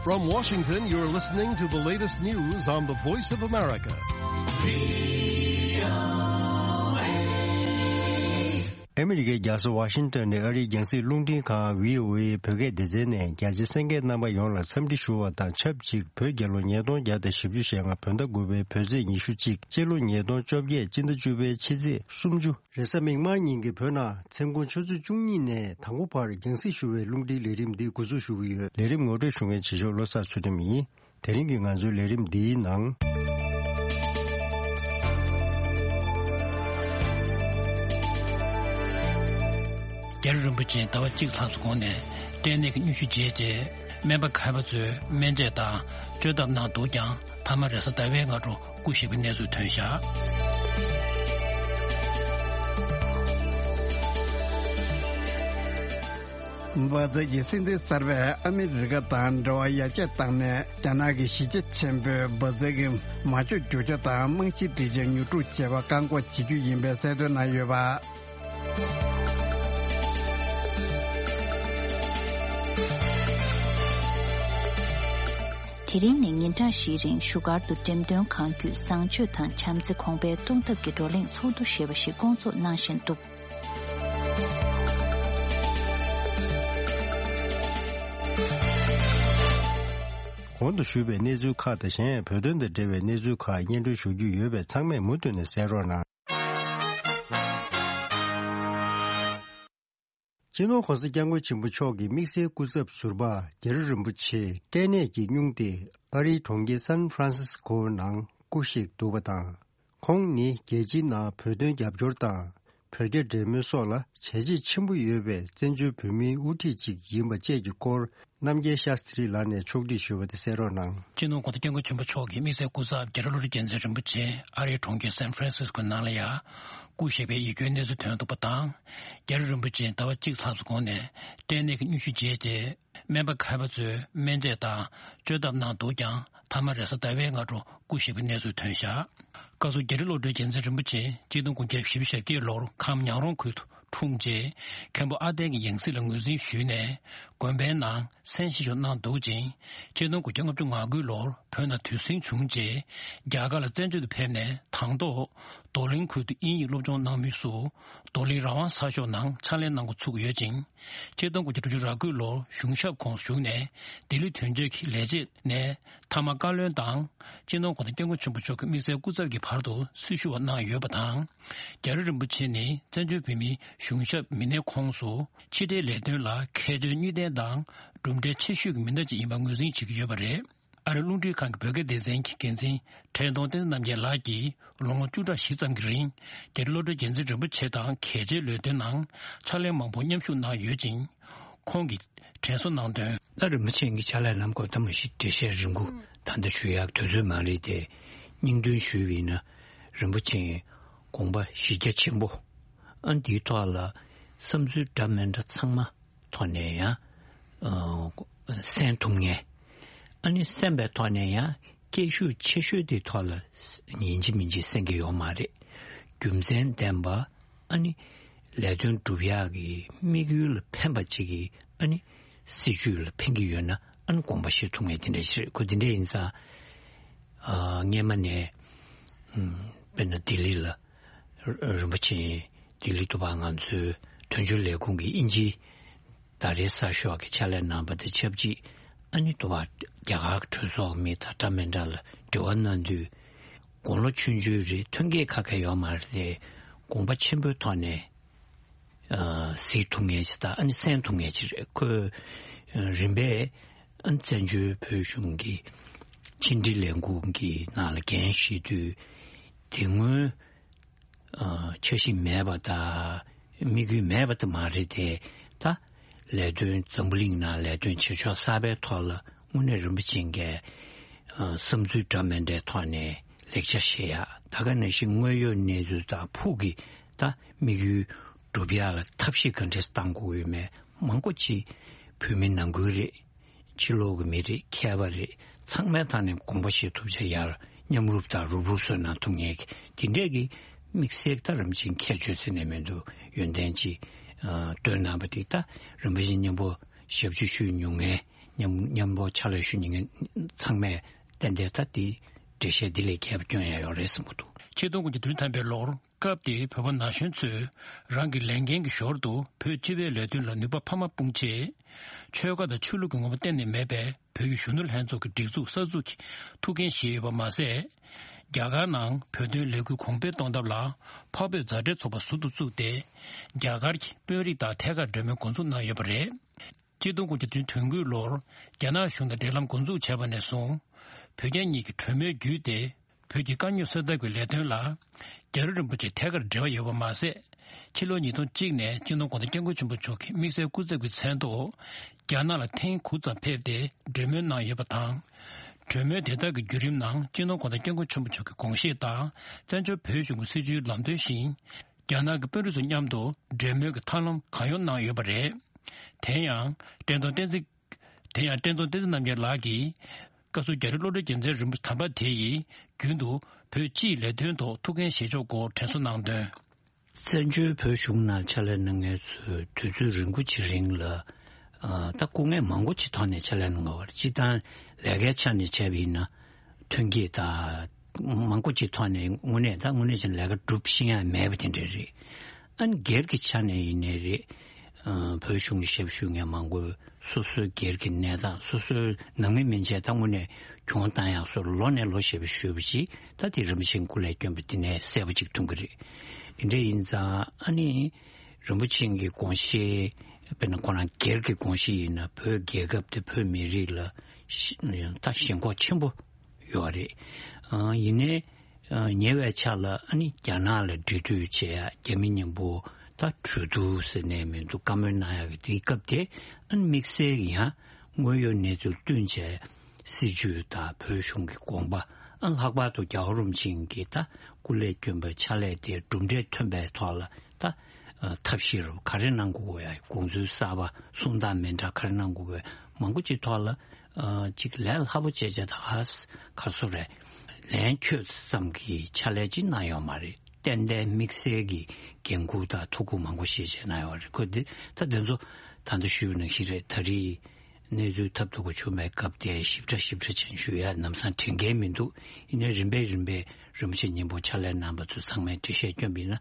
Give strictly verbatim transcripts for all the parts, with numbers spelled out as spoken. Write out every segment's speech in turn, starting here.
From Washington, you're listening to the latest news on the Voice of America. ཨ་མི་རི་ཀའི་རྒྱལ་ས་ཝ་ཤིང་ཏོན་ནས་ཨ་རིའི་རྒྱང་སྲིང་རླུང་འཕྲིན་ཁང་བྷི་ཨོ་ཨེ་བོད་སྐད་སྡེ་ཚན་ནས་རྒྱ་ཆེ་གསན་མཁན་རྣམ་པ་ཡོངས་ལ་འཚམས་འདྲི་ཞུ་བ་དང་ཆབས་ཅིག་བོད་རྒྱལ་ལོ་ཉིས་སྟོང་བརྒྱ་དང་བཞི་བཅུ་ཞེ་ལྔ་བོད་ཟླ་དགུ་པའི་བོད་ཚེས་ཉི་ཤུ་གཅིག་སྤྱི་ལོ་ཉིས་སྟོང་བཅོ་བརྒྱད་སྤྱི་ཟླ་བཅུ་པའི་ཕྱི་ཚེས་སུམ་ཅུ། རེས་གཟའ་མིག་དམར་ཉིན་གྱི་བོད་ནང་མཚན་གུང་ཆུ་ཚོད་བཅུ་གཉིས་ནས་དང་པོ་བར་རྒྱང་སྲིང་ཞུ་བའི་རླུང་འཕྲིན་ལས་རིམ་འདི་འགོ་འཛུགས་ཞུ་གི་ཡོད། ལས་རིམ་ངོ་སྤྲོད་ཞུ་མཁན་བྱེད་ཕྱོགས་བློ་བཟང་ཚུལ་ཁྲིམས་ཡིན། དེ་རིང་གི་ང་ཚོའི་ལས་རིམ་འདིའི་ནང་། རྒྱལ་བ་རིན་པོ་ཆེ་ཟླ་བ་གཅིག་ལྷག་ཙམ་གོང་ནས་སྐྲན་ནད་ཀྱི་སྙུན་གཞི་བརྗེད་རྗེས་སྨན་པ་མཁས་པ་ཚོས་སྨན་དཔྱད་དང་བཅོས་ཐབས་གནང་འདུག་ཀྱང་མཐའ་མ་རེས་གཟའ་ཟླ་བའི་སྔ་དྲོ་སྐུ་གཤེགས་པའི་གནས་ཚུལ་ཐོན་བཞག། བྷ་ཛ་གི་སྲིད་འཛིན་གསར་པས་ཨ་མི་རི་ཀ་དང་འབྲེལ་བ་ཡར་རྒྱས་བཏང་ནས་རྒྱ་ནག་གི་གཞི་རྒྱ་ཆེན་པོས་བྷ་ཛ་གི་མ་འཇོག་རྒྱུ་ཆ་དང་རྨང་གཞིའི་སྒྲིག་ཆས་ཉོ་སྒྲུབ་བྱེད་པར་བཀག་འགོག་བྱེད་རྒྱུ་ཡིན་པའི་གསལ་སྟོན་གནང་ཡོད་པ། དེ་རིང་ནས་ཉིན་གྲངས་བཞིའི་རིང་བཞུགས་སྒར་དུ་འགྲེམས་སྟོན་གང་བརྒྱུད་བཟང་སྤྱོད་དང་བྱམས་བརྩེ་གོང་འཕེལ་གཏོང་ཐབས་ཀྱི་བགྲོ་གླེང་ཚོགས་འདུ་ཞེས་པ་ཞིག་བསྐོང་ཚོགས་གནང་བཞིན་འདུག། གོང་དུ་ཞུས་པའི་གནས་ཚུལ་ཁག་དང་གཞན་ཡང་བོད་དོན་དང་འབྲེལ་བའི་གནས་ཚུལ་ཁག་སྙན་སྒྲོན་ཞུ་རྒྱུ་ཡོད་པས་ཚང་མས་མུ་མཐུད་ནས་གསན་རོགས་གནང་། སྤྱི་ནོར་༧གོང་ས་༧སྐྱབས་མགོན་ཆེན་པོ་མཆོག་གི་དམིགས་བསལ་སྐུ་ཚབ་ཟུར་པ་རྒྱ་རི་རིན་པོ་ཆེ་སྐྲན་ནད་ཀྱིས་སྙུང་སྟེ་ཨ་རིའི་གྲོང་ཁྱེར་སན་ཧྥ་རན་སིས་ཀོ་ནང་སྐུ་གཤེགས་འདུག་པ་དང་། ཁོང་ནི་རྒྱལ་སྤྱིའི་ནང་བོད་དོན་རྒྱབ་སྐྱོར་དང་། བོད་རྒྱ་འབྲེལ་མོལ་སོགས་ལ་བྱས་རྗེས་ཆེན་པོ་ཡོད་པའི་བཙན་བྱོལ་བོད་མིའི་དབུ་ཁྲིད་ཅིག་ཡིན་པ་བཅས་ཀྱི་སྐོར་རྣམ་རྒྱལ་ཤཱསྟྲི་ལགས་ནས་ཕྱོགས་སྒྲིག་ཞུས་པ་དེ་གསན་རོགས་གནང་། སྤྱི་ནོར་༧གོང་ས་༧སྐྱབས་མགོན་ཆེན་པོ་མཆོག་གི་དམིགས་བསལ་སྐུ་ཚབ་རྒྱ་རི་བློ་གྲོས་རྒྱལ་མཚན་རིན་པོ་ཆེ་ཨ་རིའི་གྲོང་ཁྱེར་སན་ཧྥ་རན་སིས་ཀོའི་ནང་ལ་ཡང་སྐུ་གཤེགས་པའི་ཡིད་སྐྱོའི་གནས་ཚུལ་ཐོན་འདུག་པ་དང་། རྒྱ་རི་རིན་པོ་ཆེ་ཟླ་བ་གཅིག་ལྷག་ཙམ་གོང་ནས་སྐྲན་ནད་ཀྱི་སྙུན་གཞི་བརྗེད་རྗེས། སྨན་པ་མཁས་པ་ཚོས་སྨན་དཔྱད་དང་བཅོས་ཐབས་གནང་འདུག་ཀྱང་མཐའ་མ་རེས་གཟའ་ཟླ་བའི་སྔ་དྲོ་སྐུ་གཤེགས་པའི་གནས་ཚུལ་ཐོན་བཞག། སྐབས་སུ་རྒྱ་རི་བློ་གྲོས་རྒྱལ་མཚན་རིན་པོ་ཆེ་གཅིག་སྟོང་དགུ་བརྒྱ་བཞི་བཅུ་ཞེ་བརྒྱད་ལོར་ཁམས་ཉང་རོང་ཁུལ་དུ་འཁྲུངས་རྗེས་མཁན་པོ་ཨ་ཏན་གྱི་ཡང་སྲིད་ལ་ངོས་འཛིན་ཞུས་ནས་དགོན་པའི་ནང་མཚན་བཞེས་ཤིག་གནང་འདུག་ཅིང་། གཅིག་སྟོང་དགུ་བརྒྱ་ལྔ་བཅུ་ང་དགུ་ལོར་བོད་ནང་དུས་ཟིང་བྱུང་རྗེས་རྒྱ་གར་ལ་བཙན་བྱོལ་དུ་ཕེབས་ནས་དང་ཐོག་རྡོར་གླིང་ཁུལ་དུ་དབྱིན་ཡིག་སློབ་སྦྱོང་གནང་མུས་སུ་རྡོར་གླིང་རང་དབང་གསར་ཤོག་ནང་ཕྱག་ལས་གནང་འགོ་ཚུགས་ཡོད་ཅིང་། ཆིག་སྟོང་དགུ་བརྒྱ་དྲུག་ཅུ་རེ་དགུ་ལོར་གཞུང་ཞབས་ཁོངས་སུ་ཞུགས་ནས་ལྡི་ལི་དོན་གཅོད་ཀྱི་ལས་བྱེད་ནས་མཐའ་མ་བཀའ་བློན་དང་སྤྱི་ནོར་༧གོང་ས་༧སྐྱབས་མགོན་ཆེན་པོ་མཆོག་གི་དམིགས་བསལ་སྐུ་ཚབ་ཀྱི་བར་དུ་སྲི་ཞུ་བ་གནང་ཡོད་པ་དང་། རྒྱ་རི་རིན་པོ་ཆེ་ནི་བཙན་བྱོལ་བོད་མིའི་གཞུང་ཞབས་མི་སྣའི་ཁོངས་སུ་ཕྱི་འབྲེལ་ལས་དོན་ལ་མཁས་མཆོག་གཉིས་ལྡན་དང་གྲུབ་འབྲས་ཆེ་ཤོས་ཀྱི་མི་སྣ་ཅིག་ཡིན་པ་ངོས་འཛིན་བྱེད་ཀྱི་ཡོད་པ་རེད། ཨ་རིའི་རླུང་འཕྲིན་ཁང་གི་བོད་སྐད་སྡེ་ཚན་གྱི་འགན་འཛིན་བཀྲས་མཐོང་བསྟན་འཛིན་རྣམ་རྒྱལ་ལགས་ཀྱིས་ལོ་ངོ་བཅུ་ཕྲག་བཞི་ཙམ་གྱི་རིང་རྒྱ་རི་བློ་གྲོས་རྒྱལ་མཚན་རིན་པོ་ཆེ་དང་གལ་ཆེའི་ལས་དོན་ནང་ཕྱག་ལས་མང་པོ་མཉམ་ཞུགས་གནང་ཡོད་ཅིང་། ཁོང་གིས་དྲན་གསོ་གནང་དོན། ད་རིན་པོ་ཆེ་གི་ཕྱག་ལས་གནང་སྐོར་ད་མ་གཞི་འགྲེལ་བཤད་རིང་པོ་ད་ལྟ་ཞུ་ཡག་དུས་ཚོད་མ་རེད་དེ། སྙིང་དོན་ཞུས་པ་ཡིན་ན་རིན་པོ་ཆེ་དགོངས་པ་གཞི་རྒྱ་ཆེན་པོ། ཨ་འདིའི་ཐོག་ལ་བསམ་ཚུལ་འདྲ་མི་འདྲ་ཚང་མ་ཐོག་ནས་ཡང་ཨ་གསན་ཐུབ་མཁན། ཨ་ནི་གསན་པའི་ཐོག་ནས་ཡང་སྐད་ཤུགས་ཆེ་ཤོས་དེའི་ཐོག་ལ་ཡིན་གཅིག་མིན་གཅིག་གསན་གྱི་ཡོད་མ་རེད། རྒྱུ་མཚན་ལྡན་པ་ཨ་ནི་ལས་དོན་སྒྲུབ་ཡག་གི་དམིགས་ཡུལ་ལ་ཕན་པ་ཅིག་གི་ཨ་ནི་སྲིད་ཇུས་ལ་ཕན་གྱི་ཡོད་ན་ཨ་ནི་དགོངས་པ་བཞེས་ཐུབ་མཁན་དེ་འདྲ་ཞིག་རེད། ཁོ་དེ་འདྲ་ཡིན་ཙང་ཨ་སྔས་མ་ནས་ཨམ་དཔེར་ན་ལྡི་ལི་ལ། རིན་པོ་ཆེ་ལྡི་ལི་དུ་བ་ང་ཚོའི་དོན་གཅོད་ལས་ཁུངས་ཀྱི་དབྱིན་ཇིའི་ཟླ་རེའི་གསར་ཤོག་གི་ཕྱག་ལས་གནང་པ་དང་ཆབས་ཅིག་ཨ་ནི་དུ་བ་རྒྱ་གར་གྱི་གྲོས་ཚོགས་མི་དང་འདྲ་མི་འདྲ་ལ་འབྲེལ་བ་གནང་དུས་དགུང་ལོ་ཆུང་ཆུང་རེད། ཐོན་སྐྱེད་ཁ་ཁ་ཡོད་མ་རེད་དེ་དགོངས་པ་ཆེན་པོའི་ཐོག་ནས་གཟིགས་ཐུབ་མཁན་ཞིག་དང་ཨ་ནི་གསན་ཐུབ་མཁན་ཞིག་རེད། ཁོས་རིམ་པས་ཨ་ནི་བཙན་བྱོལ་བོད་གཞུང་གི་ཕྱི་འབྲེལ་ལས་ཁུངས་ཀྱི་ནང་ལ་འགན་བཞེས་དུས་དེ་སྔོན། འཆར་གཞི་མེད་པ་དང་དམིགས་ཡུལ་མེད་པ་དེ་མ་རེད་དེ། ད་ལས་དོན་འཛམ་བུ་གླིང་ནང་ལས་དོན་བྱེད་ཕྱོགས་གསར་པའི་ཐོག་ལ་དངོས་གནས་རིན་པོ་ཆེ་གིས་བསམ་ཚུལ་འདྲ་མི་འདྲའི་ཐོག་ནས་ལེགས་ཆ་བཞེས་ཡ། ད་ག་ནང་བཞིན་དངོས་ཡོད་གནས་ཚུལ་དང་ཕུགས་ཀྱི་ད་དམིགས་ཡུལ་སྒྲུབ་ཡ་ལ་ཐབས་ཤེས་ག་འདྲས་བཏང་དགོས་ཡོད་མེད་མང་པོ་ཅིག་བོད་མི་ནང་ཁུལ་རེད། ཕྱི་ལོགས་ཀྱི་མི་རེད། མཁས་པ་རེད། ཚང་མའི་ཐད་ནས་དགོངས་པ་བཞེས་ཐུབ་བྱ་ཡར་མཉམ་རུབ་དང་རུབ་རུབ་བཟོས་གནང་ཐུབ་མཁན་གྱི་དེ་འདྲས་ཀྱི་དམིགས་བསལ་ད་རིན་པོ་ཆེ་ཁྱད་ཆོས་ཟེར་ནས་མི་འདུག་ཡོན་ཏན་ཅིག་ཨ་བཏོན་གནང་བ་དེ་ད་རིན་པོ་ཆེ་མཉམ་པོ་ ཞབས་ཞུ་ཞུ་མྱོང་མཁན། མཉམ་མཉམ་པོ་ཕྱག་ལས་ཞུ་མྱོང་མཁན་ཚང་མས་ཏན་ཏན་ད་དེ་འགྲེལ་བཤད་འདི་ལས་རྒྱས་པ་སྐྱོན་ཡ་ཡོད་རེད་བསམ་གྱི་འདུག་ཆིག་སྟོང་དགུ་བརྒྱ་དོན་ཐམ་པའི་ལོར་སྐབས་དེའི་བོད་པ་ན་གཞོན་ཚོས་རང་གི་ལས་འགན་གྱི་ཞོར་དུ་བོད་སྤྱི་པའི་ལས་དོན་ལ་ནུས་པ་འཕར་མ་སྤུངས་རྗེས། ཆོལ་ཁ་དང་ཆོས་ལུགས་ཀྱི་ངོ་བོ་གཏན་ནས་མེད་པའི་བོད་ཀྱི་གཞོན་ནུ་ལྷན་ཚོགས་ཀྱི་སྒྲིག་འཛུགས་གསར་འཛུགས་ཀྱི་ཐུགས་འགན་བཞེས་ཡོད་པ་མ་ཟད། རྒྱ་གར་ནང་བོད་དོན་ལས་འགུལ་གོང་འཕེལ་གཏོང་ཐབས་ལ་འཕགས་བོད་མཛའ་འབྲེལ་ཚོགས་པ་ཟུར་དུ་བཙུགས་ཏེ། རྒྱ་གར་གྱི་དཔོན་རིགས་དང་ཐད་ཀར་འབྲེལ་མོལ་འགོ་འཛུགས་གནང་ཡོད་པ་རེད། ཆིག་སྟོང་དགུ་བརྒྱ་དོན་དགུའི་ལོར་རྒྱ་ནག་གཞུང་དང་འབྲེལ་ལམ་འགོ་འཛུགས་བྱས་པ་ནས་བཟུང་། བོད་རྒྱ་གཉིས་ཀྱི་གྲོས་མོལ་བརྒྱུད་དེ། བོད་ཀྱི་དཀའ་རྙོག་སེལ་ཐབས་ཀྱི་ལས་དོན་ལ། རྒྱ་རི་རིན་པོ་ཆེ་ཐད་ཀར་འབྲེལ་བ་ཡོད་པ་མ་ཟད། ཕྱི་ལོ་ཉིས་སྟོང་གཅིག་ནས་སྤྱི་ནོར་༧གོང་ས་༧སྐྱབས་མགོན་ཆེན་པོ་མཆོག་གི་དམིགས་བསལ་སྐུ་ཚབ་ཀྱི་མཚན་ཐོག་རྒྱ་ནག་ལ་ཐེངས་དགུ་ཙམ་ཕེབས་ཏེ་གྲོས་མོལ་གནང་ཡོད་པ་དང་། གྲོས་མོལ་དེ་དག་གི་བརྒྱུད་རིམ་ནང་སྤྱི་ནོར་༧གོང་ས་༧སྐྱབས་མགོན་ཆེན་པོ་མཆོག་གི་དགོངས་བཞེད་དང་བཙན་བྱོལ་བོད་གཞུང་གི་སྲིད་བྱུས་ལམ་སྟོན་བཞིན། རྒྱ་ནག་གི་དཔོན་རིགས་ཚོ་མཉམ་དུ་གྲོས་མོལ་གྱི་ཐབས་ལམ་གང་ཡོང་གནང་ཡོད་པ་རེད། དེ་ཡང་བཀྲས་མཐོང་བསྟན་འཛིན། དེ་ཡང་བཀྲས་མཐོང་བསྟན་འཛིན་རྣམ་རྒྱལ་ལགས་ཀྱིས། བཀའ་ཟུར་རྒྱ་རི་བློ་གྲོས་རྒྱལ་མཚན་རིན་པོ་ཆེ་དམ་པ་དེ་ཡིས་རྒྱུན་དུ་བོད་སྤྱིའི་ལས་དོན་ཐོག་ཐུགས་འགན་བཞེས་ཕྱོགས་སྐོར་དྲན་གསོ་གནང་དོན། བཙན་བྱོལ་བོད་གཞུང་ནང་ཕྱག་ལས་གནང་མཁན་ཚོས་དུས་ཚོད་རིང་པོ་ཅིག་རིང་ལ། ཨ། ད་སྐུ་ངལ་མང་པོ་ཅིག་ཐོག་ནས་ཕྱག་ལས་གནང་བ་རེད། སྤྱིར་བཏང་ལས་ཀའི་ཆ་ནས་བྱས་པ་ཡིན་ན། ཐོན་སྐྱེད་དང་མང་པོ་ཅིག་ཐོག་ནས་དངོས་གནས་ད་དངོས་གནས་ཅིག་ལས་ཀ་སྒྲུབ་ཤེས་ཡ་མེད་པ་དེ་འདྲ་རེད། ཨ་ནི་སྒེར་གྱི་ཆ་ནས་ཡིན་ནའི་རེད། ཨ། བོད་གཞུང་གི་ཞབས་ཞུ་མཁན་མང་པོས་སོ་སོའི་སྒེར་གྱི་གནས་སྟངས། སོ་སོའི་ནང་མི་མན་ཆད་ད་དངོས་གནས་གྱོང་བཏང་ཡག་སོགས་ལོ་ནས་ལོ་ཞེ་པོ་ཞུས་པ་ཞིག་ད་དེ་རིན་པོ་ཆེའི་སྐུ་ལས་བསྐྱོན་པ་དེ་ནས་གསལ་པོ་ཅིག་མཐོང་གི་རེད། དེ་འདྲ་ཡིན་ཙང་ཨ་ནི་རིན་པོ་ཆེ་གི་དགོངས་བཞེད། དཔེར་ན་ཁོ་རང་སྒེར་གྱི་དགོངས་བཞེད་ཡིན་ན་བོད་རྒྱལ་ཁབ་དེ་བོད་མི་རིགས་ལ་ཤ་ད་ཞེན་ཁོག་ཆེན་པོ་ཡོད་རེད། ཨ། ཡིན་ནའི་ཨ། ཉེ་བའི་ཆར་ལ་ཨ་ནི་རྒྱ་ནག་ལ་འབྲེལ་མཐུད་བྱེད་ཡ། རྒྱ་མི་མཉམ་པོ་ད་གྲོས་བསྡུར་ཟེར་ནས་མི་འདུག་བཀའ་མོལ་གནང་ཡ་གི་དེའི་སྐབས་དེ། ཨ་ནི་དམིགས་བསལ་གྱི་ཡང་དངོས་ཡོད་གནས་ཚུལ་བསྟུན་བྱས། སྲིད་བྱུས་དང་བོད་གཞུང་གི་དགོངས་པ། ཨ། ལྷག་པར་དུ་རྒྱལ་བ་རིན་པོ་ཆེ་གིས་ད་སྐུ་ལས་བསྐྱོན་པའི་ཕྱག་ལས་དེ་གྲུབ་འབྲས་ཐོན་པའི་ཐོག་ལ་ད། ཨ། ཐབས་ཤེས་རུ་ག་རེ་གནང་དགོས་ཡ། དགོངས་ཚུལ་གསར་པ་གསུང་སྟངས་མི་འདྲ་ག་རེ་གནང་དགོས་ཡ་མང་པོ་ཅིག་ཐོག་ལ། ཨ། ཅིག་ལས་སླ་པོ་བྱས་བྱས་ད་ག་ག་སོ་རེད། ལན་ཁྱོད་ཙམ་གྱི་ཕྱག་ལས་ཅིག་གནང་ཡོད་མ་རེད། ཏན་ཏན་དམིགས་བསལ་གྱི་འགན་འཁུར་དང་ཐུགས་ཁུར་མང་པོ་བཞེས་བྱས་གནང་ཡོད་རེད། ཁོ་འདི་ད་འདི་ཚོ་ད་ལྟ་ཞུས་པ་ནང་བཞིན་རེད། ད་རེས་གནས་ཚུལ་ཐབས་སྡུག་པོ་བྱུང་བའི་སྐབས་དེ་ཞིབ་ཕྲ་ཞིབ་ཕྲ་ཅན་ཞུ་ཡ་ལམ་སང་དྲན་གྱི་མི་འདུག་ཡིན་ནའི་རིམ་པས་རིམ་པས་རིན་པོ་ཆེ་མཉམ་པོ་ཕྱག་ལས་གནང་པ་ཚོ་ཚང་མས་འགྲེལ་བཤད་བསྐྱོན་པ་ཡིན་ན།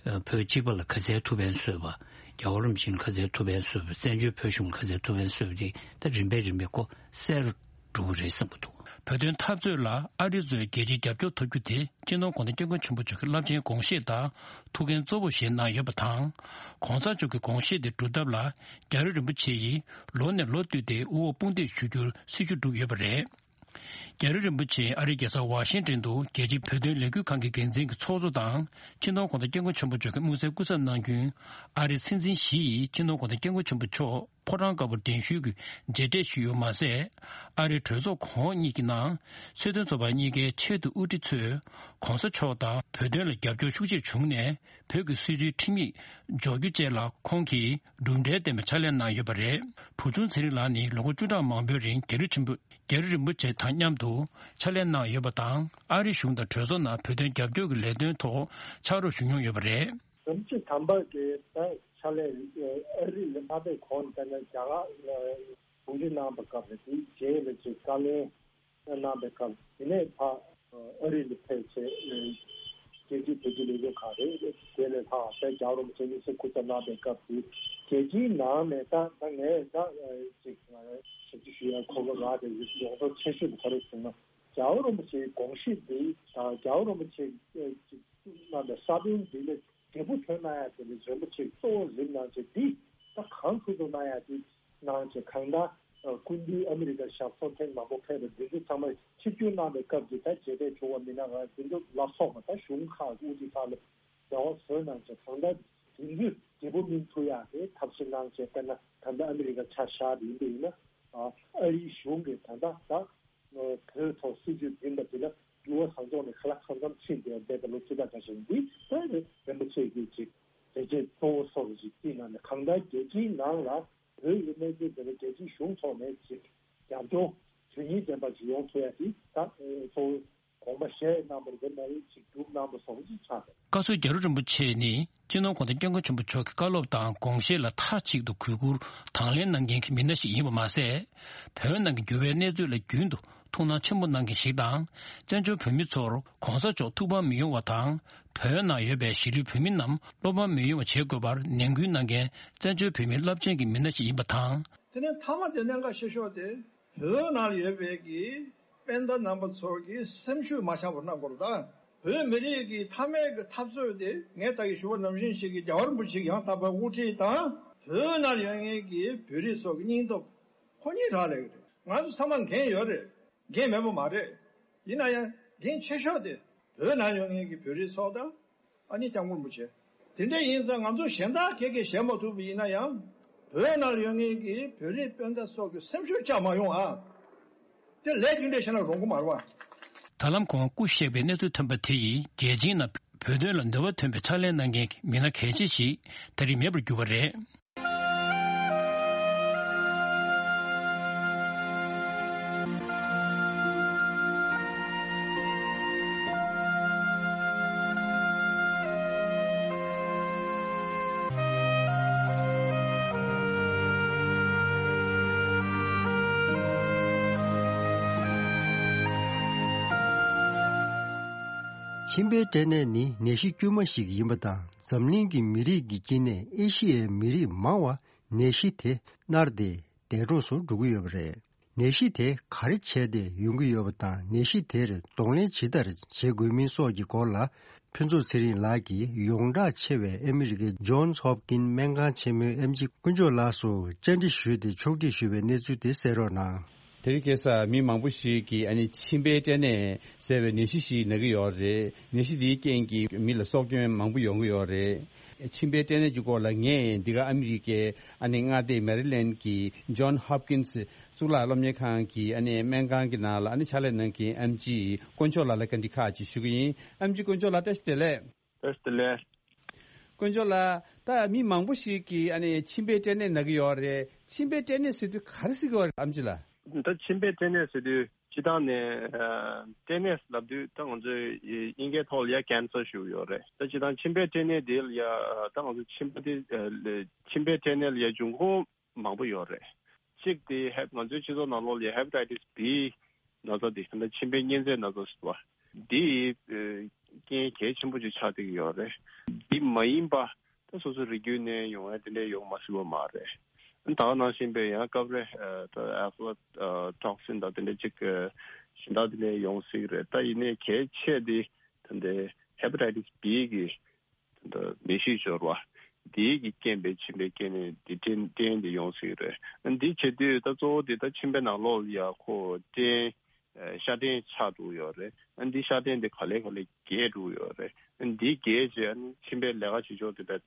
ཨ། བོད་གཅིག་པ་ལ་ག་ཚད་ཐུགས་ཕན་གསོས་པ། རྒྱལ་བ་རིན་པོ་ཆེ་ལ་ག་ཚད་ཐུགས་ཕན་གསོས་པ། བཙན་བྱོལ་བོད་གཞུང་ལ་ག་ཚད་ཐུགས་ཕན་གསོས་པ་དེ་ད་རིམ་པས་རིམ་པས་ཁོ་གསལ་རུ་འགྲོ་གི་རེད་བསམ་གྱི་འདུག་བོད་དོན་འཐབ་རྩོད་ལ་ཨ་རི་གཙོས་རྒྱལ་སྤྱིའི་རྒྱབ་སྐྱོར་ཐོབ་རྒྱུ་དེ་སྤྱི་ནོར་༧གོང་ས་༧སྐྱབས་མགོན་ཆེན་པོ་མཆོག་གི་རླབས་ཆེན་དགོངས་བཞེད་དང་ཐུགས་འགན་གཙོ་བོ་བཞེས་གནང་ཡོད་པ་དང་། ༸གོང་ས་མཆོག་གི་དགོངས་བཞེད་དེ་སྒྲུབ་ཐབས་ལ་རྒྱ་རི་རིན་པོ་ཆེ་ཡིས་ལོ་ནས་ལོ་བསྟུད་དེ་དབུ་འོག་དཔུང་འདེགས་ཞུ་རྒྱུར་སྲིད་བྱུས་བསྒྲུབས་ཡོད་པ་རེད། རྒྱ་རི་རིན་པོ་ཆེ་ཨ་རིའི་རྒྱལ་ས་ཝ་ཤིང་ཏོན་དུ་རྒྱལ་སྤྱིའི་བོད་དོན་ལས་འགུལ་ཁང་གི་འགན་འཛིན་གྱི་ཚོགས་གཙོ་དང་སྤྱི་ནོར་༸གོང་ས་༸སྐྱབས་མགོན་ཆེན་པོ་མཆོག་གི་དམིགས་བསལ་སྐུ་ཚབ་གནང་རྒྱུའི་ཨ་རིའི་སྲིད་འཛིན་ཞི་ཡིས་སྤྱི་ནོར་༸གོང་ས་༸སྐྱབས་མགོན་ཆེན་པོ་མཆོག་ཕོ་བྲང་དཀར་པོར་གདན་ཞུས་ཀྱི་མཇལ་འཕྲད་ཞུས་ཡོད་མ་ཟད། ཨ་རིའི་གྲོས་ཚོགས་གོང་འོག་གཉིས་ཀྱི་ནང་ཚོགས་དོན་ཚོགས་པ་གཉིས་ཀའི་ཆེས་མཐོའི་དབུ་ཁྲིད་ཚོས་༸གོང་ས་མཆོག་དང་བོད་དོན་ལ་རྒྱབ་སྐྱོར་ཤུགས་ཆེར་བྱུང་ནས་བོད་ཀྱི་སྲིད་བྱུས་ཁྲིམས་ཡིག་འཇོག་རྒྱུ་བཅས་ལ་ཁོང་གིས་གྲུབ་འབྲས་ལྡན་པའི་ཕྱག་ལས་གནང་ཡོད་པ་རེད། བུ་ཆུང་ཚེ་རིང་ལགས་ནི་ལོ་ངོ་བཅུ་ཕྲག་མང་པོའི་རིང་རྒྱ་རི་ཆེན་པོ་རྒྱ་རི་རིན་པོ་ཆེ་དང་མཉམ་དུ་ཕྱག་ལས་གནང་ཡོད་པ་དང་། ཨ་རིའི་གཞུང་དང་གྲོས་ཚོགས་ནང་བོད་དོན་རྒྱབ་སྐྱོར་གྱི་ལས་དོན་ཐོག་ཕྱག་རོགས་ཞུ་མྱོང་ཡོད་པ་རེད། རིན་པོ་ཆེ་དམ་པ་གིས་ད་ཕྱག་ལས་ཨ་རི་ལ་མ་ཕེབས་གོང་ལ་ད་ནི་རྒྱ་གར་ལ་གོང་འདྲི་གནང་བའི་སྐབས་རེད། དེའི་རྗེས་ལ་ཅིག་བཀའ་ལན་གནང་བའི་སྐབས། དེ་ནས་ཕར་ཨ་རི་ལ་ཕེབས་བྱས་རྒྱལ་སྤྱིའི་བོད་ཀྱི་ལས་འགུལ་ཁང་རེད། དེ་ལས་ལྷག་ད་རྒྱལ་བ་རིན་པོ་ཆེ་དམིགས་བསལ་སྐུ་ཚབ་གནང་བའི་སྐབས་དེ་རྒྱལ་སྤྱིའི་ནང་ནས་ད་ད་ངས་ད་ཅིག་ཞབས་ཕྱི་ཞུ་ཡ་གོ་སྐབས་རག་པའི་ཡོངས་གྲགས་ཆེ་ཤོས་དེ་ག་རེ་ཟེར་ན། རྒྱལ་བ་རིན་པོ་ཆེའི་དགོངས་གཞི་འདི་དང་རྒྱལ་བ་རིན་པོ་ཆེ་ཅིག་གནང་བའི་ས་བོན་འདི་ལས་འབྲས་བུ་ཐོན་གནང་ཡ་དེ་ལས་རིན་པོ་ཆེ་གཙོ་བོ་རིམ་གནང་བྱས་འདི་ད་གང་ཐུབ་ཐུབ་གནང་ཡ་དེ་གནང་བྱས། གང་ལྟར་སྐུ་མདུན་ཨ་མི་རི་ཀ་ཞབས་སོར་ཐེངས་མང་པོ་ཕེབས་པ་འདི་ཚོ་ཚང་མ་ཆིབས་བསྒྱུར་གནང་བའི་སྐབས་ཀྱི་ད་མཇལ་འཕྲད་བྱུང་བ་མི་སྣ་རང་འདི་ཚོ་ལ་སོགས་པ་ད་གཞུང་ཁག་དབུ་ཁྲིད་ཁག་ལ་འབྲེལ་བ་བཟོས་གནང་བྱས། གང་ལྟར་དེང་དུས་འབྲས་བུ་སྨིན་ཐུབ་ཡ་དེ་ཐབས་ཤེས་གནང་བྱས། དཔེར་ན་ད་ལྟ་ཨ་མི་རི་ཀ་ཆ་བཞག་པ་ཡིན་པ་ཡིན་ན། ཨ་རིའི་གཞུང་གིས་ད་ལྟ་ད་བོད་ཐོག་སྲིད་བྱུས་འཛིན་པ་དེ་ལ་འགྱུར་བ་བཟང་ཕྱོགས་ནས་ཁ་ལག་ཁ་མཚམས་ཕྱིན་བསྡད་པ་ལོ་བཅུ་ཕྲག་འགའ་ཞིག་འདི་ད་རིན་པོ་ཆེ་གིས་ཅིག་བྱས་རྗེས་གཙོ་བོ་སོགས་ཀྱི་ཅིག་བརྩིས་གནང་ནས། གང་ལྟར་རྒྱལ་སྤྱིའི་ནང་ལ་བོད་ཀྱི་གནས་ཚུལ་དེ་ལ་རྒྱལ་སྤྱིའི་གཞུང་ཐོག་ནས་ཅིག་རྒྱབ་སྐྱོར་དོན་སྙིང་ལྡན་པ་ཞིག་ཡོང་ཐུབ་ཡ་དེ་ད་གཙོ་བོ། དགོངས་པ་བཞེས་གནང་བ་རེད། དེ་མ་ཡིན་ཅིག་སྒྲུབ་གནང་བ་བཟོ་འདྲ་ཅིག་ཆགས་འདུག། བཀའ་ཟུར་རྒྱ་རི་རིན་པོ་ཆེ་ནི་སྤྱི་ནོར་༸གོང་ས་༸སྐྱབས་མགོན་ཆེན་པོ་མཆོག་གི་བཀའ་སློབ་དང་དགོངས་བཞེད་ལ་མཐའ་གཅིག་ཏུ་གུས་བཀུར་དང་ལེན་གནང་མཁན་གྱི་མི་སྣ་ཞིག་ཡིན་པ་མ་ཟད། བོད་ནང་གི་འགྱུར་བའི་གནས་ཚུལ་ལ་རྒྱུན་དུ་ཐུགས་སྣང་ཆེན་པོ་གནང་མཁན་ཞིག་དང་། བཙན་བྱོལ་བོད་མི་ཚོར་༸གོང་ས་མཆོག་ཐུགས་ཕམ་མི་ཡོང་བ་དང་། བོད་ནང་ཡོད་པའི་གཞིས་ལུས་བོད་མི་རྣམས་བློ་ཕམ་མི་ཡོང་བ་བྱེད་དགོས་པར་ནན་སྐུལ་གནང་མཁན་བཙན་བྱོལ་བོད་མིའི་རླབས་ཆེན་གྱི་མི་སྣ་ཞིག་ཡིན་པ་དང་། དེ་ནས་མཐའ་མ་དེ་གནད་འགག་ཆེ་ཤོས་དེ། བོད་ནང་ཡོད་པའི་གི་སྤུན་ཟླ་རྣམ་པ་ཚོ་གི་སེམས་ཤུགས་མ་ཆག་པར་གནང་དགོས་རེད་ད། བོད་མི་རིགས་ཀྱི་མཐའ་མའི་གི་འཐབ་རྩོད་དེ་ངས་ད་གི་ཞུ་བ་ནང་བཞིན་ཞིག་གི་རྒྱལ་བ་རིན་པོ་ཆེ་ཡང་དག་པའི་དབུ་ཁྲིད་དང་བོད་ནང་ཡོད་མཁན་གྱི་བོད་རིགས་ཚོ་གི་སྙིང་སྟོབས་ཁོ་གཉིས་རག་ལས་ཀྱི་རེད། ང་ཚོ་ཚང་མ་འགན་ཡོད་རེད། འགན་མེད་པ་མ་རེད། ཡིན་ན་ཡང་འགན་ཆེ་ཤོས་དེ་བོད་ནང་ཡོད་མཁན་གྱི་བོད་རིགས་ཚོ་དང་། ཨ་ནི་སྐྱབས་མགོན་རིན་པོ་ཆེ། དེ་འདྲ་ཡིན་ཙང་ང་ཚོ་གཞན་དག་གེ་གེ་བྱེད་མ་ཐུབ་པ་ཡིན་ན་ཡང་། བོད་ནང་ཡོད་མཁན་གྱི་བོད་རིགས་སྤུན་ཟླ་སོགས་ཀྱི་སེམས་ཤུགས་བཅག་མ་ཡོང་ཨ། དེ་ལས་རྒྱུ་འབྲས་བཤད་ན་རུང་གི་མ་རེད་བ། ད་ལམ་ཁོང་སྐུ་གཤེགས་པའི་གནས་ཚུལ་ཐོན་པ་དེ་ཡིས་རྒྱལ་སྤྱིའི་ནང་བོད་དོན་ལ་འདོད་པ་ཐོན་པའི་ཕྱག་ལས་གནང་མཁན་གྱི་མི་སྣ་གལ་ཆེ་ཞིག་ད་རེས་མེད་པར་གྱུར་པ་རེད། མཆིན་པའི་སྐྲན་ནད་ནི་ནད་གཞི་དཀྱུས་མ་ཞིག་ཡིན་པ་དང་། འཛམ་གླིང་གི་མི་རིགས་ཀྱི་དཀྱིལ་ནས་ཨེ་ཤི་ཡའི་མི་རིགས་མང་བ་ནད་གཞི་དེ་མནར་ཏེ་འདས་གྲོངས་སུ་འགྲོ་གི་ཡོད་པ་རེད། ནད་གཞི་དེ་ག་རེ་བྱས་ཏེ་ཡོང་གི་ཡོད་པ་དང་། ནད་གཞི་དེར་གདོང་ལེན་ཇི་ལྟར་བྱེད་དགོས་མིན་སོགས་ཀྱི་སྐོར་ལ། ཕུན་ཚོགས་ཚེ་རིང་ལགས་ཀྱིས་ཡོངས་གྲགས་ཆེ་བའི་ཨ་མི་རི་ཀའི་ཇོན་སི་ཧོབ་ཀིན་སྨན་ཁང་ཆེན་མོའི་ཨེམ་ཆི་དཀོན་མཆོག་ལགས་སུ་བཅར་འདྲི་ཞུས་ཏེ་ཕྱོགས་སྒྲིག་ཞུས་པའི་གནས་ཚུལ་དེ་གསན་རོགས་གནང་། དེ་རིང་ཁ་སང་མི་མང་པོ་ཞིག་གིས་ཨ་ནི་མཆིན་པའི་སྐྲན་ནད་ཟེར་བའི་ནད་གཞི་ཞིག་ན་གི་ཡོད་རེད། ནད་གཞི་འདིའི་རྐྱེན་གྱིས་མི་ལ་སྲོག་སྐྱོན་མང་པོ་ཡོང་གི་ཡོད་རེད། མཆིན་པའི་སྐྲན་ནད་ཀྱི་སྐོར་ལ་ངས་འདི་ག་ཨ་མི་རི་ཀའི་ཨ་ནི་མངའ་སྡེ་མེ་རི་ལེན་གྱི་ཇོན་ཧོབ་ཀིན་སི་གཙུག་ལག་སློབ་གཉེར་ཁང་གི་ཨ་ནི་སྨན་ཁང་གི་ནང་ལ་ཨ་ནི་ཕྱག་ལས་གནང་མཁན་ཨེམ་ཆི་དཀོན་མཆོག་ལགས་ལ་བཀའ་འདྲི་ཁག་ཅིག་ཞུ་གི་ཡིན། ཨེམ་ཆི་དཀོན་མཆོག་ལགས་བཀྲ་ཤིས་བདེ་ལེགས། བཀྲ་ཤིས་བདེ་ལེགས། དཀོན་མཆོག་ལགས། ད་མི་མང་པོ་ཞིག་གིས་ཨ་ནི་མཆིན་པའི་སྐྲན་ནད་ན་གི་ཡོད་རེད། མཆིན་པའི་སྐྲན་ནད་ཟེར་དུས་ག་རེ་ཟེར་གི་ཡོད་རེད་ཨེམ་ཆི་ལགས། ད་མཆིན་པའི་སྐྲན་ནད་ཟེར་དུས་སྤྱིར་བཏང་ནས་ཨ་སྐྲན་ནད་ལབ་དུས་ད་ང་ཚོས་དབྱིན་སྐད་ཐོག་ལ་ཡ་ཀེན་སར་ཞུ་གི་ཡོད་རེད། ད་སྤྱིར་བཏང་མཆིན་པའི་སྐྲན་ནད་དེ་ལ་ཡ་ད་ང་ཚོ་མཆིན་པ་དེ་ཨ་མཆིན་པའི་སྐྲན་ནད་ལ་ཡ་འབྱུང་ཁུངས་མང་པོ་ཡོད་རེད། གཅིག་དེ་ཧེབ་ང་ཚོའི་སྤྱི་ཚོགས་ནང་ལོགས་ལ་ཡ་ཧེ་པ་ཊའི་ཊི་སི་བི་ན་ཚ་དེ་ད་ལྟ་མཆིན་པའི་གཉན་ཚད་ན་ཚ་ཟེར་བ་འདི་ཨ་རྐྱེན་གལ་ཆེན་པོ་ཅིག་ཆགས་བསྡད་ཀྱི་ཡོད་རེད། འདི་མ་ཡིན་པ་ད་སོ་སོའི་རིགས་རྒྱུད་ནས་ཡོང་ཡ་དེ་འདྲ་ཡོང་མ་སྲིད་པ་མ་རེད། ད་ག་ནང་བཞིན་པའི་ཡང་སྐབས་རེ་ཨ་ད་ཨེ་ཕ་ལོ་ཊོག་སིན་དང་དེ་འདྲ་ཅིག་ཨ་གཞན་དག་དེ་འདྲ་ཡོང་སྲིད་ཀྱི་རེད། ད་ཡིན་ནའི་གལ་ཆེ་དེ་ད་ལྟའི་ཧེ་པ་ཊའི་ཊི་སི་བི་གི་ད་ནད་གཞི་འབྱོར་བ་འདིའི་གི་རྐྱེན་པས་མཆིན་པའི་སྐྲན་ནད་འདི་སྐྲན་སྐྲན་འདི་ཡོང་སྲིད་རེད། འདི་བྱེད་དུས་ད་གཙོ་བོ་འདི་ད་མཆིན་པའི་ནང་ལོགས་ལ་ཡ་ཁོ་སྐྲན་ཤ་སྐྲན་ཆགས་འགྲོ་གི་ཡོད་རེད། འདི་ཤ་སྐྲན་འདི་ག་ལེ་ག་ལེ་རྒྱས་འགྲོ་གི་ཡོད་རེད། འདི་རྒྱས་རྗེས་མཆིན་པའི་ལས་ཀ་བྱེད་ཕྱོགས་དེ་དཔེ་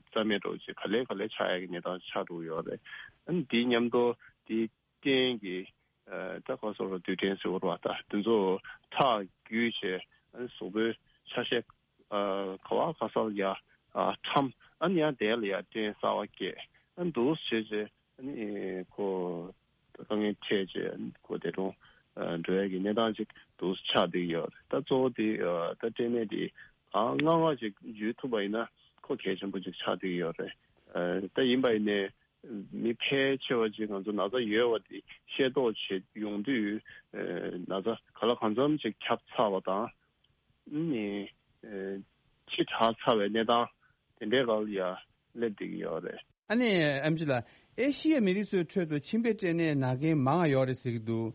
རྩ་མེད་འགྲོ་རྗེས་ག་ལེ་ག་ལེ་ཆགས་ཡ་གི་གནས་སྟངས་ཆགས་འགྲོ་གི་ཡོད་རེད། འདི་མཉམ་དུ་འདི་སྐྲན་གྱི་ཨ་ད་ག་སོགས་རྡུལ་ཕྲན་ཟེར་བ་ད་དེ་ཚོ་ཁྲག་རྒྱུས་བྱས་གཟུགས་པོའི་ཆ་ཤས་ཨ་ག་བ་ག་ས་ལ་ཡ་ཨ་ཁྲམ་ཨ་ནི་ཡང་དེ་ལ་ཡ་སྐྲན་གསར་བ་སྐྱེས་ཨ་འདུག་བྱས་རྗེས་ཨ་ནི་ཁོ་དཀའ་ངལ་འཕྲད་རྗེས་ཁོ་དེ་རུ་འགྲོ་ཡ་གི་གནས་སྟངས་ཅིག་འདུག་ཆགས་བསྡད་ཡོད་རེད། ད་གཙོ་བོ་དེ་ད་སྐྲན་ནད་དེ་གང་སྔ་སྔ་ཅིག་འཇུ་ཐུབ་པ་ཡིན་ན་ཁོ་གལ་ཆེན་པོ་ཅིག་ཆགས་བསྡད་ཡོད་རེད། ད་ཡིན་པ་ཡིན་ནའི། མི་ཕལ་ཆེ་བ་ཅིག་ང་ཚོ་ན་ཚ་ཡོད་པ་དེ་ཤེས་རྟོགས་བྱེད་ཡོང་དུས་ན་ཚ་ག་ལ་གང་འཚམ་ཅིག་ཁྱབ་ཚར་བ་དང་ནི་ཕྱི་དྲགས་ཚར་བའི་གནས་སྟངས་དེ་འདྲའི་སྒང་ལ་ཡ་སླེབས་བསྡད་ཀྱི་ཡོད་རེད། ཨ་ནི་ཨེམ་ཆི་ལགས། ཨེ་ཤི་ཡའི་མི་རིགས་ཚོའི་ཁྲོད་དུ་མཆིན་པའི་སྐྲན་ནད་ན་མཁན་མང་ང་ཡོད་རེད་ཟེར་གྱི་འདུག།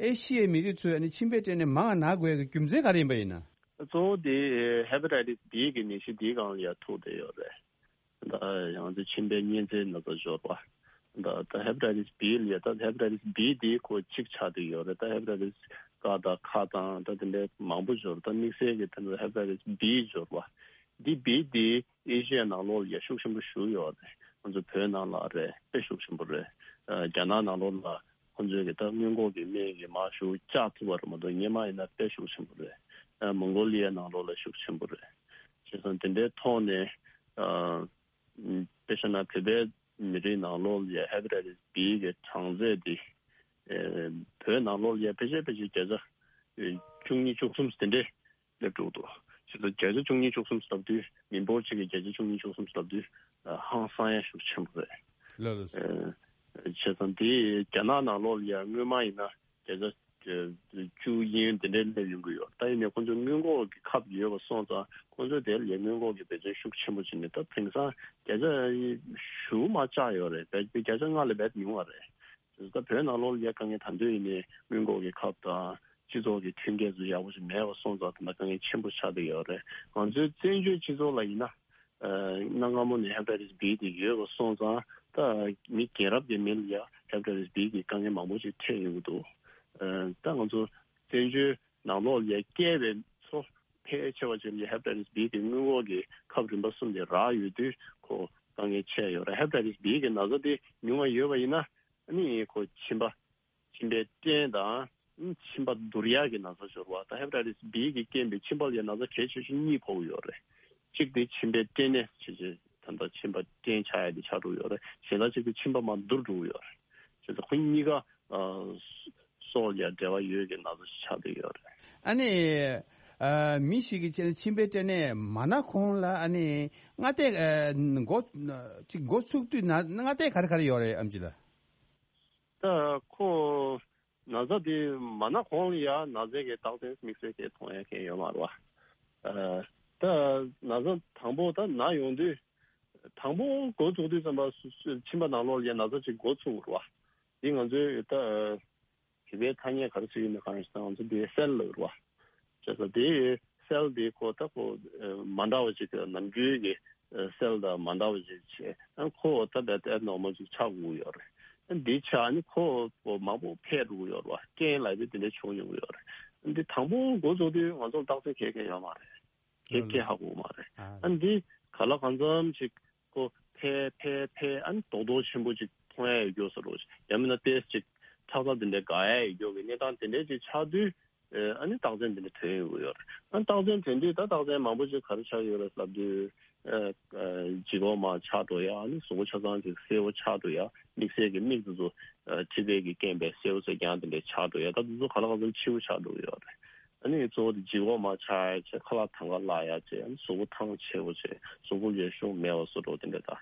ཨེ་ཤི་ཡའི་མི་རིགས་ཚོས་ཨ་ནི་མཆིན་པའི་སྐྲན་ནད་མང་ང་ན་དགོས་ཀྱི་རྒྱུ་མཚན་ག་རེ་ཡིན་པ་ཡིན་ན། གཙོ་བོ་དེ་ཧེ་པ་ཊའི་ཊི་སི་བི་གི་ནད་གཞི་འདིའི་སྒང་ལ་ཡ་ཐུག་བསྡད་ཡོད་རེད། ད་ཡང་ཚེ་མཆིན་པའི་གཉན་ཚད་ན་ཚ་འབྱོར་བ། ད་ད་ཧེ་པ་ཊའི་ཊི་སི་བི་ལ་ཡ་ད་ཧེ་པ་ཊའི་ཊི་སི་བི་དེ་ཁོ་གཅིག་ཆགས་བསྡད་ཡོད་རེད། ད་ཧེ་པ་ཊའི་ཊི་སི་ཀ་དང་ཁ་དང་ད་དེ་འདྲའི་མང་པོ་འབྱོར། ད་དམིགས་བསལ་གྱི་ད་ཧེ་པ་ཊའི་ཊི་སི་བི་འབྱོར་བ་འདི་བི་དེ་ཨེ་ཤི་ཡ་ནང་ལོགས་ལ་ཡ་ཤུགས་ཆེན་པོ་ཞུགས་ཡོད་རེད། ང་ཚོ་བོད་ནང་ལ་རེད་དཔེ་ཤུགས་ཆེན་པོ་རེད། རྒྱ་ནག་ནང་ལོགས་ལ་ཁོང་ཚོས་གི་ད་སྔོན་འགོག་གི་སྨན་གྱི་མར་ཤུགས་བཅག་ཐུབ་པ་རེད་མ་གཏོགས་སྔོན་མ་ཡིན་ན་དཔེ་ཤུགས་ཆེན་པོ་རེད། མོང་གོ་ལི་ཡའི་ནང་ལོགས་ལ་ཤུགས་ཆེན་པོ་རེད། བྱས་ཙང་དེ་འདྲའི་ཐོག་ནས་ཨ། དཔེ་བཞག་ན་བོད་པའི་མི་རིགས་ནང་ལོགས་ལ་ཡ་ཧེ་པ་ཊའི་ཊི་སི་བི་གི་གྲངས་ཚད་དེ་ཨ། བོད་ནང་ལོགས་ལ་ཡ་ཕལ་ཆེར་ཕལ་ཆེར་བརྒྱ་ཆ་ བཅུ་གཉིས་བཅུ་གསུམ་དེ་འདྲས་སླེབས་འགྲོ་འདུག་བྱས་ཙང་བརྒྱ་ཆ་བཅུ་གཉིས་བཅུ་གསུམ་ལབ་དུས། མི་འབོར་གཅིག་གི་བརྒྱ་ཆ་བཅུ་གཉིས་བཅུ་གསུམ་ལབ་དུས་ཧང་སང་ཡ་ཤུགས་ཆེན་པོ་རེད། ལགས་ལགས། བྱས་ཙང་དེ་རྒྱ་ནག་ནང་ལོགས་ལ་ཡ་སྔོན་མ་ཡིན་ན་བརྒྱ་ཆ་བཅུ་ཡན་དེ་འདྲའི་སླེབས་ཡོང་གི་ཡོད། ད་ཡིན་ནའི་ཁོང་ཚོ་སྔོན་འགོག་གི་ཁབ་ཡོད་པ་སོང་ཙང་ཁོང་ཚོས་དེ་ལ་ཡ་སྔོན་འགོག་གི་འབད་བརྩོན་ཤུགས་ཆེན་པོ་བྱས་ནས། ད་དེང་སང་བརྒྱ་ཆ་བཞི་མར་བཅག་ཡོད་རེད། བརྒྱ་ཆ་ལྔ་ལས་བརྒལ་ཉུང་བ་རེད། ད་བོད་ནང་ལོགས་ལ་ཡ་དཀའ་ངལ་ད་དུང་ཡིན་ནའི་སྔོན་འགོག་གི་ཁབ་དང་སྤྱི་ཚོགས་ཀྱི་མཐུན་རྐྱེན་ཚོ་ཡག་པོ་ཞིག་མེད་པ་སོང་ཙང་ད་ལྟ་དཀའ་ངལ་ཆེན་པོ་ཆགས་བསྡད་ཡོད་རེད། ང་ཚོའི་བཙན་བྱོལ་སྤྱི་ཚོགས་ལ་ཡིན་ན། ཨ་གནའ་སྔ་མོ་ནས་ཧེ་པ་ཊའི་ཊི་སི་བྷི་དེ་ཡོད་པ་སོང་ཙང་། ད་མི་རྒན་རབས་ཀྱི་མི་ལ་ཡ་ཧེ་པ་ཊའི་ཊི་སི་བྷི་གི་དཀའ་ངལ་མང་པོ་ཞིག་འཕྲད་ཡོང་གི་འདུག་ཨ་ད་ང་ཚོ་བཙན་བྱོལ་ནང་ལོགས་ལ་ཡ་སྐྱེས་པའི་ཚོ་ཕལ་ཆེ་བ་ཅིག་ལ་ཡ་ཧེ་པ་ཊའི་ཊི་སི་བྷི་གི་སྔོན་འགོག་གི་ཁབ་རིམ་པ་གསུམ་དེ་རག་ཡོད་དུས་ཁོ་དཀའ་ངལ་ཆེ་ཡོད་རེད། ཧེ་པ་ཊའི་ཊི་སི་བྷི་གི་ན་ཚ་དེ་ཉུང་བ་ཡོད་པ་ཡིན་ན། ཨ་ནི་ཁོ་མཆིན་པ། མཆིན་པའི་སྐྲན་དང་མཆིན་པ་འདུར་ཡག་གི་ན་ཚ་ཟེར་བ་དང་ཧེ་པ་ཊའི་ཊི་སི་བྷི་གིས་རྐྱེན་པས་མཆིན་པ་ལ་ཡ་ན་ཚ་གལ་ཆེ་ཤོས་གཉིས་ཕོག་གི་ཡོད་རེད། གཅིག་དེ་མཆིན་པའི་སྐྲན་ནད་ཆེ་ཆེ་ད་ལྟ་མཆིན་པ་སྐྲན་ཆགས་ཡ་དེ་ཆགས་འགྲོ་གི་ཡོད་རེད། གཞན་དག་གཅིག་དེ་མཆིན་པ་མར་འདུར་འགྲོ་གི་ཡོད་རེད། བྱས་ཙང་ཁོ་གཉིས་ཀ་ཨ་སྲོག་ལ་ཡ་འབྲེལ་བ་ཡོད་ཀྱི་ན་ཚ་ཞིག་ཆགས་བསྡད་ཡོད་རེད། ཨ་ནི་ཨ་མི་ཞིག་གིས་བྱས་ན་མཆིན་པའི་སྐྲན་ནད་མ་ན་གོང་ལ་ཨ་ནི་སྔ་ལྟས་ཨ་འགོ་ཅིག་འགོ་ཚུགས་དུས་ན་སྔ་ལྟས་ག་རེ་ག་རེ་ཡོད་རེད། ཨེམ་ཆི་ལགས། ད་ཁོ་ན་ཚ་དེ་མ་ན་གོང་ལ་ཡ་ན་ཚའི་གི་རྟགས་མཚན་དམིགས་བསལ་གྱི་མཐོང་ཡ་མཁན་ཡོད་མ་རེད་བ། ཨ་ད་ན་ཚ་དང་པོ་ད་ན་ཡོང་དུས། དང་པོ་འགོ་བཙུགས་དུས་ཙམ་པ་སུ་སུ་མཆིན་པ་ནང་ལོགས་ལ་ཡ་ན་ཚ་ཅིག་འགོ་ཚུགས་རེད་བ། འདི་ང་ཚོའི་ད་བོད་པའི་ཐ་སྙད་ག་རེ་ཟེར་ཡོད་མེད་གང་ཡིན་ཟེར་ན་ང་ཚོ་འདི་སེལ་ལབ་རེད་བ། བྱས་ཙང་དེ་སེལ་དེ་ཁོ་ད་ཁོ་ཨ་མ་འདྲ་བ་ཅིག་གི་ནམ་རྒྱུན་གྱི་ཨ་སེལ་དང་མ་འདྲ་བ་ཅིག་བྱས། ཨ་ཁོ་ད་རྦད་དེ་ཨེབ་ནོར་མལ་ཅིག་ཆགས་དགོས་ཡོད་རེད། ཨ་འདི་ཆགས་ནི་ཁོ་ཁོ་མང་པོ་འཕེལ་འགྲོ་གི་ཡོད་རེད་བ། རྐྱེན་ལབ་དེ་དེ་འདྲ་བྱུང་ཡོང་གི་ཡོད་རེད། ཨ་འདི་དང་པོ་འགོ་བཙུགས་དུས་ང་ཚོར་རྟགས་མཚན་ག་ག་ཡོད་མ་རེད། ཧེ་ཧེ་ཧ་གོ་མ་རེད། ཨ་ཨ་འདི་ག་ལ་གང་འཚམ་ཞིག་ཁོ་འཕེལ་འཕེལ་འཕེལ་ཨ་ནི་རྡོག་རྡོག་ཆེན་པོ་ཅིག་མཐོང་ཡ་ཡོད་རྒྱུ་བཟོ་འདྲ་ཅིག་ཡང་མིན་ན་ཏོག་ཙམ་ཅིག་ཁྲག་རྩ་དེ་འདྲ་འགག་ཡ་ཡོད་རྒྱུ་གི་གནས་སྟངས་དེ་འདྲ་ཅིག་ཆགས་དུས། ཨ་ནི་རྟགས་མཚན་དེ་འདྲ་ཐོན་ཡོང་གི་ཡོད་རེད། ཨ་ནི་རྟགས་མཚན་ཐོན་དུས་ད་རྟགས་མཚན་མང་པོ་ཅིག་ག་རེ་ཆགས་ཡོད་རེད་ལབ་དུས། ཨ་ལྗིད་ཁོག་མར་ཆག་འགྲོ་ཡ། ཨ་ནི་གཟུགས་པོ་ཆ་ཚང་ཅིག་སེར་པོ་ཆགས་འགྲོ་ཡ། དམིགས་བསལ་གྱི་མིག་དེ་ཚོ་ཨ་མཁྲིས་ཚད་ཀྱི་རྐྱེན་པས་སེར་པོ་ཚོ་རྐྱང་དེ་འདྲ་ཆགས་འགྲོ་ཡ། ད་དེ་ཚོ་ག་ལ་གང་འཚམ་འཕྱི་བོ་ཆགས་འགྲོ་གི་ཡོད་རེད། ཨ་ནི་གཙོ་བོ་དེ་ལྗིད་ཁོག་མར་ཆག་ཡ་བྱས། ཁ་ལག་དང་ག་ལག་ཡ་བྱས། ཨ་ནི་གཟུགས་པོ་ཐང་ཆད་པོ་བྱས། གཟུགས་པོ་ལ་ཤུགས་མེད་པ་བཟོ་འདྲ་དེ་འདྲ། ད་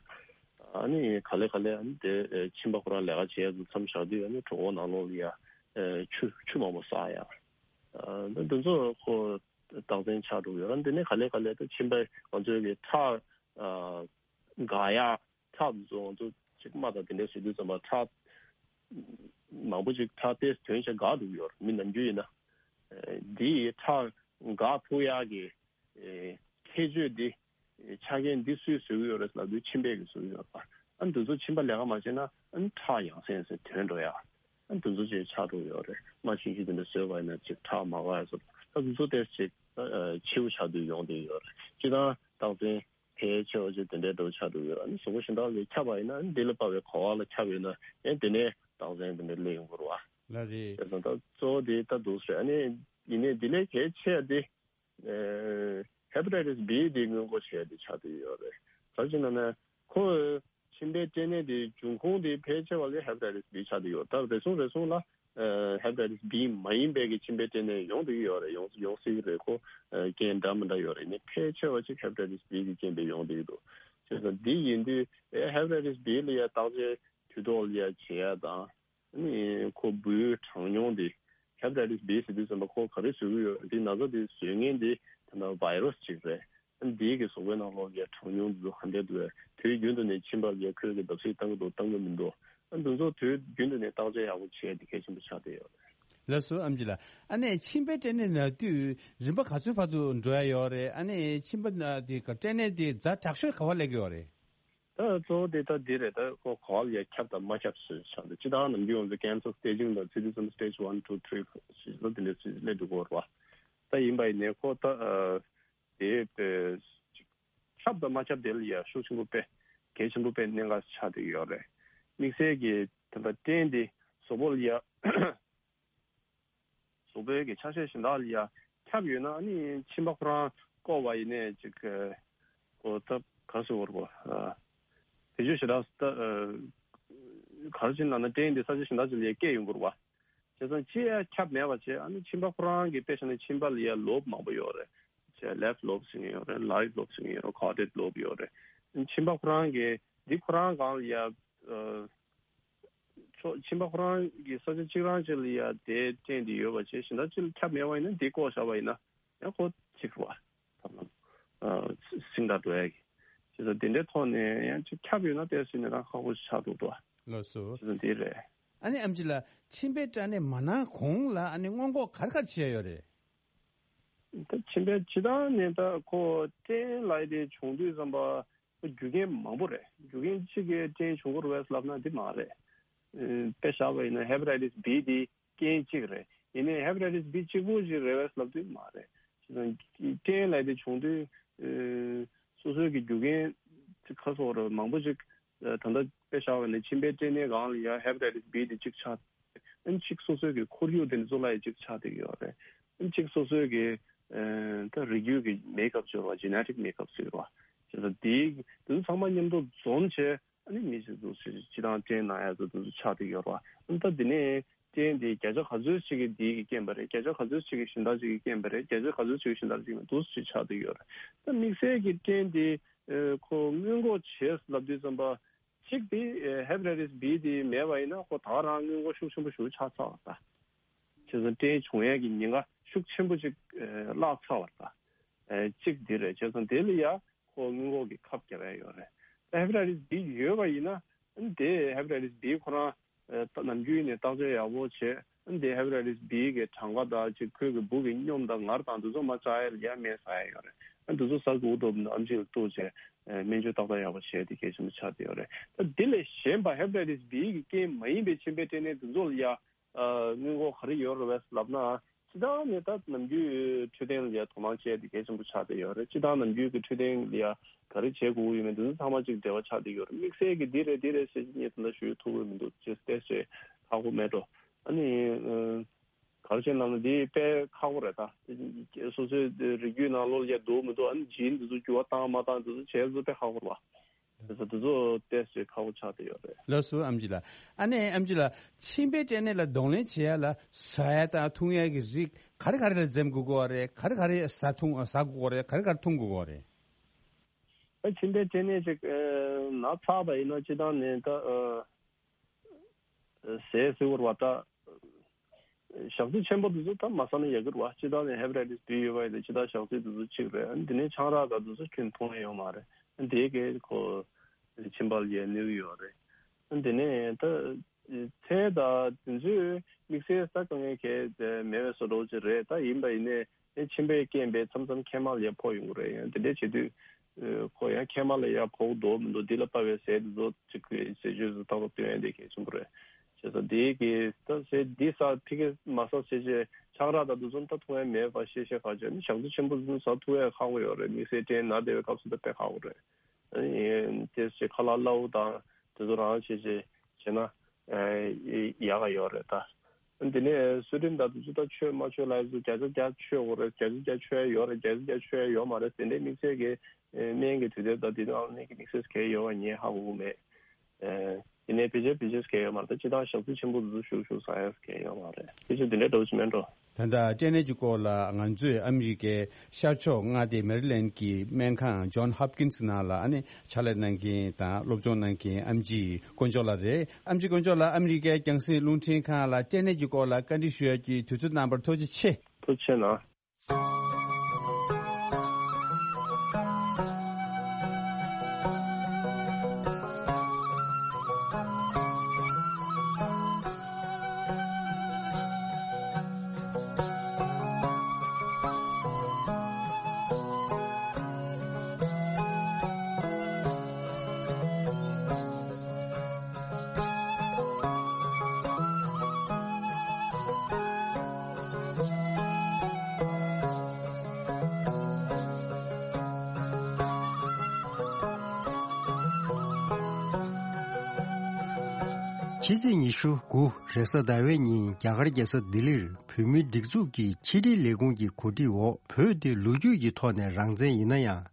ཨ་ནི་ག་ལེ་ག་ལེ་ཨ་ནི་དེ་ཨེ་མཆིན་པ་ཁོ་རང་ལས་ཀ་བྱེད་ཡ་དེ་མཚམས་བཞག་དུས། ཨ་ནི་གྲོད་ཁོག་ནང་ལོགས་ལ་ཡ་ཨེ་ཆུ་ཆུ་མང་པོ་བསགས་ཡ། ཨ་ནི་དེ་ཚོ་ཁོ་རྟགས་མཚན་ཆགས་འགྲོ་གི་ཡོད་རེད། དེ་ནས་ག་ལེ་ག་ལེ་ད་མཆིན་པ་ང་ཚོའི་གི་ཁྲག་ཨ་འགག་ཡ། ཁྲག་དེ་ཚོ་ང་ཚོ་ཅིག་རྨ་དང་དེ་འདྲ་བཟོ་དུས་ཙམ་པ་ཁྲག་མང་པོ་ཅིག་ཁྲག་ཏོག་ཙམ་ཐོན་བྱས་འགག་འགྲོ་གི་ཡོད་རེད། མི་ནམ་རྒྱུན་ཡིན་ན། ཨ་འདི་ཁྲག་འགག་ཐུབ་ཡག་གི་ཨེ་ཁྱད་ཆོས་འདི། ཨེ་ཆ་རྐྱེན་འདི་སུས་བཟོས་ཀྱི་ཡོད་རེད་ལབ་དུས་མཆིན་པས་ཀྱིས་བཟོས་ཀྱི་ཡོད་པ། ཨ་འདི་ཚོ་མཆིན་པ་ལས་ཀ་མ་བྱས་ན་ཨ་ཁྲག་ཡང་སེ་ཡང་སེ་ཐོན་འགྲོ་ཡ། ཨ་འདི་ཚོ་ཅིག་ཆགས་འགྲོ་གི་ཡོད་རེད། རྨ་ཆུང་ཆུང་དེ་འདྲ་བཟོས་པ་ཡིན་ན་ཅིག་ཁྲག་མ་འགག་ཡ་བཟོ། ད་འདི་ཚོ་ཏོག་ཙམ་ཅིག་ཨ་འཕྱི་བོ་ཆགས་དུས་ཡོང་བསྡད་ཡོད་རེད། སྤྱིར་བཏང་རྟགས་མཚན་ཕལ་ཆེ་བ་ཅིག་དེ་འདྲའི་འདྲ་བོ་ཆགས་འགྲོ་གི་ཡོད་རེད། ཨ་ནི་གཟུགས་པོ་གཞན་དག་ལ་ཁྱབ་པ་ཡིན་ན་འདི་ལ་དཔག་པའི་ག་བ་ལ་ཁྱབ་ཡོད་ན་ཡང་དེ་ནས་རྟགས་མཚན་དེ་འདྲ་སླེབས་ཡོང་གི་རེད་བ། ལགས་རེད། དེ་ཙང་ད་གཙོ་བོ་དེ་ད་འདུག་ཟེར། ཨ་ནི་ཡིན་ནའི་འདི་ལས་གལ་ཆེ་བ་དེ། ཨེ་ཧེ་པ་ཊའི་ཊི་སི་བྷི་དེ་སྔོན་འགོག་བྱེད་ཡ་དེ་ཆགས་བསྡད་ཡོད་རེད། ག་རེ་བྱས་ན་ན་ཁོ་མཆིན་པའི་སྐྲན་ནད་དེ་འབྱུང་ཁུངས་དེ་ཕལ་ཆེ་བ་ལས་ཧེ་པ་ཊའི་ཊི་སི་བྷི་ཆགས་བསྡད་ཡོད། ད་རེ་ཟུང་རེ་ཟུང་ལ་ཨེ་ཧེ་པ་ཊའི་ཊི་སི་བྷི་མ་ཡིན་པའི་གི་མཆིན་པའི་སྐྲན་ནད་ཡོང་བསྡད་ཀྱི་ཡོད་རེད། ཡོང་ཡོང་སྲིད་ཀྱི་རེད། ཁོ་ཨེ་རྐྱེན་འདྲ་མི་འདྲ་ཡོད་རེད། ཡིན་ནའི་ཕལ་ཆེ་བ་ཅིག་ཧེ་པ་ཊའི་ཊི་སི་བྷི་གི་རྐྱེན་པས་ཡོང་བསྡད་ཀྱི་འདུག་བྱས་ཙང་འདི་ཡིན་དུས་ཨེ་ཧེ་པ་ཊའི་ཊི་སི་བྷི་ལ་ཡ་བརྟག་དཔྱད་དུས་ཐོག་ལ་ཡ་བྱེད་ཡ་དང་། ཨ་ནི་ཁོ་འབུའི་གྲངས་ཉུང་དེ་ཧེ་པ་ཊའི་ཊི་སི་བྷི་ཟེར་དུས་ཙམ་པ་ཁོ་ག་རེ་བཟོ་གི་ཡོད། འདི་ན་ཚ་དེ་བཟོ་མཁན་དེ་ད་ལྟ་བྷའི་རུ་སི་ཅིག་རེད། ཨ་ནི་འདི་གི་གཟུགས་པོའི་ནང་ལོགས་ཀྱི་གྲངས་ཉུང་དེ་ཚོ་ག་འདྲས་འདུག་དུས་རྒྱུན་དུ་ནས་མཆིན་པ་ལ་ཁོས་ཀྱི་བརྡབ་གསིག་བཏང་གི་འདུག་བཏང་གི་མི་འདུག་ཨ་འདི་ཚོ་དུས་རྒྱུན་དུ་ནས་བརྟག་དཔྱད་ཡག་པོ་བྱེད་ཡ་དེ་གལ་ཆེན་པོ་ཆགས་བསྡད་ཡོད་རེད། ལགས་སོ་ཨེམ་ཆི་ལགས། ཨ་ནི་མཆིན་པའི་སྐྲན་ནད་ན་དུས་རིམ་པ་ག་ཚོད་བར་དུ་འགྲོ་ཡ་ཡོད་རེད། ཨ་ནི་མཆིན་པ་ན་དེ་ག་སྐྲན་ནད་དེ་ཛ་དྲག་ཤོས་ག་བ་སླེབས་ཀྱི་ཡོད་རེད། ད་གཙོ་བོ་དེ་ད་འདི་རེད། ད་ཁོ་ག་བ་ལ་ཡ་ཁྱབ་དང་མ་ཁྱབ་ཟེར་ཆགས་འདུག་སྤྱིར་བཏང་ནམ་རྒྱུན་ང་ཚོ་ཀེན་སར་སི་ཊེ་ཇིང་དང་ཚིག་དེ་ཙམ་སི་ཊེ་ཇི་ཝན་ཊུ་ཐི་རི་ཕོར་ཞེས་ལ་དེ་འདྲ་ཚིག་སླེབས་འདུག་གོ་ར། ད་ཡིན་པ་ཡིན་ནའི་ཁོ་ད་ཨ་དེ་དཔེ་ཁྱབ་དང་མ་ཁྱབ་དེ་ལ་ཡ་ཤུགས་ཆེན་པོ་དཔེ་གལ་ཆེན་པོ་དཔེ་གནད་འགག་ཆགས་བསྡད་ཡོད་རེད། དམིགས་བསལ་གྱི་ད་ལྟ་སྐྲན་དེ་གཟུགས་པོ་ལ་ཡ། གཟུགས་པོའི་གི་ཆ་ཤས་གཞན་དག་ལ་ཡ་ཁྱབ་ཡོད་ན་ཨ་ནི་མཆིན་པ་ཁོ་རང་བསྐོར་བ་ཡིན་ནའི་ཅིག་གི་ཁོ་ད་ག་རེ་ཟེར་དགོས་རེད་པ། ཨ་དེ་ཚོ་ཞེ་དྲག་ད་ཨ་ག་རེ་བྱས་ན་ན་སྐྲན་དེ་ས་ཆ་གཞན་དག་ཅིག་ལ་ཡ་སྐྱེ་ཡོང་གི་རེད་པ། དེ་ཙང་ཅི་ཡང་ཁྱབ་མེད་པ་བྱས། ཨ་ནི་མཆིན་པ་ཁོ་རང་གི་དཔེ་བཞག་ན་མཆིན་པ་ལ་ཡ་ལོབ་མང་པོ་ཡོད་རེད། བྱས་left lobe ཟེར་མཁན་ཡོད་རེད། right lobe ཟེར་མཁན་ཡོད་རེད། caudate lobe ཡོད་རེད། མཆིན་པ་ཁོ་རང་གི་འདི་ཁོ་རང་སྒང་ལ་ཡ། ཨ། ཕྱོགས་མཆིན་པ་ཁོ་རང་གི་ས་ཆ་གཅིག་རང་གཅིག་ལ་ཡ་དེ་སྐྲན་དེ་ཡོད་པ་བྱས། གཞན་དག་གཅིག་ལ་ཁྱབ་མེད་པ་ཡིན་ན་འདི་བཀོག་བཞག་པ་ཡིན་ན་ཡང་ཁོ་གཅིག་རེད་བ། ཐབས་ལམ། ཨ། སྲིང་དྲགས་འགྲོ་ཡ་གི། བྱས་ཙང་དེ་འདྲའི་ཐོག་ནས་ཡང་ཅིག་ཁྱབ་ཡོད་ན་ཏོག་ཙམ་ནས་རང་ཁག་པོ་ཆགས་འདུག་དོ། ལགས་སོ། བྱས་ཙང་འདི་རེད། ཨ་ནི་ཨེམ་ཆི་ལགས། མཆིན་པའི་སྐྲན་ནད་མ་ན་གོང་ལ་ཨ་ནི་སྔོན་འགོག་ག་རེ་ག་རེ་བྱས་ཡོད་རེད། ད་མཆིན་པའི་སྤྱིར་བཏང་ནས་ད་ཁོ་སྐྲན་ལབ་ཡ་དེ་བྱུང་དུས་ཙམ་པ་ཁོ་རྒྱུ་རྐྱེན་མང་པོ་རེད། རྒྱུ་རྐྱེན་གཅིག་གིས་སྐྲན་བྱུང་གི་རེད་པས་ལབ་ན་འདི་མ་རེད། ཨ། དཔེ་བཞག་པ་ཡིན་ན་hepatitis B དེ་རྐྱེན་གཅིག་རེད། ཡིན་ནའི་hepatitis B གཅིག་པོ་ཞིག་རེད་པས་ལབ་དུས་མ་རེད། བྱས་ཙང་སྐྲན་ལབ་ཡ་དེ་བྱུང་དུས། ཨ། སོ་སོའི་གི་རྒྱུ་རྐྱེན་ཁ་སོགས་རེད། མང་པོ་ཞིག་ད་ལྟ་དཔེ་བཞག་པ་ཡིན་ན་མཆིན་པའི་སྐྲན་ནད་སྒང་ལ་ཡ་hepatitis B དེ་གཅིག་ཆགས། ཨ་ནི་གཅིག་སོ་སོའི་གི་ཁོར་ཡུག་དེ་ནི་གཙོ་བོ་ལ་ཡ་གཅིག་ཆགས་བསྡད་ཀྱི་ཡོད་རེད། ཨ་ནི་གཅིག་སོ་སོའི་གི། ཨ། ད་རིགས་རྒྱུད་ཀྱི་makeup ཟེར་བ། genetic makeup ཟེར་བ། བྱས་ཙང་དེའི་དེ་ཚོ་ཚང་མ་མཉམ་དུ་འཛོམས་བྱས། ཨ་ནི་མི་ཞིག་ཚོ་སྤྱིར་བཏང་སྐྲན་ན་ཡ་ཚོ་དེ་ཚོ་ཆགས་བསྡད་ཀྱི་ཡོད་རེད་བ། ཨ་ནི་ད་དེ་ནས་སྐྲན་དེ་བརྒྱ་ཆ་ག་ཚོད་ཅིག་གི་དེའི་གི་རྐྱེན་པ་རེད། བརྒྱ་ཆ་ག་ཚོད་ཅིག་གི་གཞན་དག་ཅིག་གི་རྐྱེན་པ་རེད། བརྒྱ་ཆ་ག་ཚོད་ཅིག་གི་གཞན་དག་ཅིག་མིན་འདུག་ཅིག་ཆགས་བསྡད་ཀྱི་ཡོད་རེད། ད་དམིགས་བསལ་གྱི་སྐྲན་དེ། ཨ། ཁོ་སྔོན་འགོག་བྱས་ལབ་དུས་ཙམ་པ། གཅིག་དེ། ཨ། hepatitis B དེ་མེད་པ་ཡིན་ན་ཁོ་ད་ག་རང་སྔོན་འགོག་ཤུགས་ཆེན་པོ་ཞིག་ཆགས་ཚར་བ་ད། བྱས་ཙང་སྐྲན་བྱུང་ཡས་ཀྱི་ཉེན་ཁ་ཤུགས་ཆེན་པོ་ཅིག་ཨ། བརླག་ཚར་བ་ད། ཨ། གཅིག་དེ་རེད། བྱས་ཙང་དེ་ལ་ཡ་ཁོ་སྔོན་འགོག་གི་ཁབ་བརྒྱབ་ཡ་ཡོད་རེད། ད་hepatitis B ཡོད་པ་ཡིན་ན། ཨ་ནི་དེ་hepatitis B ཁོ་རང་། ཨ། ད་ནམ་རྒྱུན་ནས་བརྟག་དཔྱད་ཡག་པོ་བྱས། ཨ་ནི་དེ་hepatitis B གི་གྲངས་ཀ་དང་ཅིག་ཁོའི་གི་སྦུག་གི་སྙོམས་དང་ངར་དང་དེ་ཚོ་མར་བཙག་ཡ་ལ་ཡ་སྨན་ཟ་ཡ་ཡོད་རེད། ཨ་ནི་དེ་ཚོ་ཟ་དགོས་འདུག་ན་ཨེམ་ཆི་ལ་གཏུགས་བྱས། ཨ། སྨན་བཅོས་ཏག་ཏག་ཡག་པོ་བྱས་དེ་གལ་ཆེན་པོ་ཆགས་བསྡད་ཡོད་རེད། ད་དེ་ལས་གཞན་པ་hepatitis B གི་རྐྱེན་མ་ཡིན་པའི་མཆིན་པའི་སྐྲན་ནད་དེ་ཚོ་ལ་ཡ། ཨ། སྔོན་འགོག་ག་རེ་ཡོད་རེད་པས་ལབ་ན། སྤྱིར་བཏང་ནས་ད་ནམ་རྒྱུན་འཕྲོད་བསྟེན་ལ་ཡ་དོ་སྣང་བྱས་ཏེ་གལ་ཆེན་པོ་ཆགས་བསྡད་ཡོད་རེད། སྤྱིར་བཏང་ནམ་རྒྱུན་གྱི་འཕྲོད་བསྟེན་ལ་ཡ་ག་རེ་བྱེད་དགོས་ཀྱི་ཡོད་མེད་འདི་ཚོ་ཚང་མ་གཅིག་འབྲེལ་བ་ཆགས་བསྡད་ཡོད་རེད། དམིགས་བསལ་གྱི་འདི་རེད་འདི་རེད་ཟེར་གྱི་ངས་ད་ལྟ་ཞུ་ཐུབ་ཀྱི་མི་འདུག་ཅེས་བལྟས་ཚེ་ཧ་གོ་མེད་འགྲོ། ཨ་ནི། ཨ། ག་རེ་བྱས་ན་འདི་དཔེ་ཁག་པོ་རེད་ད། སོ་སོའི་རིགས་རྒྱུད་ནང་ལོགས་ལ་ཡ་འདུག་མི་འདུག་ཨ་ནི་ཇིན་འདི་ཚོ་འགྱུར་བ་བཏང་མ་བཏང་འདི་ཚོ་བྱས་ཚོ་དཔེ་ཁག་པོ་རེད་བ། དེ་ཚོ་དེ་ཚོ་ཏོག་ཙམ་ཁག་པོ་ཆགས་བསྡད་ཡོད་རེད། ལགས་སོ་ཨེམ་ཆི་ལགས། ཨ་ནི་ཨེམ་ཆི་ལགས། མཆིན་པའི་སྐྲན་ནད་ལ་གདོང་ལེན་བྱེད་ཡ་ལ་ཟ་ཡ་དང་འཐུང་ཡ་གི་རིགས་ག་རེ་ག་རེ་ལ་འཛེམ་དགོས་ཀྱི་ཡོད་རེད། ག་རེ་ག་རེ་ཟ་འཐུང་ཟ་དགོས་ཀྱི་ཡོད་རེད། ག་རེ་ག་རེ་འཐུང་དགོས་ཀྱི་ཡོད་རེད། ཨ། མཆིན་པའི་སྐྲན་ནད་ཅིག་ཨ། ན་ཚར་བ་ཡིན་ན་སྤྱིར་བཏང་ནས་ད། ཨ། ཟས་ཟེར་བ་ད། ཞག་ཚི་ཆེན་པོ་དེ་ཚོ་ད་མ་ཟ་ན་ཡག་གི་རེད་བ། སྤྱིར་བཏང་ནས་hepatitis B ཡོད་པ་ཡིན་ན་སྤྱིར་བཏང་ཞག་ཚི་དེ་ཚོ་གཅིག་རེད། ཨ་ནི་དེ་ནས་ཆང་རག་དང་དེ་ཚོ་ཁྱོན་འཐུང་ཡ་ཡོད་མ་རེད། ཨ་ནི་དེ་གས་ཁོ་མཆིན་པ་ལ་ཡ་གནོད་ཀྱི་ཡོད་རེད། ཨ་ནི་དེ་ནས་ད་ཚལ་དང་དེ་ཚོའི་དམིགས་བསལ་ས་དཀའ་ངལ་གས་མེད་པའི་བཟོ་འདྲ་ཅིག་རེད། ད་ཡིན་པ་ཡིན་ནའི་ཨེ་མཆིན་པའི་རྐྱེན་པས་མཚམས་མཚམས་མཁལ་མ་ལ་ཡ་ཕོག་ཡོང་གི་རེད། ཡང་དེ་འདྲ་བྱེད་དུས། ཨེ། ཁོ་ཡང་མཁལ་མ་ལ་ཡ་ཕོག་འདུག་མི་འདུག་འདི་ལ་དཔག་པའི་ཟས་འདི་ཚོ་ཅིག་གི་ཟས་སྤྱོད་དུ་ཏག་ཏག་སྟོན་ཡ་དེ་གལ་ཆེན་པོ་རེད། བྱས་ཙང་འདི་གི་ད་ཟས་འདི་ཟ་ཕི་གེ་མ་ཟ་ཟེར་བྱས་ཆང་རག་དང་འདི་ཚོ་ད་འཐུང་ཡ་མེད་པ་ཤེས་ཤེས་ཁ་ཅིག་ནི་ཞག་ཚི་ཆེན་པོ་འདི་ཚོ་ཟ་ཐུབ་ཡ་ཁག་པོ་ཡོད་རེད། དམིགས་བསལ་སྐྲན་ན་བསྡད་པའི་སྐབས་སུ་ད་དཔེ་ཁག་པོ་རེད། ཨ་ནི་དེ་ཚོ་ཁ་ལག་སླ་བོ་དང་དེ་ཚོ་རང་བྱས་བྱས་བྱས་ན། ཨ། ཡག་ག་ཡོད་རེད་ད། དེ་ནས་སུ་རིན་དང་དེ་ཚོ་ད་མཆོད་མ་མཆོད་ལབ་ཡ་ཚོ་བརྒྱ་ཆ་བརྒྱ་མཆོད་དགོས་རེད། བརྒྱ་ཆ་བརྒྱ་མཆོད་ཡ་ཡོད་རེད། བརྒྱ་ཆ་བརྒྱ་མཆོད་ཡ་ཡོད་མ་རེད། དེ་འདྲའི་དམིགས་བསལ་གྱི་སྨན་གྱི་དུས་དེབ་དང་དེ་ནང་ནས་ཀྱི་དམིགས་བསལ་གལ་ཡོད་པ་ངས་ཧ་གོ་གི་མེད། དེ་ནས་བེད་སྤྱོད་བེད་སྤྱོད་གལ་ཡོད་མ་རེད། ད་སྤྱིར་བཏང་ཞག་ཚི་ཆེན་པོ་དེ་ཚོ་ཞུགས་ཞུགས་ཟ་ཡ་གལ་ཡོད་མ་རེད། དེ་ཚོ་དེ་འདྲའི་འདྲ་བོ་ཅིག་མེད་འགྲོ། ད་ལྟ་སྐྲན་ནད་ཀྱི་སྐོར་ལ་ང་ཚོས་ཨ་མི་རི་ཀའི་ཤར་ཕྱོགས་མངའ་སྡེ་མེ་རི་ལེན་གྱི་སྨན་ཁང་John Hopkins ནང་ལ་ཨ་ནི་ཕྱག་ལས་གནང་མཁན་དང་སློབ་སྦྱོང་གནང་མཁན་ཨམ་ཆི་དཀོན་མཆོག་ལགས་རེད། ཨམ་ཆི་དཀོན་མཆོག་ལགས། ཨ་མི་རི་ཀའི་རྒྱང་སྲིང་རླུང་འཕྲིན་ཁང་ལ་སྐྲན་ནད་ཀྱི་སྐོར་ལ་བཀའ་འདྲི་ཞུ་ཡག་གི་དུས་ཚོད་གནང་བར་ཐུགས་རྗེ་ཆེ། ཐུགས་རྗེ་གནང་། ཕྱི་ཚེས་ཉི་ཤུ་དགུ་རེས་གཟའ་ཟླ་བའི་ཉིན་རྒྱ་གར་རྒྱལ་ས་ལྡི་ལིར་བོད་མིའི་སྒྲིག་འཛུགས་ཀྱི་ཕྱི་དྲིལ་ལས་ཁུངས་ཀྱི་གོ་སྒྲིག་འོག་བོད་དེ་ལོ་རྒྱུས་ཀྱི་ཐོག་ནས་རང་བཙན་ཡིན་ན་ཡང་།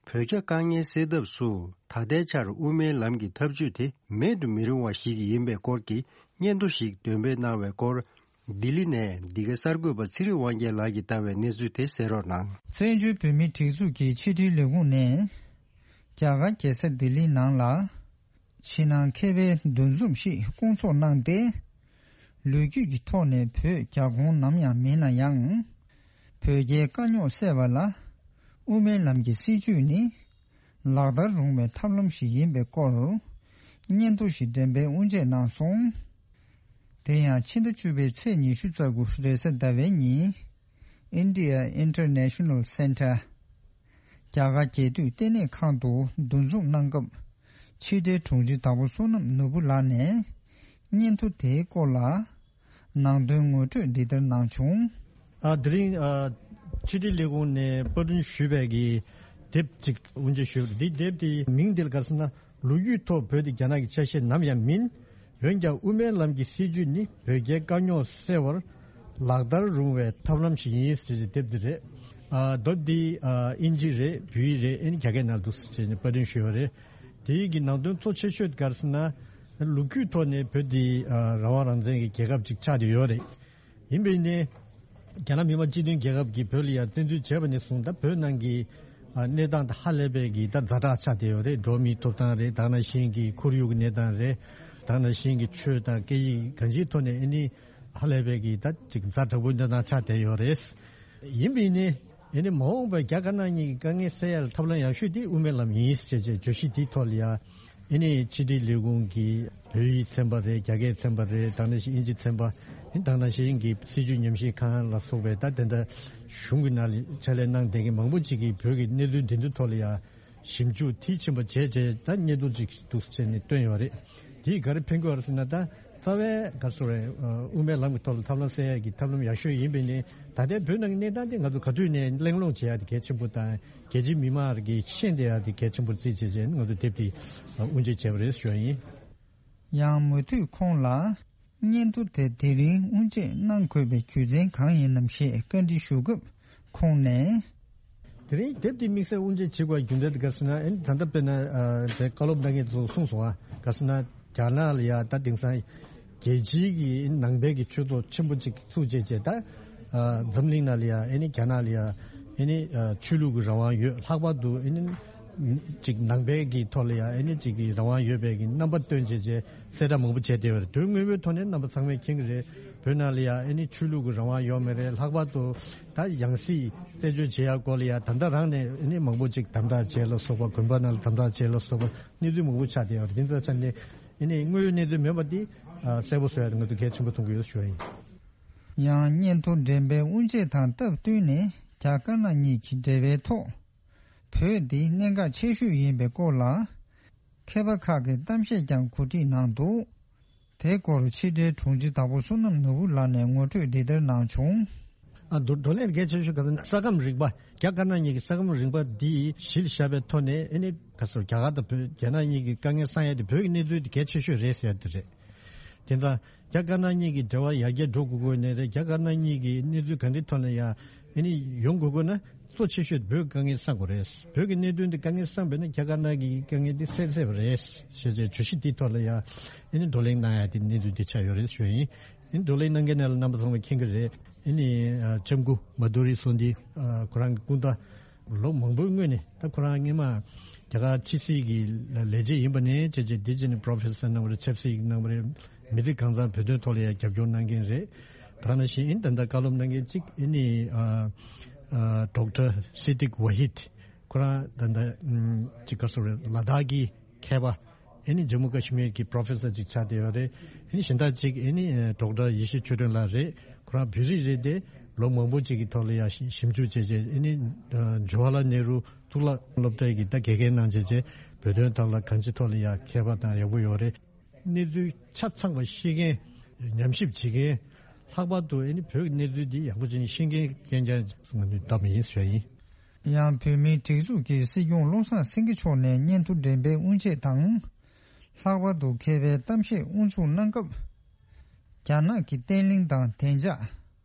བོད་རྒྱ་དཀའ་ངལ་སེལ་ཐབས་སུ་ད་ལྟའི་ཆར་དབུ་མའི་ལམ་གྱི་ཐབས་ཇུས་དེ་མེད་དུ་མི་རུང་བ་ཞིག་ཡིན་པའི་སྐོར་གྱི་སྙན་ཐོ་ཞིག་འདོན་སྤེལ་གནང་བའི་སྐོར། ལྡི་ལི་ནས་འདི་གའི་གསར་འགོད་པ་ཚེ་རིང་དབང་རྒྱལ་ལགས་ཀྱིས་བཏང་བའི་གནས་ཚུལ་དེ་གསན་རོགས་གནང་། བཙན་བྱོལ་བོད་མིའི་སྒྲིག་འཛུགས་ཀྱི་ཕྱི་དྲིལ་ལས་ཁུངས་ནས། རྒྱ་གར་རྒྱལ་ས་ལྡི་ལིའི་ནང་ལ། ཕྱི་ནང་མཁས་པའི་འདུ་འཛོམས་ཤིག་བསྐོང་ཚོགས་གནང་སྟེ། ལོ་རྒྱུས་ཀྱི་ཐོག་ནས་བོད་རྒྱ་ཁོངས་ནམ་ཡང་མིན་ན་ཡང་། བོད་རྒྱའི་དཀའ་རྙོག་སེལ་བ་ལ། དབུ་མའི་ལམ་གྱི་སྲིད་བྱུས་ནི། ལག་བསྟར་རུང་བའི་ཐབས་ལམ་ཞིག་ཡིན་པའི་སྐོར། སྙན་ཐོ་ཞིག་འགྲེམས་སྤེལ་དབུ་འབྱེད་གནང་སོང་། དེ་ཡང་ཕྱི་ཟླ་བཅུ་པའི་ཚེས་ཉི་ཤུ་རྩ་དགུ་རེས་གཟའ་ཟླ་བའི་ཉིན། India International Center། རྒྱ་གར་རྒྱལ་དུས་ལྟེ་གནས་ཁང་དུ་འདུ་འཛོམས་གནང་སྐབས། ཕྱི་དྲིལ་དྲུང་ཆེ་དྭགས་པོ་བསོད་ནམས་ནོར་བུ་ལགས་ནས། སྙན་ཐོ་དེའི་སྐོར་ལ། ནང་དོན་ངོ་སྤྲོད་འདི་ལྟར་གནང་བྱུང་། ཨ། དེ་རིང་ཨ། ཕྱི་དྲིལ་ལས་ཁུངས་ནས་པར་སྐྲུན་ཞུས་པའི་གི་དེབ་ཅིག་དབུ་འབྱེད་ཞུས་པ་རེད། འདི་དེབ་དེའི་མིང་འདི་ལ་ག་རེ་ཟེར་ན། ལོ་རྒྱུས་ཐོག་བོད་དེ་རྒྱ་ནག་གི་ཆ་ཤས་ནམ་ཡང་མིན། འོན་ཀྱང་དབུ་མའི་ལམ་གྱི་སྲིད་བྱུས་ནི་བོད་རྒྱའི་དཀའ་རྙོག་སེལ་བར་ལག་བསྟར་རུང་བའི་ཐབས་ལམ་ཞིག་ཡིན་ཟེར་གྱི་དེབ་འདི་རེད། ཨ། དེབ་འདི་ཨ། དབྱིན་ཇི་རེད། བོད་ཡིག་རེད། ཨ་ནི་རྒྱ་སྐད་ནང་དུ་ཟེར་ནས་པར་སྐྲུན་ཞུས་པ་རེད། དེའི་གི་ནང་དོན་གཙོ་ཆེ་ཤོས་ག་རེ་ཟེར་ན། ལོ་རྒྱུས་ཐོག་ནས་བོད་འདི་ཨ། རང་དབང་རང་བཙན་གྱི་རྒྱལ་ཁབ་ཅིག་ཆགས་བསྡད་ཡོད་རེད། ཡིན་པས་ནི། རྒྱ་ནག་མི་དམངས་སྤྱི་མཐུན་རྒྱལ་ཁབ་ཀྱིས་བོད་ལ་ཡང་བཙན་འཛུལ་བྱས་པ་ནས་བཟུང་ད་བོད་ནང་གི་ཨ། གནས་སྟངས་དེ་ཧ་ལས་པའི་གི་ད་ཛ་དྲག་ཆགས་བསྡད་ཡོད་རེད། འགྲོ་བ་མིའི་ཐོབ་ཐང་རེད། ད་ག་ནང་བཞིན་གྱི་ཁོར་ཡུག་གི་གནས་སྟངས་རེད། ད་ག་ནང་བཞིན་གྱི་ཆོས་དང་སྐད་ཡིག་གང་ཅིའི་ཐོག་ནས་ཨ་ནི་ཧ་ལས་པའི་གི་ད་ཅིག་ཛ་དྲག་པོའི་གནས་སྟངས་ཆགས་བསྡད་ཡོད་རེད། ཡིན་པས་ནི། ཨེ་ནི་མ་འོངས་པར་རྒྱ་དཀར་ནག་གཉིས་ཀྱི་དཀའ་ངལ་སེལ་ཡ་ལ་ཐབས་ལམ་ཡག་ཤོས་དེ་དབུ་མའི་ལམ་ཡིན་ཞེས་བྱས་བརྗོད་གཞི་དེའི་ཐོག་ལ་ཡ། ཨེ་ནི་ཕྱི་དྲིལ་ལས་ཁུངས་ཀྱི་བོད་ཡིག་ཚན་པ་རེད། རྒྱ་སྐད་ཚན་པ་རེད། ད་ནང་བཞིན་དབྱིན་ཇི་ཚན་པ། ཨེ་ད་ནང་བཞིན་གྱི་སྲིད་བྱུས་ཉམས་ཞིབ་ཁང་ལ་སོགས་པའི་ད་དེ་འདྲ་གཞུང་གི་ནང་ལ་ཕྱག་ལས་གནང་བསྡད་མཁན་མང་པོ་ཅིག་གིས་བོད་ཀྱི་གནས་ཚུལ་འདི་ཚོའི་ཐོག་ལ་ཡ། ཞིབ་འཇུག་མཐིལ་ཕྱིན་པ་བྱས་རྗེས་ད་སྙན་ཐོ་ཅིག་འདུག་སེ་བྱས་ནས་བཏོན་ཡོད་རེད། དེས་ག་རེ་ཕན་གྱི་ཡོད་རེད་ཟེར་ན། ད་རྩ་བའི་ག་རེ་ཟེར་དགོས་རེད། དབུ་མའི་ལམ་གྱི་ཐོག་ལ་ཐབས་ལམ་སེལ་ཡག་གི་ཐབས་ལམ་ཡག་ཤོས་ཡིན་པས་ནི། ད་ལྟའི་བོད་ནང་གི་གནས་སྟངས་དེ་ང་ཚོ་ག་དུས་ནས་གླེང་སློང་བྱེད་ཡག་དེ་གལ་ཆེན་པོ་དང་། རྒྱལ་སྤྱིའི་མི་མང་གིས་ཤེས་བསྡད་ཡག་དེ་གལ་ཆེན་པོ་བརྩིས་བྱས་བྱས་ནས་ང་ཚོ་དེབ་དེ་དབུ་འབྱེད་བྱས་པ་རེད་ཞུ་བ་ཡིན། ཡང་མུ་མཐུད་ཁོང་ལ། སྙན་ཐོ་དེ་དེ་རིང་དབུ་འབྱེད་གནང་དགོས་པའི་རྒྱུ་མཚན་གང་ཡིན་ནམ་ཞེས་བཀའ་འདྲི་ཞུ་སྐབས་ཁོང་ནས། དེ་རིང་དེབ་འདི་དམིགས་བསལ་དབུ་འབྱེད་བྱེད་དགོས་རྒྱུ་མཚན་དེ་ག་རེ་ཟེར་ན། ཨེ་ད་ལྟ་དཔེར་ན་ཨ་དེ་བཀའ་སློབ་གནང་མཁན་ཚོས་གསུངས་སོང་ཨ། ག་རེ་ཟེར་ན་རྒྱ་ནག་ལ་ཡ་ད་དེང་སང་རྒྱལ་སྤྱིའི་གི་ནང་པའི་གི་ཆོས་ཚོགས་ཆེན་པོ་གཅིག་ཚུགས་བྱས་བྱས་ད། ཨ་འཛམ་གླིང་ནང་ལ་ཡ་ཨེ་ནི་རྒྱ་ནག་ལ་ཡ་ཨེ་ནི་ཨ་ཆོས་ལུགས་ཀྱི་རང་དབང་ཡོད། ལྷག་པར་དུ་ཨེ་ནི་ཅིག་ནང་པའི་གི་ཐོག་ལ་ཡ་ཨེ་ནི་ཅིག་གི་རང་དབང་ཡོད་པའི་གི་རྣམ་པ་སྟོན་བྱས་བྱས་གསལ་བསྒྲགས་མང་པོ་བྱས་བསྡད་ཡོད་རེད། དོན་དངོས་པོའི་ཐོག་ནས་རྣམ་པ་ཚང་མས་མཁྱེན་གྱི་རེད། བོད་ནང་ལ་ཡ་ཨེ་ནི་ཆོས་ལུགས་ཀྱི་རང་དབང་ཡོད་མ་རེད། ལྷག་པར་དུ་ད་ཡང་སྲིད་རྩད་གཅོད་བྱེད་ཡ་སྐོར་ལ་ཡ་ད་ལྟ་རང་ནས་ཨེ་ནི་མང་པོ་ཅིག་དམ་དྲག་བྱས་ལ་སོགས་པ། དགོན་པ་ནང་ལ་དམ་དྲག་བྱས་ལ་སོགས་པ་གནས་ཚུལ་མང་པོ་ཆགས་བསྡད་ཡོད་རེད། དེ་ཚོ་ཆ་ནས་ཨེ་ནི་དངོས་ཡོད་གནས་ཚུལ་མིན་པ་འདི་ཨ་གསལ་པོ་བཟོ་ཡ་དེ་ང་ཚོ་གལ་ཆེན་པོ་མཐོང་གི་ཡོད་ཞུ་བ་ཡིན། ཡང་སྙན་ཐོ་འགྲེམས་སྤེལ་དབུ་འབྱེད་དང་སྟབས་བསྟུན་ནས་རྒྱ་དཀར་ནག་གཉིས་ཀྱི་འབྲེལ་བའི་ཐོག་བོད་འདི་གནད་འགག་ཆེ་ཤོས་ཡིན་པའི་སྐོར་ལ། མཁས་པ་ཁག་གིས་གཏམ་བཤད་ཀྱང་གོ་སྒྲིག་གནང་འདུག་དེའི་སྐོར་ཕྱི་དྲིལ་དྲུང་ཆེ་དྭགས་པོ་བསོད་ནམས་ནོར་བུ་ལགས་ནས་ངོ་སྤྲོད་འདི་ལྟར་གནང་བྱུང་། ཨ་བགྲོ་བགྲོ་གླེང་གལ་ཆེ་ཤོས་ག་ས་ས་ཁམས་རིག་པ། རྒྱ་དཀར་ནག་གཉིས་ཀྱི་ས་ཁམས་རིག་པ་འདི་གཞི་ལ་བཞག་པའི་ཐོག་ནས་ཨེ་ནི་ག་ས་རྒྱ་གར་དང་བོད་རྒྱ་ནག་གཉིས་ཀྱི་དཀའ་ངལ་སེལ་ཡ་དེ་བོད་ཀྱི་གནས་ཚུལ་དེ་གལ་ཆེ་ཤོས་རེད་ཟེར་ཡ་དེ་རེད། དེ་ལྟར་རྒྱ་དཀར་ནག་གཉིས་ཀྱི་འབྲེལ་བ་ཡར་རྒྱས་འགྲོ་དགོས་དགོས་ནི་རེད། རྒྱ་དཀར་ནག་གཉིས་ཀྱི་གནས་ཚུལ་གང་གི་ཐོག་ནས་ཡང་ཨེ་ནི་ཡོང་དགོས་དགོས་ན་གཙོ་ཆེ་ཤོས་བོད་དཀའ་ངལ་སེལ་དགོས་རེད། བོད་ཀྱི་གནད་དོན་འདི་དཀའ་ངལ་སེལ་བས་ན་རྒྱ་དཀར་ནག་གི་དཀའ་ངལ་འདི་སེལ་ཚར་བ་རེད་ཞེས་བྱས་བརྗོད་གཞི་འདིའི་ཐོག་ལ་ཡང་ཨེ་ནི་བགྲོ་གླེང་གནང་ཡ་དེ་གནས་ཚུལ་འདི་ཆགས་ཡོད་རེད་ཞུ་ཡ་ཡིན། ཨེ་ནི་བགྲོ་གླེང་གནང་མཁན་ནང་ལ་རྣམ་པ་ཚང་མས་མཁྱེན་གྱི་རེད། ཨེ་ནི་ལྕམ་སྐུ་མ་དྷུ་རི་སོ་ནྡི་ཁོ་རང་གི་སྐུ་ཟླ། ལོ་མང་པོའི་སྔོན་ནས་ད་ཁོ་རང་སྔོན་མ་རྒྱ་གར་ཕྱི་སྲིད་ཀྱི་ལས་བྱེད་ཡིན་པ་ནས་བྱས་རྗེས་འདི་བྱས་ནས་པྲོ་ཕེ་སར་གནང་བ་རེད། ཆབ་སྲིད་ཀྱི་གནང་བ་རེད། མི་སྡེ་གང་ཚང་བོད་དོན་ཐོག་ལ་ཡང་རྒྱབ་སྐྱོར་གནང་མཁན་རེད། ད་ནང་བཞིན་ཨིན་ད་ལྟ་བཀའ་སློབ་གནང་མཁན་གཅིག་ཨེ་ནི་ཨ་ཨ་ཌོག་ཊར་སི་ཏིག་ཝ་ཧིད། ཁོ་རང་ད་ལྟ་ཨམ་ཅིག་ག་སོ་རེད། ལ་དྭགས་ཀྱི་མཁས་པ། ཨེ་ནི་ཇམ་མུ་ཀ་ཤི་མིར་གྱི་པྲོ་ཕེ་སར་ཅིག་ཆགས་བསྡད་ཡོད་རེད། ཨེ་ནི་གཞན་དག་ཅིག་ཨེ་ནི་ཨ་ཌོག་ཊར་ཡེ་ཤེས་ཆོས་སྒྲོན་ལགས་རེད། ཁོ་རང་བོད་རིགས་རེད་དེ། ལོ་མང་པོ་ཅིག་གི་ཐོག་ལ་ཡང་ཞིབ་འཇུག་བྱས་རྗེས་ཨེ་ནི་ཨ་ཇུ་ཝ་ལ་ནེ་རུ་གཙུག་ལག་སློབ་གྲྭའི་གི་ད་དགེ་རྒན་གནང་བྱས་རྗེས་བོད་དོན་ཐོག་ལ་གང་ཅིའི་ཐོག་ལ་ཡང་མཁས་པ་དང་ཡག་པོ་ཡོད་རེད། གནས་ཚུལ་ཆ་ཚང་བ་ཤེས་མཁན། ཉམས་ཞིབ་བྱེད་མཁན། ལྷག་པར་དུ་ཨེ་ནི་བོད་ཀྱི་གནས་ཚུལ་འདི་ཡག་པོ་བྱས་ནས་ཤེས་མཁན་རྐྱང་རྐྱང་ང་ཚོས་བདམས་ཡིན་ཟེར་བ་ཡིན། ཡང་བོད་མིའི་སྒྲིག་འཛུགས་ཀྱི་སྲིད་སྐྱོང་བློ་བཟང་སེང་གེ་མཆོག་ནས་སྙན་ཐོ་འགྲེམས་སྤེལ་དབུ་འབྱེད་དང་། ལྷག་པར་དུ་མཁས་པའི་གཏམ་བཤད་དབུ་འཛུགས་གནང་སྐབས། རྒྱ་ནག་གི་བརྟན་ལྷིང་དང་བདེ་འཇགས་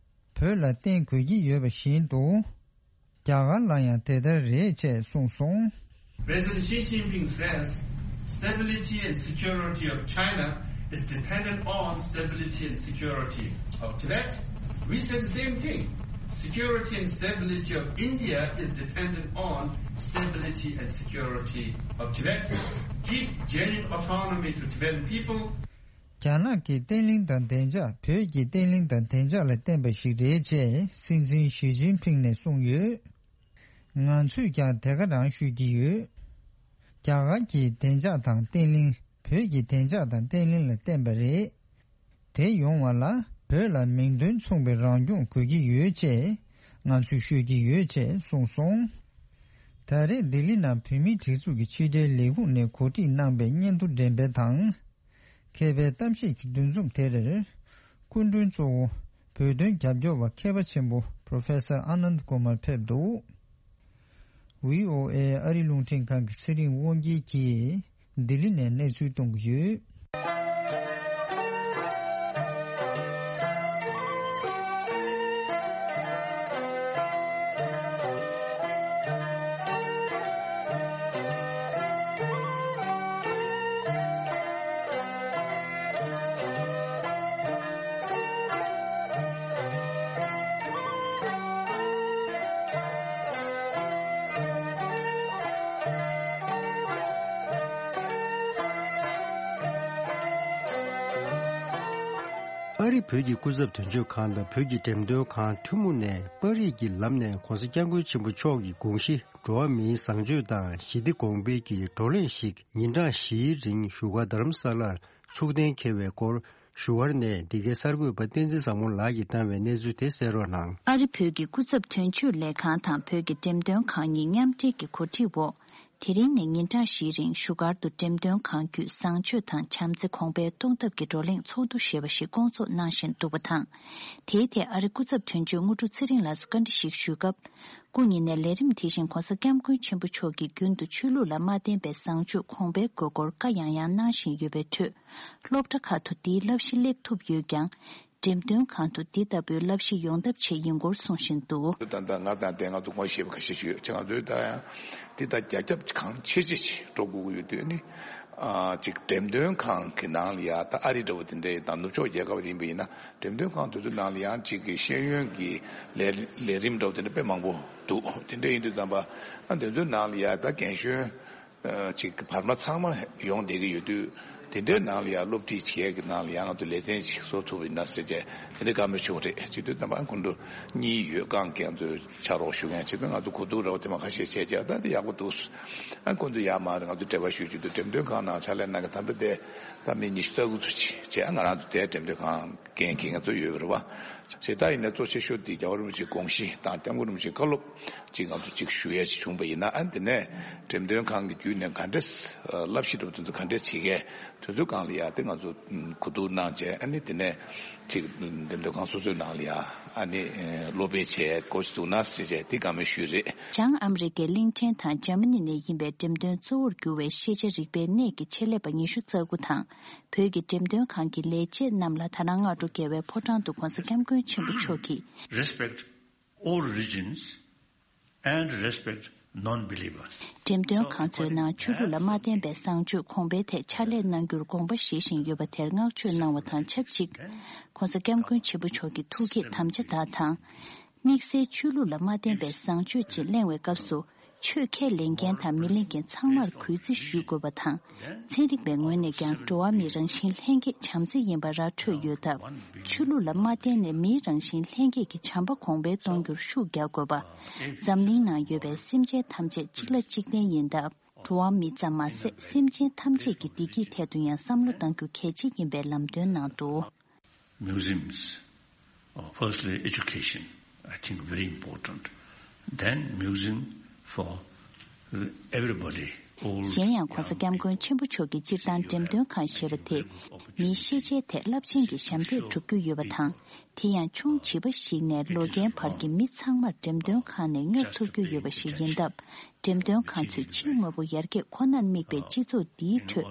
བོད་ལ་བརྟེན་དགོས་ཀྱི་ཡོད་པ་བཞིན་དུ། རྒྱ་གར་ལ་ཡང་དེ་ལྟར་རེད་ཅེས་གསུངས་སོང་། President Xi Jinping says stability and security of China is dependent on stability and security of Tibet. We say the same thing. Security and stability of India is dependent on stability and security of Tibet. Give genuine autonomy to Tibetan people. རྒྱ་ནག་གི་བརྟན་ལྷིང་དང་བདེ་འཇགས་བོད་ཀྱི་བརྟན་ལྷིང་དང་བདེ་འཇགས་ལ་བརྟེན་པ་ཞིག་རེད་ཅེས་སྲིད་འཛིན་ཞི་ཅིན་ཕིང་ནས་གསུངས་ཡོད། ང་ཚོས་ཀྱང་དེ་ག་རང་ཤོད་ཀྱི་ཡོད། རྒྱ་གར་གྱི་བདེ་འཇགས་དང་བརྟན་ལྷིང་། བོད་ཀྱི་བདེ་འཇགས་དང་བརྟན་ལྷིང་ལ་བརྟེན་པ་རེད། དེ་ཡོང་བ་ལ་བོད་ལ་མིང་དོན་མཚུངས་པའི་རང་སྐྱོང་དགོས་ཀྱི་ཡོད་ཅེས་ང་ཚོས་ཤོད་ཀྱི་ཡོད་ཅེས་གསུངས་སོང་། ད་རེས་ལྡི་ལི་ནང་བོད་མིའི་སྒྲིག་འཛུགས་ཀྱི་ཕྱི་དྲིལ་ལས་ཁུངས་ནས་གོ་སྒྲིག་གནང་པའི་སྙན་ཐོ་འགྲེམས་སྤེལ་དང་། མཁས་པའི་གཏམ་བཤད་ཀྱི་འདུ་འཛོམས་དེར། སྐུ་མགྲོན་གཙོ་བོ་བོད་དོན་རྒྱབ་སྐྱོར་བ་མཁས་པ་ཆེན་པོ་Professor Anand Kumar་ཕེབས་འདུག། བྷི་ཨོ་ཨེ་ཨ་རི་རླུང་འཕྲིན་ཁང་གི་ཚེ་རིང་དབང་རྒྱལ་གྱིས་ལྡི་ལི་ནས་གནས་ཚུལ་གཏོང་གི་ཡོད། ཨ་རི་བོད་ཀྱི་སྐུ་ཚབ་དོན་གཅོད་ཁང་དང་བོད་ཀྱི་འགྲེམས་སྟོན་ཁང་ཐུན་མོང་ནས་པར་རིས་ཀྱི་ལམ་ནས་༧གོང་ས་༧སྐྱབས་མགོན་ཆེན་པོ་མཆོག་གི་དགོངས་གཞི་འགྲོ་བ་མིའི་བཟང་སྤྱོད་དང་ཞི་བདེ་གོང་འཕེལ་གྱི་བགྲོ་གླེང་ཞིག་ཉིན་གྲངས་བཞིའི་རིང་བཞུགས་སྒར་རྡ་རམ་ས་ལར་ཚུགས་གཏན་འཁེལ་བའི་སྐོར་བཞུགས་སྒར་ནས་འདི་གའི་གསར་འགོད་པ་བསྟན་འཛིན་བཟང་མོ་ལགས་ཀྱིས་བཏང་བའི་གནས་ཚུལ་དེ་གསན་རོགས་གནང་། ཨ་རི་བོད་ཀྱི་སྐུ་ཚབ་དོན་གཅོད་ལས་ཁང་དང་བོད་ཀྱི་འགྲེམས་སྟོན་ཁང་གཉིས་མཉམ་འབྲེལ་གྱི་གོ་སྒྲིག་འོག་དེ་རིང་ནས་ཉིན་གྲངས་བཞིའི་རིང་བཞུགས་སྒར་དུ་འགྲེམས་སྟོན་ཁང་བརྒྱུད་བཟང་སྤྱོད་དང་བྱམས་བརྩེ་གོང་འཕེལ་གཏོང་ཐབས་ཀྱི་བགྲོ་གླེང་ཚོགས་འདུ་ཞེས་པ་ཞིག་བསྐོང་ཚོགས་གནང་བཞིན་འདུག་པ་དང་། དེའི་ཐད་ཨ་རི་སྐུ་ཚབ་དོན་གཅོད་དངོས་གྲུབ་ཚེ་རིང་ལགས་སུ་བཀའ་འདྲི་ཞིག་ཞུས་སྐབས། སྐུ་ཉིད་ནས་ལས་རིམ་དེ་བཞིན་༧གོང་ས་༧སྐྱབས་མགོན་ཆེན་པོ་མཆོག་གིས་རྒྱུན་དུ་ཆོས་ལུགས་ལ་མ་བརྟེན་པའི་བཟང་སྤྱོད་གོང་འཕེལ་དགོས་སྐོར་བཀའ་ཡང་ཡང་གནང་བཞིན་ཡོད་པའི་ཁྲོད། སློབ་གྲྭ་ཁག་ཏུ་འདིའི་བསླབ་གཞི་སླེབས་ཐུབ་ཡོད་ཀྱང་། འགྲེམས་སྟོན་ཁང་དུ་འདི་ལྟ་བུའི་བསླབ་གཞི་ཡོང་ཐབས་ཆེད་ཡིན་སྐོར་གསུང་བཞིན་འདུག། ད་ལྟ་ང་དང་དེ་ང་ཚོ་ངོ་ཤེས་པ་ཁ་ཤས་ཤིག་ཡོད་ཅེ། ང་ཚོས་ད་ཡང་འདི་ལྟར་རྒྱ་ཁྱབ་གང་ཆེ་ཆེ་ཞིག་འགྲོ་དགོས་ཀྱི་ཡོད་དུས་ནི། ཨ་ཅིག་འགྲེམས་སྟོན་ཁང་གི་ནང་ལ་ཡ་ད་ཨ་རི་འདྲ་བོ་དེ་འདྲ་ཡི་དང་ནུབ་ཕྱོགས་རྒྱལ་ཁབ་ཡིན་པ་ཡིན་ན་འགྲེམས་སྟོན་ཁང་དེ་ཚོའི་ནང་ལ་ཡང་ཅིག་གི་ཤེས་ཡོན་གྱི་ལས་ལས་རིམ་འདྲ་བོ་དེ་འདྲ་དཔེ་མང་པོ་འདུག། དེ་འདྲ་ཡིན་དུས་ཙམ་པ་ཨ་དེ་ཚོའི་ནང་ལ་ཡ་ད་རྒན་གཞོན། ཅིག་བར་མ་ཚང་མ་ཡོང་བསྡད་ཀྱི་ཡོད་དུས། དེ་འདྲའི་ནང་ལ་ཡང་སློབ་ཁྲིད་བྱེད་ཀྱི་ནང་ལ་ཡང་ང་ཚོ་ལེ་ཚན་ཅིག་བཟོ་ཐུབ་པ་ཡིན་ན་ཟེར་བྱས་དེ་འདྲའི་བཀའ་མོལ་ཞུ་བ་རེད། བྱེད་དུས་ཙམ་པ་ཁོང་ཚོ་གཉིས་ཡོད་རྐང་རྐྱང་ཚོས་ཕྱག་རོགས་ཞུ་མཁན་བྱེད་དུས་ང་ཚོ་གོ་བསྡུར་རོགས་དེ་མ་ཁ་ཤས་བྱས་བྱས་ད་དེ་ཡག་པོ་འདུག། ཨ་ཁོང་ཚོ་ཡར་མར་ང་ཚོ་འབྲེལ་བ་ཞུ་རྒྱུ་དུ་འགྲེམས་སྟོན་ཁང་ནང་ཕྱག་ལས་གནང་མཁན་ད་ལྟ་དེ་ད་མི་ཉི་ཤུ་རྩ་དགུ་ཚོ་ཅིག་བྱས། ང་རང་ཚོ་དེ་འགྲེམས་སྟོན་ཁང་འགན་འཁྱེར་མཁན་ཚོ་ཡོད་པ་རེད་བ། བྱས་ད་ཡིན་ན་གཙོ་ཆེ་ཤོས་དེ་རྒྱལ་བ་རིན་པོ་ཆེའི་དགོངས་གཞི་དང་༧སྐྱབས་མགོན་རིན་པོ་ཆེའི་བཀའ་སློབ་ཅིག་ང་ཚོ་ཅིག་ཞུ་ཡས་ཅིག་བྱུང་པ་ཡིན་ན། ཨ་དེ་ནས་འགྲེམས་སྟོན་ཁང་གི་བརྒྱུད་ནས་ག་འདྲས་བསླབ་གཞི་འདྲ་བོ་དེ་ཚོ་ག་འདྲས་བྱེད་མཁན་དེ་ཚོའི་སྒང་ལ་ཡ་དེ་ང་ཚོ་གོ་བསྡུར་གནང་བྱས། ཨ་ནི་དེ་ནས་ཅིག་འགྲེམས་སྟོན་ཁང་སོ་སོའི་ནང་ལ་ཡ་ཨ་ནི་སློབ་སྤེལ་བྱས་འགོ་ཞིག་བཙུགས་ན་ཟེར་བྱས་དེ་བཀའ་མོལ་ཞུས་རེད། བྱང་ཨ་མི་རི་ཀའི་གླིང་ཕྲན་དང་འཇར་མ་ནི་ནས་ཡིན་པའི་འགྲེམས་སྟོན་གཙོ་བོར་གྱུར་བའི་ཤེས་བྱ་རིག་པའི་གནས་ཀྱི་ཆེད་ལས་པ་ཉི་ཤུ་རྩ་དགུ་དང་། བོད་ཀྱི་འགྲེམས་སྟོན་ཁང་གི་ལས་བྱེད་རྣམས་ལ་ད་རང་སྔ་དྲོ་རྒྱལ་བའི་ཕོ་བྲང་དུ་༧གོང་ས་༧སྐྱབས་མགོན་ཆེན་པོ་མཆོག་གིས། Respect all religions and respect non-believers. འགྲེམས་སྟོན་ཁང་ཚོའི་ནང་ཆོས་ལུགས་ལ་མ་བརྟེན་པའི་བཟང་སྤྱོད་གོང་འཕེལ་ཐད་ཕྱག་ལས་གནང་རྒྱུར་དགོངས་པ་བཞེས་བཞིན་ཡོད་པ་དེར་བསྔགས་བརྗོད་གནང་བ་དང་ཆབས་ཅིག ༧གོང་ས་༧སྐྱབས་མགོན་ཆེན་པོ་མཆོག་གི་ཐུགས་བསྐྱེད་དམ་བཅའ་དག་དང་། དམིགས་བསལ་ཆོས་ལུགས་ལ་མ་བརྟེན་པའི་བཟང་སྤྱོད་ཅེས་གླེང་བའི་སྐབས་སུ། ཆོས་ཁས་ལེན་མཁན་དང་མི་ལེན་མཁན་ཚང་མར་གུས་བརྩི་ཞུ་དགོས་པ་དང་། ཚན་རིག་པའི་ངོས་ནས་ཀྱང་འགྲོ་བ་མིའི་རང་བཞིན་ལྷན་སྐྱེས་བྱམས་བརྩེ་ཡིན་པ་ར་འཕྲོད་ཡོད་སྟབས། ཆོས་ལུགས་ལ་མ་བརྟེན་ནས་མིའི་རང་བཞིན་ལྷན་སྐྱེས་ཀྱི་བྱམས་པ་གོང་འཕེལ་གཏོང་རྒྱུར་ཤུགས་རྒྱག་དགོས་པ། འཛམ་གླིང་ནང་ཡོད་པའི་སེམས་ཅན་ཐམས་ཅད་གཅིག་ལ་གཅིག་བརྟེན་ཡིན་སྟབས། འགྲོ་བ་མི་ཙམ་མ་ཟད་སེམས་ཅན་ཐམས་ཅད་ཀྱི་བདེ་སྐྱིད་ཐད་དུ་ཡང་བསམ་བློ་གཏང་རྒྱུ་གལ་ཆེ་ཡིན་པའི་ལམ་སྟོན་གནང་འདུག། Museums, uh, firstly, education, I think, very important. Then museum for everybody, all young people. གཞན་ཡང་༧གོང་ས་༧སྐྱབས་མགོན་ཆེན་པོ་མཆོག་གིས་སྤྱིར་བཏང་འགྲེམས་སྟོན་ཁང་ཞེས་པ་དེ་མིའི་ཤེས་བྱའི་ཐད་རླབས་ཆེན་གྱི་ཞབས་འདེགས་སྒྲུབ་རྒྱུ་ཡོད་པ་དང་། དེ་ཡང་ཆུང་བྱིས་པ་ཞིག་ནས་ལོ་རྒན་བར་གྱི་མི་ཚང་མར་འགྲེམས་སྟོན་ཁང་ནས་སྙོབ་ཐུབ་རྒྱུ་ཡོད་པ་ཞིག་ཡིན་སྟབས། འགྲེམས་སྟོན་ཁང་ཚོས་ཕྱིའི་དངོས་པོ་ཡར་རྒྱས་ཁོ་ནར་དམིགས་པའི་སྤྱི་ཚོགས་འདིའི་ཁྲོད་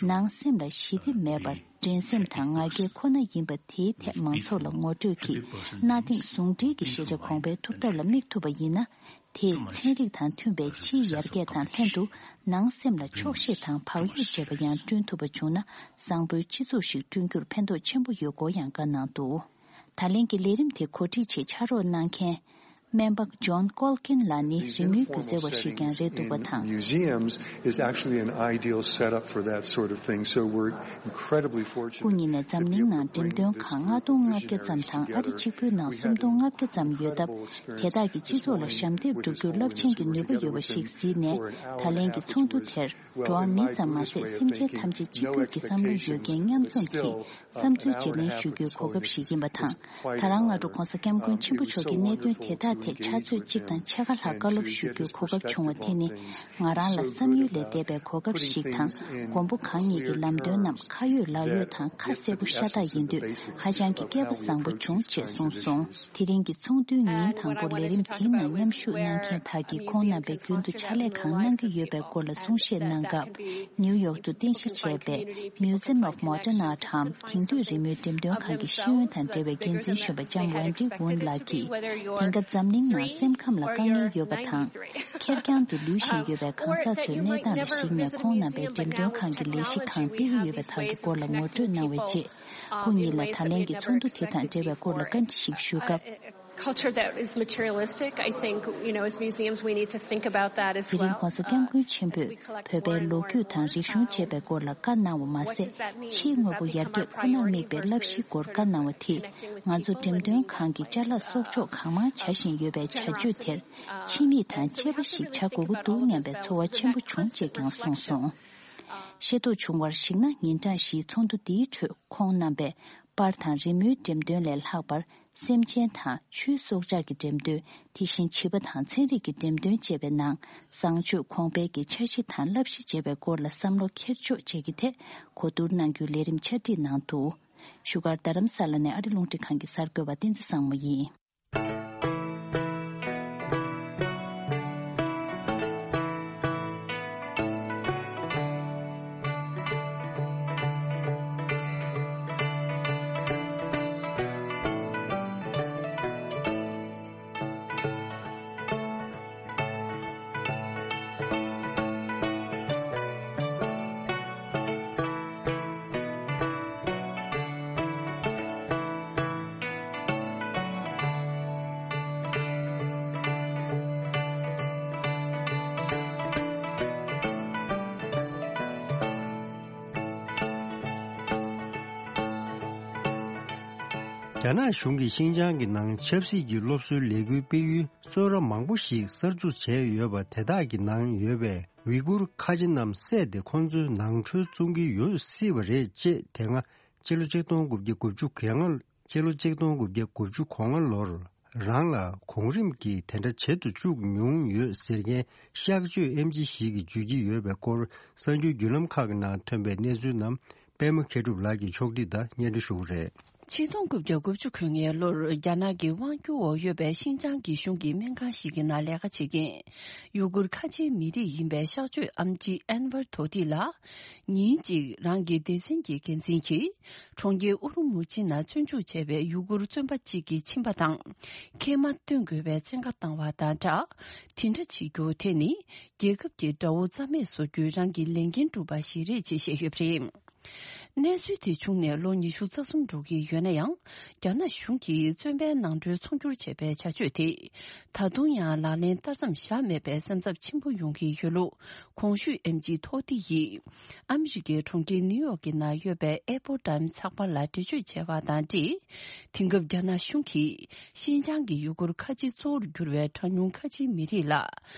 ནང་སེམས་ལ་ཞི་བདེ་མེད་པར། འགྲན་སེམས་དང་ང་རྒྱལ་ཁོ་ན་ཡིན་པ་དེའི་ཐད་མང་ཚོགས་ལ་ངོ་སྤྲོད་ཀྱིས་གནའ་དེང་ཟུང་འབྲེལ་གྱི་ཤེས་བྱ་གོང་འཕེལ་ཐུབ་ཐབས་ལ་དམིགས་ཐུབ་པ་ཡིན་ན། དེས་ཚན་རིག་དང་མཐུན་པའི་ཕྱིའི་ཡར་རྒྱས་དང་ལྷན་དུ་ནང་སེམས་ལ་ཆོག་ཤེས་དང་བག་ཡོད་བྱེད་པ་ཡང་བསྐྲུན་ཐུབ་པ་བྱུང་ན། བཟང་པོའི་སྤྱི་ཚོགས་ཤིག་བསྐྲུན་རྒྱུར་ཕན་ཐོགས་ཆེན་པོ་ཡོད་སྐོར་ཡང་བཀའ་གནང་འདུག་ད་ལན་གྱི་ལས་རིམ་དེ་གོ་སྒྲིག་ཆེད་ཕྱག་རོགས་གནང་མཁན། སྨན་པ་ཇོན་ཀོལ་ཀིན་ལགས་ནི་རི་མོའི་སྒྱུ་རྩལ་བ་ཞིག་ཀྱང་རེད་འདུག་པ་དང་། Museums is actually an ideal setup for that sort of thing. So we're incredibly fortunate. སྐུ་ཉིད་ནས་འཛམ་གླིང་ནང་འགྲེམས་སྟོན་ཁང་ལྔ་སྟོང་ལྔ་བརྒྱ་ཙམ་དང་ཨ་རི་གཅིག་པུའི་ནང་སུམ་སྟོང་ལྔ་བརྒྱ་ཙམ་ཡོད་སྟབས། དེ་དག་གིས་སྤྱི་ཚོགས་ལ་ཞབས་འདེགས་སྒྲུབ་རྒྱུར་རླབས་ཆེན་གྱི་ནུས་པ་ཡོད་པ་ཞིག་གཟིགས་ནས། ད་ལན་གྱི་ཚོགས་འདུ་དེར། འགྲོ་བ་མི་ཙམ་མ་ཟད་སེམས་ཅན་ཐམས་ཅད་གཅིག་གྱུར་གྱི་བསམ་བློ་ཡོད་མཁན་མཉམ་འཛོམས་ཀྱིས་བསམ་ཚུལ་བརྗེ་ལེན་ཞུ་རྒྱུའི་གོ་སྐབས་ཤིག་ཡིན་པ་དང་། ད་རང་སྔ་དྲོ་༧གོང་ས་༧སྐྱབས་མགོན་ཆེན་པོ་མཆོག་གིས་གནད་དོན་དེ་དག་ཐད་ཕྱག་ཚོད་གཅིག་དང་ཕྱེད་ཀ་ལྷག་བཀའ་སློབ་ཞུ་རྒྱུའི་གོ་སྐབས་བྱུང་བ་དེ་ནི་ང་རང་ལ་བསམ་ཡུལ་ལས་འདས་པའི་གོ་སྐབས་ཤིག་དང་། མགོན་པོ་གང་ཉིད་ཀྱི་ལམ་སྟོན་རྣམས་ཁ་ཡོད་ལག་ཡོད་དང་ཁ་གསལ་པོ་ཤ་སྟག་ཡིན་དུས་ཧ་ཅང་གི་སྐལ་པ་བཟང་པོ་བྱུང་ཅེས་གསུངས་སོང་། དེ་རིང་གི་ཚོགས་འདུའི་ཉིན་དང་པོར་ལས་རིམ་དེའི་ནང་མཉམ་ཞུགས་གནང་མཁན་དག་གིས་ཁོང་རྣམ་པས་རྒྱུན་དུ་ཕྱག་ལས་གང་གནང་གི་ཡོད་པའི་སྐོར་ལ་གསུང་བཤད་གནང་སྐབས། ནིའུ་ཡོག་ཏུ་རྟེན་གཞི་བྱས་པའི་Museum of Modern Art འམ་དེང་དུས་རི་མོའི་འགྲེམས་སྟོན་ཁང་གི་ཤེས་ཡོན་དང་འབྲེལ་བའི་འགན་འཛིན་གཞོན་པ་ལྕམ་ཝན་ཏི་ཝུན་ལགས་ཀྱིས། དེང་སྐབས་འཛམ་གླིང་ནང་སེམས་ཁམས་ལ་དཀའ་ངལ་ཡོད་པ་དང་། ཁེར་རྐྱང་དུ་ལུས་བཞིན་ཡོད་པའི་གང་ཟག་ཚོའི་གནས་སྟངས་ལ་གཞིགས་ནས་ཁོང་རྣམ་པས་འགྲེམས་སྟོན་ཁང་གི་ལས་གཞི་གང་སྤེལ་གྱི་ཡོད་པ་དག་གི་སྐོར་ལ་ངོ་སྤྲོད་གནང་བའི་རྗེས། སྐུ་ཉིད་ལ་ད་ལན་གྱི་ཚོགས་འདུ་དེ་དང་འབྲེལ་བའི་སྐོར་ལ་བཀའ་འདྲི་ཞིག་ཞུ་སྐབས། Culture that is materialistic, I think, you know, as museums, we need to think about that as well. དེ་རིང་༧གོང་ས་༧སྐྱབས་མགོན་ཆེན་པོས་བོད་པའི་ལོ་རྒྱུས་དང་རིག་གཞུང་ཅེས་པའི་སྐོར་ལ་བཀའ་གནང་བ་མ་ཟད། ཕྱིའི་དངོས་པོ་ཡར་རྒྱས་ཁོ་ནར་དམིགས་པའི་བསླབ་གཞིའི་སྐོར་བཀའ་གནང་བ་དེས། ང་ཚོ་འགྲེམས་སྟོན་ཁང་གི་ཅ་ལག་གསོག་འཇོག་གང་མང་བྱ་བཞིན་ཡོད་པའི་བྱ་སྤྱོད་དེར། ཕྱི་མིག་དང་དཔྱད་པ་ཞིག་བྱ་དགོས་ཀྱི་འདུག་སྙམ་པའི་ཚོར་བ་ཆེན་པོ་བྱུང་ཅེས་ཀྱང་གསུངས་སོང་། ཤེས་རྟོགས་བྱུང་བར་གཞིགས་ན། ཉིན་གྲངས་བཞིའི་ཚོགས་འདུ་འདིའི་ཁྲོད་ཁོང་རྣམ་པས་པར་དང་རི་མོའི་འགྲེམས་སྟོན་ལས་ལྷག་པར། སེམས་ཅན་དང་ཆུའི་སྲོག་ཆགས་ཀྱི་འགྲེམས་སྟོན། དེ་བཞིན་བྱིས་པ་དང་ཚན་རིག་གི་འགྲེམས་སྟོན་བཅས་པའི་ནང་བཟང་སྤྱོད་གོང་འཕེལ་གྱི་འཆར་གཞི་དང་བསླབ་གཞི་བཅས་པའི་སྐོར་ལ་བསམ་བློ་འཁྱེར་ཕྱོགས་བཅས་ཀྱི་ཐད་གོ་བསྡུར་གནང་རྒྱུའི་ལས་རིམ་ཆ་སྒྲིག་གནང་འདུག་བཞུགས་སྒར་རྡ་རམ་ས་ལ་ནས་ཨ་རི་རླུང་འཕྲིན་ཁང་གི་གསར་འགོད་པ་བསྟན་འཛིན་བཟང་མོ་ཡིན། རྒྱ་ནག་གཞུང་གིས་ཤིན་ཅང་གི་ནང་ཆབ་སྲིད་ཀྱི་སློབ་གསོའི་ལས་འགུལ་སྤེལ་ཡུལ་གཙོ་བོ་མང་པོ་ཞིག་གསར་འཛུགས་བྱས་ཡོད་པ་དེ་དག་གི་ནང་ཡོད་པའི་ཝི་གུར་ཁ་ཆེ་རྣམས་བསད་དེ་ཁོང་ཚོའི་ནང་ཁྲོལ་བཙོང་གི་ཡོད་སྲིད་པ་རེད་ཅེས། དེ་སྔ་ཕྱི་ལོ་ཆིག་སྟོང་དགུ་བརྒྱ་དགུ་བཅུ་གོ་ལྔ། ཕྱི་ལོ་ཆིག་སྟོང་དགུ་བརྒྱ་དགུ་བཅུ་གོ་ལྔ་ལོར་རང་ལ་གོང་རིམ་གྱིས་དེ་འདྲ་བྱེད་དུ་བཅུག་མྱོང་ཡོད་ཟེར་མཁན་གཤག་བཅོས་ཨེམ་ཆི་ཞིག་གིས་བརྗོད་ཀྱི་ཡོད་པའི་སྐོར། གསར་འགྱུར་བརྒྱུད་ལམ་ཁག་གི་ནང་ཐོན་པའི་གནས་ཚུལ་རྣམས་པད་མ་མཁས་གྲུབ་ལགས་ཀྱིས་ཕྱོགས་སྒྲིག་དང་སྙན་སྒྲོན་ཞུ་གི་རེད། ཆིག་སྟོང་དགུ་བརྒྱ་དགུ་བཅུ་གོ་ལྔའི་ལོར་རྒྱ་ནག་གི་དབང་སྒྱུར་འོག་ཡོད་པའི་ཤིན་ཅང་གི་གཞུང་གི་སྨན་ཁང་ཞིག་གི་ནང་ལས་ཀ་བྱེད་མཁན་ཡུ་གུར་ཁ་ཆེའི་མི་རིགས་ཡིན་པའི་གཤག་བཅོས་ཨེམ་ཆི་ཨན་ཝར་དོ་ཏི་ལགས། ཉིན་གཅིག་རང་གི་སྡེ་ཚན་གྱི་འགན་འཛིན་གྱིས་གྲོང་ཁྱེར་ཨུ་རུ་མུ་ཆི་ནང་བཙོན་འཇུག་བྱས་པའི་ཡུ་གུར་བཙོན་པ་གཅིག་གི་མཆིན་པ་དང་མཁལ་མ་བཏོན་དགོས་པའི་བཙན་བཀའ་བཏང་བ་དང་སྦྲགས། དེ་འདྲ་བྱེད་རྒྱུ་དེ་ནི་རྒྱལ་ཁབ་ཀྱི་དགྲ་བོ་རྩ་མེད་བཟོ་རྒྱུའི་རང་གི་ལས་འགན་སྒྲུབ་པ་ཞིག་རེད་ཅེས་བཤད་ཡོད་པ་རེད། གནས་ཚུལ་དེ་བྱུང་ནས་ལོ་ཉི་ཤུ་རྩ་གསུམ་འགྲོ་གི་ཡོད་ན་ཡང་། རྒྱ་ནག་གཞུང་གིས་བཙོན་པའི་ནང་ཁྲོལ་ཚོང་སྒྱུར་བྱས་པའི་བྱ་སྤྱོད་དེ། ད་དུང་ཡང་ལག་ལེན་བསྟར་མཚམས་བཞག་མེད་པའི་སེམས་འཚབ་ཆེན་པོ་ཡོང་གི་ཡོད་ལུགས། གོང་ཞུས་ཨེམ་ཆི་ཐོ་ཏི་ཡིས། ཨ་མི་རི་ཀའི་གྲོང་ཁྱེར་ནིའུ་ཡོག་གི་ནང་ཡོད་པའི་ཨེ་པོ་ཊའིམ་ཚགས་པར་ལ་འགྲེལ་བརྗོད་བྱས་པ་དང་འབྲེལ། དེང་སྐབས་རྒྱ་ནག་གཞུང་གིས། ཤིན་ཅང་གི་ཡུ་གུར་ཁ་ཆེ་གཙོ་བོར་གྱུར་བའི་གྲངས་ཉུང་ཁ་ཆེའི་མི་རིགས་ལ།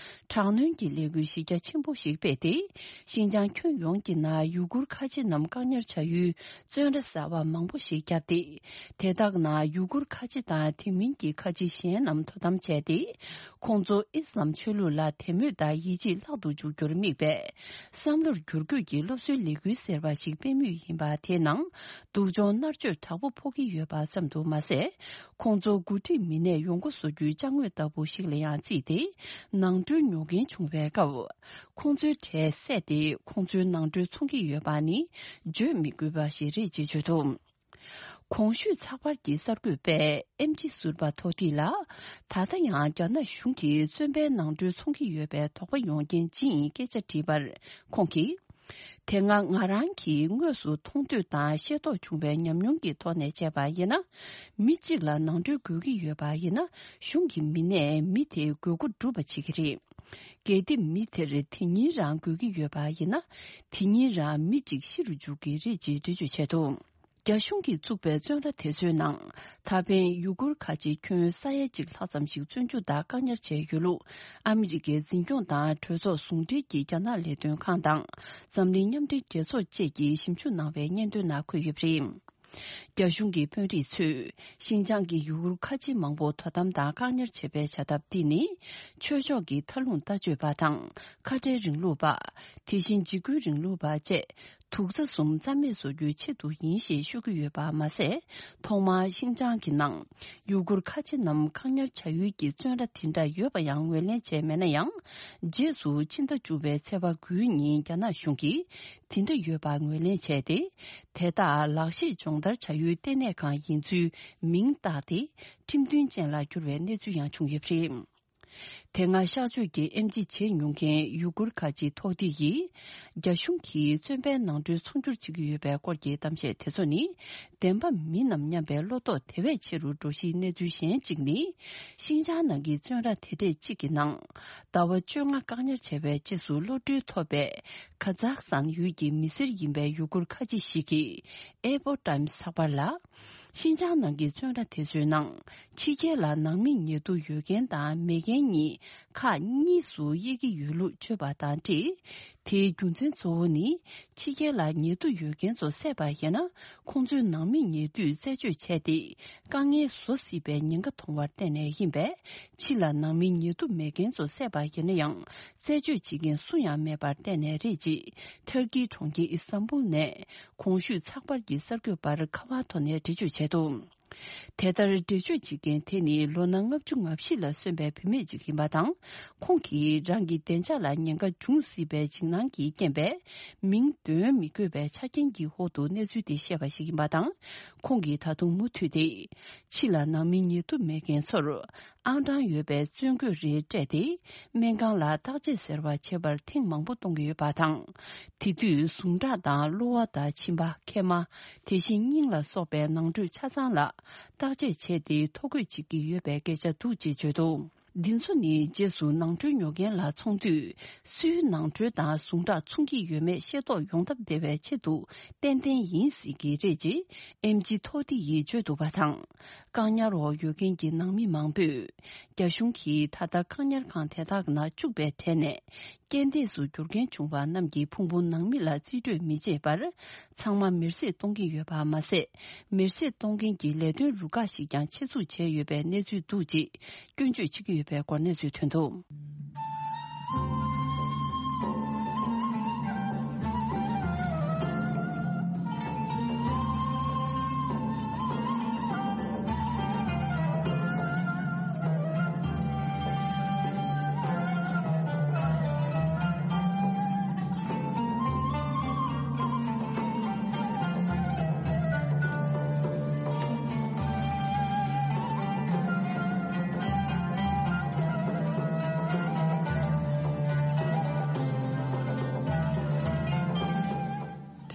དྲག་གནོན་གྱི་ལས་འགུལ་གཞི་རྒྱ་ཆེན་པོ་ཞིག་སྤེལ་ཏེ། ཤིན་ཅང་ཁྱོན་ཡོངས་ཀྱི་ནང་ཡུ་གུར་ཁ་ཆེ་རྣམས་ བཀག་ཉར་བྱ་ཡུལ་བཙོན་ར་གསར་པ་མང་པོ་ཞིག་བརྒྱབ་སྟེ། དེ་དག་ནང་ཡུ་གུར་ཁ་ཆེ་དང་དེ་མིན་གྱི་ཁ་ཆེ་གཞན་རྣམས་དོ་དམ་བྱས་ཏེ། ཁོང་ཚོ་ཨི་སི་ལམ་ཆོས་ལུགས་ལ་དད་མོས་དང་ཡིད་ཆེས་ལྷག་ཏུ་འཇུག་རྒྱུར་དམིགས་པའི་བསམ་བློར་བསྒྱུར་བཀོད་ཀྱི་སློབ་གསོའི་ལས་འགུལ་ཟེར་བ་ཞིག་སྤེལ་མུས་ཡིན་པ་དེའི་ནང་། སྡུག་སྦྱོང་མནར་གཅོད་དྲག་པོ་ཕོག་གི་ཡོད་པ་ཙམ་དུ་མ་ཟད། ཁོང་ཚོ་འགོ་ཁྲིད་མི་སྣས་ཡོང་སྒོ་བཟོ་རྒྱུའི་ཅ་དངོས་ལྟ་བུ་ཞིག་ལ་ཡང་བརྩིས་ཏེ། ནང་ཁྲོལ་ཉོ་མཁན་བྱུང་བའི་སྐབས། ཁོང་ཚོའི་གྲས་བསད་དེ་ཁོང་ཚོའི་ནང་ཁྲོལ་འཚོང་གི་ཡོད་པ་ནི་བརྗོད་མི་དགོས་པ་ཞིག་རེད་ཅེས་བརྗོད་འདུག་གོང་ཞུས་ཚགས་པར་གྱི་གསར་འགོད་པས་ཨེམ་ཆི་ཟུར་པ་ཐོ་ཏི་ལ། ད་ལྟ་ཡང་རྒྱ་ནག་གཞུང་གིས་བཙོན་པའི་ནང་ཁྲོལ་འཚོང་གི་ཡོད་པའི་དོགས་པ་ཡོང་རྐྱེན་ཅི་ཡིན་སྐད་ཆ་དྲིས་པར། ཁོང་གིས། དེ་སྔ་ང་རང་གིས་དངོས་སུ་མཐོང་ཐོས་དང་ཤེས་རྟོགས་བྱུང་བའི་ཉམས་མྱོང་གི་ཐོག་ནས་བྱས་པ་ཡིན་ན། མི་གཅིག་ལ་ནང་ཁྲོལ་དགོས་ཀྱི་ཡོད་པ་ཡིན་ན། གཞུང་གི་མི་སྣས་མི་དེའི་དགོས་མཁོ་སྒྲུབ་པ་བྱེད་ཀྱི་རེད། གལ་ཏེ་མི་དེར་དེ་ཉིན་རང་དགོས་ཀྱི་ཡོད་པ་ཡིན་ན། དེ་ཉིན་རང་མི་གཅིག་ཤི་རུ་འཇུག་གི་རེད་ཅེས་འགྲེལ་བརྗོད་བྱས་འདུག་རྒྱ་གཞུང་གིས་བཙུགས་པའི་བཙོན་ར་དེ་ཚོའི་ནང་། ད་ཕན་ཡུ་གུར་ཁ་ཆེ་ཁྱོན་ས་ཡ་གཅིག་ལྷག་ཙམ་ཞིག་བཙོན་འཇུག་དང་བཀག་ཉར་བྱས་ཡོད་ལུགས། ཨ་མི་རི་ཀའི་འཛིན་སྐྱོང་དང་གྲོས་ཚོགས་ཟུང་འབྲེལ་གྱི་རྒྱ་ནག་ལས་དོན་ཁང་དང་། འཛམ་གླིང་མཉམ་འབྲེལ་རྒྱལ་ཚོགས་བཅས་ཀྱིས་ཞིབ་འཇུག་གནང་བའི་སྙན་ཐོའི་ནང་འཁོད་ཡོད་པ་རེད། རྒྱ་གཞུང་གི་དཔོན་རིགས་ཚོས། ཤིན་ཅང་གི་ཡུ་གུར་ཁ་ཆེ་མང་པོ་དོ་དམ་དང་བཀག་ཉར་བྱེད་པའི་བྱ་ཐབས་འདི་ནི། ཆོས་ཕྱོགས་ཀྱི་མཐའ་ལྷུང་ལྟ་སྤྱོད་པ་དང་། ཁ་བྲལ་རིང་ལུགས་པ། དེ་བཞིན་འཇིགས་སྐུལ་རིང་ལུགས་པ་བཅས། དུག་རྩ་གསུམ་རྩ་མེད་བཟོ་རྒྱུའི་ཆེད་དུ་ཡིན་ཞེས་ཤོད་ཀྱི་ཡོད་པ་མ་ཟད། ཐོག་མར་ཤིན་ཅང་གི་ནང་ཡུ་གུར་ཁ་ཆེ་རྣམས་བཀག་ཉར་བྱ་ཡུལ་གྱི་བཙོན་ར་དེ་འདྲ་ཡོད་པ་ཡང་ངོས་ལེན་བྱས་མེད་ན་ཡང་། རྗེས་སུ་ཕྱི་ཟླ་བཅུ་པའི་ཚེས་པ་དགུའི་ཉིན་རྒྱ་ནག་གཞུང་གིས་དེ་འདྲ་ཡོད་པ་ངོས་ལེན་བྱས་ཏེ། དེ་དག་ལག་ཤེས་སྦྱོང་བརྡར་བྱ་ཡུལ་ལྟེ་གནས་ཁང་ཡིན་ཚུལ་མིང་བཏགས་ཏེ་ཁྲིམས་མཐུན་ཅན་ལ་བསྒྱུར་བའི་གནས་ཚུལ་ཡང་བྱུང་ཡོད་པ་རེད། དེ་སྔ་གཤག་བཅོས་ཀྱི་ཨེམ་ཆི་བྱེད་མྱོང་མཁན་ཡུ་གུར་ཁ་ཆེ་ཐོག་ཏི་ཡིས། རྒྱ་གཞུང་གིས་བཙོན་པའི་ནང་ཁྲོལ་འཚོང་སྒྱུར་བྱེད་ཀྱི་ཡོད་པའི་སྐོར་གྱི་གཏམ་བཤད་དེ་ཚོ་ནི། བདེན་པ་མིན་ནམ་སྙམ་པའི་བློ་དོགས་དེ་བས་ཆེ་རུ་འགྲོ་གཞིའི་གནས་ཚུལ་གཞན་གཅིག་ནི། ཤིན་ཅང་ནང་གི་བཙོན་ར་དེ་གྲས་གཅིག་གི་ནང་། ཟླ་བ་བཅོ་ལྔ་བཀག་ཉར་བྱས་པའི་རྗེས་སུ་གློད་གྲོལ་ཐོབ་པའི། ཁ་ཛག་སི་ཐན་ཡུལ་གྱི་མི་སེར་ཡིན་པའི་ཡུ་གུར་ཁ་ཆེ་ཞིག་གིས། ཨེ་པོ་ཊའིམ་སི་ཚགས་པར་ལ། ཤིན་ཅང་ནང་གི་བཙོན་ར་དེ་ཚོའི་ནང་། ཕྱི་རྒྱལ་ལ་ནང་མི་ཉེ་དུ་ཡོད་མཁན་དང་མེད་མཁན་གཉིས་ཁག་གཉིས་སུ་དབྱེ་གི་ཡོད་ལུགས་བརྗོད་པ་དང་འབྲེལ། དེའི་རྒྱུ་མཚན་གཙོ་བོ་ནི། ཕྱི་རྒྱལ་ལ་ཉེ་དུ་ཡོད་མཁན་ཚོ་བསད་པ་ཡིན་ན། ཁོང་ཚོའི་ནང་མི་ཉེ་དུས་རྩད་གཅོད་བྱས་ཏེ། དཀའ་ངལ་བཟོ་སྲིད་པའི་ཉེན་ཁ་མཐོང་བར་བརྟེན་ནས་ཡིན་པས། ཕྱི་ལ་ནང་མི་ཉེ་དུ་མེད་མཁན་ཚོ་བསད་པ་ཡིན་ན་ཡང་། རྩད་གཅོད་བྱེད་མཁན་སུ་ཡང་མེད་པར་བརྟེན་ནས་རེད་ཅེས། ཐར་ཀིའི་གྲོང་ཁྱེར་ཨི་སྟན་བུལ་ནས། གོང་ཞུས་ཚགས་པར་གྱི་གསར་འགོད་པར་ཁ་པར་ཐོག་ནས་འགྲེལ་བརྗོད་བྱས་འདུག་དེ་ལྟར་འགྲེལ་བརྗོད་བྱེད་མཁན་དེ་ནི་ལོ་ན་ལྔ་བཅུ་ང་བཞི་ལ་སོན་པའི་བུད་མེད་ཅིག་ཡིན་པ་དང་། ཁོང་གིས་རང་གི་བདེ་འཇགས་ལ་ཉེན་ཁ་འབྱུང་སྲིད་པའི་འཇིགས་སྣང་གི་རྐྱེན་པས། མིང་འདོན་མི་དགོས་པའི་ཆ་རྐྱེན་གྱི་འོག་ཏུ་གནས་ཚུལ་དེ་བཤད་པ་ཞིག་ཡིན་པ་དང་། ཁོང་གིས་ད་དུང་མུ་མཐུད་དེ། ཕྱི་ལ་ནང་མི་ཉེ་དུ་མེད་མཁན་ཚོར། ཨང་གྲངས་ཡོད་པའི་བཙོན་གོས་རེ་སྤྲད་དེ། སྨན་ཁང་ལ་བརྟག་དཔྱད་ཟེར་བ་བྱེད་པར་ཐེངས་མང་པོ་གཏོང་གི་ཡོད་པ་དང་། དེ་དུས་ཟུངས་ཁྲག་དང་གློ་བ་དང་མཆིན་པ། མཁལ་མ། དེ་བཞིན་སྙིང་ལ་སོགས་པའི་ནང་ཁྲོལ་ཆ་ཚང་ལ་བརྟག་དཔྱད་བྱས་ཏེ་ཐོ་འགོད་བྱེད་ཀྱི་ཡོད་པའི་སྐད་ཆ་འདུག་ཅེས་བརྗོད་འདུག་འདི་ཚོ་ནི་རྗེས་སུ་ནང་ཁྲོལ་ཉོ་མཁན་ལ་འཚོང་དུས། སུའི་ནང་ཁྲོལ་དང་ཟུངས་ཁྲག་འཚོང་གི་ཡོད་མེད་ཤེས་རྟོགས་ཡོང་ཐབས་བདེ་བའི་ཆེད་དུ་ཏན་ཏན་ཡིན་སྲིད་ཀྱི་རེད་ཅེས་ཨེམ་ཆི་ཐོ་ཏི་ཡིས་བརྗོད་འདུག་པ་དང་། བཀག་ཉར་འོག་ཡོད་མཁན་གྱི་ནང་མི་མང་པོས། རྒྱ་གཞུང་གིས་ད་ལྟ་བཀག་ཉར་ཁང་དེ་དག་ནང་བཅུག་པའི་གྲས་ནས། རྐྱེན་འདས་སུ་གྱུར་མཁན་བྱུང་བ་རྣམས་ཀྱི་ཕུང་པོ་ནང་མི་ལ་རྩིས་སྤྲོད་མི་བྱེད་པར། ཚང་མ་མེར་སྲེག་གཏོང་གི་ཡོད་པ་མ་ཟད། མེར་སྲེག་གཏོང་མཁན་གྱི་ལས་དོན་རུ་ཁག་ཞིག་ཀྱང་ཆེད་འཛུགས་བྱས་ཡོད་པའི་གནས་ཚུལ་འདུག་ཅེས་སྐྱོན་བརྗོད་བྱེད་ཀྱི་ཡོད་པའི་སྐོར་གནས་ཚུལ་ཐོན་འདུག་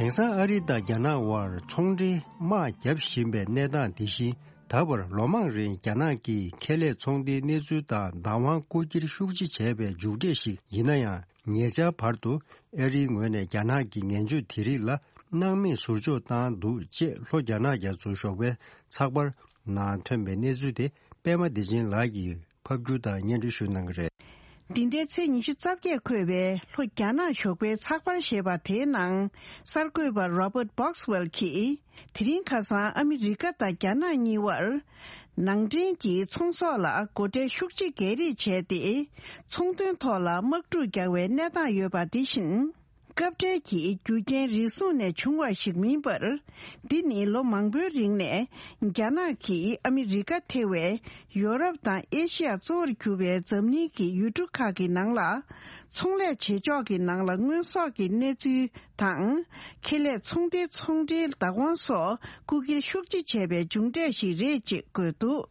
དེང་སང་ཨ་རི་དང་རྒྱ་ནག་དབར་ཚོང་འབྲེལ་དམག་བརྒྱབ་བཞིན་པའི་གནས་སྟངས་འདི་བཞིན། ད་བར་ལོ་མང་རིང་རྒྱ་ནག་གིས་ཁེ་ལས་ཚོང་འབྲེལ་གནས་ཚུལ་དང་བདག་དབང་རྐུ་འཁྱེར་ཤུགས་ཆེ་བྱས་པའི་མཇུག་འབྲས་ཤིག་ཡིན་ན་ཡང་། ཉེ་ཆར་བར་དུ་ཨ་རིའི་ངོས་ནས་རྒྱ་ནག་གི་ངན་བྱུས་དེ་རིགས་ལ་སྣང་མེད་ཟུར་འཇོག་བཏང་འདུག་ཅེས་ལྷོ་རྒྱ་ནག་རྒྱ་མཚོའི་ཞོགས་པའི་ཚགས་པར་ནང་ཐོན་པའི་གནས་ཚུལ་དེ་པད་མ་བདེ་ཆེན་ལགས་ཀྱིས་ཕབ་སྒྱུར་དང་སྙན་སྒྲོན་ཞུ་གནང་གི་རེད། འདི་ཟླའི་ཚེས་ཉི་ཤུ་རྩ་བརྒྱད་འཁོད་པའི་ལྷོ་རྒྱ་ནག་ཞོགས་པའི་ཚགས་པར་ཞེས་པ་དེའི་ནང་། གསར་འགོད་པ་Robert Boxwell གྱིས། དེ་རིང་ཁ་སང་ཨ་མི་རི་ཀ་དང་རྒྱ་ནག་གཉིས་བར། ནང་འདྲེན་གྱི་ཚོང་ཟོག་ལ་སྒོ་ཁྲལ་ཤུགས་ཆེ་སྒལ་རེས་བྱས་ཏེ། ཚོང་དོན་ཐོག་ལ་དམག་འཁྲུག་རྒྱག་པའི་གནས་སྟངས་ཡོད་པ་དེ་བཞིན། སྐབས་འཕྲལ་གྱི་རྒྱུ་རྐྱེན་རེ་ཟུང་ནས་བྱུང་བ་ཞིག་མིན་པར། འདི་ནི་ལོ་མང་པོའི་རིང་ནས་རྒྱ་ནག་གིས་ཨ་མི་རི་ཀ་ཐེ་བའི་ཡོ་རོབ་དང་ཨེ་ཤི་ཡ་གཙོ་བོར་གྱུར་པའི་འཛམ་གླིང་གི་ཡུལ་གྲུ་ཁག་གི་ནང་ལ་ཚོང་ལས་བྱེད་ཕྱོགས་ཀྱི་ནང་ལ་དངོས་ཟོག་གི་གནས་ཚུལ་དང་། ཁེ་ལས་ཚོང་སྡེའི་ཚོང་འབྲེལ་བདག་དབང་སོགས་རྐུ་འཁྱེར་ཤུགས་ཆེ་བྱས་པའི་མཇུག་འབྲས་ཤིག་རེད་ཅེས་བཀོད་འདུག་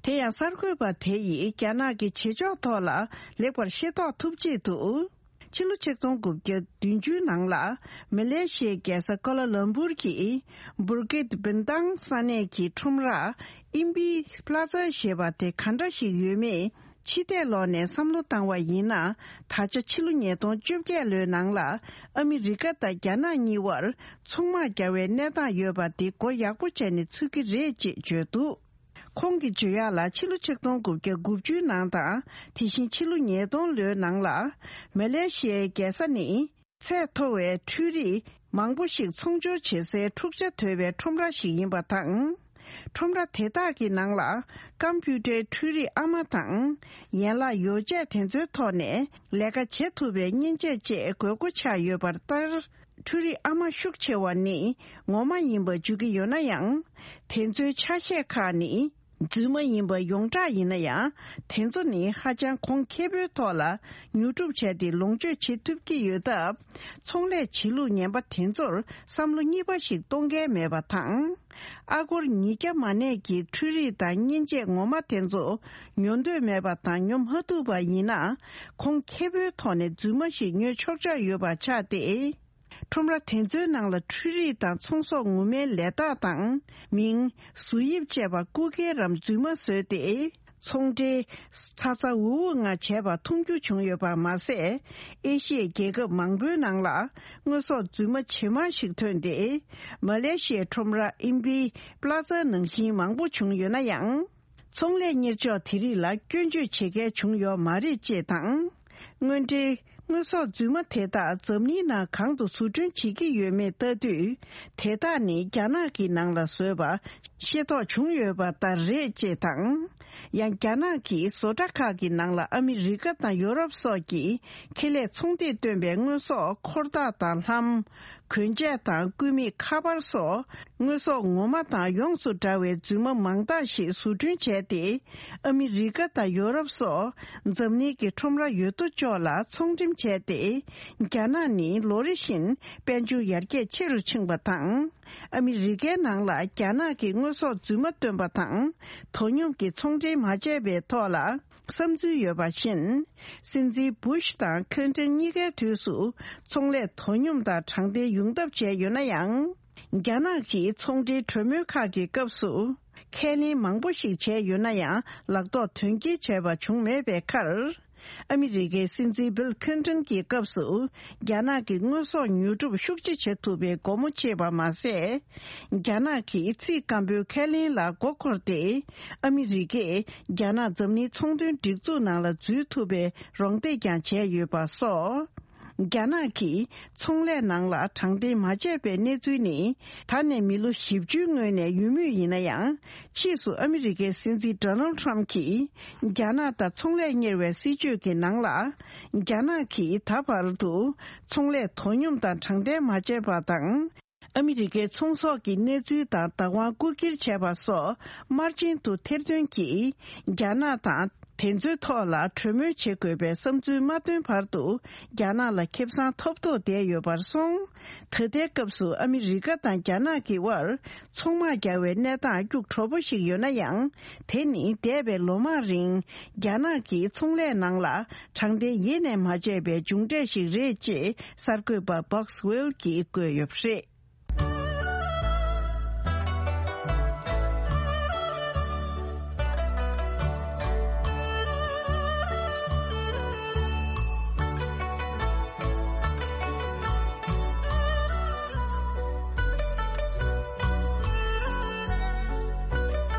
དེ་ཡང་གསར་འགོད་པ་དེ་ཡིས་རྒྱ་ནག་གི་བྱེད་ཕྱོགས་ཐོག་ལ་ལེགས་པར་ཤེས་རྟོགས་ཐུབ་ཆེད་དུ། ཕྱི་ལོ་ཆིག་སྟོང་དགུ་བརྒྱ་བདུན་ཅུའི་ནང་ལ་མ་ལེ་ཤི་ཡའི་རྒྱལ་ས་ཀོ་ལ་ལམ་པུར་གྱི་Bukit Bintang ས་གནས་ཀྱི་ཁྲོམ་ར་ཨིམ་པི་པླ་ཛ་ཞེས་པ་དེ་ག་འདྲ་ཞིག་ཡོད་མེད་ཕྱི་བལྟས་ལོག་ནས་བསམ་བློ་བཏང་བ་ཡིན་ན། ད་ཆ་ཕྱི་ལོ་ཉིས་སྟོང་བཅོ་བརྒྱད་ལོའི་ནང་ལ་ཨ་མི་རི་ཀ་དང་རྒྱ་ནག་གཉིས་བར་ཚོང་དམག་རྒྱག་པའི་གནས་སྟངས་ཡོད་པ་འདི་མགོ་ཡག་པོ་བྱས་ནས་ཚུད་ཀྱི་རེད་ཅེས་བརྗོད་འདུག་ཁོང་གིས་བརྗོད་ཡག་ལ་ཕྱི་ལོ་ཆིག་སྟོང་དགུ་བརྒྱ་དགུ་བཅུའི་ནང་དང་། དེ་བཞིན་ཕྱི་ལོ་ཉིས་སྟོང་ལོའི་ནང་ལ། མ་ལེ་ཤི་ཡའི་རྒྱལ་ས་ནི་ཚད་མཐོ་བའི་འཕྲུལ་རིག་མང་པོ་ཞིག་ཚོང་སྦྱོར་བྱེད་སའི་འཁྲུག་ཆ་དོད་པའི་ཁྲོམ་ར་ཞིག་ཡིན་པ་དང་། ཁྲོམ་ར་དེ་དག་གི་ནང་ལ་ཀམ་པུ་ཊར་འཕྲུལ་རིག་ཨ་མ་དང་། ཡན་ལག་ཡོ་བྱད་དེ་ཚོའི་ཐོག་ནས་ལས་ཀ་བྱེད་ཐུབ་པའི་མཉེན་ཆས་བཅས་དགོས་མཁོ་ཆགས་ཡོད་པར་ལྟར། འཕྲུལ་རིག་ཨ་མ་ཤུགས་ཆེ་བ་ནི་ངོ་མ་ཡིན་པ་བརྗོད་ཀྱི་ཡོད་ན་ཡང་། དེ་ཚོའི་ཆ་ཤས་ཁག་ནི་རྫུན་མ་ཡིན་པ་ཡོངས་གྲགས་ཡིན་ན་ཡང་། དེ་ཚོ་ནི་ཧ་ཅང་གོང་ཁེ་པོའི་ཐོག་ལ་ཉོ་སྒྲུབ་བྱས་ཏེ་ལོངས་སྤྱོད་བྱེད་ཐུབ་ཀྱི་ཡོད་སྟབས། ཚོང་ལས་བྱེད་ལུགས་ངན་པ་དེ་ཚོར་བསམ་བློ་གཉིས་པ་ཞིག་གཏོང་མཁན་མེད་པ་དང་། ཨ་སྒོར་ཉིས་བརྒྱ་མ་གནས་ཀྱི་འཕྲུལ་རིག་དང་མཉེན་ཆས་ངོ་མ་དེ་ཚོ་ཉོ་འདོད་མེད་པ་དང་ཉོ་མ་ཐུབ་པ་ཡིན་ན། གོང་ཁེ་པོའི་ཐོག་ནས་རྫུན་མ་ཞིག་ཉོས་ཆོག་ཆོག་ཡོད་པ་ཆགས་ཏེ། ཁྲོམ་ར་དེ་ཚོའི་ནང་ལ་འཕྲུལ་རིག་དང་ཚོང་ཟོག་ངོ་མའི་ལས་རྟགས་དང་། མིང་། བཟོ་དབྱིབས་བཅས་པ་རྐུ་འཁྱེར་རམ་རྫུན་མ་བཟོས་ཏེ། ཚོང་འབྲེལ་ཚ་ཚ་འུར་འུར་ངང་བྱས་པ་མཐོང་རྒྱུ་བྱུང་ཡོད་པ་མ་ཟད། ཨེ་ཤི་ཡའི་རྒྱལ་ཁབ་མང་པོའི་ནང་ལ་དངོས་ཟོག་རྫུན་མ་ཇེ་མང་ཞིག་ཐོན་ཏེ། མ་ལེ་ཤི་ཡའི་ཁྲོམ་ར་ཨིམ་པི་པླ་ཛ་ནང་བཞིན་མང་པོ་བྱུང་ཡོད་ན་ཡང་། ཚོང་ལས་གཉེར་ཕྱོགས་དེ་རིགས་ལ་སྐྱོན་བརྗོད་བྱེད་མཁན་བྱུང་ཡོད་མ་རེད་ཅེས་དང་། དངོས་འབྲེལ་དངོས་ཟོག་རྫུན་མ་དེ་དག་འཛམ་གླིང་ནང་གང་དུ་བཟོ་སྐྲུན་བྱེད་ཀྱི་ཡོད་མེད་ལྟ་དུས། དེ་དག་ནི་རྒྱ་ནག་གི་ནང་ལ་བཟོས་པ་ཤེས་རྟོགས་བྱུང་ཡོད་པ་ལྟར་རེད་ཅེས་དང་། ཡང་རྒྱ་ནག་གི་བཟོ་གྲྭ་ཁག་གི་ནང་ལ་ཨ་མི་རི་ཀ་དང་ཡོ་རོབ་སོགས་ཀྱི་ཁེ་ལས་ཚོང་སྡེས་བཏོན་པའི་དངོས་ཟོག་འཁོར་ཐག་དང་ལྷམ། གོན་ཆས་དང་སྐུད་མེད་ཁ་པར་སོགས་དངོས་ཟོག་ངོ་མ་དང་ཡོངས་སུ་འདྲ་བའི་རྫུན་མ་མང་དག་ཞིག་བཟོ་སྐྲུན་བྱས་ཏེ། ཨ་མི་རི་ཀ་དང་ཡོ་རོབ་སོགས་འཛམ་གླིང་གི་ཁྲོམ་ར་ཡོད་དོ་ཅོག་ལ་ཚོང་འགྲེམས་བྱས་ཏེ། རྒྱ་ནག་ནི་ལོ་རེ་བཞིན་དཔལ་འབྱོར་ཡར་རྒྱས་ཆེ་རུ་ཕྱིན་པ་དང་། ཨ་མི་རི་ཀའི་ནང་ལ་རྒྱ་ནག་གི་དངོས་ཟོག་རྫུན་མ་བཏོན་པ་དང་དོ་སྙོམས་ཀྱི་ཚོང་འབྲེལ་མ་བྱས་པའི་ཐོག་ལ། བསམ་ཚུལ་ཡོད་པ་བཞིན། སྲིད་འཛིན་བུ་ཤ་དང་ཁིན་ཏོན་གཉིས་ཀའི་དུས་སུ་ཚོང་ལས་དོ་སྙོམས་དང་དྲང་བདེན་ཡོང་ཐབས་བྱས་ཡོད་ན་ཡང་། རྒྱ་ནག་གིས་ཚོང་འབྲེལ་གྲོས་མོལ་ཁག་གི་སྐབས་སུ་ཁས་ལེན་མང་པོ་ཞིག་བྱས་ཡོད་ན་ཡང་ལག་ཐོགས་དོན་འཁྱོལ་བྱས་པ་བྱུང་མེད་པའི་ཁར། ཨ་མི་རི་ཀའི་སྲིད་འཛིན་བིལ་ཁིན་ཏོན་གྱི་སྐབས་སུ་རྒྱ་ནག་གི་དངོས་ཟོག་ཉོ་སྒྲུབ་ཤུགས་ཆེ་བྱེད་ཐུབ་པའི་སྒོ་མོ་ཕྱེས་པ་མ་ཟད། རྒྱ་ནག་གིས་ཚིག་སྐམ་པོའི་ཁས་ལེན་ལ་མགོ་འཁོར་ཏེ། ཨ་མི་རི་ཀས་རྒྱ་ནག་འཛམ་གླིང་ཚོང་དོན་སྒྲིག་འཛུགས་ནང་ལ་འཛུལ་ཐུབ་པའི་རོགས་འདེགས་ཀྱང་བྱས་ཡོད་པ་སོགས། རྒྱ་ནག་གིས་ཚོང་ལས་ནང་ལ་དྲང་བདེན་མ་བྱས་པའི་གནས་ཚུལ་ནི། ད་ནས་མི་ལོ་བཞི་བཅུའི་སྔོན་ནས་ཡོད་མུས་ཡིན་ན་ཡང་། ཕྱིས་སུ་ཨ་མི་རི་ཀའི་སྲིད་འཛིན་ཌོ་ནལ་ཊམ་གྱིས། རྒྱ་ནག་དང་ཚོང་ལས་གཉེར་བའི་སྲིད་ཇུས་ཀྱི་ནང་ལ། རྒྱ་ནག་གིས་ད་བར་དུ། ཚོང་ལས་དོ་སྙོམས་དང་དྲང་བདེན་མ་བྱས་པ་དང་། ཨ་མི་རི་ཀའི་ཚོང་ཟོག་གི་གནས་ཚུལ་དང་བདག་དབང་རྐུ་འཁྱེར་བྱས་པ་སོགས་དམར་རྗེན་དུ་ཐེར་འདོན་གྱིས་རྒྱ་ནག་དང་དེ་ཚོའི་ཐོག་ལ་གྲོས་མོལ་བྱེད་དགོས་པའི་བསམ་ཚུལ་མ་བཏོན་བར་དུ་རྒྱ་ནག་ལ་ཁེ་བཟང་ཐོབ་ཐོབ་བསྡད་ཡོད་པར་སོང་། ད་ལྟའི་སྐབས་སུ་ཨ་མི་རི་ཀ་དང་རྒྱ་ནག་གི་དབར་ཚོང་དམག་རྒྱག་པའི་གནས་སྟངས་སྐྱུག་བྲོ་པོ་ཞིག་ཡོད་ན་ཡང་། དེ་ནི་འདས་པའི་ལོ་མང་རིང་རྒྱ་ནག་གིས་ཚོང་ལས་ནང་ལ་དྲང་བདེན་ཡེ་ནས་མ་བྱས་པའི་མཇུག་འབྲས་ཤིག་རེད་ཅེས་གསར་འགོད་པ་Boxwell གྱིས་བཀོད་ཡོད་པ་རེད།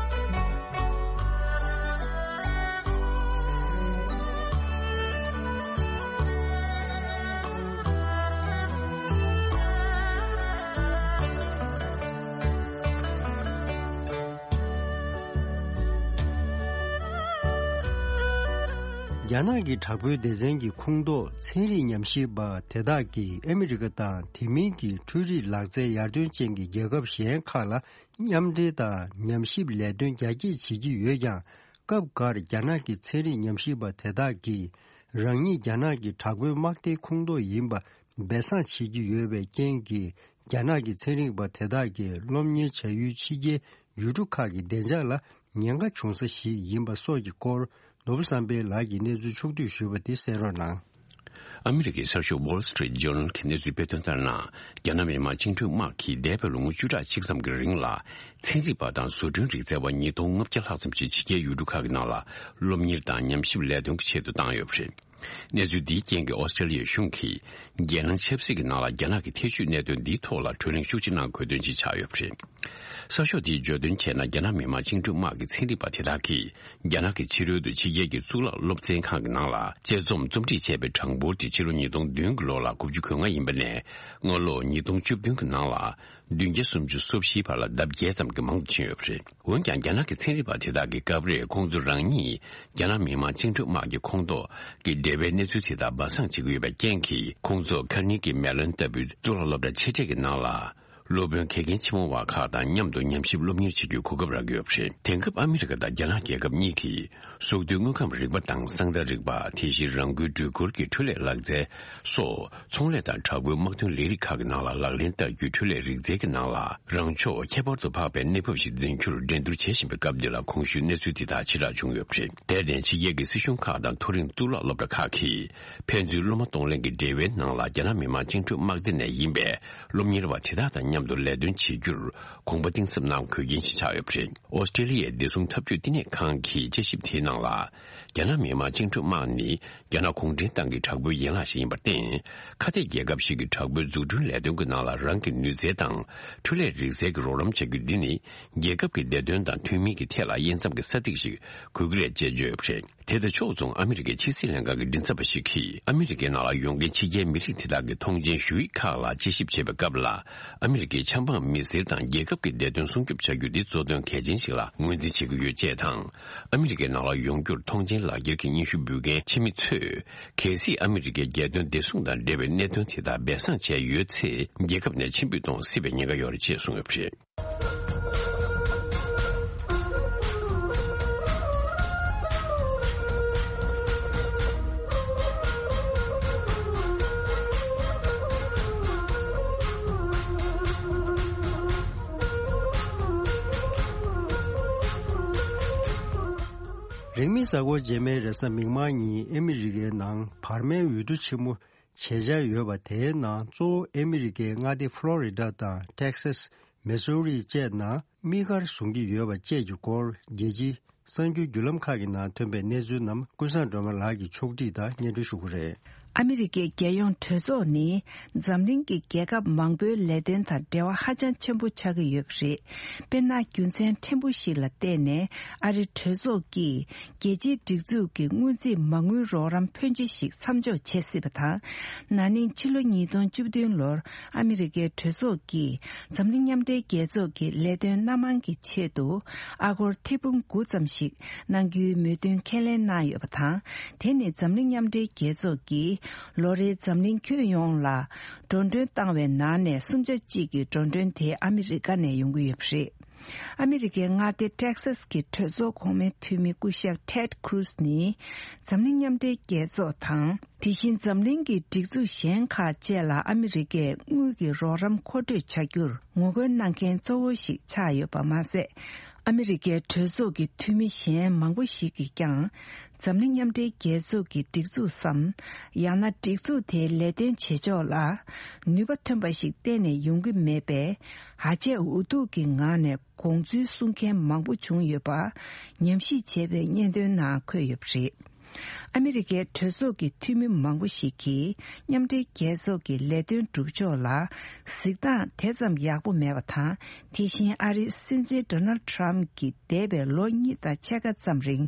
རྒྱ་ནག་གི་དྲག་པོའི་སྡེ་ཚན་གྱི་ཁོངས་གཏོགས་ཚན་རིག་ཉམས་ཞིབ་པ་དེ་དག་གིས་ཨ་མི་རི་ཀ་དང་དེ་མིན་གྱི་འཕྲུལ་རིག་ལག་རྩལ་ཡར་ཐོན་ཅན་གྱི་རྒྱལ་ཁབ་གཞན་ཁག་ལ་མཉམ་འབྲེལ་དང་ཉམས་ཞིབ་ལས་དོན་རྒྱ་སྐྱེད་བྱེད་ཀྱི་ཡོད་ཀྱང་། སྐབས་འགར་རྒྱ་ནག་གི་ཚན་རིག་ཉམས་ཞིབ་པ་དེ་དག་གིས་རང་ཉིད་རྒྱ་ནག་གི་དྲག་པོའི་དམག་སྡེའི་ཁོངས་གཏོགས་ཡིན་པ་སྦས་གསང་བྱེད་ཀྱི་ཡོད་པའི་རྐྱེན་གྱིས། རྒྱ་ནག་གི་ཚན་རིག་པ་དེ་དག་གིས་སློབ་གཉེར་བྱ་ཡུལ་ཕྱི་རྒྱལ་ཡུལ་གྲུ་ཁག་གི་བདེ་འཇགས་ལ་ཉེན་ཁ་བྱུང་ས་ཞིག་ཡིན་པ་སོགས་ཀྱི་སྐོར། ནོར་བུ་བསམ་འཕེལ་ལགས་ཀྱིས་གནས་ཚུལ་ཕྱོགས་བསྡུས་ཞུས་པ་དེ་གསན་རོགས་གནང་། ཨ་མི་རི་ཀའི་གསར་ཤོག་Wall Street Journal གྱིས་གནས་ཚུལ་སྤེལ་དོན་ལྟར་ན། རྒྱ་ནག་མི་དམངས་བཅིངས་འགྲོལ་དམག་གིས་འདས་པའི་ལོ་ངོ་བཅུ་ཕྲག་གཅིག་ཙམ་གྱི་རིང་ལ། ཚན་རིག་པ་དང་བཟོ་སྐྲུན་རིག་རྩལ་བ་ཉིས་སྟོང་ལྔ་བརྒྱ་ལྷག་ཙམ་ཞིག་ཕྱི་རྒྱལ་ཡུལ་གྲུ་ཁག་གི་ནང་ལ་སློབ་གཉེར་དང་ཉམས་ཞིབ་ལས་དོན་གྱི་ཆེད་དུ་བཏང་ཡོད་པ་རེད། གནས་ཚུལ་འདིའི་རྐྱེན་གྱིས་ཨོ་སི་ཀྲེ་ལི་ཡའི་གཞུང་གིས་རྒྱལ་ནང་ཆབ་སྲིད་ཀྱི་ནང་ལ་རྒྱ་ནག་གི་ཐེ་བྱུས་གནད་དོན་འདིའི་ཐོག་ལ་གྲོས་གླེང་ཤུགས་ཆེ་གནང་དགོས་དོན་ཅིག་ཆགས་ཡོད་པ་རེད། གསར་ཤོག་དེས་བརྗོད་དོན་བྱས་ན། རྒྱ་ནག་མི་དམངས་བཅིངས་འགྲོལ་དམག་གི་ཚན་རིག་པ་དེ་དག་གིས་རྒྱ་ནག་གི་ཕྱི་རོལ་དུ་ཕྱི་རྒྱལ་གྱི་གཙུག་ལག་སློབ་ཚན་ཁང་གི་ནང་ལ་དཔྱད་རྩོམ་རྩོམ་སྒྲིག་བྱས་པའི་གྲངས་འབོར་དེ་ཕྱི་ལོ་ཉིས་སྟོང་བདུན་གྱི་ལོ་ལ་དགུ་བཅུ་གོ་ལྔ་ཡིན་པ་ནས། སྔ་ལོ་ཉིས་སྟོང་བཅུ་བདུན་གྱི་ནང་ལ་བདུན་བརྒྱ་སུམ་ཅུ་སོ་བཞིའི་བར་ལ་ལྡབ་བརྒྱད་ཙམ་གྱིས་མང་དུ་ཕྱིན་ཡོད་པ་རེད། འོན་ཀྱང་། རྒྱ་ནག་གི་ཚན་རིག་པ་དེ་དག་གིས་སྐབས་རེར་ཁོང་ཚོ་རང་ཉིད་རྒྱ་ནག་མི་དམངས་བཅིངས་འགྲོལ་དམག་གི་ཁོངས་གཏོགས་ཀྱི་འབྲེལ་བའི་གནས་ཚུལ་དེ་དག་སྦས་གསང་བྱེད་ཀྱི་ཡོད་པའི་རྐྱེན་གྱིས། ཁོང་ཚོ་ཁར་ནེ་གི་མེ་ལོན་ལྟ་བུའི་གཙུག་ལག་སློབ་གྲྭ་ཆེ་གྲས་ཀྱི་ནང་ལ། སློབ་དཔོན་དགེ་རྒན་ཆེན་མོ་བ་ཁག་དང་མཉམ་དུ་ཉམས་ཞིབ་སློབ་གཉེར་བྱེད་རྒྱུའི་གོ་སྐབས་རག་གི་ཡོད་པ་རེད། དེང་སྐབས་ཨ་མི་རི་ཀ་དང་རྒྱ་ནག་རྒྱལ་ཁབ་གཉིས་ཀྱིས། སྲོག་ཐོག་དངོས་ཁམས་རིག་པ་དང་གསང་བདག་རིག་པ། དེ་བཞིན་རང་འགུལ་འགྲུལ་འཁོར་གྱི་འཕྲུལ་ལས་ལག་རྩལ་སོགས། ཚོང་ལས་དང་དྲག་པོའི་དམག་དོན་ལས་རིགས་ཁག་གི་ནང་ལ་ལག་ལེན་བསྟར་རྒྱུའི་འཕྲུལ་ལས་རིག་རྩལ་གྱི་ནང་ལ། རང་ཕྱོགས་ཁྱད་པར་དུ་འཕགས་པའི་གནས་བབ་ཞིག་འཛིན་རྒྱུར་འགྲན་བསྡུར་བྱེད་བཞིན་པའི་སྐབས་འདི་ལ། གོང་ཞུས་གནས་ཚུལ་འདི་དག་ཕྱིར་བསྒྲགས་བྱུང་ཡོད་པ་རེད། དེར་བརྟེན། ཕྱི་རྒྱལ་གྱི་སྲིད་གཞུང་ཁག་དང་མཐོ་རིམ་གཙུག་ལག་སློབ་གྲྭ་ཁག་གིས། ཕན་ཚུན་སློབ་མ་གཏོང་ལེན་གྱི་འབྲེལ་བའི་ནང་ལ། རྒྱ་ནག་མི་དམངས་བཅིངས་འགྲོལ་དམག་སྡེ་ནས་ཡིན་པའི་སློབ་གཉེར་བ་དེ་དག་དང་མཉམ་དུ་ལས་དོན་བྱེད་རྒྱུར་དགོངས་པ་གཏིང་ཟབ་གནང་དགོས་མཁན་ཞིག་ཆགས་ཡོད་པ་རེད། ཨོ་སི་ཀྲེ་ལི་ཡའི་བདེ་སྲུང་འཐབ་ཇུས་བསྟི་གནས་ཁང་གི་དཔྱད་ཞིབ་དེའི་ནང་ལ། རྒྱ་ནག་མི་དམངས་བཅིངས་འགྲོལ་དམག་ནི། རྒྱ་ནག་གུང་ཁྲན་ཏང་གི་དྲག་པོའི་ཡན་ལག་ཞིག་ཡིན་པར་བརྟེན། ཁ་གཏད་རྒྱལ་ཁབ་ཞིག་གི་དྲག་པོའི་འཛུགས་སྐྲུན་ལས་དོན་གྱི་ནང་ལ། རང་གི་ནུས་རྩལ་དང་འཕྲུལ་ལས་རིག་རྩལ་གྱི་རོགས་རམ་བྱ་རྒྱུ་འདི་ནི། རྒྱལ་ཁབ་ཀྱི་བདེ་དོན་དང་མཐུན་མིན་གྱི་ཐད་ལ་དབྱེ་མཚམས་ཀྱི་ས་ཐིག་ཞིག་དགོས་ཀྱི་རེད་ཅེས་བརྗོད་ཡོད་པ་རེད། དེ་དང་ཕྱོགས་མཚུངས། ཨ་མི་རི་ཀའི་ཕྱི་སྲིད་ལྷན་ཁང་གི་མགྲིན་ཚབ་པ་ཞིག་གིས། ཨ་མི་རི་ཀའི་ནང་ལ་ཡོད་མཁན་ཕྱི་རྒྱལ་མི་རིགས་དེ་དག་གི་ཐོངས་མཆན་ཞུ་ཡིག་ཁག་ལ་དཔྱད་ཞིབ་བྱེད་པའི་སྐབས་ལ། ཨ་མི་རི་ཀའི་ཆབ་འབངས་མི་སེར་དང་རྒྱལ་ཁབ་ཀྱི་བདེ་དོན་སྲུང་སྐྱོབ་བྱ་རྒྱུ་འདི་གཙོ་དོན་གལ་ཆེན་ཞིག་ལ་ངོས་འཛིན་བྱེད་ཀྱི་ཡོད་ཅེས་དང་། ཨ་མི་རི་ཀའི་ནང་ལ་ཡོང་རྒྱུར་ཐོངས་མཆན་ལག་འཁྱེར་གྱི་སྙན་ཞུ་འབུལ་མཁན་ཕྱི་མི་ཚོས། གལ་སྲིད་ཨ་མི་རི་ཀའི་རྒྱལ་དོན་བདེ་སྲུང་དང་འབྲེལ་བའི་གནད་དོན་དེ་དག་སྦས་གསང་བྱས་ཡོད་ཚེ། རྒྱལ་ཁབ་ནས་ཕྱིར་འབུད་གཏོང་སྲིད་པའི་ཉེན་ཁ་ཡོད་རེད་ཅེས་གསུངས་ཡོད་པ་རེད། རིང་མིན་གཟའ་འཁོར་རྗེས་མའི་རེས་གཟའ་མིག་དམར་ཉིན་ཨ་མི་རི་ཀའི་ནང་བར་མའི་འོས་བསྡུ་ཆེན་མོ་བྱེད་འཆར་ཡོད་པ། དེའི་ནང་གཙོ་བོ་ཨ་མི་རི་ཀའི་མངའ་སྡེ་ཕློ་རི་ཌ་དང་ཊེག་སཱས། མི་སུ་རི་བཅས་ནང་དམིགས་བཀར་བཟུང་གི་ཡོད་པ་བཅས་ཀྱི་སྐོར། རྒྱལ་སྤྱིའི་གསར་འགྱུར་བརྒྱུད་ལམ་ཁག་གི་ནང་ཐོན་པའི་གནས་ཚུལ་རྣམས་ཀུན་བཟང་སྒྲོལ་མ་ལགས་ཀྱིས་ཕྱོགས་སྒྲིག་དང་སྙན་སྒྲོན་ཞུ་གི་རེད། ཨ་མི་རི་ཀའི་རྒྱལ་ཡོངས་གྲོས་ཚོགས་ནི་འཛམ་གླིང་གི་རྒྱལ་ཁབ་མང་པོའི་ལས་དོན་དང་འབྲེལ་བ་ཧ་ཅང་ཆེན་པོ་ཆགས་ཀྱི་ཡོད་པ་རེད། དཔེར་ན། རྒྱུ་མཚན་ཕྲན་བུ་ཞིག་ལ་བརྟེན་ནས་ཨ་རི་གྲོས་ཚོགས་ཀྱིས་རྒྱལ་སྤྱིའི་སྒྲིག་འཛུགས་ཀྱི་སྔོན་རྩིས་མ་དངུལ་རོགས་རམ་ཕོན་ཆེ་ཞིག་མཚམས་འཇོག་བྱེད་སྲིད་པ་དང་། ན་ནིང་ཕྱི་ལོ་ཉིས་སྟོང་བཅུ་བདུན་ལོར་ཨ་མི་རི་ཀའི་གྲོས་ཚོགས་ཀྱིས་འཛམ་གླིང་མཉམ་འབྲེལ་རྒྱལ་ཚོགས་ཀྱི་ལས་དོན་སྣ་མང་གི་ཆེད་དུ་ཨ་སྒོར་ཐེར་འབུམ་དགུ་ཙམ་ཞིག་གནང་རྒྱུའི་མོས་མཐུན་ཁས་ལེན་གནང་ཡོད་པ་དང་། དེ་ནི་འཛམ་གླིང་མཉམ་འབྲེལ་རྒྱལ་ཚོགས་ཀྱིས་ལོ་རེའི་འཛམ་གླིང་ཁྱོན་ཡོངས་ལ་འགྲོ་གྲོན་བཏང་བའི་ནང་ནས་སུམ་ཆ་གཅིག་གི་འགྲོ་གྲོན་དེ་ཨ་མི་རི་ཀ་ནས་ཡོང་གི་ཡོད་པ་རེད། ཨ་མི་རི་ཀའི་མངའ་སྡེ་ཊེག་སཱས་ཀྱི་གྲོས་ཚོགས་གོང་མའི་འཐུས་མི་སྐུ་ཞབས་ཊེད་ཁུ་རུ་སི་ནི། འཛམ་གླིང་མཉམ་འབྲེལ་རྒྱལ་ཚོགས་དང་། དེ་བཞིན་འཛམ་གླིང་གི་སྒྲིག་འཛུགས་གཞན་ཁག་བཅས་ལ་ཨ་མི་རི་ཀས་དངུལ་གྱི་རོགས་རམ་མཁོ་སྤྲོད་བྱ་རྒྱུར་ངོ་རྒོལ་གནང་མཁན་གཙོ་བོ་ཞིག་ཆགས་ཡོད་པ་མ་ཟད། ཨ་མི་རི་ཀའི་གྲོས་ཚོགས་ཀྱི་འཐུས་མི་གཞན་མང་པོ་ཞིག་གིས་ཀྱང་། འཛམ་གླིང་མཉམ་འབྲེལ་རྒྱལ་ཚོགས་ཀྱི་སྒྲིག་འཛུགས་སམ། ཡང་ན་སྒྲིག་འཛུགས་དེའི་ལས་དོན་བྱེད་ཕྱོགས་ལ་ནུས་པ་ཐོན་པ་ཞིག་གཏན་ནས་ཡོང་གི་མེད་པས། ཧ་ཅང་འུ་ཐུག་གི་ངང་ནས་དགོངས་ཚུལ་གསུང་མཁན་མང་པོ་བྱུང་ཡོད་པ་ཉམས་ཞིབ་བྱས་པའི་སྙན་ཐོའི་ནང་འཁོད་ཡོད་པ་རེད། ཨ་མི་རི་ཀའི་གྲོས་ཚོགས་ཀྱི་འཐུས་མི་མང་པོ་ཞིག་གིས་མཉམ་འབྲེལ་རྒྱལ་ཚོགས་ཀྱི་ལས་དོན་སྒྲུབ་ཕྱོགས་ལ་གཟིགས་སྟངས་དེ་ཙམ་ཡག་པོ་མེད་པ་དང་། དེ་བཞིན་ཨ་རིའི་སྲིད་འཛིན་ཌོ་ནལ་ཌི་ཊརམ་གྱིས་འདས་པའི་ལོ་གཉིས་དང་ཕྱེད་ཀ་ཙམ་རིང་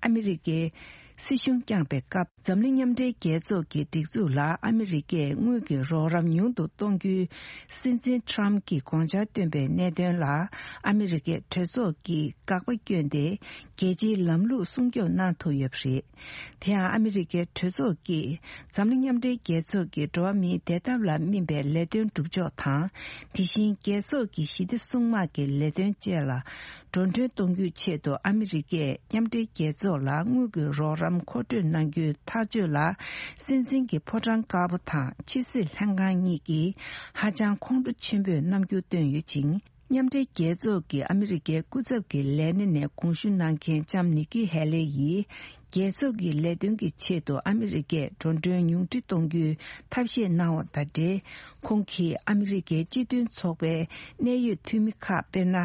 ཨ་མི་རི་ཀའི་ སྲིད་གཞུང་བསྐྱངས་པའི་སྐབས། འཛམ་གླིང་མཉམ་འབྲེལ་རྒྱལ་ཚོགས་ཀྱི་སྒྲིག་འཛུགས་ལ་ཨ་མི་རི་ཀས་དངུལ་གྱི་རོགས་རམ་ཉུང་དུ་གཏོང་རྒྱུའི་སྲིད་འཛིན་ཊམ་གྱིས་དགོངས་འཆར་བཏོན་པའི་གནད་དོན་ལ། ཨ་མི་རི་ཀའི་གྲོས་ཚོགས་ཀྱིས་དགག་པ་བསྐྱོན་ཏེ། རྒྱལ་སྤྱིའི་ལམ་ལུགས་སྲུང་སྐྱོབ་གནང་ཐུབ་ཡོད་པ་རེད། དེ་ཡང་ཨ་མི་རི་ཀའི་གྲོས་ཚོགས་ཀྱིས་འཛམ་གླིང་མཉམ་འབྲེལ་རྒྱལ་ཚོགས་ཀྱི་འགྲོ་བ་མིའི་བདེ་ཐབས་ལ་སྨིན་པའི་ལས་དོན་སྒྲུབ་ཕྱོགས་དང་། དེ་བཞིན་རྒྱལ་ཚོགས་ཀྱི་ཞི་བདེ་སྲུང་དམག་གི་ལས་དོན་བཅས་ལ་འགྲོ་གྲོན་གཏོང་རྒྱུའི་ཆེད་དུ་ཨ་མི་རི་ཀས་མཉམ་འབྲེལ་རྒྱལ་ཚོགས་ལ་དངུལ་གྱི་རོགས་རམ་མཁོ་སྤྲོད་གནང་རྒྱུའི་ཐག་གཅོད་ལ། སྲིད་འཛིན་གྱི་ཕོ་བྲང་དཀར་པོ་དང་ཕྱི་སྲིད་ལྷན་ཁང་གཉིས་ཀྱིས་ཧ་ཅང་ཁོང་ཁྲོ་ཆེན་པོས་རྣམ་འགྱུར་བཏོན་ཡོད་ཅིང་། མཉམ་འབྲེལ་རྒྱལ་ཚོགས་ཀྱི་ཨ་མི་རི་ཀའི་སྐུ་ཚབ་ཀྱི་ལས་སྣེ་ནས་དགོངས་ཞུ་གནང་མཁན་ལྕམ་ནི་ཀི་ཧེ་ལེ་ཡིས། རྒྱལ་ཚོགས་ཀྱི་ལས་དོན་གྱི་ཆེད་དུ་ཨ་མི་རི་ཀས་འགྲོ་གྲོན་ཉུང་འཕྲི་གཏོང་རྒྱུའི་ཐབས་ཤེས་གནང་བ་དང་འབྲེལ། ཁོང་གིས་ཨ་མི་རི་ཀའི་སྤྱི་མཐུན་ཚོགས་པའི་གནད་ཡོད་འཐུས་མི་ཁག་དཔེར་ན།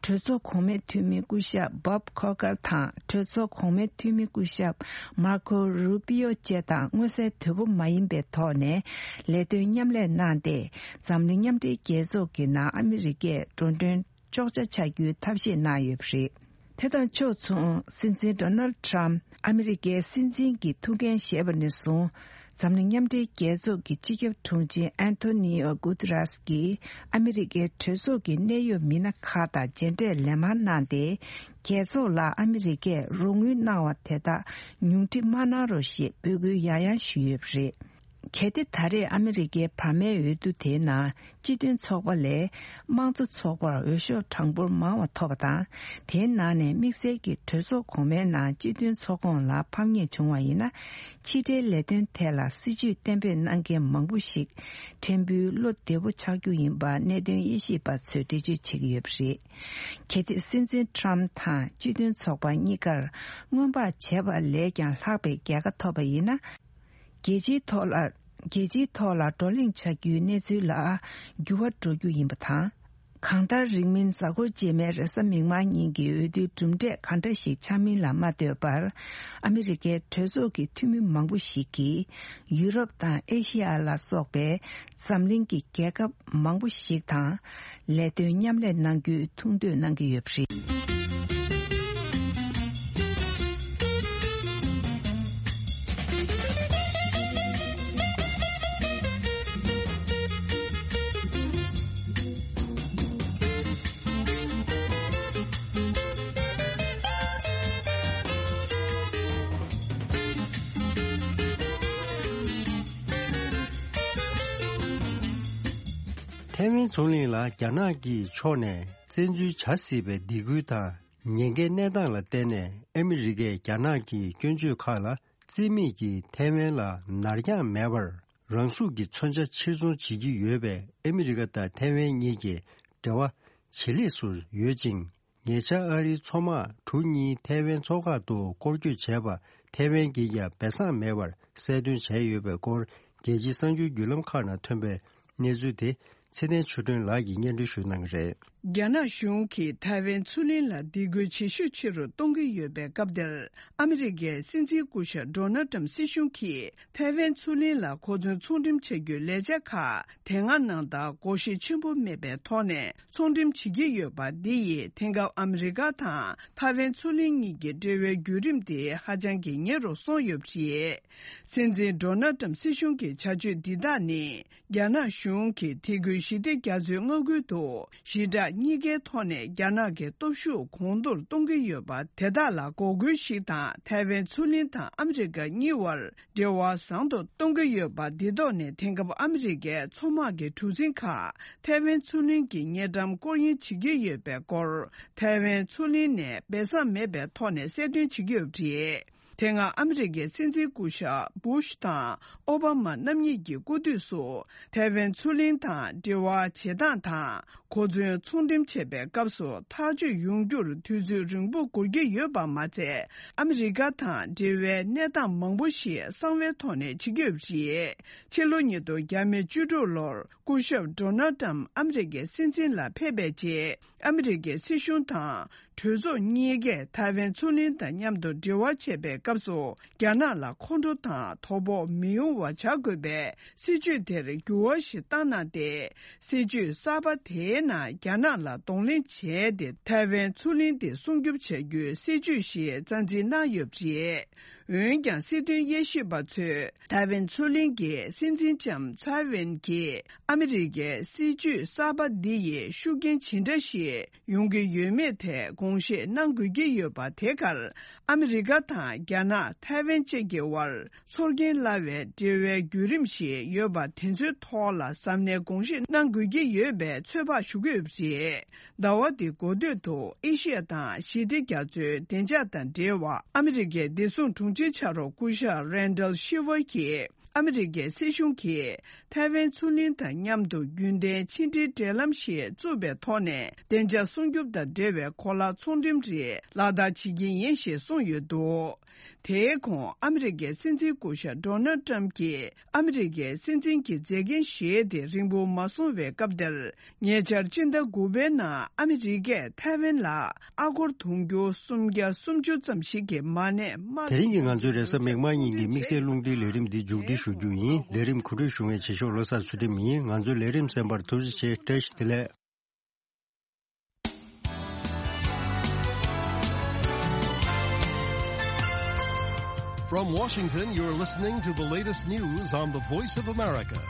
གྲོས་ཚོགས་གོང་མའི་འཐུས་མི་སྐུ་ཞབས་བྷོབ་ཁོ་ཀར་དང་། གྲོས་ཚོགས་གོང་མའི་འཐུས་མི་སྐུ་ཞབས་མར་ཁོ་རུ་པི་ཡོ་བཅས་དང་མངོན་གསལ་དོད་པོ་མ་ཡིན་པའི་ཐོག་ནས་ལས་དོན་མཉམ་ལས་གནང་སྟེ། འཛམ་གླིང་མཉམ་འབྲེལ་རྒྱལ་ཚོགས་ཀྱི་ནང་ཨ་མི་རི་ཀས་འགྲོ་གྲོན་གཅོག་ཆ་ཆགས་རྒྱུའི་ཐབས་ཤེས་གནང་ཡོད་པ་རེད། དེ་དང་ཕྱོགས་མཚུངས། སྲིད་འཛིན་ཌོ་ནལ་ཌི་ཊམ་ཨ་མི་རི་ཀའི་སྲིད་འཛིན་གྱི་ཐུགས་འགན་བཞེས་པ་ནས་བཟུང་། འཛམ་གླིང་མཉམ་འབྲེལ་རྒྱལ་ཚོགས་ཀྱི་སྤྱི་ཁྱབ་དྲུང་ཆེ་ཨན་ཐོ་ནི་ཨོ་གུ་ཏི་རཱས་ཀྱིས་ཨ་མི་རི་ཀའི་གྲོས་ཚོགས་ཀྱི་གནད་ཡོད་མི་སྣ་ཁག་དང་མཇལ་འཕྲད་ལན་མང་གནང་སྟེ། རྒྱལ་ཚོགས་ལ་ཨ་མི་རི་ཀས་རོགས་དངུལ་གནང་བ་དེ་དག་ཉུང་འཕྲི་མ་གནང་རོགས་ཞེས་འབོད་སྐུལ་ཡང་ཡང་ཞུས་ཡོད་པ་རེད། གལ་ཏེ་ད་རེས་ཨ་མི་རི་ཀའི་བར་མའི་འོས་བསྡུ་དེའི་ནང་སྤྱི་མཐུན་ཚོགས་པ་ལས་དམངས་གཙོ་ཚོགས་པར་འོས་ཤོག་གྲངས་འབོར་མང་བ་ཐོབ་པ་དང་། དེའི་ནང་ནས་དམིགས་བསལ་གྱིས་གྲོས་ཚོགས་གོང་མའི་ནང་སྤྱི་མཐུན་ཚོགས་ཁོངས་ལ་ཕམ་ཉེས་བྱུང་བ་ཡིན་ན། ཕྱི་འབྲེལ་ལས་དོན་ཐད་ལ་སྲིད་ཇུས་གཏན་འབེབས་གནང་མཁན་མང་པོ་ཞིག་ཕྲན་བུའི་བློ་བདེ་པོ་ཆགས་རྒྱུ་ཡིན་པ་གནད་དོན་དབྱེ་ཞིབ་པ་ཚོས་འགྲེལ་བརྗོད་བྱེད་ཀྱི་ཡོད་པ་རེད། གལ་ཏེ་སྲིད་འཛིན་ཊམ་དང་སྤྱི་མཐུན་ཚོགས་པ་གཉིས་ཀར་སྔོན་དཔག་བྱས་པ་ལས་ཀྱང་ལྷག་པའི་རྒྱལ་ཁ་ཐོབ་པ་ཡིན་ན། རྒྱལ་སྤྱིའི་ཐོག་ལ། རྒྱལ་སྤྱིའི་ཐོག་ལ་བགྲོ་གླེང་བྱ་རྒྱུའི་གནས་ཚུལ་ལ་འགྱུར་བ་འགྲོ་རྒྱུ་ཡིན་པ་དང་། གང་ལྟར་རིང་མིན་གཟའ་འཁོར་རྗེས་མའི་རེས་གཟའ་མིག་དམར་ཉིན་གྱི་འོས་བསྡུའི་གྲུབ་འབྲས་ག་འདྲ་ཞིག་ཆགས་མིན་ལ་མ་ལྟོས་པར། ཨ་མི་རི་ཀའི་གྲོས་ཚོགས་ཀྱི་འཐུས་མི་མང་པོ་ཞིག་གིས་ཡུ་རོབ་དང་ཨེ་ཤི་ཡ་ལ་སོགས་པའི་འཛམ་གླིང་གི་རྒྱལ་ཁབ་མང་པོ་ཞིག་དང་ལས་དོན་མཉམ་ལས་གནང་རྒྱུའི་ཐུགས་འདོད་གནང་གི་ཡོད་པ་རེད། ཐའེ་ཝན་མཚོ་གླིང་ལ་རྒྱ་ནག་གི་ཕྱོགས་ནས་བཙན་འཛུལ་བྱ་སྲིད་པའི་སྡིགས་སྐུལ་དང་། ཉེན་ཁའི་གནས་སྟངས་ལ་བརྟེན་ནས་ཨ་མི་རི་ཀས་རྒྱ་ནག་གི་སྐྱོན་བརྗོད་ཁག་ལ་རྩིས་མེད་ཀྱིས་ཐའེ་ཝན་ལ་ནར་འགྱངས་མེད་པར་རང་ཤུགས་ཀྱིས་མཚོན་ཆ་ཕྱིར་ཚོང་བྱེད་ཀྱི་ཡོད་པས། ཨ་མི་རི་ཀ་དང་ཐའེ་ཝན་གཉིས་ཀྱི་འབྲེལ་བ་ཇེ་ལེགས་སུ་ཡོད་ཅིང་། ཉེ་ཆར་ཨ་རིའི་མཚོ་དམག་གྲུ་གཉིས་ཐའེ་ཝན་མཚོ་འགག་ཏུ་སྐོར་སྐྱོད་བྱས་པ་ཐའེ་ཝན་གྱིས་ཀྱང་སྦས་གསང་མེད་པར་གསལ་སྟོན་བྱས་ཡོད་པའི་སྐོར། རྒྱལ་སྤྱིའི་གསར་འགྱུར་བརྒྱུད་ལམ་ཁག་ནང་ཐོན་པའི་གནས་ཚུལ་དེ་ཚེ་བརྟན་ཆོས་སྒྲོན་ལགས་ཀྱིས་སྙན་སྒྲོན་ཞུ་གནང་གི་རེད། རྒྱ་ནག་གཞུང་གིས་ཐའེ་ཝན་མཚོ་གླིང་ལ་སྡིགས་སྐུལ་ཇེ་ཤུགས་ཆེ་རུ་གཏོང་གི་ཡོད་པའི་སྐབས་འདིར། ཨ་མི་རི་ཀའི་སྲིད་འཛིན་སྐུ་ཞབས་ཌོ་ནལ་ཊམ་སྲིད་གཞུང་གིས་ཐའེ་ཝན་མཚོ་གླིང་ལ་གོ་མཚོན་ཚོང་འགྲེམས་བྱ་རྒྱུའི་ལས་འཆར་ཁག་དེ་སྔ་ནང་ལྟར་སྒོར་གཞས་ཆེན་པོ་མེད་པའི་ཐོག་ནས་ཚོང་འགྲེམས་བྱེད་ཀྱི་ཡོད་པ་འདི་ཡིས་དེང་སྐབས་ཨ་མི་རི་ཀ་དང་ཐའེ་ཝན་མཚོ་གླིང་གཉིས་ཀྱི་འབྲེལ་བའི་བརྒྱུད་རིམ་དེ་ཧ་ཅང་གི་ཉེ་རུ་སོང་ཡོད་པ་རེད། སྲིད་འཛིན་ཌོ་ནལ་ཊམ་སྲིད་གཞུང་གི་བྱ་སྤྱོད་འདི་དག་ནི། རྒྱ་ནག་གཞུང་གིས་དེ་ཁུལ་ཞི་བདེ་རྒྱ་མཚོའི་མངའ་ཁུལ་དུ་ཞི་དྲག་གཉིས་ཀའི་ཐོག་ནས་རྒྱ་ནག་གི་སྟོབས་ཤུགས་གོང་མཐོར་གཏོང་གི་ཡོད་པ་དེ་དག་ལ་འགོག་རྒོལ་ཞིག་དང་། ཐའེ་ཝན་མཚོ་གླིང་དང་ཨ་མི་རི་ཀ་གཉིས་བར་འབྲེལ་བ་བཟང་དུ་གཏོང་གི་ཡོད་པ་འདི་ཐོག་ནས། དེང་སྐབས་ཨ་མི་རི་ཀའི་མཚོ་དམག་གི་གྲུ་གཟིངས་ཁག་ཐའེ་ཝན་མཚོ་གླིང་གི་དངུལ་ཀྲམ་སྐོར་གཡེང་བྱེད་ཀྱི་ཡོད་པའི་སྐོར། ཐའེ་ཝན་མཚོ་གླིང་ནས་སྦས་གསང་མེད་པའི་ཐོག་ནས་གསལ་སྟོན་བྱེད་ཀྱི་ཡོད་པ་རེད། དེ་སྔ་ཨ་མི་རི་ཀའི་སྲིད་འཛིན་སྐུ་ཞབས་བུ་ཤ་དང་ཨོ་བྷ་མ་རྣམ་གཉིས་ཀྱི་སྐུ་དུས་སུ། ཐའེ་ཝན་མཚོ་གླིང་དང་འབྲེལ་བ་བྱེད་སྟངས་དང་། གོ་མཚོན་ཚོང་འགྲེམས་བྱེད་པའི་སྐབས་སུ་ཐག་གཅོད་ཡོང་རྒྱུར་དུས་ཚོད་རིང་པོ་འགོར་གྱི་ཡོད་པ་མ་ཚད། ཨ་མི་རི་ཀ་དང་འབྲེལ་བའི་གནས་སྟངས་མང་པོ་ཞིག་གསང་བའི་ཐོག་ནས་བྱེད་ཀྱི་ཡོད་པ་རེད། ཕྱི་ལོ་ཉིས་སྟོང་བརྒྱ་མེད་བཅུ་དྲུག་ལོར། སྐུ་ཞབས་ཌོ་ནལ་ཊམ་ཨ་མི་རི་ཀའི་སྲིད་འཛིན་ལ་ཕེབས་པའི་རྗེས། ཨ་མི་རི་ཀའི་སྲིད་གཞུང་དང་གྲོས་ཚོགས་གཉིས་ཀས་ཐའེ་ཝན་མཚོ་གླིང་དང་མཉམ་དུ་འབྲེལ་བ་བྱེད་པའི་སྐབས་སུ། རྒྱ་ནག་ལ་ཁོང་ཁྲོ་དང་དོ་ཕོག་མི་ཡོང་བ་བྱ་དགོས་པའི་སྲིད་ཇུས་དེར་འགྱུར་བ་ཞིག་བཏང་གནང་སྟེ། སྲིད་ཇུས་གསར་པ་དེའི་ནང་རྒྱ་ནག་ལ་གདོང་ལེན་བྱས་ཏེ། ཐའེ་ཝན་མཚོ་གླིང་དེ་སྲུང་སྐྱོབ་བྱ་རྒྱུའི་སྲིད་ཇུས་ཤིག་རྩ་འཛིན་གནང་ཡོད་པ་རེད། འོན་ཀྱང་། སྲིད་དོན་དབྱེ་ཞིབ་པ་ཚོས་ཐའེ་ཝན་མཚོ་གླིང་གི་སྲིད་འཛིན་ལྕམ་ཚའེ་ཝེན་གྱིས་ཨ་མི་རི་ཀའི་སྲིད་ཇུས་གསར་པ་འདི་ཡིས་ཤུགས་རྐྱེན་ཇི་འདྲ་ཞིག་ཡོང་གི་ཡོད་མེད་ཐད་དགོངས་བཞེས་གནང་དགོས་ཀྱི་ཡོད་པ། དེ་གར་ཨ་མི་རི་ཀ་དང་རྒྱ་ནག་ཐའེ་ཝན་བཅས་ཀྱི་དབར་ཚོར་སྐྱེན་སླ་བའི་འབྲེལ་བའི་བརྒྱུད་རིམ་ཞིག་ཡོད་པ། དེ་ཚོའི་ཐོག་ལ་གཟབ་ནན་དགོངས་བཞེས་གནང་དགོས་ཀྱི་ཡོད་པའི་ཚོད་དཔག་ཞུ་གི་ཡོད་པ་རེད། ཟླ་བ་འདིའི་འགོ་སྟོད་དུ་ཨེ་ཤི་ཡ་དང་ཞི་བདེ་རྒྱ་མཚོའི་བདེ་འཇགས་དང་འབྲེལ་བ། ཨ་མི་རི་ཀའི་བདེ་སྲུང་དྲུང་ཆེ་ཕྱག་རོགས་སྐུ་ཞབས་རན་ཌལ་ཤི་ཝར་གྱིས། ཨ་མི་རི་ཀའི་སྲིད་གཞུང་གིས་ཐའེ་ཝན་མཚོ་གླིང་དང་མཉམ་དུ་རྒྱུན་ལྡན་ཕྱི་འབྲེལ་འབྲེལ་ལམ་ཞིག་བཙུགས་པའི་ཐོག་ནས། བདེ་འཇགས་སྲུང་སྐྱོབ་དང་འབྲེལ་བའི་གོ་ལ་ཚོང་འགྲེམས་རིགས་ལག་བསྟར་བྱེད་ཀྱི་ཡིན་ཞེས་གསུངས་ཡོད་འདུག་དེའི་གོང་ཨ་མི་རི་ཀའི་སྲིད་འཛིན་སྐུ་ཞབས་ཌོ་ནལ་ཊམ་གྱིས། ཨ་མི་རི་ཀའི་སྲིད་འཛིན་གྱི་མཛད་འགན་བཞེས་ཏེ་རིང་པོ་མ་སོང་བའི་སྐབས་དེར། ཉེ་ཆར་སྤྱི་ཟླ་དགུ་པའི་ནང་ཨ་མི་རི་ཀས་ཐའེ་ཝན་ལ་ཨ་སྒོར་དུང་ཕྱུར་སུམ་བརྒྱ་སུམ་ཅུ་ཙམ་ཞིག་གི་མ་གནས་དམའ། དེ་རིང་གི་ང་ཚོའི་རེས་གཟའ་མིག་དམར་ཉིན་གྱི་དམིགས་བསལ་རླུང་འཕྲིན་ལས་རིམ་འདི་མཇུག་སྒྲིལ་ཞུ་རྒྱུ་ཡིན། ལས་རིམ་གོ་སྒྲིག་ཞུ་མཁན་བྱེད་ཕྱོགས་བློ་བཟང་ཚུལ་ཁྲིམས་ཡིན། ང་ཚོའི་ལས་རིམ་གསན་པར་ཐུགས་རྗེ་ཆེ། བཀྲ་ཤིས་བདེ་ལེགས། From Washington, you're listening to the latest news on the Voice of America.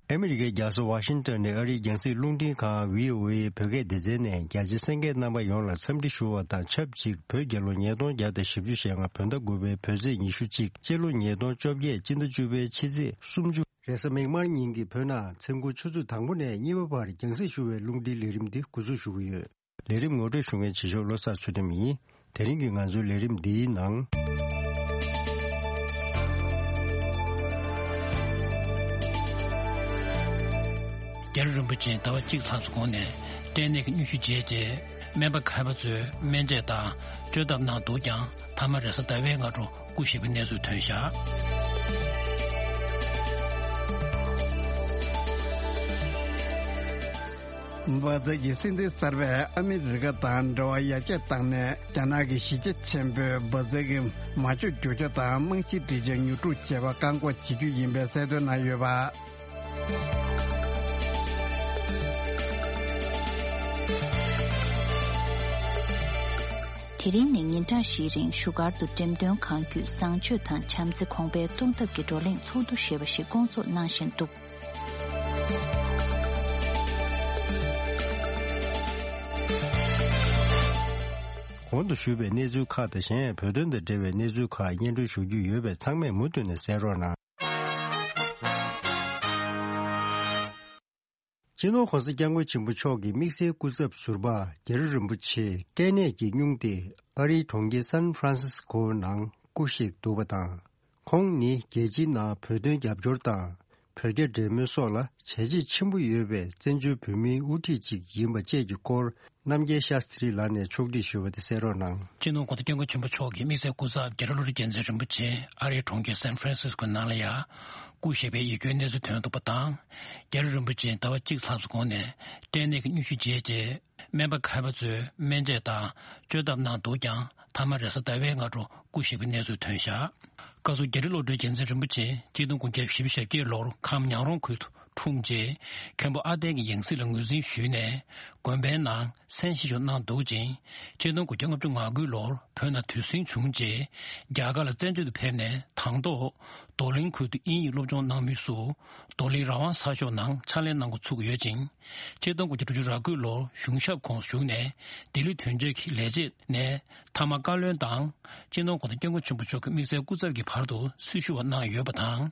ཨ་མི་རི་ཀའི་རྒྱལ་ས་ཝ་ཤིང་ཏོན་ནས་ཨ་རིའི་རྒྱང་སྲིང་རླུང་འཕྲིན་ཁང་བྷི་ཨོ་ཨེ་བོད་སྐད་སྡེ་ཚན་ནས་རྒྱ་ཆེ་གསན་མཁན་རྣམ་པ་ཡོངས་ལ་འཚམས་འདྲི་ཞུ་བ་དང་ཆབས་ཅིག་བོད་རྒྱལ་ལོ་ཉིས་སྟོང་བརྒྱ་དང་བཞི་བཅུ་ཞེ་ལྔ་བོད་ཟླ་དགུ་པའི་བོད་ཚེས་ཉི་ཤུ་གཅིག་སྤྱི་ལོ་ཉིས་སྟོང་བཅོ་བརྒྱད་སྤྱི་ཟླ་བཅུ་པའི་ཕྱི་ཚེས་སུམ་ཅུ། རེས་གཟའ་མིག་དམར་ཉིན་གྱི་བོད་ནང་མཚན་གུང་ཆུ་ཚོད་དང་པོ་ནས་གཉིས་པ་བར་རྒྱང་སྲིང་ཞུ་བའི་རླུང་འཕྲིན་ལས་རིམ་འདི་འགོ་འཛུགས་ཞུ་གི་ཡོད། ལས་རིམ་ངོ་སྤྲོད་ཞུ་མཁན་བྱེད་ཕྱོགས་བློ་བཟང་ཚུལ་ཁྲིམས་ཡིན། དེ་རིང་གི་ང་ཚོའི་ལས་རིམ་འདིའི་ནང་། རྒྱལ་བ་རིན་པོ་ཆེ་ཟླ་བ་གཅིག་ལྷག་ཙམ་གོང་ནས་སྐྲན་ནད་ཀྱི་སྙུན་གཞི་བརྗེད་རྗེས། སྨན་པ་མཁས་པ་ཚོས་སྨན་དཔྱད་དང་བཅོས་ཐབས་གནང་འདུག་ཀྱང་། མཐའ་མ་རེས་གཟའ་ཟླ་བའི་སྔ་དྲོ་སྐུ་གཤེགས་པའི་གནས་ཚུལ་ཐོན་བཞག་འབར་རྫས་ཀྱི་སྲིད་འཛིན་གསར་པས་ཨ་མི་རི་ཀ་དང་འབྲེལ་བ་ཡར་རྒྱས་བཏང་ནས། རྒྱ་ནག་གི་གཞི་རྒྱ་ཆེན་པོས་འབར་རྫས་ཀྱི་མ་བཅོས་རྒྱུ་ཆ་དང་རྨང་གཞིའི་སྒྲིག་ཆས་ཉོ་སྒྲུབ་བྱེད་པར་བཀག་འགོག་བྱེད་རྒྱུ་ཡིན་པའི་གསལ་སྟོན་གནང་ཡོད་པ། དེ་རིང་ནས་ཉིན་གྲངས་བཞིའི་རིང་བཞུགས་སྒར་དུ་འགྲེམས་སྟོན་གང་བརྒྱུད་བཟང་སྤྱོད་དང་བྱམས་བརྩེ་གོང་འཕེལ་གཏོང་ཐབས་ཀྱི་བགྲོ་གླེང་ཚོགས་འདུ་ཞེས་པ་ཞིག་བསྐོང་ཚོགས་གནང་བཞིན་འདུག་གོང་དུ་ཞུས་པའི་གནས་ཚུལ་ཁག་དང་། གཞན་ཡང་བོད་དོན་དང་འབྲེལ་བའི་གནས་ཚུལ་ཁག་སྙན་སྒྲོན་ཞུ་རྒྱུ་ཡོད་པས། ཚང་མས་མུ་མཐུད་ནས་གསན་རོགས་གནང་། སྤྱི་ནོར་༧གོང་ས་༧སྐྱབས་མགོན་ཆེན་པོ་མཆོག་གི་དམིགས་བསལ་སྐུ་ཚབ་ཟུར་པ་རྒྱ་རི་རིན་པོ་ཆེ་སྐྲན་ནད་ཀྱིས་སྙུང་སྟེ་ཨ་རིའི་གྲོང་ཁྱེར་སན་ཧྥ་རན་སིས་ཀོ་ནང་སྐུ་གཤེགས་འདུག་པ་དང་། ཁོང་ནི་རྒྱལ་སྤྱིའི་ནང་བོད་དོན་རྒྱབ་སྐྱོར་དང་། བོད་རྒྱ་འབྲེལ་མོལ་སོགས་ལ་བྱས་རྗེས་ཆེན་པོ་ཡོད་པའི་བཙན་བྱོལ་བོད་མིའི་དབུ་ཁྲིད་ཅིག་ཡིན་པ་བཅས་ཀྱི་སྐོར། རྣམ་རྒྱལ་ཤཱསྟྲི་ལགས་ནས་ཕྱོགས་སྒྲིག་ཞུས་པ་དེ་གསན་རོགས་གནང་། སྤྱི་ནོར་༧གོང་ས་༧སྐྱབས་མགོན་ཆེན་པོ་མཆོག་གི་དམིགས་བསལ་སྐུ་ཚབ་རྒྱ་རི་བློ་གྲོས་རྒྱལ་མཚན་རིན་པོ་ཆེ་ཨ་རིའི་གྲོང་ཁྱེར་སན་ཧྥ་རན་སིས་ཀོ་ནང་ལ་ཡ་སྐུ་གཤེགས་པའི་ཡིད་སྐྱོའི་གནས་ཚུལ་ཐོན་འདུག་པ་དང་། རྒྱ་རི་རིན་པོ་ཆེ་ཟླ་བ་གཅིག་ལྷག་ཙམ་གོང་ནས་སྐྲན་ནད་ཀྱི་སྙུན་གཞི་བརྗེད་རྗེས། སྨན་པ་མཁས་པ་ཚོས་སྨན་དཔྱད་དང་བཅོས་ཐབས་གནང་འདུག་ཀྱང་། མཐའ་མ་རེས་གཟའ་ཟླ་བའི་སྔ་དྲོ་སྐུ་གཤེགས་པའི་གནས་ཚུལ་ཐོན་བཞག་སྐབས་སུ་རྒྱ་རི་བློ་གྲོས་རྒྱལ་མཚན་རིན་པོ་ཆེ་ཆིག་སྟོང་དགུ་བརྒྱ་བཞི་བཅུ་ཞེ་བརྒྱད་ལོར་ཁམས་ཉང་རོང་ཁུལ་དུ་འཁྲུངས་རྗེས། མཁན་པོ་ཨ་ཏན་གྱི་ཡང་སྲིད་ལ་ངོས་འཛིན་ཞུས་ནས། དགོན་པའི་ནང་མཚན་བཞེས་སོགས་གནང་འདུག་ཅིང་། ཆིག་སྟོང་དགུ་བརྒྱ་ལྔ་བཅུ་ང་དགུ་ལོར་བོད་ནང་དུས་ཟིང་བྱུང་རྗེས། རྒྱ་གར་ལ་བཙན་བྱོལ་དུ་ཕེབས་ནས། དང་ཐོག་རྡོར་གླིང་ཁུལ་དུ་དབྱིན་ཡིག་སློབ་སྦྱོང་གནང་མུས་སུ། རྡོར་གླིང་ར་ཝང་གསར་ཤོག་ནང་ཕྱག་ལས་གནང་འགོ་ཚུགས་ཡོད་ཅིང་། ཆིག་སྟོང་དགུ་བརྒྱ་དྲུག་ཅུ་རེ་དགུ་ལོར་གཞུང་ཞབས་ཁོངས་སུ་ཞུགས་ནས། ལྡི་ལི་དོན་གཅོད་ཀྱི་ལས་བྱེད་ནས་མཐའ་མ་བཀའ་བློན་དང་། སྤྱི་ནོར་༧གོང་ས་༧སྐྱབས་མགོན་ཆེན་པོ་མཆོག་གི་དམིགས་བསལ་སྐུ་ཚབ་ཀྱི་བར་དུ་སྲི་ཞུ་བ་གནང་ཡོད་པ་དང་།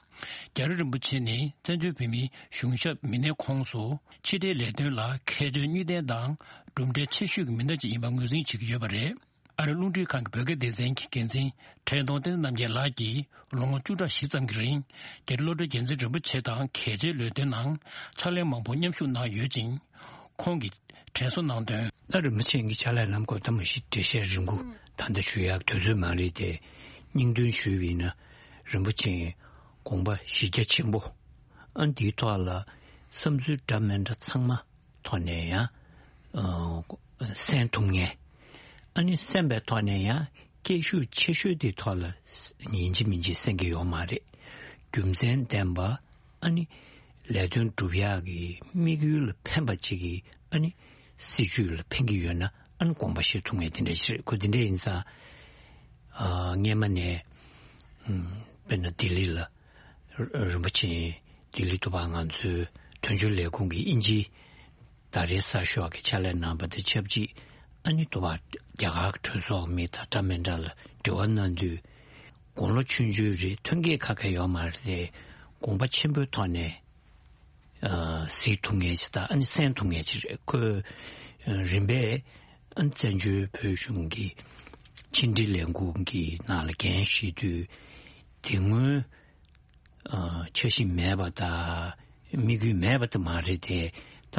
རྒྱ་རི་རིན་པོ་ཆེ་ནི་བཙན་བྱོལ་བོད་མིའི་གཞུང་ཞབས་མི་སྣའི་ཁོངས་སུ་ཕྱི་འབྲེལ་ལས་དོན་ལ་མཁས་མཆོག་དངུལ་ལྡན་དང་གྲུབ་འབྲས་ཆེ་ཤོས་ཀྱི་མི་སྣ་ཅིག་ཡིན་པར་ངོས་འཛིན་བྱེད་ཀྱི་ཡོད་པ་རེད། ཨ་རིའི་རླུང་འཕྲིན་ཁང་གི་བོད་སྐད་སྡེ་ཚན་གྱི་འགན་འཛིན་བཀྲས་མཐོང་བསྟན་འཛིན་རྣམ་རྒྱལ་ལགས་ཀྱིས་ལོ་ངོ་བཅུ་ཕྲག་བཞི་ཙམ་གྱི་རིང་རྒྱ་རི་བློ་གྲོས་རྒྱལ་མཚན་རིན་པོ་ཆེ་དང་གལ་ཆེའི་ལས་དོན་ནང་ཕྱག་ལས་མང་པོ་མཉམ་ཞུགས་གནང་ཡོད་ཅིང་། ཁོང་གིས་དྲན་གསོ་གནང་དོན། ད་རིན་པོ་ཆེ་གི་ཕྱག་ལས་ལམ་སྐོར་ད་མ་གཞི་འགྲེལ་བཤད་རིང་པོ་ད་ལྟ་ཞུ་ཡག་དུས་ཚོད་མ་རེད་དེ། སྙིང་དོན་ཞུས་པ་ཡིན་ན། རིན་པོ་ཆེའི་དགོངས་པ་གཞི་རྒྱ་ཆེན་པོ། ཨ་འདིའི་ཐོག་ལ་བསམ་ཚུལ་འདྲ་མི་འདྲ་ཚང་མ་ཐོག་ནས་ཡང་ཨ་གསན་ཐུབ་མཁན། ཨ་ནི་གསན་པའི་ཐོག་ནས་ཡང་སྐད་ཤུགས་ཆེ་ཤོས་དེའི་ཐོག་ལ་ཡིན་གཅིག་མིན་གཅིག་གསན་གྱི་ཡོད་མ་རེད། རྒྱུ་མཚན་ལྡན་པ། ཨ་ནི་ལས་དོན་སྒྲུབ་ཡག་གི་དམིགས་ཡུལ་ལ་ཕན་པ་ཅིག་གི་ཨ་ནི་སྲིད་བྱུས་ལ་ཕན་གྱི་ཡོད་ན་ཨ་ནི་དགོངས་པ་བཞེས་ཐུབ་མཁན་དེ་འདྲ་ཞིག་རེད། ཁོ་དེ་འདྲ་ཡིན་ཙང་ཨ་སྔས་མ་ནས་ཨམ་དཔེར་ན་ལྡི་ལི་ལ་རིན་པོ་ཆེ་ལྡི་ལི་ཏུ་པ་ང་ཚོའི་དོན་གཅོད་ལས་ཁུངས་ཀྱི་དབྱིན་ཇིའི་ཟླ་རེའི་གསར་ཤོག་གི་ཕྱག་ལས་གནང་བ་དང་ཆབས་ཅིག་ཨ་ནི་ཏུ་པ་རྒྱ་གར་གྱི་གྲོས་ཚོགས་མི་དང་འདྲ་མི་འདྲ་ལ་འབྲེལ་བ་གནང་དུས། དགུང་ལོ་ཆུང་ཆུང་རེད། ཐོན་སྐྱེད་ཁ་ཁ་ཡོད་མ་རེད་དེ། དགོངས་པ་ཆེན་པོའི་ཐོག་ནས་ཨ་གཟིགས་ཐུབ་མཁན་ཞིག་དང་ཨ་ནི་གསན་ཐུབ་མཁན་ཞིག་རེད། ཁོས་ཨ་རིམ་པས་ཨ་བཙན་བྱོལ་བོད་གཞུང་གི་ཕྱི་འབྲེལ་ལས་ཁུངས་ཀྱི་ནང་ལ་འགན་བཞེས་དུས་དེ་སྔོན་ཨ་འཆར་གཞི་མེད་པ་དང་དམིགས་ཡུལ་མེད་པ་དེ་མ་རེད་དེ། ད་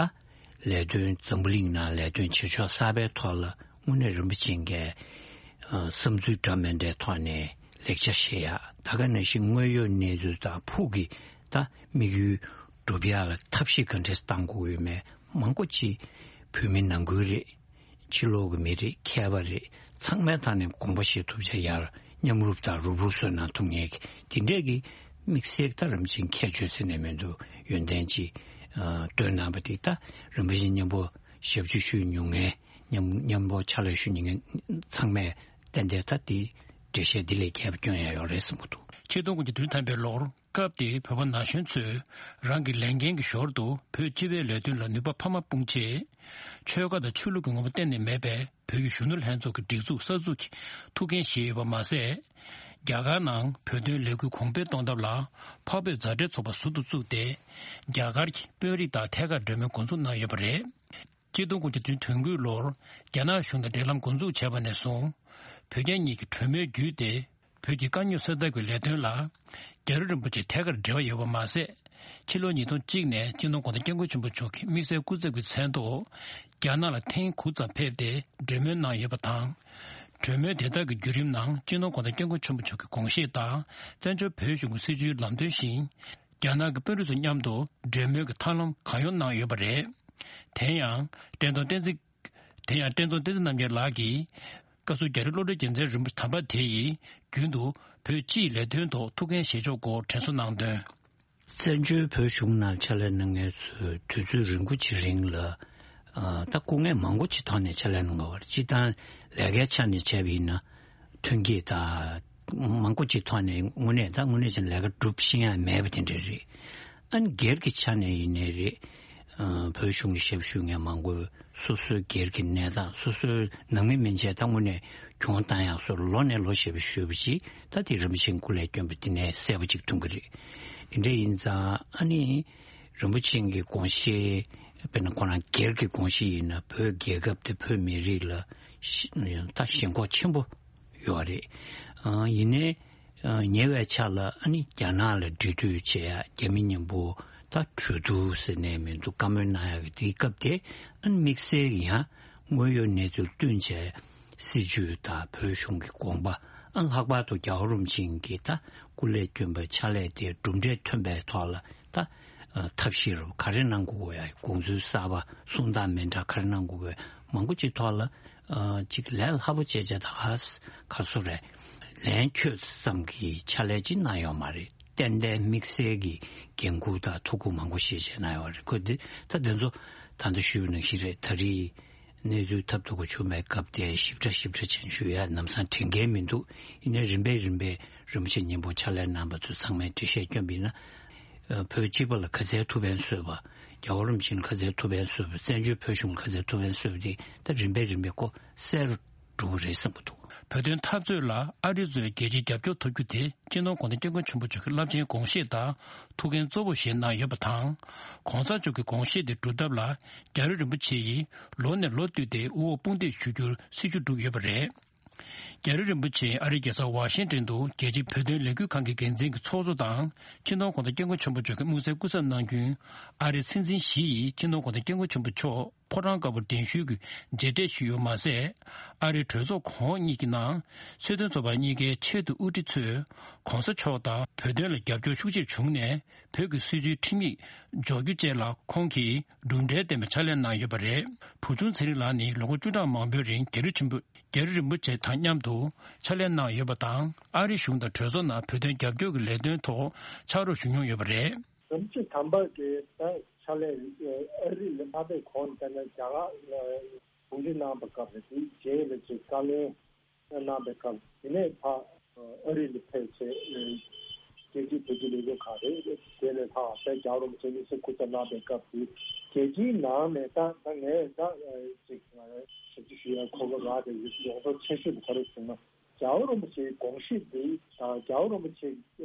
ལས་དོན་འཛམ་བུ་གླིང་ནང་ལས་དོན་བྱེད་ཕྱོགས་གསར་པའི་ཐོག་ལ་དངོས་གནས་རིན་པོ་ཆེ་གིས་ཨ་བསམ་ཚུལ་འདྲ་མི་འདྲའི་ཐོག་ནས་ལེགས་ཆ་བཞེས་ཡག་ད་ག་ནང་བཞིན་དངོས་ཡོད་གནས་ཚུལ་དང་ཕུགས་ཀྱི་ད་དམིགས་ཡུལ་སྒྲུབ་ཡག་ལ་ཐབས་ཤེས་ག་འདྲས་བཏང་དགོས་ཡོད་མེད་མང་པོ་ཅིག་བོད་མི་ནང་ཁུལ་རེད། ཕྱི་ལོགས་ཀྱི་མི་རེད། མཁས་པ་རེད། ཚང་མའི་ཐོག་ནས་དགོངས་པ་བཞེས་ཐུབ་བྱ་ཡར་མཉམ་རུབ་དང་རུབ་རུབ་བཟོས་གནང་ཐུབ་མཁན་གྱི་དེ་འདྲས་ཀྱི་དམིགས་བསལ་ད་རིན་པོ་ཆེ་ཁྱད་ཆོས་ཟེར་ནས་མི་འདུག་ཡོན་ཏན་ཅིག་ཨ་བཏོན་གནང་བ་དེ་ད་རིན་པོ་ཆེ་མཉམ་པོ་ཞབས་ཕྱི་ཞུ་མྱོང་མཁན་མཉམ་མཉམ་པོ་ཕྱག་ལས་ཞུ་མྱོང་མཁན་ཚང་མས་ཏན་ཏན་ད་དེ་འགྲེལ་བཤད་འདི་ལས་རྒྱས་པ་སྐྱོན་ཡ་ཡོད་རེད་བསམ་གྱི་འདུག་ཆིག་སྟོང་དགུ་བརྒྱ་བདུན་ཐམ་པའི་ལོར། སྐབས་དེའི་བོད་པ་ན་གཞོན་ཚོས་རང་གི་ལས་འགན་གྱི་ཞོར་དུ་བོད་སྤྱི་པའི་ལས་དོན་ལ་ནུས་པ་འཕར་མ་སྤུངས་ཆེད། ཆོལ་ཁ་དང་ཆོས་ལུགས་ཀྱི་ངོ་བོ་གཏན་ནས་མེད་པའི་བོད་ཀྱི་གཞོན་ནུ་ལྷན་ཚོགས་ཀྱི་སྒྲིག་འཛུགས་གསར་འཛུགས་ཀྱི་ཐུགས་འགན་བཞེས་ཡོད་པ་མ་ཟད། རྒྱ་གར་ནང་བོད་དོན་ལས་འགུལ་གོང་འཕེལ་གཏོང་ཐབས་ལ་འཕགས་བོད་མཛའ་འབྲེལ་ཚོགས་པ་ཟུར་དུ་བཙུགས་ཏེ། རྒྱ་གར་གྱི་དཔོན་རིགས་དང་ཐད་ཀར་གྲོས་མོལ་འགོ་འཛུགས་གནང་ཡོད་པ་རེད། ཆིག་སྟོང་དགུ་བརྒྱ་དོན་དགུའི་ལོར་རྒྱ་ནག་གཞུང་དང་འབྲེལ་ལམ་འགོ་འཛུགས་བྱས་པ་ནས་བཟུང་། བོད་རྒྱ་གཉིས་ཀྱི་གྲོས་མོལ་བརྒྱུད་དེ། བོད་ཀྱི་དཀའ་རྙོག་སེལ་ཐབས་ཀྱི་ལས་དོན་ལ། རྒྱ་རི་རིན་པོ་ཆེ་ཐད་ཀར་འབྲེལ་བ་ཡོད་པ་མ་ཟད། ཕྱི་ལོ་ཉིས་སྟོང་གཅིག་ནས་སྤྱི་ནོར་གོང་ས་སྐྱབས་མགོན་ཆེན་པོ་མཆོག་གི་དམིགས་བསལ་སྐུ་ཚབ་ཀྱི་མཚན་ཐོག་རྒྱ་ནག་ལ་ཐེངས་དགུ་ཙམ་ཕེབས་ཏེ་གྲོས་མོལ་གནང་ཡོད་པ་དང་། གྲོས་མོལ་དེ་དག་གི་བརྒྱུད་རིམ་ནང་སྤྱི་ནོར་གོང་ས་སྐྱབས་མགོན་ཆེན་པོ་མཆོག་གི་དགོངས་བཞེད་དང་བཙན་བྱོལ་བོད་གཞུང་གི་སྲིད་བྱུས་ལམ་སྟོན་བཞིན། རྒྱ་ནག་གི་དཔོན་རིགས་ཚོ་མཉམ་དུ་གྲོས་མོལ་གྱི་ཐབས་ལམ་གང་ཡོང་གནང་ཡོད་པ་རེད། དེ་ཡང་བཀྲས་མཐོང་བསྟན་འཛིན། དེ་ཡང་བཀྲས་མཐོང་བསྟན་འཛིན་རྣམ་རྒྱལ་ལགས་ཀྱིས། བཀའ་ཟུར་རྒྱ་རི་བློ་གྲོས་རྒྱལ་མཚན་རིན་པོ་ཆེ་དམ་པ་དེ་ཡིས་རྒྱུན་དུ་བོད་སྤྱིའི་ལས་དོན་ཐོག་ཐུགས་འགན་བཞེས་ཕྱོགས་སྐོར་དྲན་གསོ་གནང་དོན། བཙན་བྱོལ་བོད་གཞུང་ནང་ཕྱག་ལས་གནང་མཁན་ཚོས་དུས་ཚོད་རིང་པོ་ཅིག་རིང་ལ་ཨ་ད་སྐུ་ངལ་མང་པོ་ཅིག་ཐོག་ནས་ཕྱག་ལས་གནང་དགོས་པ་རེད། སྤྱིར་བཏང་ལས་ཀའི་ཆ་ནས་བྱས་པ་ཡིན་ན་ཐོན་སྐྱེད་དང་མང་པོ་ཅིག་ཐོག་ནས་དངོས་གནས་ད་དངོས་གནས་ཀྱི་ལས་ཀ་སྒྲུབ་ཤེས་ཡ་མེད་པ་དེ་འདྲ་རེད། ཨ་ནི་སྒེར་གྱི་ཆ་ནས་ཡིན་ནའི་རེད། ཨ་བོད་གཞུང་གི་ཞབས་ཞུ་མཁན་མང་པོས་སོ་སོའི་སྒེར་གྱི་གནས་སྟངས་སོ་སོའི་ནང་མི་མན་ཆད་ད་དངོས་གནས་གྱོང་བཏང་ཡག་སོགས་ལོ་ནས་ལོ་ཞེ་པོ་ཞུས་པ་ཅིག་ད་དེ་རིན་པོ་ཆེའི་སྐུ་ལས་བསྐྱོན་པ་དེ་ནས་གསལ་པོ་ཅིག་མཐོང་གི་རེད། དེ་འདྲ་ཡིན་ཙང་ཨ་ནི་རིན་པོ་ཆེ་གི་དགོངས་བཞེད་དཔེར་ན་ཁོ་རང་སྒེར་གྱི་དགོངས་བཞེད་ཡིན་ན་བོད་རྒྱལ་ཁབ་དེ་བོད་མི་རིགས་ལ་ཤ་ད་ཞེན་ཁོག་ཆེན་པོ་ཡོད་རེད། ཨ་ཡིན་ནའི་ཨ་ཉེ་བའི་ཆར་ལ་ཨ་ནི་རྒྱ་ནག་ལ་འབྲེལ་མཐུད་བྱེད་ཡ་རྒྱ་མི་མཉམ་པོ་ད་གྲོས་བསྡུར་ཟེར་ནས་མི་འདུག་བཀའ་མོལ་གནང་ཡ་གི་དེའི་སྐབས་དེ་ཨ་ནི་དམིགས་བསལ་གྱི་ཡང་དངོས་ཡོད་གནས་ཚུལ་བསྟུན་བྱས་སྲིད་བྱུས་དང་བོད་གཞུང་གི་དགོངས་པ་ཨ་ལྷག་པར་དུ་རྒྱལ་བ་རིན་པོ་ཆེ་གིས་ད་སྐུ་ལས་བསྐྱོན་པའི་ཕྱག་ལས་དེ་གྲུབ་འབྲས་ཐོན་པའི་ཐོག་ལ་ད་ཨ་ཐབས་ཤེས་རུ་ག་རེ་གནང་དགོས་ཡ་དགོངས་ཚུལ་གསར་པ་གསུང་སྟངས་མི་འདྲ་ག་རེ་གནང་དགོས་མང་པོ་ཅིག་ཐོག་ལ། ཨ་གཅིག་ལས་སླ་པོ་བྱས་བྱས་ད་ག་ས་ག་སོ་རེད། ལན་ཁྱོད་ཙམ་གྱི་ཕྱག་ལས་ཅིག་གནང་ཡོད་མ་རེད། ཏན་ཏན་དམིགས་བསལ་གྱི་འགན་འཁུར་དང་ཐུགས་ཁུར་མང་པོ་བཞེས་བྱས་གནང་ཡོད་རེད། ཁོ་འདི་ད་དེ་ཚོ་ད་ལྟ་ཞུས་པ་ནང་བཞིན་རེད། ད་རེས་གནས་ཚུལ་ཐབས་སྡུག་ག་བྱུང་བའི་སྐབས་དེ་ཞིབ་ཕྲ་ཞིབ་ཕྲ་ཅན་ཞུ་ཡ་ལམ་སང་དྲན་མཁན་མི་འདུག་ཡིན་ནའི་རིམ་པས་རིམ་པས་རིན་པོ་ཆེ་མཉམ་པོ་ཕྱག་ལས་གནང་བ་ཚོ་ཚང་མས་འགྲེལ་བཤད་བསྐྱོན་པ་ཡིན་ན། ཨ་བོད་སྤྱི་པ་ལ་ག་ཚད་ཐུགས་ཕན་གསོས་པ། རྒྱལ་བ་རིན་པོ་ཆེ་ལ་ག་ཚད་ཐུགས་ཕན་གསོས་པ། བཙན་བྱོལ་བོད་གཞུང་ལ་ག་ཚད་ཐུགས་ཕན་གསོས་པ་དེ་ད་རིམ་པས་རིམ་པས་ཁོ་གསལ་རུ་འགྲོ་གི་རེད་བསམ་གྱི་འདུག་བོད་དོན་འཐབ་རྩོད་ལ་ཨ་རི་ཚོས་རྒྱལ་སྤྱིའི་རྒྱབ་སྐྱོར་ཐོབ་རྒྱུ་དེ་སྤྱི་ནོར་གོང་ས་སྐྱབས་མགོན་ཆེན་པོ་མཆོག་གི་རླབས་ཆེན་དགོངས་བཞེད་དང་ཐུགས་འགན་གཙོ་བོ་ཞིག་གནང་ཡོད་པ་དང་། གོང་ས་མཆོག་གི་དགོངས་བཞེད་དེ་སྒྲུབ་ཐབས་ལ་རྒྱ་རི་རིན་པོ་ཆེ་ཡིས་ལོ་ནས་ལོ་བསྟུད་དེ་དབུ་འོག་དཔུང་འདེགས་ཞུ་རྒྱུར་སྲིད་ཇུས་བསྒྲུབས་ཡོད་པ་རེད། རྒྱ་རི་རིན་པོ་ཆེ་ཨ་རིའི་རྒྱལ་ས་ཝ་ཤིང་ཏོན་དུ་རྒྱལ་སྤྱིའི་བོད་དོན་ལས་འགུལ་ཁང་གི་འགན་འཛིན་གྱི་ཚོགས་གཙོ་དང་སྤྱི་ནོར་གོང་ས་སྐྱབས་མགོན་ཆེན་པོ་མཆོག་གི་དམིགས་བསལ་སྐུ་ཚབ་གནང་རྒྱུའི་ཨ་རིའི་སྲིད་འཛིན་ཞི་ཡིས་སྤྱི་ནོར་གོང་ས་སྐྱབས་མགོན་ཆེན་པོ་མཆོག་ ཕོ་བྲང་དཀར་པོར་གདན་ཞུས་ཀྱིས་མཇལ་འཕྲད་ཞུས་ཡོད་མ་ཟད། ཨ་རིའི་གྲོས་ཚོགས་གོང་འོག་གཉིས་ཀྱི་ནང་སྲིད་དོན་ཚོགས་པ་གཉིས་ཀའི་ཆེས་མཐོའི་དབུ་ཁྲིད་ཚོས་གོང་ས་མཆོག་དང་བོད་དོན་ལ་རྒྱབ་སྐྱོར་ཤུགས་ཆེར་བྱུང་ནས། བོད་ཀྱི་སྲིད་བྱུས་ཁྲིམས་ཡིག་འཇོག་རྒྱུ་བཅས་ལ་ཁོང་གིས་གྲུབ་འབྲས་ལྡན་པའི་ཕྱག་ལས་གནང་ཡོད་པ་རེད། བུ་ཆུང་ཚེ་རིང་ལགས་ནི་ལོ་ངོ་བཅུ་ཕྲག་མང་པོའི་རིང་རྒྱལ་གཞུང་ཆེན་པོ་རྒྱལ་གཞུང་རིན་པོ་ཆེ་དང་མཉམ་དུ་ཕྱག་ལས་གནང་ཡོད་པ་དང་། ཨ་རི་གཞུང་དང་གྲོས་ཚོགས་ནང་བོད་དོན་རྒྱབ་སྐྱོར་གྱི་ལས་དོན་ཐོག་ཕྱག་རོགས་ཞུ་མྱོང་ཡོད་པ་རེད། ཟམ་ཆེན་དམ་པ་གི་ད་ཕྱག་ལས་ཨ་རི་ལ་མ་ཕེབས་གོང་ད་ནི་རྒྱ་གར་གུང་ཁྲན་གནང་བའི་སྐབས་རེད། དེའི་རྗེས་ལ་ཅིག་བཀའ་བློན། གནང་བའི་སྐབས་དེ་ནས་ཕར་ཨ་རི་ལ་ཕེབས་ཚེ། རྒྱལ་སྤྱིའི་བོད་ཀྱི་ལས་འགུལ་ཁག་རེད། དེ་ནས་ཕར་དཔལ་རྒྱལ་བ་རིན་པོ་ཆེ་དམིགས་བསལ་སྐུ་ཚབ་གནང་བའི་སྐབས་དེ་རྒྱལ་སྤྱིའི་ནང་ནས་ད་ད་ངས་ད་ཅིག་ཞབས་ཕྱི་ཞུ་ཡ་གོ་སྐབས་རག་པའི་ཡོངས་རྫོགས་ཆེ་ཤོས་དེ་ག་རེ་བྱུང་ན། རྒྱལ་བ་རིན་པོ་ཆེའི་དགོངས་གཞི་འདི་དང་རྒྱལ་བ་རིན་པོ་ཆེས་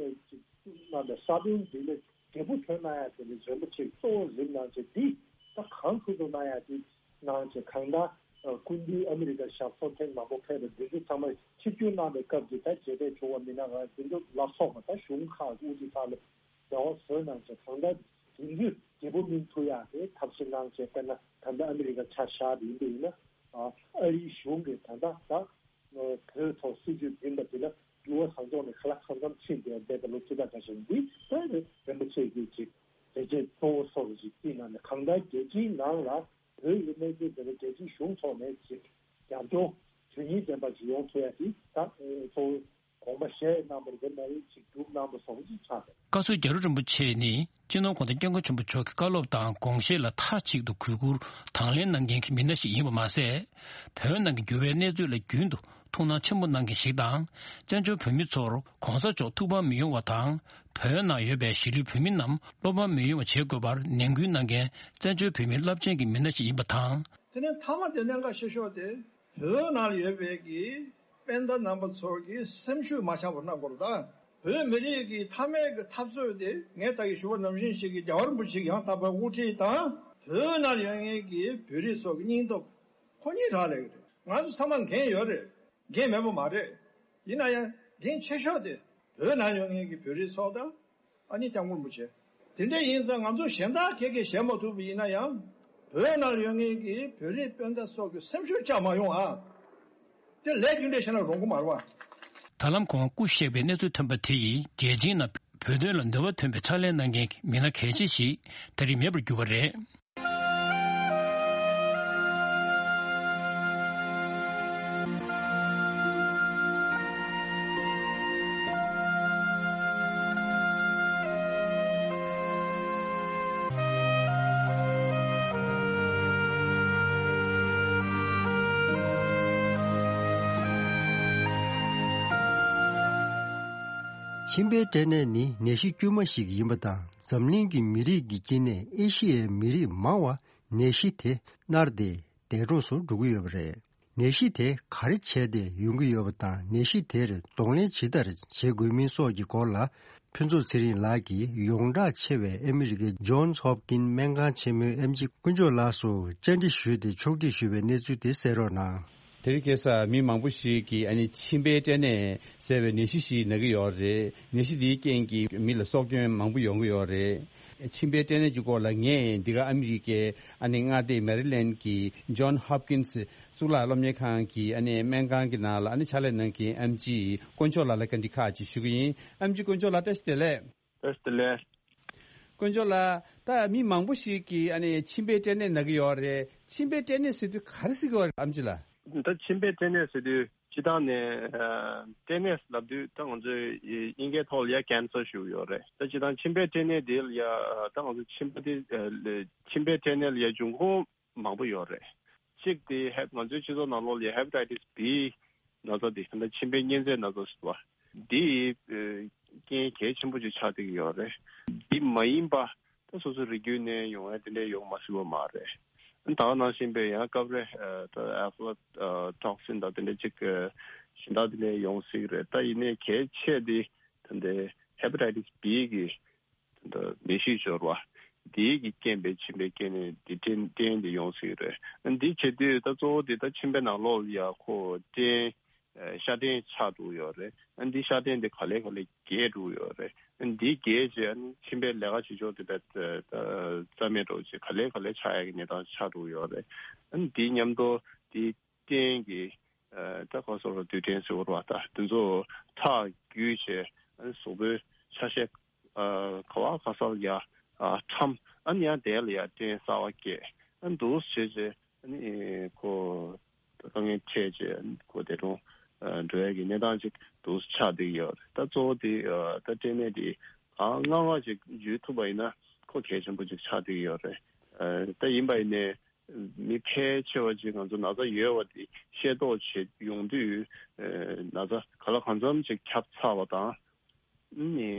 ཅིག་གནང་བའི་ས་བོན་འདི་ལས། འབྲས་བུ་ཐོན་གནང་ཡ་དེ་ནི་རིན་པོ་ཆེ་གཙོ་བོ་རིམ་གནང་བྱས་འདི་ད་གང་ཐུབ་ཐུབ་གནང་ཡ་དེ་གནང་བྱས། གང་ལྟར་སྐུ་མདུན་ཨ་མི་རི་ཀ་ཞབས་སོར་ཐེངས་མང་པོ་ཕེབས་པ་འདི་ཚོ་ཚང་མ་ཆིབས་བསྒྱུར་གནང་བའི་སྐབས་ཀྱི་ད་མཇལ་འཕྲད་བྱུང་བ་མིན་ན། ང་འདི་ཚོ་ལ་སོགས་པ་ད་གཞུང་ཁག་དབུ་ཁྲིད་ཁག་ལ་འབྲེལ་བ་བཟོས་གནང་བྱས། གང་ལྟར་དེ་ཚོས་འབྲས་བུ་སྨིན་ཐུབ་ཡ་དེ་ཐབས་ཤེས་གནང་བྱས། དཔེར་ན་ད་ལྟ་ཨ་མི་རི་ཀ་ཆ་བཞག་པ་ཡིན་པ་ཡིན་ན། ཨ་རིའི་གཞུང་གིས་ད་ལྟ་ད། བོད་ཐོག་སྲིད་བྱུས་འཛིན་པ་དེ་ལ་འགྱུར་བ་གང་མགྱོགས་ནས་ག་ལ་གང་འཚམ་ཕྱིན་བསྡད་བསྡད་པ་ལོ་བཅུ་ཕྲག་ཁ་ཤས་འདི་ལྟར་རིན་པོ་ཆེ་གིས་ཅིག་བྱས་རྗེས་གཙོ་བོ་སོགས་ཀྱི་ཅིག་བརྩིས་གནང་ནས། གང་ལྟར་རྒྱལ་སྤྱིའི་ནང་ལ་བོད་ཀྱི་གནས་ཚུལ་དེ་ལ་རྒྱལ་སྤྱིའི་གཞུང་ཐོག་ནས་ཅིག་རྒྱབ་སྐྱོར་དོན་སྙིང་ལྡན་པ་ཞིག་ཡོང་ཐུབ་ཡ་དེ་ད་གཙོ་བོ་དགོངས་པ་བཞེས་གནང་བ་རེད། མ་རེད་ཅིག་སྒྲུབ་གནང་བ་སོགས་ཀྱི་ཆགས་འདུག་བཀའ་ཟུར་རྒྱ་རི་རིན་པོ་ཆེ་ནི། སྤྱི་ནོར་༸གོང་ས་༸སྐྱབས་མགོན་ཆེན་པོ་མཆོག་གི་བཀའ་སློབ་དང་དགོངས་བཞེད་ལ་མཐའ་གཅིག་ཏུ་གུས་བཀུར་དང་ལེན་གནང་མཁན་གྱི་མི་སྣ་ཞིག་ཡིན་པ་མ་ཟད། བོད་ནང་གི་འགྱུར་བའི་གནས་ཚུལ་ལ་རྒྱུན་དུ་ཐུགས་སྣང་ཆེན་པོ་གནང་མཁན་ཞིག་དང་། བཙན་བྱོལ་བོད་མི་ཚོར་གོང་ས་མཆོག་ཐུགས་ཕམ་མི་ཡོང་བ་དང་། བོད་ནང་ཡོད་པའི་གཞིས་ལུས་བོད་མི་རྣམས་བློ་ཕམ་མི་ཡོང་བ་བྱེད་དགོས་པར་ནན་སྐུལ་གནང་མཁན་བཙན་བྱོལ་བོད་མིའི་རླབས་ཆེན་གྱི་མི་སྣ་ཞིག་ཡིན་པ་དང་། དེ་ནས་མཐའ་མ་དེ་གནད་འགག་ཆེ་ཤོས་དེ། བོད་ནང་ཡོད་པའི་གི་སྤུན་ཟླ་རྣམ་པ་ཚོ་གི་སེམས་ཤུགས་མ་ཆག་པར་གནང་དགོས་རེད་ད། བོད་མི་རིགས་ཀྱི་མཐའ་མའི་གི་འཐབ་རྩོད་དེ་ངས་ད་གི་ཞུ་བ་ནང་བཞིན་ཞིག་གི་རྒྱལ་བ་རིན་པོ་ཆེ་ཡང་དག་པའི་དབུ་ཁྲིད་དང་། བོད་ནང་ཡོད་མཁན་གྱི་བོད་རིགས་ཚོ་གི་སྙིང་སྟོབས་ཁོ་གཉིས་རག་ལས་ཀྱི་རེད། ང་ཚོ་ཚང་མ་འགན་ཡོད་རེད། འགན་མེད་པ་མ་རེད། ཡིན་ན་ཡང་འགན་ཆེ་ཤོས་དེ་བོད་ནང་ཡོད་མཁན་གྱི་བོད་རིགས་ཚོ་དང་། ཨ་ནི་སྐྱབས་མགོན་རིན་པོ་ཆེ། དེ་འདྲ་ཡིན་ཙང་ང་ཚོ་གཞན་དག་ཁྱེད་ཀྱིས་བྱེད་མ་ཐུབ་པ་ཡིན་ན་ཡང་། བོད་ནང་ཡོད་མཁན་གྱི་བོད་རིགས་སྤུན་ཟླ་སོགས་ཀྱི་སེམས་ཤུགས་བཅག་མ་ཡོང་ཨ། དེ་ལས་རྒྱུ་འབྲས་བཤད་ན་རུང་གི་མ་རེད་བ། ད་ལམ་ཁོང་སྐུ་གཤེགས་པའི་གནས་ཚུལ་ཐོན་པ་དེ་ཡིས་རྒྱལ་སྤྱིའི་ནང་བོད་དོན་ལ་འདོད་པ་ཐོན་པའི་ཕྱག་ལས་གནང་མཁན་གྱི་མི་སྣ་གལ་ཆེ་ཞིག་ད་རེས་མེད་པར་གྱུར་པ་རེད། མཆིན་པའི་སྐྲན་ནད་ནི་ནད་གཞི་དཀྱུས་མ་ཞིག་ཡིན་པ་དང་། འཛམ་གླིང་གི་མི་རིགས་ཀྱི་དཀྱིལ་ནས་ཨེ་ཤི་ཡའི་མི་རིགས་མང་བ་ནད་གཞི་དེ་མནར་ཏེ་འདས་གྲོངས་སུ་འགྲོ་གི་ཡོད་པ་རེད། ནད་གཞི་དེ་ག་རེ་བྱས་ཏེ་ཡོང་གི་ཡོད་པ་དང་། ནད་གཞི་དེར་གདོང་ལེན་ཇི་ལྟར་བྱེད་དགོས་མིན་སོགས་ཀྱི་སྐོར་ལ། ཕུན་ཚོགས་ཚེ་རིང་ལགས་ཀྱིས་ཡོངས་གྲགས་ཆེ་བའི་ཨ་མི་རི་ཀའི་ཇོན་སི་ཧོབ་ཀིན་སྨན་ཁང་ཆེན་མོའི་ཨེམ་ཆི་དཀོན་མཆོག་ལགས་སུ་བཅར་འདྲི་ཞུས་ཏེ་ཕྱོགས་སྒྲིག་ཞུས་པའི་གནས་ཚུལ་དེ་གསན་རོགས་གནང་། དེ་རིང་ཁ་སང་མི་མང་པོ་ཞིག་གིས་ཨ་ནི་མཆིན་པའི་སྐྲན་ནད་ཟེར་བའི་ནད་གཞི་ཞིག་ན་གི་ཡོད་རེད། ནད་གཞི་འདིའི་རྐྱེན་གྱིས་མི་ལ་སྲོག་སྐྱོན་མང་པོ་ཡོང་གི་ཡོད་རེད། མཆིན་པའི་སྐྲན་ནད་ཀྱི་སྐོར་ལ་ངས་འདི་ག་ཨ་མི་རི་ཀའི་ཨ་ནི་མངའ་སྡེ་མེ་རི་ལེན་གྱི་ཇོན་ཧོབ་ཀིན་སི་གཙུག་ལག་སློབ་གཉེར་ཁང་གི་ཨ་ནི་སྨན་ཁང་གི་ནང་ལ་ཨ་ནི་ཕྱག་ལས་གནང་མཁན་ཨེམ་ཆི་དཀོན་མཆོག་ལགས་ལ་བཀའ་འདྲི་ཁག་ཅིག་ཞུ་གི་ཡིན། ཨེམ་ཆི་དཀོན་མཆོག་ལགས་བཀྲ་ཤིས་བདེ་ལེགས། བཀྲ་ཤིས་བདེ་ལེགས། དཀོན་མཆོག་ལགས། ད་མི་མང་པོ་ཞིག་གིས་ཨ་ནི་མཆིན་པའི་སྐྲན་ནད་ན་གི་ཡོད་རེད། མཆིན་པའི་སྐྲན་ནད་ཟེར་དུས་ག་རེ་ཟེར་གི་ཡོད་རེད་ཨེམ་ཆི་ལགས། ད་མཆིན་པའི་སྐྲན་ནད་ཟེར་དུས་སྤྱིར་བཏང་ནས་ཨ་སྐྲན་ནད་ལབ་དུས་ད་ང་ཚོས་དབྱིན་སྐད་ཐོག་ལ་ཡ་ཀེན་སར་ཞུ་གི་ཡོད་རེད། ད་སྤྱིར་བཏང་མཆིན་པའི་སྐྲན་ནད་དེ་ལ་ཡ་ད་ང་ཚོ་མཆིན་པ་དེ་ཨ་མཆིན་པའི་སྐྲན་ནད་ལ་ཡ་འབྱུང་ཁུངས་མང་པོ་ཡོད་རེད། གཅིག་དེ་ཧེབ་ང་ཚོའི་སྤྱི་ཚོགས་ནང་ལོགས་ལ་ཡ་ཧེ་པ་ཊའི་ཊི་སི་བི་ན་ཚ་དེ་ད་ལྟ་མཆིན་པའི་གཉན་ཚད་ན་ཚ་ཟེར་བ་འདི་ཨ་རྐྱེན་གལ་ཆེན་པོ་ཅིག་ཆགས་བསྡད་ཀྱི་ཡོད་རེད། འདི་མ་ཡིན་པ་ད་སོ་སོའི་རིགས་རྒྱུད་ནས་ཡོང་ཡ་དེ་འདྲ་ཡོང་མ་སྲིད་པ་མ་རེད། ད་ག་ནང་བཞིན་པའི་ཡང་སྐབས་རེ་ཨ་ད་ཨེ་ཕ་ལ་ཊོག་སིན་དང་དེ་འདྲ་ཅིག་གཞན་དག་དེ་འདྲ་ཡོང་སྲིད་ཀྱི་རེད། ད་ཡིན་ནའི་གལ་ཆེ་དེ་ད་ལྟའི་ཧེ་པ་ཊའི་ཊི་སི་བི་གི་ད་ནད་གཞི་འབྱོར་བ་དེའི་གི་རྐྱེན་པས་མཆིན་པའི་སྐྲན་ནད་འདི་སྐྲན་སྐྲན་འདི་ཡོང་སྲིད་རེད། འདི་བྱེད་དུས་ད་གཙོ་བོ་དེ་ད་མཆིན་པའི་ནང་ལོགས་ལ་ཡ་ཁོ་སྐྲན་ཤ་སྐྲན་ཆགས་འགྲོ་ཡོད་རེད། འདི་ཤ་སྐྲན་འདི་ག་ལེ་ག་ལེ་རྒྱས་འགྲོ་ཡོད་རེད། འདི་རྒྱས་བྱས་ཨ་ནི་མཆིན་པའི་ལས་ཀ་བྱེད་ཕྱོགས་དེ་བས་རྩ་མེད་འགྲོ་བྱས་ག་ལེ་ག་ལེ་ཆགས་ཡག་གི་གནས་སྟངས་ཆགས་འགྲོ་གི་ཡོད་རེད། ཨ་ནི་འདི་མཉམ་དུ་འདི་རྐྱེན་གྱིས་ད་ག་སོགས་ལ་རྡུལ་ཕྲན་ཟེར་བ་དང་དེ་ཚོ་ཁྲག་རྒྱུས་བྱས་ཨ་ནི་གཟུགས་པོའི་ཆ་ཤས་ག་བ་ག་ས་ལ་ཡ་ཁྲམ་ཨ་ནི་ཡང་དེ་ལ་ཡ་རྐྱེན་གསར་བ་སྐྱེས་ཨ་ནི་འདུག་བྱས་བྱས་ཨ་ནི་ཁོ། དཀའ་ངལ་འཕྲད་རྗེས་ཁོ་དེ་རུ་འགྲོ་ཡ་གི་གནས་སྟངས་ཅིག་ཏུ་ཆགས་བསྡད་ཡོད་རེད། ད་གཙོ་བོ་དེ་ད་སྐྲན་ནད་དེ་གང་སྔ་སྔ་ཅིག་འཇུས་ཐུབ་པ་ཡིན་ན་ཁོ་གལ་ཆེན་པོ་ཅིག་ཆགས་བསྡད་ཡོད་རེད། ད་ཡིན་པ་ཡིན་ནའི་མི་ཕལ་ཆེ་བ་ཅིག་ང་ཚོ་ན་ཚ་ཡོད་པ་དེ་ཤེས་རྟོགས་བྱེད་ཡོང་དུས་ན་ཚ་ག་ལ་གང་འཚམ་ཅིག་ཁྱབ་ཚར་བ་དང་ནི་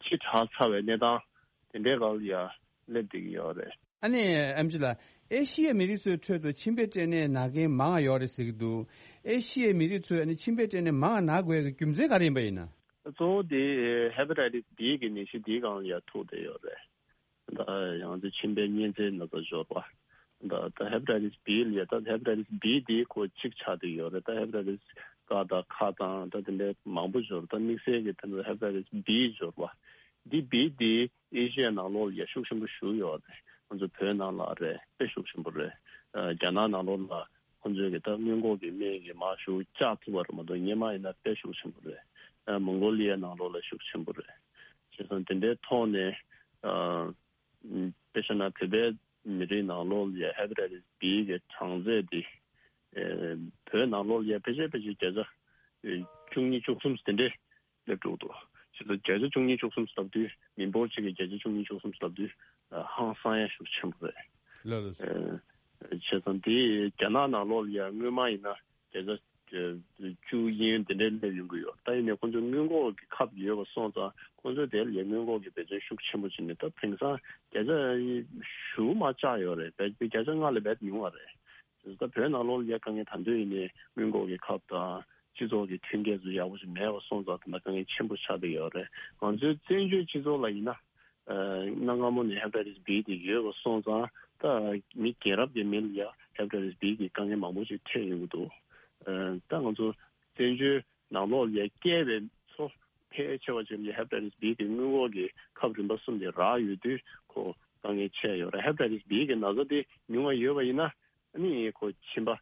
ཕྱི་དྲགས་ཚར་བའི་གནས་སྟངས་དེ་འདྲའི་སྒང་ལ་ཡ་སླེབས་བསྡད་ཀྱི་ཡོད་རེད། ཨ་ནི་ཨེམ་ཆི་ལགས། ཨེ་ཤི་ཡའི་མི་རིགས་ཚོའི་ཁྲོད་དུ་མཆིན་པའི་སྐྲན་ནད་ན་མཁན་མང་ང་ཡོད་རེད་ཟེར་གྱི་འདུག་ཨེ་ཤི་ཡའི་མི་རིགས་ཚོས་ཨ་ནི་མཆིན་པའི་སྐྲན་ནད་མང་ང་ན་དགོས་ཡག་གི་རྒྱུ་མཚན་ག་རེ་ཡིན་པ་ཡིན་ན། གཙོ་བོ་དེ་ཧེ་པ་ཊའི་ཊིས་བྷི་གི་ནད་གཞི་འདིའི་སྒང་ལ་ཡ་ཐུག་བསྡད་ཡོད་རེད། ད་ཡང་ཚེ་མཆིན་པའི་གཉན་ཚད་ན་ཚ་འབྱོར་བ། ད་ད་ཧེ་པ་ཊའི་ཊིས་བྷི་ལ་ཡ་ད་ཧེ་པ་ཊའི་ཊིས་བྷི་དེ་ཁོ་གཅིག་ཆགས་བསྡད་ཡོད་རེད། ད་ཧེ་པ་ཊའི་ཊིས་ཀ་དང་ཁ་དང་ད་དེ་འདྲའི་མང་པོ་འབྱོར། ད་དམིགས་བསལ་གྱི་ད་ཧེ་པ་ཊའི་ཊིས་བྷི་འབྱོར་བ་འདི་བྷི་དེ། ཨེ་ཤི་ཡའི་ནང་ལོགས་ལ་ཡ་ཤུགས་ཆེན་པོ་ཞིག་ཡོད་རེད། ང་ཚོ་བོད་ནང་ལ་རེད་དཔེ་ཤུགས་ཆེན་པོ་རེད། ཨ་རྒྱ་ནག་ནང་ལོགས་ལ་ཁོང་ཚོས་ཀྱི་ད་སྔོན་འགོག་གི་སྨན་གྱི་མར་ཤུགས་བཅག་ཐུབ་པ་རེད་མ་གཏོགས་སྔོན་མ་ཡིན་ན་དཔེ་ཤུགས་ཆེན་པོ་རེད། ཨ་མོང་གོ་ལི་ཡའི་ནང་ལོགས་ལ་ཤུགས་ཆེན་པོ་རེད། བྱས་ཙང་དེ་འདྲའི་ཐོག་ནས་ཨ་དཔེ་བཞག་ན་བོད་པའི་མི་རིགས་ནང་ལོགས་ལ་ཡ་ཧེ་པ་ཊའི་ཊིས་བྷི་གི་གྲངས་ཚད་དེ་ཨ་བོད་ནང་ལོགས་ལ་ཡ་ཕལ་ཆེར་ཕལ་ཆེར་བརྒྱ་ཆ་བཅུ་གཉིས་བཅུ་གསུམ་དེ་འདྲའི་སླེབས་འགྲོ་གི་འདུག་བྱས་ཙང་བརྒྱ་ཆ་བཅུ་གཉིས་བཅུ་གསུམ་ལབ་དུས་མི་འབོར་གཅིག་གི་བརྒྱ་ཆ་བཅུ་གཉིས་བཅུ་གསུམ་ལབ་དུས་ཧང་སང་ཡ་ཤུགས་ཆེན་པོ་རེད། ལགས་ལགས་སོ། ཨེ། བྱས་ཙང་དེ་རྒྱ་ནག་ནང་ལོགས་ལ་ཡ་སྔོན་མ་ཡིན་ན་བརྒྱ་ཆ་བཅུ་གཡས་གཡོན་དེ་འདྲའི་སླེབས་ཡོང་གི་ཡོད། ད་ཡིན་ནའི་ཁོང་ཚོ་སྔོན་འགོག་གི་ཁབ་ཡོད་པ་སོང་ཙང་ཁོང་ཚོས་དེ་ལ་ཡ་སྔོན་འགོག་གི་འབད་བརྩོན་ཤུགས་ཆེན་པོ་བྱས་ནས་ད་དེང་སང་བརྒྱ་ཆ་བཞི་མར་བཅག་ཡོད་རེད། བརྒྱ་ཆ་ལྔ་ལས་བརྒལ་ཉུང་བ་རེད། ད་བོད་ནང་ལོགས་ལ་ཡ་དཀའ་ངལ་ད་དུང་ཡིན་ནའི་སྔོན་འགོག་གི་ཁབ་དང་སྤྱི་ཚོགས་ཀྱི་མཐུན་རྐྱེན་ཚོ་ཡག་པོ་ཞིག་མེད་པ་སོང་ཙང་ད་ལྟ་དཀའ་ངལ་ཆེན་པོ་ཆགས་བསྡད་ཡོད་རེད། ང་ཚོའི་བཙན་བྱོལ་སྤྱི་ཚོགས་ལ་ཡིན་ན་གནའ་སྔ་མོ་ནས་ཧེ་པ་ཊའི་ཊིས་བྷི་དེ་ཡོད་པ་སོང་ཙང་ད་མི་རྒན་རབས་ཀྱི་མི་ལ་ཡ་ཧེ་པ་ཊའི་ཊིས་བྷི་གི་དཀའ་ངལ་མང་པོ་ཞིག་འཕྲད་ཡོང་གི་འདུག་ད་ང་ཚོ་བཙན་བྱོལ་ནང་ལོགས་ལ་ཡ་སྐྱེས་པའི་ཚོ་ཕལ་ཆེ་བ་ཅིག་ལ་ཡ་ཧེ་པ་ཊའི་ཊིས་བྷི་གི་སྔོན་འགོག་གི་ཁབ་རིམ་པ་གསུམ་དེ་རག་ཡོད་དུས་ཁོ་དཀའ་ངལ་ཆེ་ཡོད་རེད། ཧེ་པ་ཊའི་ཊིས་བྷི་གི་ན་ཚ་དེ་ཉུང་བ་ཡོད་པ་ཡིན་ན། ཨ་ནི་ཁོ་མཆིན་པ།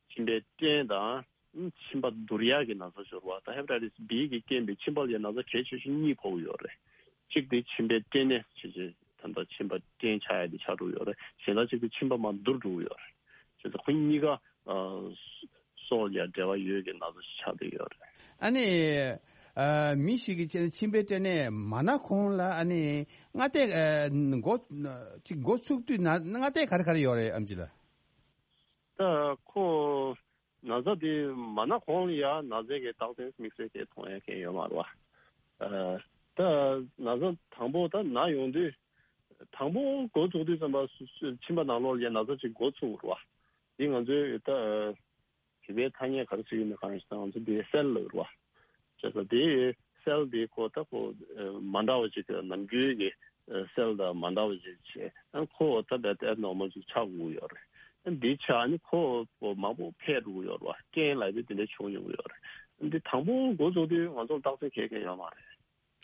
མཆིན་པའི་སྐྲན་དང་མཆིན་པ་འདུར་ཡག་གི་ན་ཚ་འབྱོར་བ་དང་ཧེ་པ་ཊའི་ཊིས་བྷི་གིས་རྐྱེན་པས་མཆིན་པ་ལ་ཡ་ན་ཚ་གལ་ཆེ་ཤོས་གཉིས་ཕོག་གི་ཡོད་རེད། གཅིག་དེ་མཆིན་པའི་སྐྲན་ནད་ཞེས་བྱས་ད་ལྟ་མཆིན་པ་སྐྲན་ཆགས་ཡ་དེ་ཆགས་འགྲོ་གི་ཡོད་རེད། གཞན་དག་གཅིག་དེ་མཆིན་པ་མར་འདུར་འགྲོ་གི་ཡོད་རེད། བྱས་ཙང་ཁོ་གཉིས་ཀ་སྲོག་ལ་ཡ་འབྲེལ་བ་ཡོད་ཀྱི་ན་ཚ་ཞིག་ཆགས་བསྡད་ཡོད་རེད། ཨ་ནི། ཨ་མི་ཞིག་གིས་བྱས་ན་མཆིན་པའི་སྐྲན་ནད་མ་ན་གོང་ལ་ཨ་ནི་སྔ་ལྟས་ཨ་འགོ་ཅིག་འགོ་ཚུགས་དུས་ན་སྔ་ལྟས་ག་རེ་ག་རེ་ཡོད་རེད་ཨེམ་ཆི་ལགས། ད་ཁོ་ན་ཚ་དེ་མ་ན་གོང་ལ་ཡ་ན་ཚའི་གི་རྟགས་མཚན་དམིགས་བསལ་གྱི་མཐོང་ཡ་མཁན་ཡོད་མ་རེད་བ། ཨ་ད་ན་ཚ་དང་པོ་ད་ན་ཡོང་དུས་དང་པོ་འགོ་ཚུགས་དུས་ཙམ་པ་སུ་སུ་མཆིན་པ་ནང་ལོགས་ལ་ཡ་ན་ཚ་ཅིག་འགོ་ཚུགས་རེད་བ། འདི་ང་ཚོའི་ད་བོད་པའི་ཐ་སྙད་ག་རེ་ཟེར་གྱི་ཡོད་མེད་གང་ཡིན་ཟེར་ན་ང་ཚོ་འདི་སེལ་ལབ་རེད་བ། བྱས་ཙང་དེའི་སེལ་དེ་ཁོ་ད་ཁོ་མ་འདྲ་བ་ཅིག་ནམ་རྒྱུན་གྱི་སེལ་དང་མ་འདྲ་བ་ཅིག་བྱས་ཨ་ཁོ་ད་བད་ཨེབ་ནོར་མལ་ཅིག་ཆགས་དགོས་ཡོད་རེད། ཨ་འདི་ཆགས་ནི་ཁོ་མང་པོ་འཕེལ་འགྲོ་གི་ཡོད་རེད་བ། རྐྱེན་ལབ་དུས་དེ་འདྲ་བྱུང་ཡོང་གི་ཡོད་རེད། ཨ་འདི་དང་པོ་འགོ་ཚུགས་དུས་ང་ཚོར་རྟགས་མཚན་གང་ཡང་ཡོད་མ་རེད།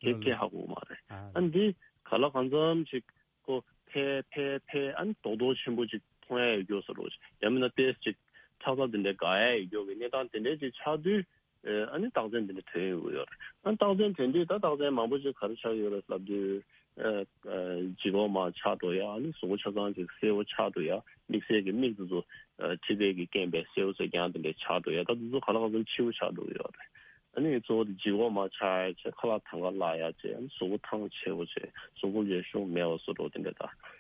དེ་སྐད་ཧ་གོ་མ་རེད། ཨ་འདི་ག་ལ་གང་འཚམ་ཞིག་ཁོ་འཕེལ་འཕེལ་འཕེལ་ཨ་ནི་རྡོག་རྡོག་ཆེན་པོ་ཅིག་མཐོང་ཡ་ཡོད་རྒྱུ་ཟེར་རོ། ཡང་མིན་ན་ཏོག་ཙམ་ཅིག་ཁྲག་རྩ་དེ་འདྲ་འགག་ཡ་ཡོད་རྒྱུ་གི་གནས་སྟངས་དེ་འདྲ་ཅིག་ཆགས་དུས་ཨ་ནི་རྟགས་མཚན་དེ་འདྲ་ཐོན་ཡོང་གི་ཡོད་རེད། ཨ་རྟགས་མཚན་ཐོན་དུས་ད་རྟགས་མཚན་མང་པོ་ཅིག་ག་རེ་ཆགས་ཡོད་རེད་ལབ་དུས་ལྗིད་ཁོག་མར་ཆག་འགྲོ་ཡ། ཨ་ནི་གཟུགས་པོ་ཆ་ཚང་ཅིག་སེར་པོ་ཆགས་འགྲོ་ཡ། དམིགས་བསལ་གྱི་མིག་དེ་ཚོ་མཁྲིས་དེ་གི་རྐྱེན་པས་སེར་པོ་གསེར་རྐྱང་དེ་འདྲ་ཆགས་འགྲོ་ཡ། ད་དེ་ཚོ་ག་ལ་གང་འཚམ་འཕྱི་བོ་ཆགས་འགྲོ་གི་ཡོད་རེད། ཨ་ནི་གཙོ་བོ་དེ་ལྗིད་ཁོག་མར་ཆག་ཡ་བྱས། ཁ་ལག་དང་ག་ལག་ཡ་བྱས། ཨ་ནི་གཟུགས་པོ་ཐང་ཆད་པོ་བྱས། གཟུགས་པོ་ལས་ཤུགས་མེད་པ་བཟོ་འགྲོ་དེ་འདྲ་ད།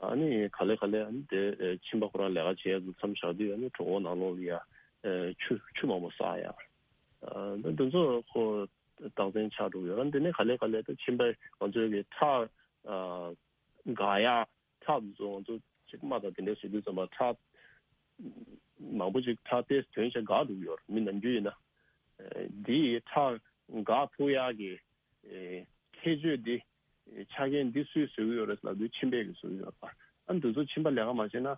ཨ་ནི་ག་ལེ་ག་ལེ་ཨ་ནི་དེ་མཆིན་པ་ཁོ་རང་ལས་ཀ་བྱེད་ཡ་ཚོ་མཚམས་བཞག་དུས་ཨ་ནི་གྲོད་ཁོག་ནང་ལོགས་ལ་ཡ་ཆུ་ཆུ་མང་པོ་བསགས་ཡ། ཨ་ནི་དེ་ཚོ་ཁོ་རྟགས་མཚན་ཆགས་འགྲོ་གི་ཡོད་རེད། འདི་ནི་ག་ལེ་ག་ལེ་ད་མཆིན་པ་ང་ཚོའི་གི་ཁྲག་འགག་ཡ། ཁྲག་འདི་ཚོ་ང་ཚོ་ཅིག་རྨ་དང་དེ་འདྲ་བཟོ་དུས་ཙམ་པ་ཁྲག་མང་པོ་ཅིག་ཁྲག་ཏོག་ཙམ་ཐོན་བྱས་འགག་འགྲོ་གི་ཡོད་རེད། མི་ནམ་རྒྱུན་ཡིན་ན། འདི་ཁྲག་འགག་ཐུབ་ཡག་གི་ཁྱད་ཆོས་འདི་ཆ་རྐྱེན་འདི་སུས་བཟོ་གི་ཡོད་རེད་ལབ་དུས་མཆིན་པས་གི་བཟོ་གི་ཡོད་རེད་པ། ཨ་འདི་ཚོ་མཆིན་པ་ལས་ཀ་མ་བྱས་ན་ཨ་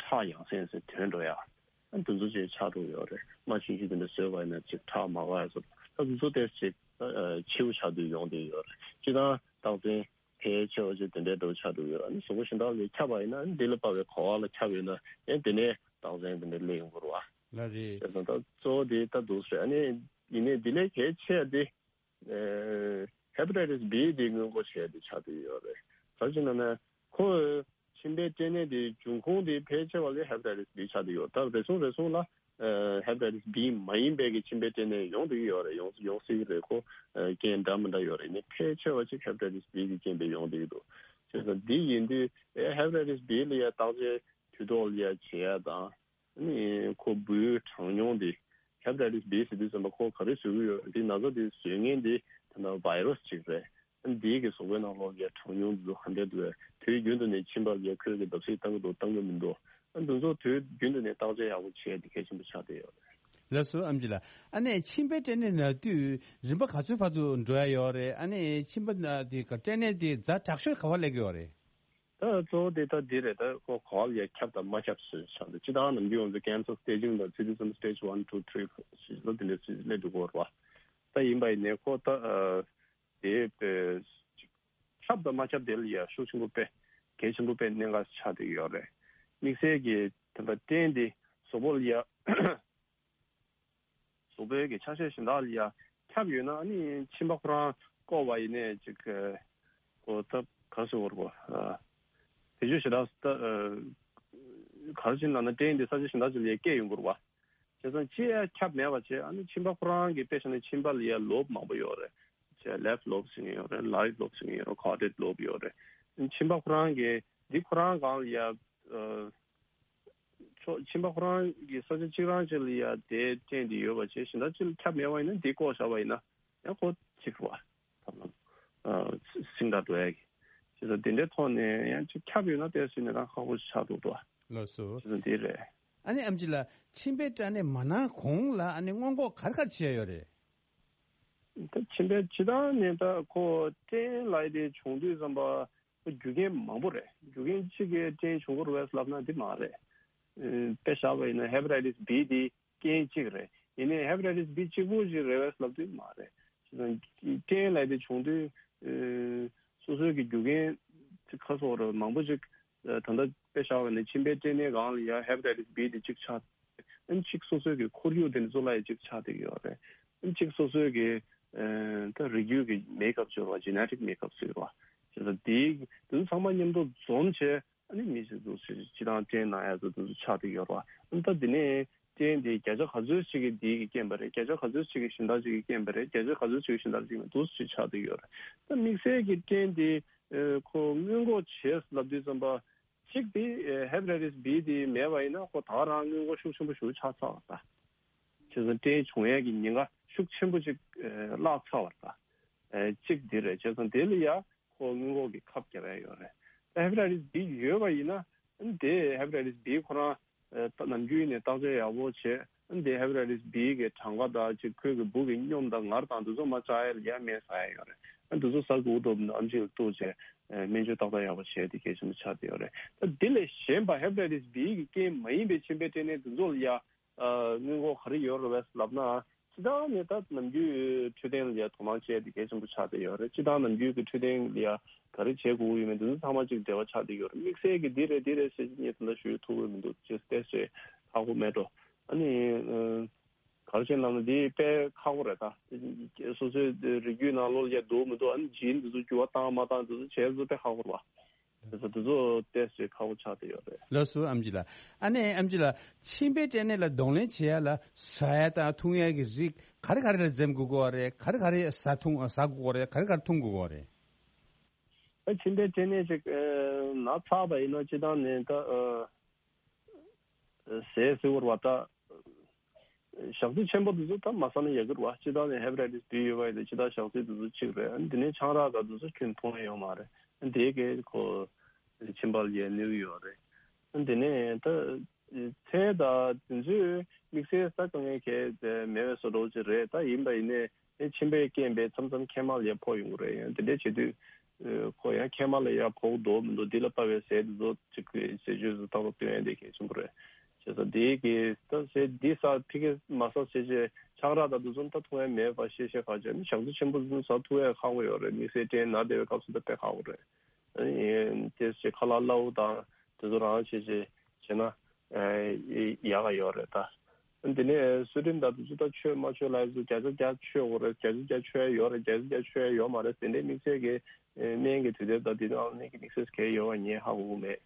ཁྲག་ཡང་སེ་ཡང་སེ་ཐོན་འགྲོ་ཡ། ཨ་འདི་ཚོ་ཅིག་ཆགས་འགྲོ་གི་ཡོད་རེད། རྨ་ཆུང་ཆུང་དེ་འདྲ་བཟོས་པ་ཡིན་ན་ཅིག་ཁྲག་མ་འགག་ཡ་བཟོ། ད་འདི་ཚོ་ཏོག་ཙམ་ཅིག་ ཆེ་བོ་ཆགས་བསྡད་ཡོང་བསྡད་ཡོད་རེད། སྤྱིར་བཏང་རྟགས་མཚན་ཕལ་ཆེ་བ་ཅིག་དེ་འདྲའི་འདྲ་བོ་ཆགས་བསྡད་ཡོད་རེད། ཨ་ནི་གཟུགས་པོ་གཞན་དག་ལ་ཁྱབ་པ་ཡིན་ན། ཨ་ནི་འདི་ལ་དཔག་པའི་གོ་བ་ལ་ཁྱབ་ཡོད་ན། ཨ་ནི་དེ་ནས་རྟགས་མཚན་དེ་འདྲ་སླེབས་ཡོང་གི་རེད་བ། ལགས་རེད། བྱས་ཙང་ད་གཙོ་བོ་དེ་ད་འདུག་སེ་རེད། ཨ་ནི་ཡིན་ནའི་འདི་ལས་གལ་ཆེ་བ་དེ། ཨེ། ཧེ་པ་ཊའི་ཊིས་བྷི་དེ་སྔོན་འགོག་བྱས་ཏེ་ཆགས་བསྡད་ཡོད་རེད། ག་རེ་ཟེར་ན་ན། ཁོ་མཆིན་པའི་སྐྲན་ནད་དེ་འབྱུང་ཁུངས་དེ་ཕལ་ཆེ་བ་ལ་ཧེ་པ་ཊའི་ཊིས་བྷི་ཆགས་བསྡད་ཡོད། ད་རེ་ཟུང་རེ་ཟུང་ལ། ཨེ། ཧེ་པ་ཊའི་ཊིས་བྷི་མ་ཡིན་པའི་གི་མཆིན་པའི་སྐྲན་ནད་ཡོང་བསྡད་ཀྱི་ཡོད་རེད། ཡོང་ཡོང་སྲིད་ཀྱི་རེད། ཁོ། ཨེ། རྐྱེན་འདྲ་མི་འདྲ་ཡོད་རེད། ཡིན་ནའི་ཕལ་ཆེ་བ་ཅིག་ཧེ་པ་ཊའི་ཊིས་བྷི་གི་རྐྱེན་པས་ཡོང་བསྡད་ཀྱི་འདུག། བྱས་ཙང་འདི་ཡིན་དུས། ཨེ། ཧེ་པ་ཊའི་ཊིས་བྷི་ལ་ཡ་བརྟག་དཔྱད་དུས་ཐོག་ལ་ཡ་བྱེད་ཡ་དང་། ཨ་ནི་ཁོ་འབུའི་གྲངས་ཉུང་འདི། ཧེ་པ་ཊའི་ཊིས་བྷི་ཟེར་དུས་ཙམ་པ་ཁོ་ག་རེ་བཟོ་གི་ཡོད། འདི་ན་ཚ་འདི་བཟོ་མཁན་འདི་ད་ལྟ་བྷའི་རུ་སི་ཅིག་རེད། ཨ་ནི་འདི་གི་གཟུགས་པོའི་ནང་ལོགས་ཀྱི་གྲངས་ཉུང་འདི་ཚོ་ག་འདྲ་འདུག། དུས་རྒྱུན་དུ་ནས་མཆིན་པ་ལ་ཁོས་ཀྱི་བརྡབ་གསིག་བཏང་གི་འདུག། བཏང་གི་མི་འདུག། ཨ་འདི་ཚོ་དུས་རྒྱུན་དུ་ནས་བརྟག་དཔྱད་ཡག་པོ་བྱས་ཏེ་གལ་ཆེན་པོ་ཆགས་བསྡད་ཡོད་རེད། ལགས་སོ། ཨེམ་ཆི་ལགས། ཨ་ནི་མཆིན་པའི་སྐྲན་ནད་ན་དུས་རིམ་པ་ག་ཚོད་བར་དུ་འགྲོ་ཡ་ཡོད་རེད། ཨ་ནི་མཆིན་པ་ན་དེ་ག་སྐྲན་ནད་དེ་ཛ་དྲག་ཤོས་ག་པར་སླེབས་ཀྱི་ཡོད་རེད། ད་གཙོ་བོ་དེ་ད་འདི་རེད། ད་ཁོ་ག་པར་ཡ་ཁྱབ་དང་མ་ཁྱབ་ཟེར་ཆགས་འདུག། སྤྱིར་བཏང་ནམ་རྒྱུན་ང་ཚོ་ཀེན་སར་སི་ཊེ་ཇིང་ལ་ཚིག་དུས་ཙམ་སི་ཊེ་ཇི་ཝན་ཊུ་ཐི་རི་ཕོར་ཟེར་ལ་དེ་འདྲ་ཚིག་སླེབས་འགྲོ་གི་ཡོད་རེད་བ། ད་ཡིན་པ་ཡིན་ནའི་ཁོ་ད། ཨ། དེ་དཔེ་ཁྱབ་དང་མ་ཁྱབ་དེ་ལ་ཡ་ཤུགས་ཆེན་པོ་དཔེ་གལ་ཆེན་པོ་དཔེ་གནད་འགག་ཆགས་བསྡད་ཡོད་རེད། དམིགས་བསལ་གྱི་ད་ལྟ་སྐྲན་དེ་གཟུགས་པོ་ལ་ཡ། གཟུགས་པོའི་གི་ཆ་ཤས་གཞན་དག་ལ་ཡ་ཁྱབ་ཡོད་ན། ཨ་ནི་མཆིན་པ་ཁོ་རང་བཀོག་པ་ཡིན་ནའི་ཅིག་གོ་ད་ག་རེ་ཟེར་དགོས་རེད་གོ། ཨ། བེད་སྤྱོད་ཞེ་དྲག་ད། ཨ། ག་རེ་བྱས་ན་ན་སྐྲན་དེ་ས་ཆ་གཞན་དག་ཅིག་ལ་ཡ་སྐྱེ་ཡོང་གི་རེད་བ། བྱས་ཙང་ཅི་ཡ་ཁྱབ་མེད་པ་བྱས། ཨ་ནི་མཆིན་པ་ཁོ་རང་གི་དཔེ་བཞག་ན་མཆིན་པ་ལ་ཡ་ལོབ་མང་པོ་ཡོད་རེད། བྱས་ལེབ་ལོབ་ཟེར་མཁན་ཡོད་རེད། རའིཊ་ལོབ་ཟེར་མཁན་ཡོད་རེད། ཁོར་ཌེཌ་ལོབ་ཡོད་རེད། མཆིན་པ་ཁོ་རང་གི་འདི་ཁོ་རང་སྒང་ལ་ཡ། ཨ། ཕྱོགས་མཆིན་པ་ཁོ་རང་གི་ས་ཆ་གཅིག་རང་གཅིག་ལ་ཡ་དེ་སྐྲན་དེ་ཡོད་པ་བྱས། གཞན་དག་ཅིག་ལ་ཁྱབ་མེད་པ་ཡིན་ན། འདི་བཀོག་བཞག་པ་ཡིན་ན་ཡང་ཁོ་གཅིག་རེད་བ། ཐབས་ལམ། ཨ། སིང་དྲག་འགྲོ་ཡ་གི། བྱས་ཙང་དེ་འདྲའི་ཐོག་ནས་ཡང་ཅིག་ཁྱབ་ཡོད་ན་ཏོག་ཙམ་ནས་རང་ཁག་པོ་ཞིག་ཆགས་འདུག་ཏོ། ལགས་སོ། བྱས་ཙང་འདི་རེད། ཨ་ནི་ཨེམ་ཆི་ལགས། མཆིན་པའི་སྐྲན་ནད་མ་ན་གོང་ལ་ཨ་ནི་སྔོན་འགོག་ག་རེ་ག་རེ་བྱེད་ཡ་ཡོད་རེད། ད་མཆིན་པའི་སྤྱིར་བཏང་ནས་ད་ཁོ་སྐྲན་ལབ་ཡ་དེ་བྱུང་དུས་ཙམ་པ། རྒྱུ་རྐྱེན་མང་པོ་རེད། རྒྱུ་རྐྱེན་གཅིག་གིས་སྐྲན་བྱུང་གི་རེད་པས་ལབ་ན་འདི་མ་རེད། ཨེ། དཔེ་བཞག་པ་ཡིན་ན་ཧེ་པ་ཊའི་ཊིས་བྷི་འདི་རྐྱེན་གཅིག་རེད། ཡིན་ནའི་ཧེ་པ་ཊའི་ཊིས་བྷི་གཅིག་པུ་ཞིག་རེད་པས་ལབ་དུས་མ་རེད། བྱས་ཙང་སྐྲན་ལབ་དེ་བྱུང་དུས། ཨེ། སོ་སོའི་གི་རྒྱུ་རྐྱེན་ཅིག་ག་རེ་ཟེར་དགོས་རེད། མང་པོ་ཅིག་ཨ། ད་ལྟ་དཔེ་བཞག་པ་ཡིན་ན་མཆིན་པའི་སྐྲན་ནད་སྒང་ལ་ཡ་ཧེ་པ་ཊའི་ཊིས་བྷི་དེ་གཅིག་ཆགས། ཨ་ནི་གཅིག་སོ་སོའི་གི་ཁོར་ཡུག་དེ་ནི་གཙོ་བོ་ལ་ཡ་གཅིག་ཆགས་བསྡད་ཀྱི་ཡོད་རེད། ཨ་ནི་གཅིག་སོ་སོའི་གི། ཨ། ད་རིགས་རྒྱུད་ཀྱི་མེག་ཨབ་ཟེར་བ། ཇེ་ནེ་ཊིག་མེག་ཨབ་ཟེར་བ། བྱས་ཙང་དེ་དེ་ཚོ་ཚང་མ་མཉམ་དུ་འཛོམས་བྱས། ཨ་ནི་མི་ཞིག་ཚོ་སྤྱིར་བཏང་སྐྲན་ན་ཡ་ཚོ་དེ་ཚོ་ཆགས་བསྡད་ཀྱི་ཡོད་རེད་བ། ཨ་ནི་ད་དེ་ནས་སྐྲན་དེ་བརྒྱ་ཆ་ག་ཚོད་ཅིག་གིས་དེ་གི་རྐྱེན་པ་རེད། བརྒྱ་ཆ་ག་ཚོད་ཅིག་གིས་གཞན་དག་ཅིག་གི་རྐྱེན་པ་རེད། བརྒྱ་ཆ་ག་ཚོད་ཅིག་གིས་གཞན་དག་ཅིག་མི་འདུག་ཅིག་ཆགས་བསྡད་ཀྱི་ཡོད་རེད། ད་དམིགས་བསལ་གྱི་སྐྲན་དེ། ཨེ། ཁོ་སྔོན་འགོག་བྱས་ལབ་དུས་ཙམ་པ། གཅིག་དེ། ཨེ། ཧེ་པ་ཊའི་ཊིས་བྷི་དེ་མེད་པ་ཡིན་ན་ཁོ་ད་ག་རང་སྔོན་འགོག་ཤུགས་ཆེན་པོ་ཞིག་ཆགས་ཚར་བ་རེད་ད། བྱས་ཙང་སྐྲན་བྱུང་ཡས་ཀྱི་ཉེན་ཁ་ཤུགས་ཆེན་པོ་ཅིག་ཨེ། བརླག་ཚར་བ་རེད་ད། ཨེ། གཅིག་དེ་རེད། བྱས་ཙང་དེ་ལ་ཡ་ཁོ་སྔོན་འགོག་གི་ཁབ་བརྒྱབ་ཡ་ཡོད་རེད། ད་ཧེ་པ་ཊའི་ཊིས་བྷི་ཡོད་པ་ཡིན་ན། ཨ་ནི་དེ་ཧེ་པ་ཊའི་ཊིས་བྷི་ཁོ་རང་། ཨེ། ད་ནམ་རྒྱུན་ནས་བརྟག་དཔྱད་ཡག་པོ་བྱས། ཨ་ནི་དེ་ཧེ་པ་ཊའི་ཊིས་བྷི་གི་གྲངས་ཀ་དང་ཅིག་ཁོའི་གི་འབུ་གི་སྙོམས་དང་ངར་དང་དེ་ཚོ་མར་བཅག་ཡ་ལ་ཡ་སྨན་ཟ་ཡ་ཡོད་རེད། ཨ་ནི་དེ་ཚོ་ཟ་དགོས་འདུག་ཨམ་ཆི་ལ་གཏུགས་བྱས། ཨེ། སྨན་བཅོས་ཏག་ཏག་ཡག་པོ་བྱས་དེ་གལ་ཆེན་པོ་ཆགས་བསྡད་ཡོད་རེད། ད་དེ་ལས་གཞན་པ་ཧེ་པ་ཊའི་ཊིས་བྷི་གི་རྐྱེན་མ་ཡིན་པའི་མཆིན་པའི་སྐྲན་ནད་དེ་ཚོ་ལ་ཡ། ཨ། སྔོན་འགོག་ག་རེ་ཡོད་རེད་པས་ལབ་ན། སྤྱིར་བཏང་ནས་ད་ནམ་རྒྱུན་འཕྲོད་བསྟེན་ལ་ཡ་དོ་སྣང་བྱས་ཏེ་གལ་ཆེན་པོ་ཆགས་བསྡད་ཡོད་རེད། སྤྱིར་བཏང་ནམ་རྒྱུན་གྱི་འཕྲོད་བསྟེན་ལ་ཡ་ག་རེ་བྱེད་དགོས་ཀྱི་ཡོད་མེད་འདི་ཚོ་ཚང་མ་ཅིག་འབྲེལ་བ་ཆགས་བསྡད་ཡོད་རེད། དམིགས་བསལ་གྱི་འདི་རེད་འདི་རེད་ཟེར་ངས་ད་ལྟ་ཞུ་ཐུབ་ཀྱི་མི་འདུག། ཅེས་ཏོག་ཙམ་ཧ་གོ་མེད་འགྲོ། ཨ་ནི། ཨ། ག་རེ་བྱས་ལབ་ན་འདི་དཔེ་ཁག་པོ་རེད་ད། སོ་སོའི་རིགས་རྒྱུད་ནང་ལོགས་ལ་ཡ་འདུག་མི་འདུག། ཨ་ནི་ཇིན་འདི་ཚོ་འགྱུར་བ་བཏང་མ་བཏང་འདི་ཚོ་བྱས་ཚོ་དཔེ་ཁག་པོ་རེད་བ། དེ་ཚོ་དེ་ཚོ་ཏོག་ཙམ་ཁག་པོ་ཆགས་བསྡད་ཡོད་རེད། ལགས་སོ་ཨམ་ཆི་ལགས། ཨ་ནེ་ཨམ་ཆི་ལགས། མཆིན་པའི་སྐྲན་ནད་ལ་གདོང་ལེན་བྱེད་ཡ་ལ་ཟ་ཡ་དང་འཐུང་ཡ་གི་རིགས་ག་རེ་ག་རེ་ལ་འཛེམ་དགོས་ཀྱི་ཡོད་རེད། ག་རེ་ག་རེ་ཟ་འཐུང་ཟ་དགོས་ཀྱི་ཡོད་རེད། ག་རེ་ག་རེ་འཐུང་དགོས་ཀྱི་ཡོད་རེད། ཨ། མཆིན་པའི་སྐྲན་ནད་ཅིག་ཨ་ན་ཚར་བ་ཡིན་ན་སྤྱིར་བཏང་ནས་ད་ཨ་ཟས་ཟེར་བ་ད། ཞག་ཚི་ཆེན་པོ་དེ་ཚོ་ད་མ་ཟ་ན་ཡག་གི་རེད་བ། སྤྱིར་བཏང་ནས་ཧེ་པ་ཊའི་ཊིས་བྷི་ཡོད་པ་ཡིན་ན་སྤྱིར་བཏང་ཞག་ཚི་དེ་ཚོ་གཅིག་རེད། ཨ་ནི་དེ་ནས་ཆང་རག་དང་དེ་ཚོ་ཁྱོན་འཐུང་ཡ་ཡོད་མ་རེད། ཨ་ནི་དེ་གས་ཁོ་མཆིན་པ་ལ་ཡ་གནོད་ཀྱི་ཡོད་རེད། ཨ་ནི་དེ་ནས་ད་ཚལ་དང་དེ་ཚོའི་དམིགས་བསལ་ཟ་དཀའ་ངལ་གས་དེ་མེད་པའི་བཟོ་འདྲ་ཅིག་རེད། ད་ཡིན་པ་ཡིན་ནའི་མཆིན་པའི་རྐྱེན་པས་མཚམས་མཚམས་མཁལ་མ་ལ་ཡ་ཕོག་ཡོང་གི་རེད། ཡང་དེ་འདྲ་བྱེད་དུས་ཁོ་ཡང་མཁལ་མ་ལ་ཡ་ཕོག་འདུག་མི་འདུག་འདི་ལ་དཔག་པའི་ཟས་དེ་ཚོ་ཅིག་གི་ཟས་སྤྱོད་དུ་ཏག་ཏག་སྟོན་ཡ་དེ་གལ་ཆེན་པོ་རེད། བྱས་ཙང་དེའི་གི་ད་ཟེར་འདི་ས་ཕི་གེ་མ་ས་ཟེར་བྱས་ཆང་རག་དང་དེ་ཚོ་ད་འཐུང་ཡ་མེད་པ་ཤེས་ཤེས་ཁ་ཅིག་ནི་ཞག་ཚི་ཆེན་པོ་ཚོ་ཟ་ཐུབ་ཡ་ཁག་པོ་ཡོད་རེད། དམིགས་བསལ་སྐྲན་ན་བསྡད་པའི་སྐབས་སུ་ད་དཔེ་ཁག་པོ་རེད། ཨ་ནི་དེ་ཟེར་ཁ་ལག་སླ་བོ་དང་དེ་ཚོ་རང་བྱས་བྱས་བྱས་ན་ཡག་ག་ཡོད་རེད་ད། དེ་ནས་སུ་རིམ་དང་དེ་ཚོ་ད་ཆོས་མ་ཆོས་ལ་ཚོ་བརྒྱ་ཆ་བརྒྱ་ཆོས་འོ་རེད། བརྒྱ་ཆ་བརྒྱ་ཆོས་ཡོད་རེད། བརྒྱ་ཆ་བརྒྱ་ཆོས་ཡོད་མ་རེད། དེ་འདྲའི་དམིགས་བསལ་གྱི་སྨན་གྱི་དུས་དེབ་དང་དེ་ནང་སྨན་གྱི་དམིགས་བསལ་གལ་ཡོད་པ་ངས་ཧ་གོ་གི་མེད།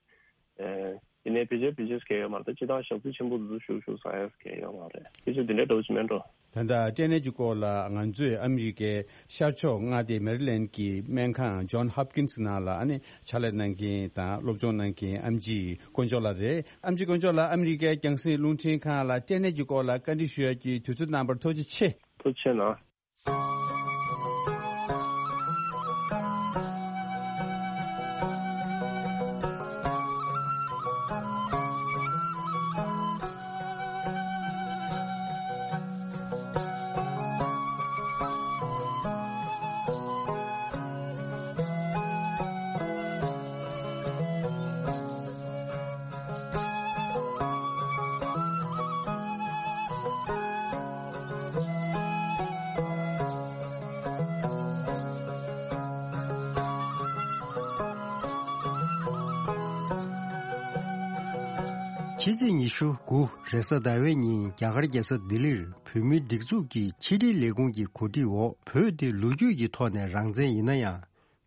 དེ་ནས་ཕལ་ཆེར་ཕལ་ཆེར་གལ་ཡོད་མ་རེད། ད་སྤྱི་བཏང་ཞག་ཚི་ཆེན་པོ་དེ་ཚོ་ཞུགས་ཞུགས་ཟ་ཡ་གལ་ཡོད་མ་རེད། ཕལ་ཆེར་དེ་འདྲའི་འདྲ་བོ་ཞིག་མེད་འགྲོ། ད་ལྟ་སྐྲན་ནད་ཀྱི་སྐོར་ལ་ང་ཚོས་ཨ་མི་རི་ཀའི་ཤར་ཕྱོགས་མངའ་སྡེ་མེ་རི་ལེན་གྱི་སྨན་ཁང་John Hopkins ནང་ལ་ཨ་ནི་ཕྱག་ལས་གནང་མཁན་དང་སློབ་སྦྱོང་གནང་མཁན་ཨམ་ཆི་དཀོན་མཆོག་ལགས་རེད། ཨམ་ཆི་དཀོན་མཆོག་ལགས་ཨ་མི་རི་ཀའི་རྒྱང་སྲིང་རླུང་འཕྲིན་ཁང་ལ་སྐྲན་ནད་ཀྱི་སྐོར་ལ་བཀའ་འདྲི་ཞུ་ཡག་གི་དུས་ཚོད་གནང་བར་ཐུགས་རྗེ་ཆེ། ཐུགས་རྗེ་ཆེ་གནང་། ཕྱི་ཚེས་ཉི་ཤུ་དགུ་རེས་གཟའ་ཟླ་བའི་ཉིན་རྒྱ་གར་རྒྱལ་ས་ལྡི་ལིར་བོད་མིའི་སྒྲིག་འཛུགས་ཀྱི་ཕྱི་དྲིལ་ལས་ཁུངས་ཀྱི་གོ་སྒྲིག་འོག་བོད་དེ་ལོ་རྒྱུས་ཀྱི་ཐོག་ནས་རང་བཙན་ཡིན་ན་ཡང་།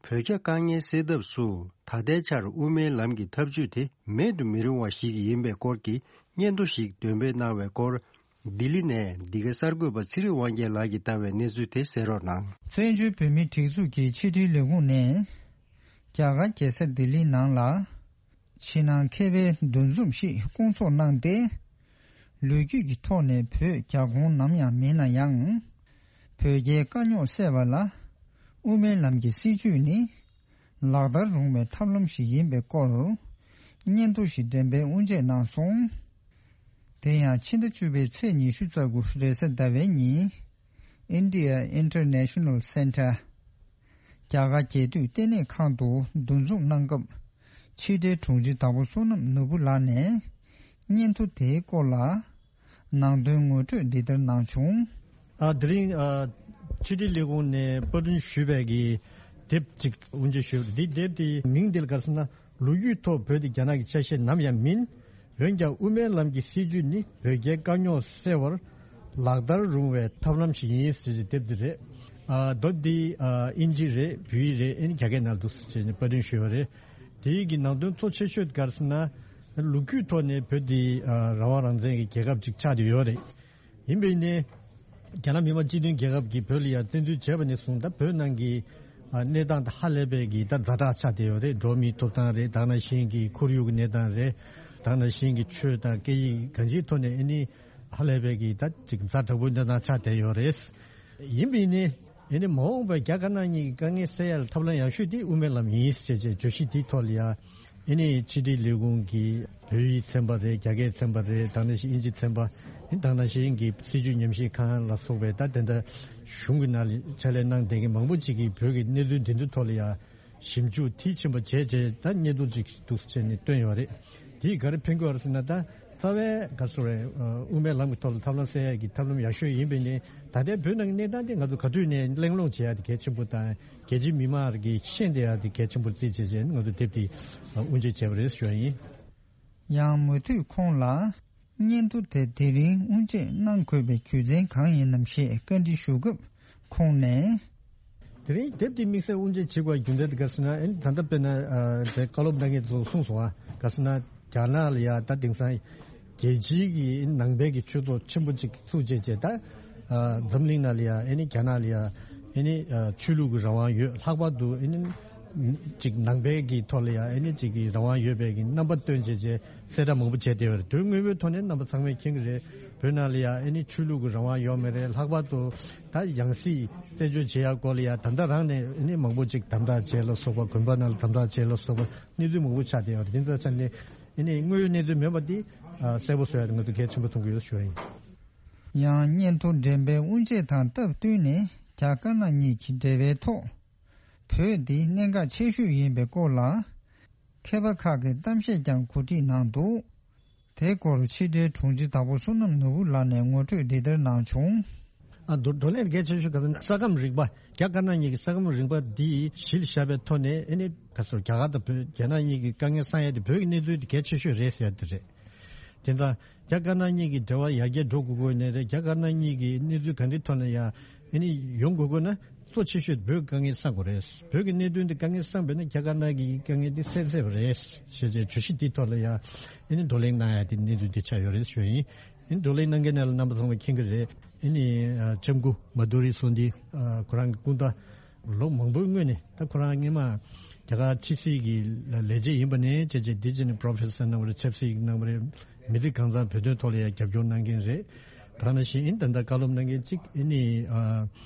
བོད་རྒྱ་དཀའ་ངལ་སེལ་ཐབས་སུ་ད་ལྟའི་ཆར་དབུ་མའི་ལམ་གྱི་ཐབས་ཇུས་དེ་མེད་དུ་མི་རུང་བ་ཞིག་ཡིན་པའི་སྐོར་གྱི་སྙན་ཐོ་ཞིག་འདོན་སྤེལ་གནང་བའི་སྐོར། ལྡི་ལི་ནས་འདི་གའི་གསར་འགོད་པ་ཚེ་རིང་དབང་རྒྱལ་ལགས་ཀྱིས་བཏང་བའི་གནས་ཚུལ་དེ་གསན་རོགས་གནང་། བཙན་བྱོལ་བོད་མིའི་སྒྲིག་འཛུགས་ཀྱི་ཕྱི་དྲིལ་ལས་ཁུངས་ནས་རྒྱ་གར་རྒྱལ་ས་ལྡི་ལི་ནང་ལ་ཕྱི་ནང་མཁས་པའི་འདུ་འཛོམས་ཤིག་བསྐོང་ཚོགས་གནང་སྟེ། ལོ་རྒྱུས་ཀྱི་ཐོག་ནས་བོད་རྒྱ་ཁོངས་ནམ་ཡང་མིན་ན་ཡང་། བོད་རྒྱའི་དཀའ་རྙོག་སེལ་བ་ལ་དབུ་མའི་ལམ་གྱི་སྲིད་བྱུས་ནི་ལག་བསྟར་རུང་བའི་ཐབས་ལམ་ཞིག་ཡིན་པའི་སྐོར་སྙན་ཐོ་ཞིག་འགྲེམས་སྤེལ་དབུ་འབྱེད་གནང་སོང་། དེ་ཡང་ཕྱི་ཟླ་བཅུ་པའི་ཚེས་ཉི་ཤུ་རྩ་དགུ་རེས་གཟའ་ཟླ་བའི་ཉིན་India International Center རྒྱ་གར་རྒྱལ་དུས་ལྟེ་གནས་ཁང་དུ་འདུ་འཛོམས་གནང་སྐབས་ཕྱི་དྲིལ་དྲུང་ཆེ་དྭགས་པོ་བསོད་ནམས་ནོར་བུ་ལགས་ནས་སྙན་ཐོ་དེའི་སྐོར་ལ་ནང་དོན་ངོ་སྤྲོད་འདི་ལྟར་གནང་བྱུང་། ཨ། དེ་རིང་ཨ། ཕྱི་དྲིལ་ལས་ཁུངས་ནས་པར་སྐྲུན་ཞུས་པའི་གི་དེབ་ཅིག་དབུ་འབྱེད་ཞུས་པ་རེད། འདི་དེབ་དེའི་མིང་འདི་ལ་ག་རེ་ཟེར་ན། ལོ་རྒྱུས་ཐོག་བོད་དེ་རྒྱ་ནག་གི་ཆ་ཤས་ནམ་ཡང་མིན། འོན་ཀྱང་དབུ་མའི་ལམ་གྱི་སྲིད་བྱུས་ནི་བོད་རྒྱའི་དཀའ་རྙོག་སེལ་བར་ལག་བསྟར་རུང་བའི་ཐབས་ལམ་ཞིག་ཡིན་ཟེར་གྱི་དེབ་འདི་རེད། ཨ། དེབ་འདི་ཨ། དབྱིན་ཇི་རེད། བོད་ཡིག་རེད། ཨ་ནི་རྒྱ་སྐད་ནང་འདུག་ཟེར་བྱས་ནས་པར་སྐྲུན་ཞུས་པ་རེད། དེ་ཡི་གི་ནང་དོན་གཙོ་ཆེ་ཤོས་ག་རེ་ཟེར་ན། ལོ་རྒྱུས་ཐོག་ནས་བོད་འདི་ཨ། རང་དབང་རང་བཙན་གྱི་རྒྱལ་ཁབ་ཅིག་ཆགས་བསྡད་ཡོད་རེད། ཡིན་པས་ནི། རྒྱ་ནག་མི་དམངས་སྤྱི་མཐུན་རྒྱལ་ཁབ་ཀྱིས་བོད་ལ་ཡང་བཙན་འཛུལ་བྱས་པ་ནས་བཟུང་ད་བོད་ནང་གི་ཨ། གནས་སྟངས་དེ་ཧ་ལས་པའི་གི་ད་ཛ་དྲག་ཆགས་བསྡད་ཡོད་རེད། འགྲོ་བ་མིའི་ཐོབ་ཐང་རེད། ད་ག་ནང་བཞིན་གྱི་ཁོར་ཡུག་གི་གནས་སྟངས་རེད། ད་ག་ནང་བཞིན་གྱི་ཆོས་དང་སྐད་ཡིག་གང་ཅིའི་ཐོག་ནས་ཨ་ནི་ཧ་ལས་པའི་གི་ད་ཅིག་ཛ་དྲག་པོའི་གནས་སྟངས་ཆགས་བསྡད་ཡོད་རེད། ཡིན་པས་ནི། ཨེ་ནི་མ་འོངས་པར་རྒྱ་དཀར་ནག་གཉིས་ཀྱི་དཀའ་ངལ་སེལ་ཡ་ལ་ཐབས་ལམ་ཡག་ཤོས་དེ་དབུ་མའི་ལམ་ཡིན་ཞེས་བྱས་བརྗོད་གཞི་དེའི་ཐོག་ལ་ཡ། ཨེ་ནི་ཕྱི་དྲིལ་ལས་ཁུངས་ཀྱི་བོད་ཡིག་ཚན་པ་རེད། རྒྱ་སྐད་ཚན་པ་རེད། ད་ནང་བཞིན་དབྱིན་ཇི་ཚན་པ། ཨེ་ད་ནང་བཞིན་གྱི་སྲིད་བྱུས་ཉམས་ཞིབ་ཁང་ལ་སོགས་པའི་ད་དེ་འདྲ་གཞུང་གི་ནང་ལ་ཕྱག་ལས་གནང་བསྡད་མཁན་མང་པོ་ཅིག་གིས་བོད་ཀྱི་གནས་ཚུལ་འདི་ཚོའི་ཐོག་ལ་ཡ་ཞིབ་འཇུག་མཐིལ་ཕྱིན་པ་བྱས་རྗེས་ད་སྙན་ཐོ་ཅིག་འདུག་སེ་བྱས་ནས་བཏོན་ཡོད་རེད། དེས་ག་རེ་ཕན་གྱི་ཡོད་རེད་ཟེར་ན། ད་རྩ་བའི་ག་རེ་ཟེར་དགོས་རེད། དབུ་མའི་ལམ་གྱི་ཐོག་ལ་ཐབས་ལམ་སེལ་ཡག་གི་ཐབས་ལམ་ཡག་ཤོས་ཡིན་པས་ནི། ད་ལྟའི་བོད་ནང་གི་གནས་སྟངས་དེ་ང་ཚོ་ག་དུས་ནས་གླེང་སློང་བྱེད་ཡག་དེ་གལ་ཆེན་པོ་དང་། རྒྱལ་སྤྱིའི་མི་མང་གིས་ཤེས་བསྡད་ཡག་དེ་གལ་ཆེན་པོར་བརྩིས་བྱས་བྱས་ནས་ང་ཚོ་དེབ་དེ་དབུ་འབྱེད་བྱས་པ་རེད་ཞུ་ཡག་ཡིན། ཡང་མུ་མཐུད་ཁོང་ལ་སྙན་ཐོ་དེ་དེ་རིང་དབུ་འབྱེད་གནང་དགོས་པའི་རྒྱུ་མཚན་གང་ཡིན་ནམ་ཞེས་བཀའ་འདྲི་ཞུ་སྐབས་ཁོང་ནས། དེ་རིང་དེབ་དེ་དམིགས་བསལ་དབུ་འབྱེད་བྱེད་དགོས་པའི་རྒྱུ་མཚན་དེ་ག་རེ་ཟེར་ན། ཨེ་ནི་ད་ལྟ་དཔེར་ན་ཨ། དེ་བཀའ་སློབ་གནང་མཁན་ཚོས་གསུངས་སོང་ཨ། ག་རེ་ཟེར་ན། རྒྱ་ནག་ལ་ཡ་ད་དེང་སང་རྒྱལ་སྤྱིའི་གི་ནང་པའི་གི་ཆོས་ཚོགས་ཆེན་པོ་ཅིག་ཚུགས་བྱས་བྱས་ད། ཨ། འཛམ་གླིང་ནང་ལ་ཡ་ཨེ་ནི་རྒྱ་ནག་ལ་ཡ་ཨེ་ནི་ཨ། ཆོས་ལུགས་ཀྱི་རང་དབང་ཡོད། ལྷག་པར་དུ་ཨེ་ནི་ཅིག་ནང་པའི་གི་ཐོག་ལ་ཡ་ཨེ་ནི་ཅིག་གི་རང་དབང་ཡོད་པའི་གི་རྣམ་པ་སྟོན་བྱས་བྱས་གསལ་བསྒྲགས་མང་པོ་བྱས་བསྡད་ཡོད་རེད། དོན་དངོས་པོའི་ཐོག་ནས་རྣམ་པ་ཚང་མས་མཁྱེན་གྱི་རེད། བོད་ནང་ལ་ཡ་ཨེ་ནི་ཆོས་ལུགས་ཀྱི་རང་དབང་ཡོད་མ་རེད། ལྷག་པར་དུ་ད་ཡང་སྲིད་བཙན་བྱོལ་བྱེད་ཡག་སྐོར་ལ་ཡ་ད་ལྟ་རང་ནས་ཨེ་ནི་མང་པོ་ཅིག་དམ་དྲག་བྱས་ལ་སོགས་པ། དགོན་པ་ནང་ལ་དམ་དྲག་བྱས་ལ་སོགས་པ་གནས་ཚུལ་མང་པོ་ཆགས་བསྡད་ཡོད་རེད། དེ་ཚོ་ཆ་ནས་ཨེ་ནི་དངོས་ཡོད་གནས་ཚུལ་མིན་པ་འདི་ཨ། གསལ་པོ་བཟོ་ཡ་དེ་ང་ཚོ་གལ་ཆེན་པོ་མཐོང་གི་ཡོད་ཞུ་བ་ཡིན། ཡང་སྙན་ཐོ་འགྲེམས་སྤེལ་དབུ་འབྱེད་དང་སྟབས་བསྟུན་ནས་རྒྱ་དཀར་ནག་གཉིས་ཀྱི་འབྲེལ་བའི་ཐོག་བོད་འདི་གནད་འགག་ཆེ་ཤོས་ཡིན་པའི་སྐོར་ལ་མཁས་པ་ཁག་གིས་གཏམ་བཤད་ཀྱང་གོ་སྒྲིག་གནང་འདུག། དེའི་སྐོར་ཕྱི་དྲིལ་དྲུང་ཆེ་དྭགས་པོ་བསོད་ནམས་ནོར་བུ་ལགས་ནས་ངོ་སྤྲོད་འདི་ལྟར་གནང་བྱུང་། ཨ་བགྲོ་བགྲོ་གླེང་གལ་ཆེ་ཤོས་ག་ས་ས་ཁམས་རིག་པ་རྒྱ་དཀར་ནག་གཉིས་ཀྱི་ས་ཁམས་རིག་པ་འདི་གཞི་ལ་བཞག་པའི་ཐོག་ནས་ཨ་ནི་ག་ས་རྒྱ་གར་དང་བོད་རྒྱ་ནག་གཉིས་ཀྱི་དཀའ་ངལ་སངས་ཡས་དེ་བོད་ཀྱི་གནས་ཚུལ་དེ་གལ་ཆེ་ཤོས་རེད་ཟེར་ཡ་དེ་རེད། དེ་འདྲ་རྒྱ་དཀར་ནག་གཉིས་ཀྱི་འབྲེལ་བ་ཡར་རྒྱས་འགྲོ་དགོས་དགོས་ནས་རེད། རྒྱ་དཀར་ནག་གཉིས་ཀྱི་གནས་ཚུལ་ག་འདྲའི་ཐོག་ནས་ཡ་ཨ་ནི་ཡོང་དགོས་དགོས་ན། གཙོ་ཆེ་ཤོས་བོད་དཀའ་ངལ་སེལ་དགོས་རེད། བོད་ཀྱི་གནད་དོན་འདི་དཀའ་ངལ་སེལ་བས་ན་རྒྱ་དཀར་ནག་གི་དཀའ་ངལ་འདི་སེལ་ཚར་བ་རེད་ཞེས་བྱས་བརྗོད་གཞི་འདིའི་ཐོག་ལ་ཡང་ཨ་ནི་བགྲོ་གླེང་གནང་ཡ་དེ་གནས་ཚུལ་འདི་ཆགས་ཡོད་རེད་ཞུ་ཡ་ཡིན། ཨ་ནི་བགྲོ་གླེང་གནང་མཁན་ནང་ལ་རྣམ་པ་ཚང་མ་མཁྱེན་གྱི་རེད། ཨ་ནི་ལྕམ་སྐུ་མ་དྷུ་རི་སོ་འདི་ཁོ་རང་གི་སྐུ་ཟླ་ལོ་མང་པོའི་སྔོན་ནས་ད་ཁོ་རང་སྔོན་མ་རྒྱ་གར་ཕྱི་སྲིད་ཀྱི་ལས་བྱེད་ཡིན་པ་ནས་བྱས་བྱས་འདི་བྱས་ནས་པྲོ་ཕེ་སར་གནང་བ་རེད། ཆབ་སྲིད་ཀྱི་གནང་བ་རེད། མི་སྡེ་གང་ཚང་བོད་དོན་ཐོག་ལ་ཡང་རྒྱབ་སྐྱོར་གནང་མཁན་རེད། ད་ནང་བཞིན་ཨིན་ད་ལྟ་བཀའ་སློབ་གནང་མཁན་གཅིག་ཨ་ནི་ཨ་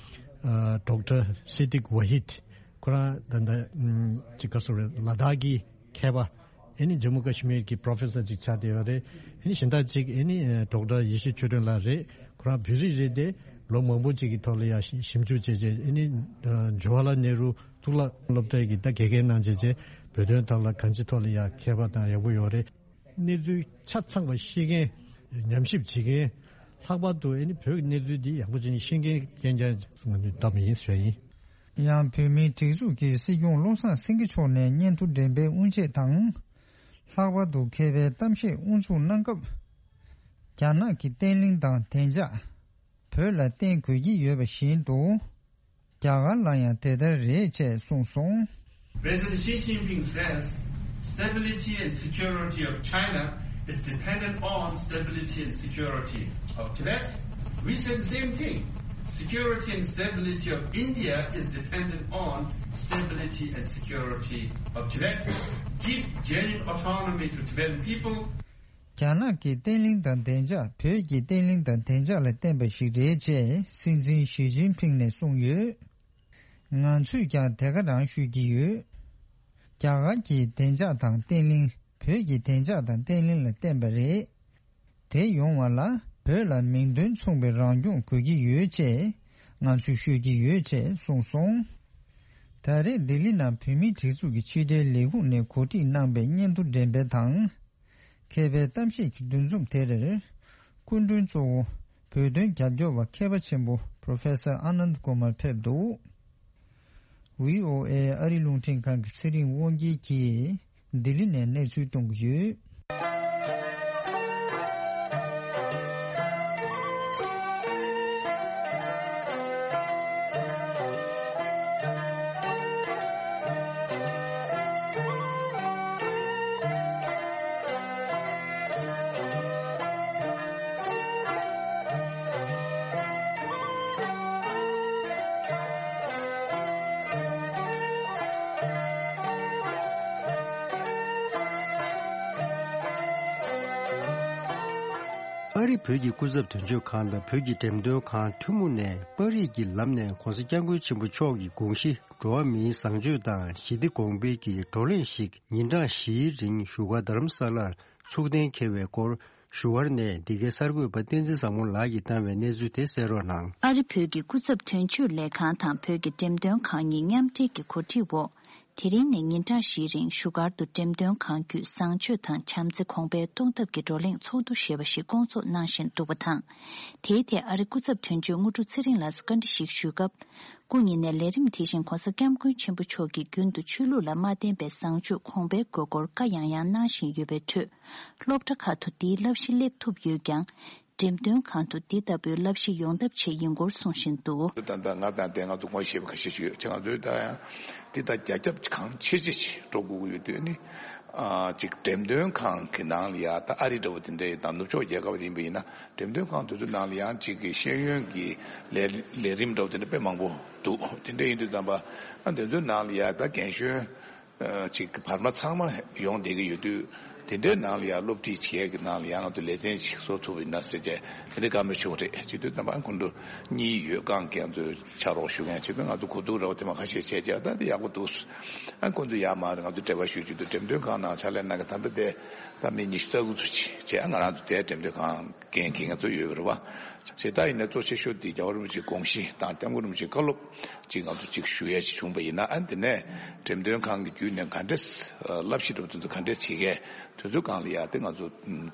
ཨ་ཌོག་ཊར་སི་ཏིག་ཝ་ཧིད། ཁོ་རང་ད་ལྟ་ཨམ་ཅིག་ག་སོ་རེད། ལ་དྭགས་ཀྱི་མཁས་པ་ཨ་ནི་ཇམ་མུ་ཀ་ཤི་མིར་གྱི་པྲོ་ཕེ་སར་ཅིག་ཆགས་བསྡད་ཡོད་རེད། ཨ་ནི་གཞན་དག་ཅིག་ཨ་ནི་ཨ་ཌོག་ཊར་ཡེ་ཤེས་ཆོས་སྒྲོན་ལགས་རེད། ཁོ་རང་བོད་རིགས་རེད་དེ་ལོ་མང་པོ་ཅིག་གི་ཐོག་ལ་ཡང་ཞིབ་འཇུག་བྱས་བྱས་ཨ་ནི་ཨ་ཇུ་ཝ་ལ་ནེ་རུ་གཙུག་ལག་སློབ་གྲྭའི་གི་ད་དགེ་རྒན་གནང་བྱས་བྱས་བོད་དོན་ཐོག་ལ་གང་ཅི་ཐོག་ལ་ཡང་མཁས་པ་དང་ཡག་པོ་ཡོད་རེད། གནས་ཚུལ་ཆ་ཚང་བ་ཤེས་མཁན། ཉམས་ཞིབ་བྱེད་མཁན། ལྷག་པར་དུ་ཨ་ནི་བོད་ཀྱི་གནས་ཚུལ་འདི་ཡག་པོ་བྱས་ནས་ཤེས་མཁན་རྐྱང་རྐྱང་ང་ཚོས་བདམས་ཡིན་ཟེར་ཡིན། ཡང་བོད་མིའི་སྒྲིག་འཛུགས་ཀྱི་སྲིད་སྐྱོང་བློ་བཟང་སེང་གེ་མཆོག་ནས་སྙན་ཐོ་འགྲེམས་སྤེལ་དབུ་འབྱེད་དང་། ལྷག་པར་དུ་མཁས་པའི་གཏམ་བཤད་དབུ་འཛུགས་གནང་སྐབས། རྒྱ་ནག་གི་བརྟན་ལྷིང་དང་བདེ་འཇགས་བོད་ལ་བརྟེན་དགོས་ཀྱི་ཡོད་པ་བཞིན་དུ། རྒྱ་གར་ལ་ཡང་དེ་ལྟར་རེད་ཅེས་གསུངས་སོང་། President Xi Jinping says stability and security of China is dependent on stability and security of Tibet. We say the same thing. Security and stability of India is dependent on stability and security of Tibet. Give genuine autonomy to Tibetan people. རྒྱ་ནག་གི་བརྟན་ལྷིང་དང་བདེ་འཇགས་བོད་ཀྱི་བརྟན་ལྷིང་དང་བདེ་འཇགས་ལ་བརྟེན་པ་ཞིག་རེད་ཅེས་སྲིད་འཛིན་ཞི་ཅིན་ཕིང་ནས་གསུངས་ཡོད། ང་ཚོས་ཀྱང་དེ་ག་རང་ཤོད་ཀྱི་ཡོད། རྒྱ་གར་གྱི་བདེ་འཇགས་དང་བརྟན་ལྷིང་བོད་ཀྱི་བདེ་འཇགས་དང་བརྟན་ལྷིང་ལ་བརྟེན་པ་རེད། དེ་ཡོང་བ་ལ་བོད་ལ་མིང་དོན་མཚུངས་པའི་རང་སྐྱོང་དགོས་ཀྱི་ཡོད་ཅེས་ང་ཚོས་ཤོད་ཀྱི་ཡོད་ཅེས་གསུངས་སོང་། ད་རེས་ལྡི་ལི་ནང་བོད་མིའི་སྒྲིག་འཛུགས་ཀྱི་ཕྱི་དྲིལ་ལས་ཁུངས་ནས་གོ་སྒྲིག་གནང་པའི་སྙན་ཐོ་འགྲེམས་སྤེལ་དང་། མཁས་པའི་གཏམ་བཤད་ཀྱི་འདུ་འཛོམས་དེར། སྐུ་མགྲོན་གཙོ་བོ་བོད་དོན་རྒྱབ་སྐྱོར་བ་མཁས་པ་ཆེན་པོ་Professor Anand Kumar་ཕེབས་འདུག། བྷི་ཨོ་ཨེ་ཨ་རི་རླུང་འཕྲིན་ཁང་གི་ཚེ་རིང་དབང་རྒྱལ་གྱིས་ལྡི་ལི་ནས་གནས་ཚུལ་གཏོང་གི་ཡོད། ཨ་རི་བོད་ཀྱི་སྐུ་ཚབ་དོན་གཅོད་ཁང་དང་བོད་ཀྱི་འགྲེམས་སྟོན་ཁང་ཐུན་མོང་ནས་པར་རིས་ཀྱི་ལམ་ནས་༧གོང་ས་༧སྐྱབས་མགོན་ཆེན་པོ་མཆོག་གི་དགོངས་གཞི་འགྲོ་བ་མིའི་བཟང་སྤྱོད་དང་ཞི་བདེ་གོང་འཕེལ་གྱི་བགྲོ་གླེང་ཞིག་ཉིན་གྲངས་བཞིའི་རིང་བཞུགས་སྒར་རྡ་རམ་ས་ལར་ཚུགས་གཏན་འཁེལ་བའི་སྐོར། བཞུགས་སྒར་ནས་འདི་གའི་གསར་འགོད་པ་བསྟན་འཛིན་བཟང་མོ་ལགས་ཀྱིས་བཏང་བའི་གནས་ཚུལ་དེ་གསན་རོགས་གནང་། ཨ་རི་བོད་ཀྱི་སྐུ་ཚབ་དོན་གཅོད་ལས་ཁང་དང་བོད་ཀྱི་འགྲེམས་སྟོན་ཁང་གཉིས་མཉམ་འབྲེལ་གྱི་གོ་སྒྲིག་འོག་དེ་རིང་ནས་ཉིན་གྲངས་བཞིའི་རིང་བཞུགས་སྒར་དུ་འགྲེམས་སྟོན་ཁང་བརྒྱུད་བཟང་སྤྱོད་དང་བྱམས་བརྩེ་གོང་འཕེལ་གཏོང་ཐབས་ཀྱི་བགྲོ་གླེང་ཚོགས་འདུ་ཞེས་པ་ཞིག་བསྐོང་ཚོགས་གནང་བཞིན་འདུག་པ་དང་། དེའི་ཐད་ཨ་རི་སྐུ་ཚབ་དོན་གཅོད་དངོས་གྲུབ་ཚེ་རིང་ལགས་སུ་བཀའ་འདྲི་ཞིག་ཞུས་སྐབས། སྐུ་ཉིད་ནས་ལས་རིམ་དེ་བཞིན་༧གོང་ས་༧སྐྱབས་མགོན་ཆེན་པོ་མཆོག་གིས་རྒྱུན་དུ་ཆོས་ལུགས་ལ་མ་བརྟེན་པའི་བཟང་སྤྱོད་གོང་འཕེལ་དགོས་སྐོར་བཀའ་ཡང་ཡང་གནང་བཞིན་ཡོད་པའི་ཁྲོད། སློབ་གྲྭ་ཁག་ཏུ་འདིའི་བསླབ་གཞི་སླེབས་ཐུབ་ཡོད་ཀྱང་། འགྲེམས་སྟོན་ཁང་དུ་འདི་ལྟ་བུའི་བསླབ་གཞི་ཡོང་ཐབས་ཆེད་ཡིན་སྐོར་གསུངས་བཞིན་འདུག། ད་ལྟ་ང་དང་དེ་ང་ཚོ་ངོ་ཤེས་པ་ཁ་ཤས་ཤིག་ཡོད་ཅེ། ང་ཚོས་ད་ཡང་འདི་ལྟར་རྒྱ་ཁྱབ་གང་ཆེ་ཆེ་ཞིག་འགྲོ་དགོས་ཀྱི་ཡོད་དུས་ནི། ཨ་ཅིག་འགྲེམས་སྟོན་ཁང་གི་ནང་ལ་ཡ་ད་ཨ་རི་འདྲ་བོ་དེ་འདྲ་ཡིན་དང་ནུབ་ཕྱོགས་རྒྱལ་ཁབ་ཡིན་པ་ཡིན་ན། འགྲེམས་སྟོན་ཁང་དེ་ཚོའི་ནང་ལ་ཡང་གཅིག་གི་ཤེས་ཡོན་གྱི་ལས་ལས་རིམ་འདྲ་བོ་དེ་འདྲ་དཔེ་མང་པོ་འདུག། དེ་འདྲ་ཡིན་དུས་ཙམ་པ་ཨ་དེ་ཚོའི་ནང་ལ་ཡང་ད་རྒན་གཞོན་ཨ་ཅིག་བར་མ་ཚང་མ་ཡོང་བསྡད་ཀྱི་ཡོད་དུས། དེ་འདྲའི་ནང་ལ་ཡང་སློབ་ཁྲིད་བྱེད་ཀྱི་ནང་ལ་ཡང་ང་ཚོ་ལེ་ཚན་ཅིག་བཟོ་ཐུབ་ཡིན་ན་ཟེར་བྱས་དེ་འདྲའི་བཀའ་མོལ་ཞུ་བ་རེད། བྱེད་དུས་ཙམ་པ་ཨ་ཁོང་ཚོ་གཉིས་ཡོད་རྐང་རྒན་ཚོས་ཕྱག་རོགས་ཞུ་མཁན་བྱེད་དུས་ང་ཚོ་གོ་བསྡུར་ར་བ་དེ་མ་ཁ་ཤས་བྱས་བྱས་ད་དེ་ཡག་པོ་འདུག། ཨ་ཁོང་ཚོ་ཡར་མར་ང་ཚོ་འབྲེལ་བ་ཞུ་བྱེད་དུས་འགྲེམས་སྟོན་ཁང་ནང་ཕྱག་ལས་གནང་གི་ད་ལྟ་དེ་ད་མི་ཉི་ཤུ་རྩ་དགུ་ཚོ་ཅིག་བྱས་ང་རང་ཚོ་དེ་འགྲེམས་སྟོན་ཁང་ འགན་འཁྱེར་མཁན་ཚོ་ཡོད་པ་རེད་བ། བྱས་ཙང་ཡིན་ན་གཙོ་ཆེ་ཤོས་འདི་རྒྱལ་བ་རིན་པོ་ཆེའི་དགོངས་གཞི་དང་སྐྱབས་མགོན་རིན་པོ་ཆེའི་བཀའ་སློབ་ཅིག་ང་ཚོ་ཅིག་ཞུ་ཡ་ཅིག་བྱུང་པ་ཡིན་ན། ཨ་ནི་དེ་ནས་འགྲེམས་སྟོན་ཁང་གི་བརྒྱུད་ནས་ག་འདྲས་བསླབ་གཞི་འདྲ་པོ་དེ་ཚོ་ག་འདྲས་བྱེད་མཁན་དེ་ཚོའི་སྒང་ལ་ཡ་དེ་ང་ཚོ་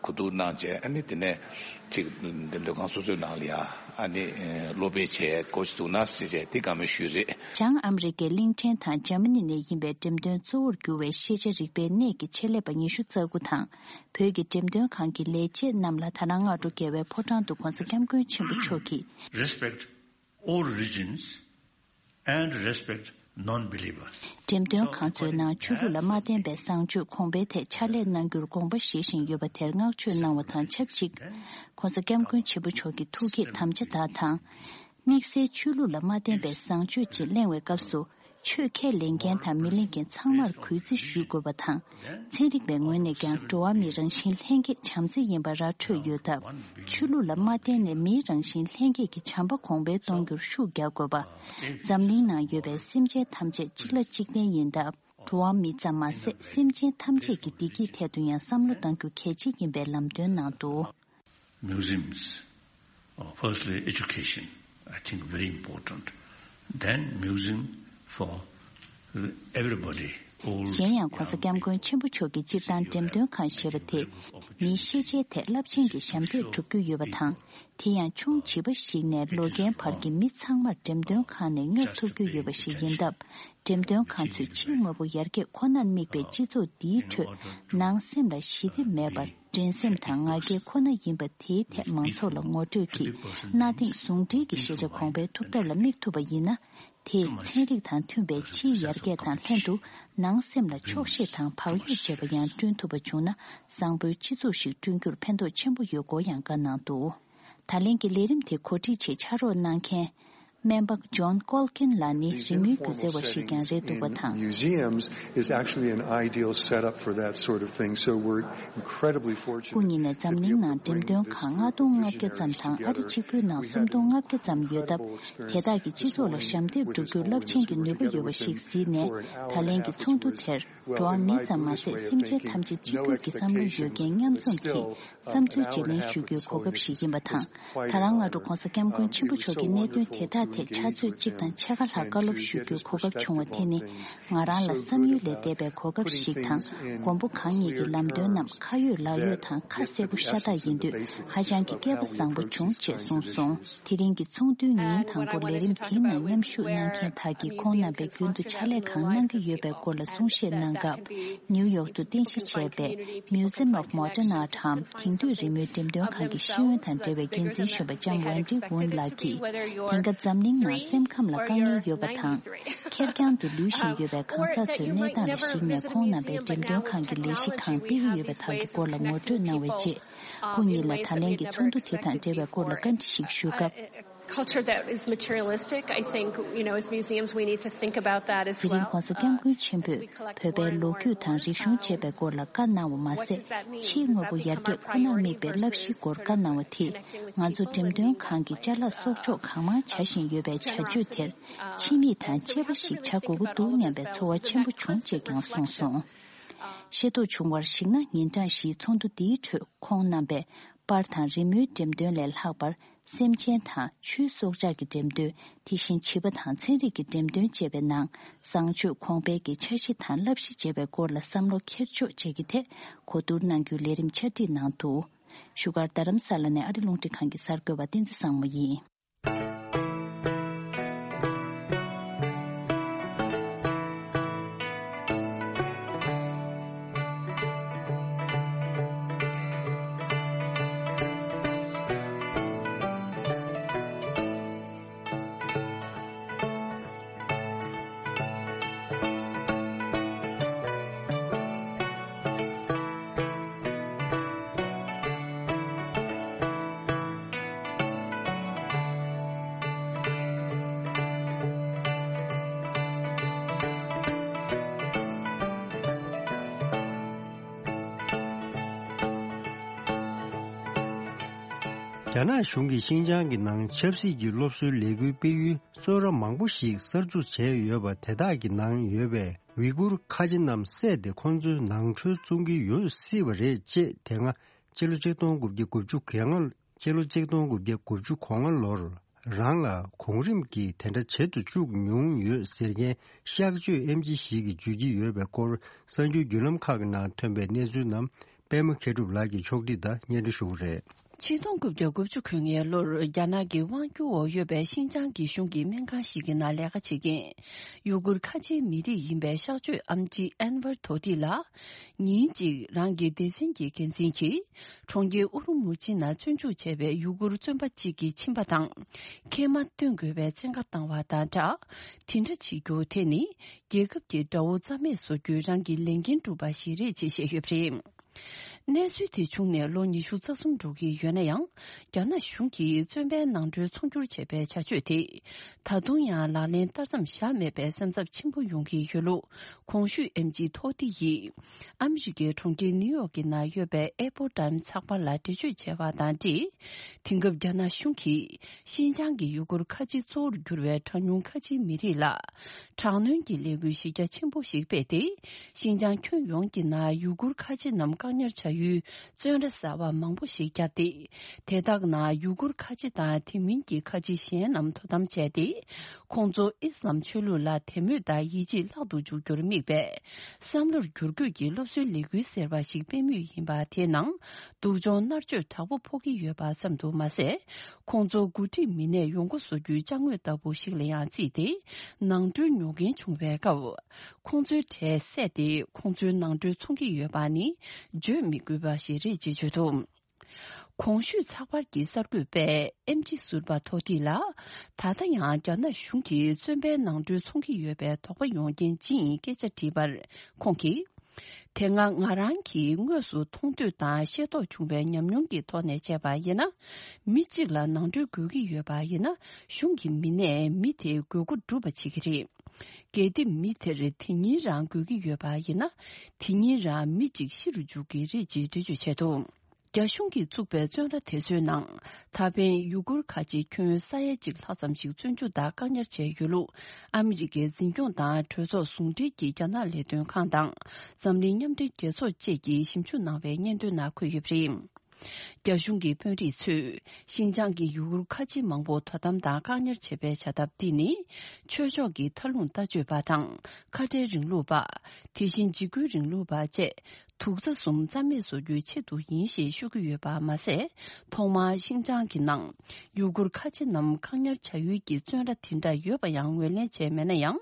གོ་བསྡུར་གནང་བྱས། ཨ་ནི་དེ་ནས་ཅིག་འགྲེམས་སྟོན་ཁང་སོ་སོའི་ནང་ལ་ཡ་ཨ་ནི་སློབ་སྤེལ་བྱས་འགོ་ཅིག་འཛུགས་གནང་ཟེར་བྱས་དེ་བཀའ་མོལ་ཞུས་རེད། བྱང་ཨ་མི་རི་ཀའི་གླིང་ཕྲན་དང་འཇར་མ་ནི་ནས་ཡིན་པའི་འགྲེམས་སྟོན་གཙོ་བོར་གྱུར་བའི་ཤེས་བྱ་རིག་པའི་གནས་ཀྱི་ཆེད་ལས་པ་ཉི་ཤུ་རྩ་དགུ་དང་། བོད་ཀྱི་འགྲེམས་སྟོན་ཁང་གི་ལས་བྱེད་རྣམས་ལ་ད་རང་སྔ་དྲོ་རྒྱལ་བའི་ཕོ་བྲང་དུ་༧གོང་ས་༧སྐྱབས་མགོན་ཆེན་པོ་མཆོག་གིས། Respect all religions and respect non-believers. འགྲེམས་སྟོན་ཁང་ཚོའི་ནང་ཆོས་ལུགས་ལ་མ་བརྟེན་པའི་བཟང་སྤྱོད་གོང་འཕེལ་ཐད་ཕྱག་ལས་གནང་རྒྱུར་དགོངས་པ་བཞེས་བཞིན་ཡོད་པ་དེར་བསྔགས་བརྗོད་གནང་བ་དང་ཆབས་ཅིག ༧གོང་ས་༧སྐྱབས་མགོན་ཆེན་པོ་མཆོག་གི་ཐུགས་བསྐྱེད་དམ་བཅའ་དག་དང་། དམིགས་བསལ་ཆོས་ལུགས་ལ་མ་བརྟེན་པའི་བཟང་སྤྱོད་ཅིག་གླེང་བའི་སྐབས་སུ། ཆོས་ཁས་ལེན་མཁན་དང་མི་ལེན་མཁན་ཚང་མར་གུས་བརྩི་ཞུ་དགོས་པ་དང་། ཚན་རིག་པའི་ངོས་ནས་ཀྱང་འགྲོ་བ་མིའི་རང་བཞིན་ལྷན་སྐྱེས་བྱམས་བརྩེ་ཡིན་པ་ར་འཕྲོད་ཡོད་སྟབས། ཆོས་ལུགས་ལ་མ་བརྟེན་ནས་མིའི་རང་བཞིན་ལྷན་སྐྱེས་ཀྱི་བྱམས་པ་གོང་འཕེལ་གཏོང་རྒྱུར་ཤུགས་རྒྱག་དགོས་པ། འཛམ་གླིང་ནང་ཡོད་པའི་སེམས་ཅན་ཐམས་ཅད་གཅིག་ལ་གཅིག་བརྟེན་ཡིན་སྟབས། འགྲོ་བ་མི་ཙམ་མ་ཟད་སེམས་ཅན་ཐམས་ཅད་ཀྱི་བདེ་སྐྱིད་ཐད་དུ་ཡང་བསམ་བློ་གཏང་རྒྱུ་གལ་ཆེ་ཡིན་པའི་ལམ་སྟོན་གནང་འདུག Museums, uh, firstly, education, I think very important. Then museum for everybody, old, གཞན་ཡང་༧གོང་ས་༧སྐྱབས་མགོན་ཆེན་པོ་མཆོག་གིས་སྤྱིར་བཏང་འགྲེམས་སྟོན་ཁང་ཞེས་པ་དེ་མིའི་ཤེས་བྱའི་ཐད་རླབས་ཆེན་གྱི་ཞབས་འདེགས་སྒྲུབ་རྒྱུ་ཡོད་པ་དང་། དེ་ཡང་ཆུང་བྱིས་པ་ཞིག་ནས་ལོ་རྒན་བར་གྱི་མི་ཚང་མར་འགྲེམས་སྟོན་ཁང་ནས་བསྙབ་ཐུབ་རྒྱུ་ཡོད་པ་ཞིག་ཡིན་སྟབས། འགྲེམས་སྟོན་ཁང་ཚོས་ཕྱིའི་དངོས་པོ་ཡར་རྒྱས་ཁོ་ནར་དམིགས་པའི་སྤྱི་ཚོགས་འདིའི་ཁྲོད་ནང་སེམས་ལ་ཞི་བདེ་མེད་པར། འགྲན་སེམས་དང་ང་རྒྱལ་ཁོ་ན་ཡིན་པ་དེའི་ཐད་མང་ཚོགས་ལ་ངོ་སྤྲོད་ཀྱིས་གནའ་དེང་ཟུང་འབྲེལ་གྱི་ཤེས་བྱ་གོང་འཕེལ་ཐུབ་ཐབས་ལ་དམིགས་ཐུབ་པ་ཡིན་ན། དེས་ཚན་རིག་དང་མཐུན་པའི་ཕྱིའི་ཡར་རྒྱས་དང་ལྷན་དུ་ནང་སེམས་ལ་ཆོག་ཤེས་དང་བག་ཡོད་བྱེད་པ་ཡང་བསྐྲུན་ཐུབ་པ་བྱུང་ན། བཟང་པོའི་སྤྱི་ཚོགས་ཤིག་བསྐྲུན་རྒྱུར་ཕན་ཐོགས་ཆེན་པོ་ཡོད་སྐོར་ཡང་བཀའ་གནང་འདུག་ད་ལན་གྱི་ལས་རིམ་དེ་གོ་སྒྲིག་ཆེད་ཕྱག་རོགས་གནང་མཁན། སྨན་པ་ཇོན་ཀོལ་ཀིན་ལགས་ནི་རི་མོའི་སྒྱུ་རྩལ་བ་ཞིག་ཀྱང་རེད་འདུག་པ་དང་། Museums is actually an ideal setup for that sort of thing, so we're incredibly fortunate. སྐུ་ཉིད་ནས་འཛམ་གླིང་ནང་འགྲེམས་སྟོན་ཁང་ལྔ་སྟོང་ལྔ་བརྒྱ་ཙམ་དང་ཨ་རི་གཅིག་པུའི་ནང་སུམ་སྟོང་ལྔ་བརྒྱ་ཙམ་ཡོད་སྟབས། དེ་དག་གིས་སྤྱི་ཚོགས་ལ་ཞབས་འདེགས་སྒྲུབ་རྒྱུར་རླབས་ཆེན་གྱི་ནུས་པ་ཡོད་པ་ཞིག་གཟིགས་ནས། ད་ལན་གྱི་ཚོགས་འདུ་དེར། འགྲོ་བ་མི་ཙམ་མ་ཟད་སེམས་ཅན་ཐམས་ཅད་གཅིག་གྱུར་གྱི་བསམ་བློ་ཡོད་མཁན་མཉམ་འཛོམས་ཀྱིས་བསམ་ཚུལ་བརྗེ་ལེན་ཞུ་རྒྱུའི་གོ་སྐབས་ཤིག་ཡིན་པ་དང་། ད་རང་སྔ་དྲོ་༧གོང་ས་༧སྐྱབས་མགོན་ཆེན་པོ་མཆོག་གིས་གནད་དོན་དེ་དག་ཐད་ཕྱག་ཚོད་གཅིག་དང་ཕྱེད་ཀ་ལྷག་བཀའ་སློབ་ཞུ་རྒྱུའི་གོ་སྐབས་བྱུང་བ་དེ་ནི་ང་རང་ལ་བསམ་ཡུལ་ལས་འདས་པའི་གོ་སྐབས་ཤིག་དང་། མགོན་པོ་གང་ཉིད་ཀྱི་ལམ་སྟོན་རྣམས་ཁ་ཡོད་ལག་ཡོད་དང་ཁ་གསལ་པོ་ཤ་སྟག་ཡིན་དུས་ཧ་ཅང་གི་སྐལ་པ་བཟང་པོ་བྱུང་ཅེས་གསུངས་སོང་། དེ་རིང་གི་ཚོགས་འདུའི་ཉིན་དང་པོ་ལས་རིམ་དེའི་ནང་མཉམ་ཞུགས་གནང་མཁན་དག་གིས་ཁོང་རྣམ་པས་རྒྱུན་དུ་ཕྱག་ལས་གང་གནང་གི་ཡོད་པའི་སྐོར་ལ་གསུང་བཤད་གནང་སྐབས། ནིའུ་ཡོག་ཏུ་རྟེན་གཞི་བྱས་པའི་Museum of Modern Art འམ་དེང་དུས་རི་མོའི་འགྲེམས་སྟོན་ཁང་གི་ཤེས་ཡོན་དང་འབྲེལ་བའི་འགན་འཛིན་གཞོན་པ་ལྕམ་ཝན་ཏི་ཝུན་ལགས་ཀྱིས། དེང་སྐབས་འཛམ་གླིང་ནང་སེམས་ཁམས་ལ་དཀའ་ངལ་ཡོད་པ་དང་། ཁེར་རྐྱང་དུ་ལུས་བཞིན་ཡོད་པའི་གང་ཟག་ཚོའི་གནས་སྟངས་ལ་གཞིགས་ནས་ཁོང་རྣམ་པས་འགྲེམས་སྟོན་ཁང་གི་ལས་གཞི་གང་སྤེལ་གྱི་ཡོད་པ་དག་གི་སྐོར་ལ་ངོ་སྤྲོད་གནང་བའི་རྗེས། སྐུ་ཉིད་ལ་ད་ལན་གྱི་ཚོགས་འདུ་དེ་དང་འབྲེལ་བའི་སྐོར་ལ་བཀའ་འདྲི་ཞིག་ཞུས་སྐབས། Culture that is materialistic, I think, you know, as museums, we need to think about that as well. དེ་རིང་༧གོང་ས་༧སྐྱབས་མགོན་ཆེན་པོས་བོད་པའི་ལོ་རྒྱུས་དང་རིག་གཞུང་བཅས་པའི་སྐོར་ལ་བཀའ་གནང་བ་མ་ཟད། ཕྱིའི་དངོས་པོ་ཡར་རྒྱས་ཁོ་ནར་དམིགས་པའི་བསླབ་གཞིའི་སྐོར་བཀའ་གནང་བ་དེས། ང་ཚོ་འགྲེམས་སྟོན་ཁང་གི་ཅ་ལག་གསོག་འཇོག་གང་མང་བྱ་བཞིན་ཡོད་པའི་བྱ་སྤྱོད་དེར། ཕྱི་མིག་དང་གཅེས་པ་ཞིག་བྱ་དགོས་ཀྱི་འདུག་སྙམ་པའི་ཚོར་བ་ཆེན་པོ་བྱུང་ཅེས་ཀྱང་གསུངས་སོང་། ཤེས་རྟོགས་བྱུང་བར་གཞིགས་ན། ཉིན་གྲངས་བཞིའི་ཚོགས་འདུ་འདིའི་ཁྲོད་ཁོང་རྣམ་པས་པར་དང་རི་མོའི་འགྲེམས་སྟོན་ལས་ལྷག་པར། སེམས་ཅན་དང་ཆོས་སྲོག་ཆགས་ཀྱི་འགྲེམས་སྟོན། དེ་བཞིན་བྱིས་པ་དང་ཚན་རིག་གི་འགྲེམས་སྟོན་བཅས་པའི་ནང་བཟང་སྤྱོད་གོང་འཕེལ་གྱི་འཆར་གཞི་དང་བསླབ་གཞི་བཅས་པའི་སྐོར་ལ་བསམ་བློ་འཁྱེར་ཕྱོགས་བཅས་ཀྱི་ཐད་གོ་བསྡུར་གནང་རྒྱུའི་ལས་རིམ་ཆ་སྒྲིག་གནང་འདུག་བཞུགས་སྒར་རྡ་རམ་ས་ལ་ནས་ཨ་རི་རླུང་འཕྲིན་ཁང་གི་གསར་འགོད་པ་བསྟན་འཛིན་བཟང་མོ་ཡིན། རྒྱ་ནག་གཞུང་གིས་ཤིན་ཅང་གི་ནང་ཆབ་སྲིད་ཀྱི་སློབ་གསོའི་ལས་འགུལ་སྤེལ་ཡུལ་གཙོ་བོ་མང་པོ་ཞིག་གསར་འཛུགས་བྱས་ཡོད་པ་དེ་དག་གི་ནང་ཡོད་པའི་ཝི་གུར་ཁ་ཆེ་རྣམས་བསད་དེ་ཁོང་ཚོའི་ནང་ཁྲོལ་བཙོང་གི་ཡོད་སྲིད་པ་རེད་ཅེས་དེ་སྔ་ཕྱི་ལོ་ཆིག་སྟོང་དགུ་བརྒྱ་དགུ་བཅུ་གོ་ལྔ་ ཕྱི་ལོ་གཅིག་སྟོང་དགུ་བརྒྱ་དགུ་བཅུ་གོ་ལྔ་ལོར་རང་ལ་གོང་རིམ་གྱིས་དེ་འདྲ་བྱེད་དུ་བཅུག་མྱོང་ཡོད་ཟེར་མཁན་གཤག་བཅོས་ཨེམ་ཆི་ཞིག་གིས་བརྗོད་ཀྱི་ཡོད་པའི་སྐོར་གསར་འགྱུར་བརྒྱུད་ལམ་ཁག་གི་ནང་ཐོན་པའི་གནས་ཚུལ་རྣམས་པད་མ་མཁས་གྲུབ་ལགས་ཀྱིས་ཕྱོགས་སྒྲིག་དང་སྙན་སྒྲོན་ཞུ་གི་རེད། ཆིག་སྟོང་དགུ་བརྒྱ་དགུ་བཅུ་གོ་ལྔའི་ལོར་རྒྱ་ནག་གི་དབང་སྒྱུར་འོག་ཡོད་པའི་ཤིན་ཅང་གི་གཞུང་གི་སྨན་ཁང་ཞིག་གི་ནང་ལས་ཀ་བྱེད་མཁན་ཡུ་གུར་ཁ་ཆེའི་མི་རིགས་ཡིན་པའི་གཤག་བཅོས་ཨེམ་ཆི་ཨན་ཝར་དོ་ཏི་ལགས། ཉིན་གཅིག་རང་གི་སྡེ་ཚན་གྱི་འགན་འཛིན་གྱིས་གྲོང་ཁྱེར་ཨུ་རུ་མུ་ཆི་ནང་བཙོན་འཇུག་བྱས་པའི་ཡུ་གུར་བཙོན་པ་གཅིག་གི་མཆིན་པ་དང་མཁལ་མ་སྟོན་དགོས་པའི་བཙན་བཀའ་བཏང་བ་དང་སྦྲགས། དེ་འདྲ་བྱེད་རྒྱུ་དེ་ནི་རྒྱལ་ཁབ་ཀྱི་དགྲ་བོ་རྩ་མེད་བཟོ་རྒྱུའི་རང་གི་ལས་འགན་སྒྲུབ་པ་ཞིག་རེད་ཅེས་བཤད་ཡོད་པ་རེད། གནས་ཚུལ་དེ་བྱུང་ནས་ལོ་ཉི་ཤུ་རྩ་གསུམ་འགྲོ་གི་ཡོད་ན་ཡང་། རྒྱ་ནག་གཞུང་གིས་བཙོན་པའི་ནང་ཁྲོལ་ཚོང་སྒྱུར་བྱས་པའི་བྱ་སྤྱོད་དེ། ད་དུང་ཡང་ལག་ལེན་བསྟར་མཚམས་བཞག་མེད་པའི་སེམས་འཚབ་ཆེན་པོ་ཡོང་གི་ཡོད་ལུགས། གོང་ཞུས་ཨེམ་ཆི་ཐོ་ཏི་ཡིས། ཨ་མི་རི་ཀའི་གྲོང་ཁྱེར་ནིའུ་ཡོག་གི་ནང་ཡོད་པའི་ཨེ་པོ་ཊའིམ་ཚགས་པར་ལ་འགྲེལ་བརྗོད་བྱས་པ་དང་འབྲེལ། དེང་སྐབས་རྒྱ་ནག་གཞུང་གིས། ཤིན་ཅང་གི་ཡུ་གུར་ཁ་ཆེ་གཙོ་བོར་གྱུར་བའི་གྲངས་ཉུང་ཁ་ཆེའི་མི་རིགས་ལ། དྲག་གནོན་གྱི་ལས་འགུལ་གཞི་རྒྱ་ཆེན་པོ་ཞིག་སྤེལ་ཏེ། ཤིན་ཅང་ཁྱོན་ཡོངས་ཀྱི་ནང་ཡུ་གུར་ཁ་ཆེ་རྣམས་བཀག་ཉར་བྱ་ཡུལ་བཙོན་ར་གསར་པ་མང་པོ་ཞིག་བརྒྱབ་སྟེ། དེ་དག་ནང་ཡུ་གུར་ཁ་ཆེ་དང་དེ་མིན་གྱི་ཁ་ཆེ་གཞན་རྣམས་དོ་དམ་བྱས་ཏེ། ཁོང་ཚོ་ཨི་སི་ལམ་ཆོས་ལུགས་ལ་དད་མོས་དང་ཡིད་ཆེས་ལྷག་ཏུ་འཇུག་རྒྱུར་དམིགས་པའི་བསམ་བློར་བསྒྱུར་བཀོད་ཀྱི་སློབ་གསོའི་ལས་འགུལ་ཟེར་བ་ཞིག་སྤེལ་མུས་ཡིན་པ་དེའི་ནང་སྡུག་སྦྱོང་མནར་གཅོད་དྲག་པོ་ཕོག་གི་ཡོད་པ་ཙམ་དུ་མ་ཟད། ཁོང་ཚོ་འགོ་ཁྲིད་མི་སྣས་ཡོང་སྒོ་བཟོ་རྒྱུའི་ཅ་དངོས་ལྟ་བུ་ཞིག་ལ་ཡང་བརྩིས་ཏེ། ནང་ཁྲོལ་ཉོ་མཁན་བྱུང་བའི་སྐབས། ཁོང་ཚོའི་གྲས་བསད་དེ་ཁོང་ཚོའི་ནང་ཁྲོལ་འཚོང་གི་ཡོད་པ་ནི་བརྗོད་མི་དགོས་པ་ཞིག་རེད་ཅེས་བརྗོད་འདུག་གོང་ཞུས་ཚགས་པར་གྱི་གསར་འགོད་པས་ཨེམ་ཆི་ཟུར་པ་ཐོ་ཏི་ལ། ད་ལྟ་ཡང་རྒྱ་ནག་གཞུང་གིས་བཙོན་པའི་ནང་ཁྲོལ་འཚོང་གི་ཡོད་པའི་དོགས་པ་ཡོང་རྐྱེན་ཅི་ཡིན་སྐད་ཆ་དྲིས་པར་ཁོང་གིས། དེ་སྔ་ང་རང་གིས་དངོས་སུ་མཐོང་ཐོས་དང་ཤེས་རྟོགས་བྱུང་བའི་ཉམས་མྱོང་གི་ཐོག་ནས་བྱས་པ་ཡིན་ན། མི་གཅིག་ལ་ནང་ཁྲོལ་དགོས་ཀྱི་ཡོད་པ་ཡིན་ན། གཞུང་གི་མི་སྣས་མི་དེའི་དགོས་མཁོ་སྒྲུབ་པ་བྱེད་ཀྱི་རེད། གལ་ཏེ་མི་དེར་དེ་ཉིན་རང་དགོས་ཀྱི་ཡོད་པ་ཡིན་ན། དེ་ཉིན་རང་མི་གཅིག་ཤི་རུ་འཇུག་གི་རེད་ཅེས་འགྲེལ་བརྗོད་བྱས་འདུག་རྒྱ་གཞུང་གིས་བཙུགས་པའི་བཙོན་ར་དེ་ཚོའི་ནང་། ད་ཕན་ཡུ་གུར་ཁ་ཆེ་ཁྱོན་ས་ཡ་གཅིག་ལྷག་ཙམ་ཞིག་བཙོན་འཇུག་དང་བཀག་ཉར་བྱས་ཡོད་ལུགས། ཨ་མི་རི་ཀའི་འཛིན་སྐྱོང་དང་གྲོས་ཚོགས་ཟུང་འབྲེལ་གྱི་རྒྱ་ནག་ལས་དོན་ཁང་དང་། འཛམ་གླིང་མཉམ་འབྲེལ་རྒྱལ་ཚོགས་བཅས་ཀྱིས་ཞིབ་འཇུག་གནང་བའི་སྙན་ཐོའི་ནང་འཁོད་ཡོད་པ་རེད། རྒྱ་གཞུང་གི་དཔོན་རིགས་ཚོས། ཤིན་ཅང་གི་ཡུ་གུར་ཁ་ཆེ་མང་པོ་དོ་དམ་དང་བཀག་ཉར་བྱེད་པའི་བྱ་ཐབས་འདི་ནི། ཆོས་ཕྱོགས་ཀྱི་མཐའ་ལྷུང་ལྟ་སྤྱོད་པ་དང་། ཁ་བྲལ་རིང་ལུགས་པ། དེ་བཞིན་འཇིགས་སྐུལ་རིང་ལུགས་པ་བཅས། དུག་རྩ་གསུམ་རྩ་མེད་བཟོ་རྒྱུའི་ཆེད་དུ་ཡིན་ཞེས་ཤོད་ཀྱི་ཡོད་པ་མ་ཟད། ཐོག་མར་ཤིན་ཅང་གི་ནང་ཡུ་གུར་ཁ་ཆེ་རྣམས་བཀག་ཉར་བྱ་ཡུལ་གྱི་བཙོན་ར་དེ་འདྲ་ཡོད་པ་ཡང་ངོས་ལེན་བྱས་མེད་ན་ཡང་།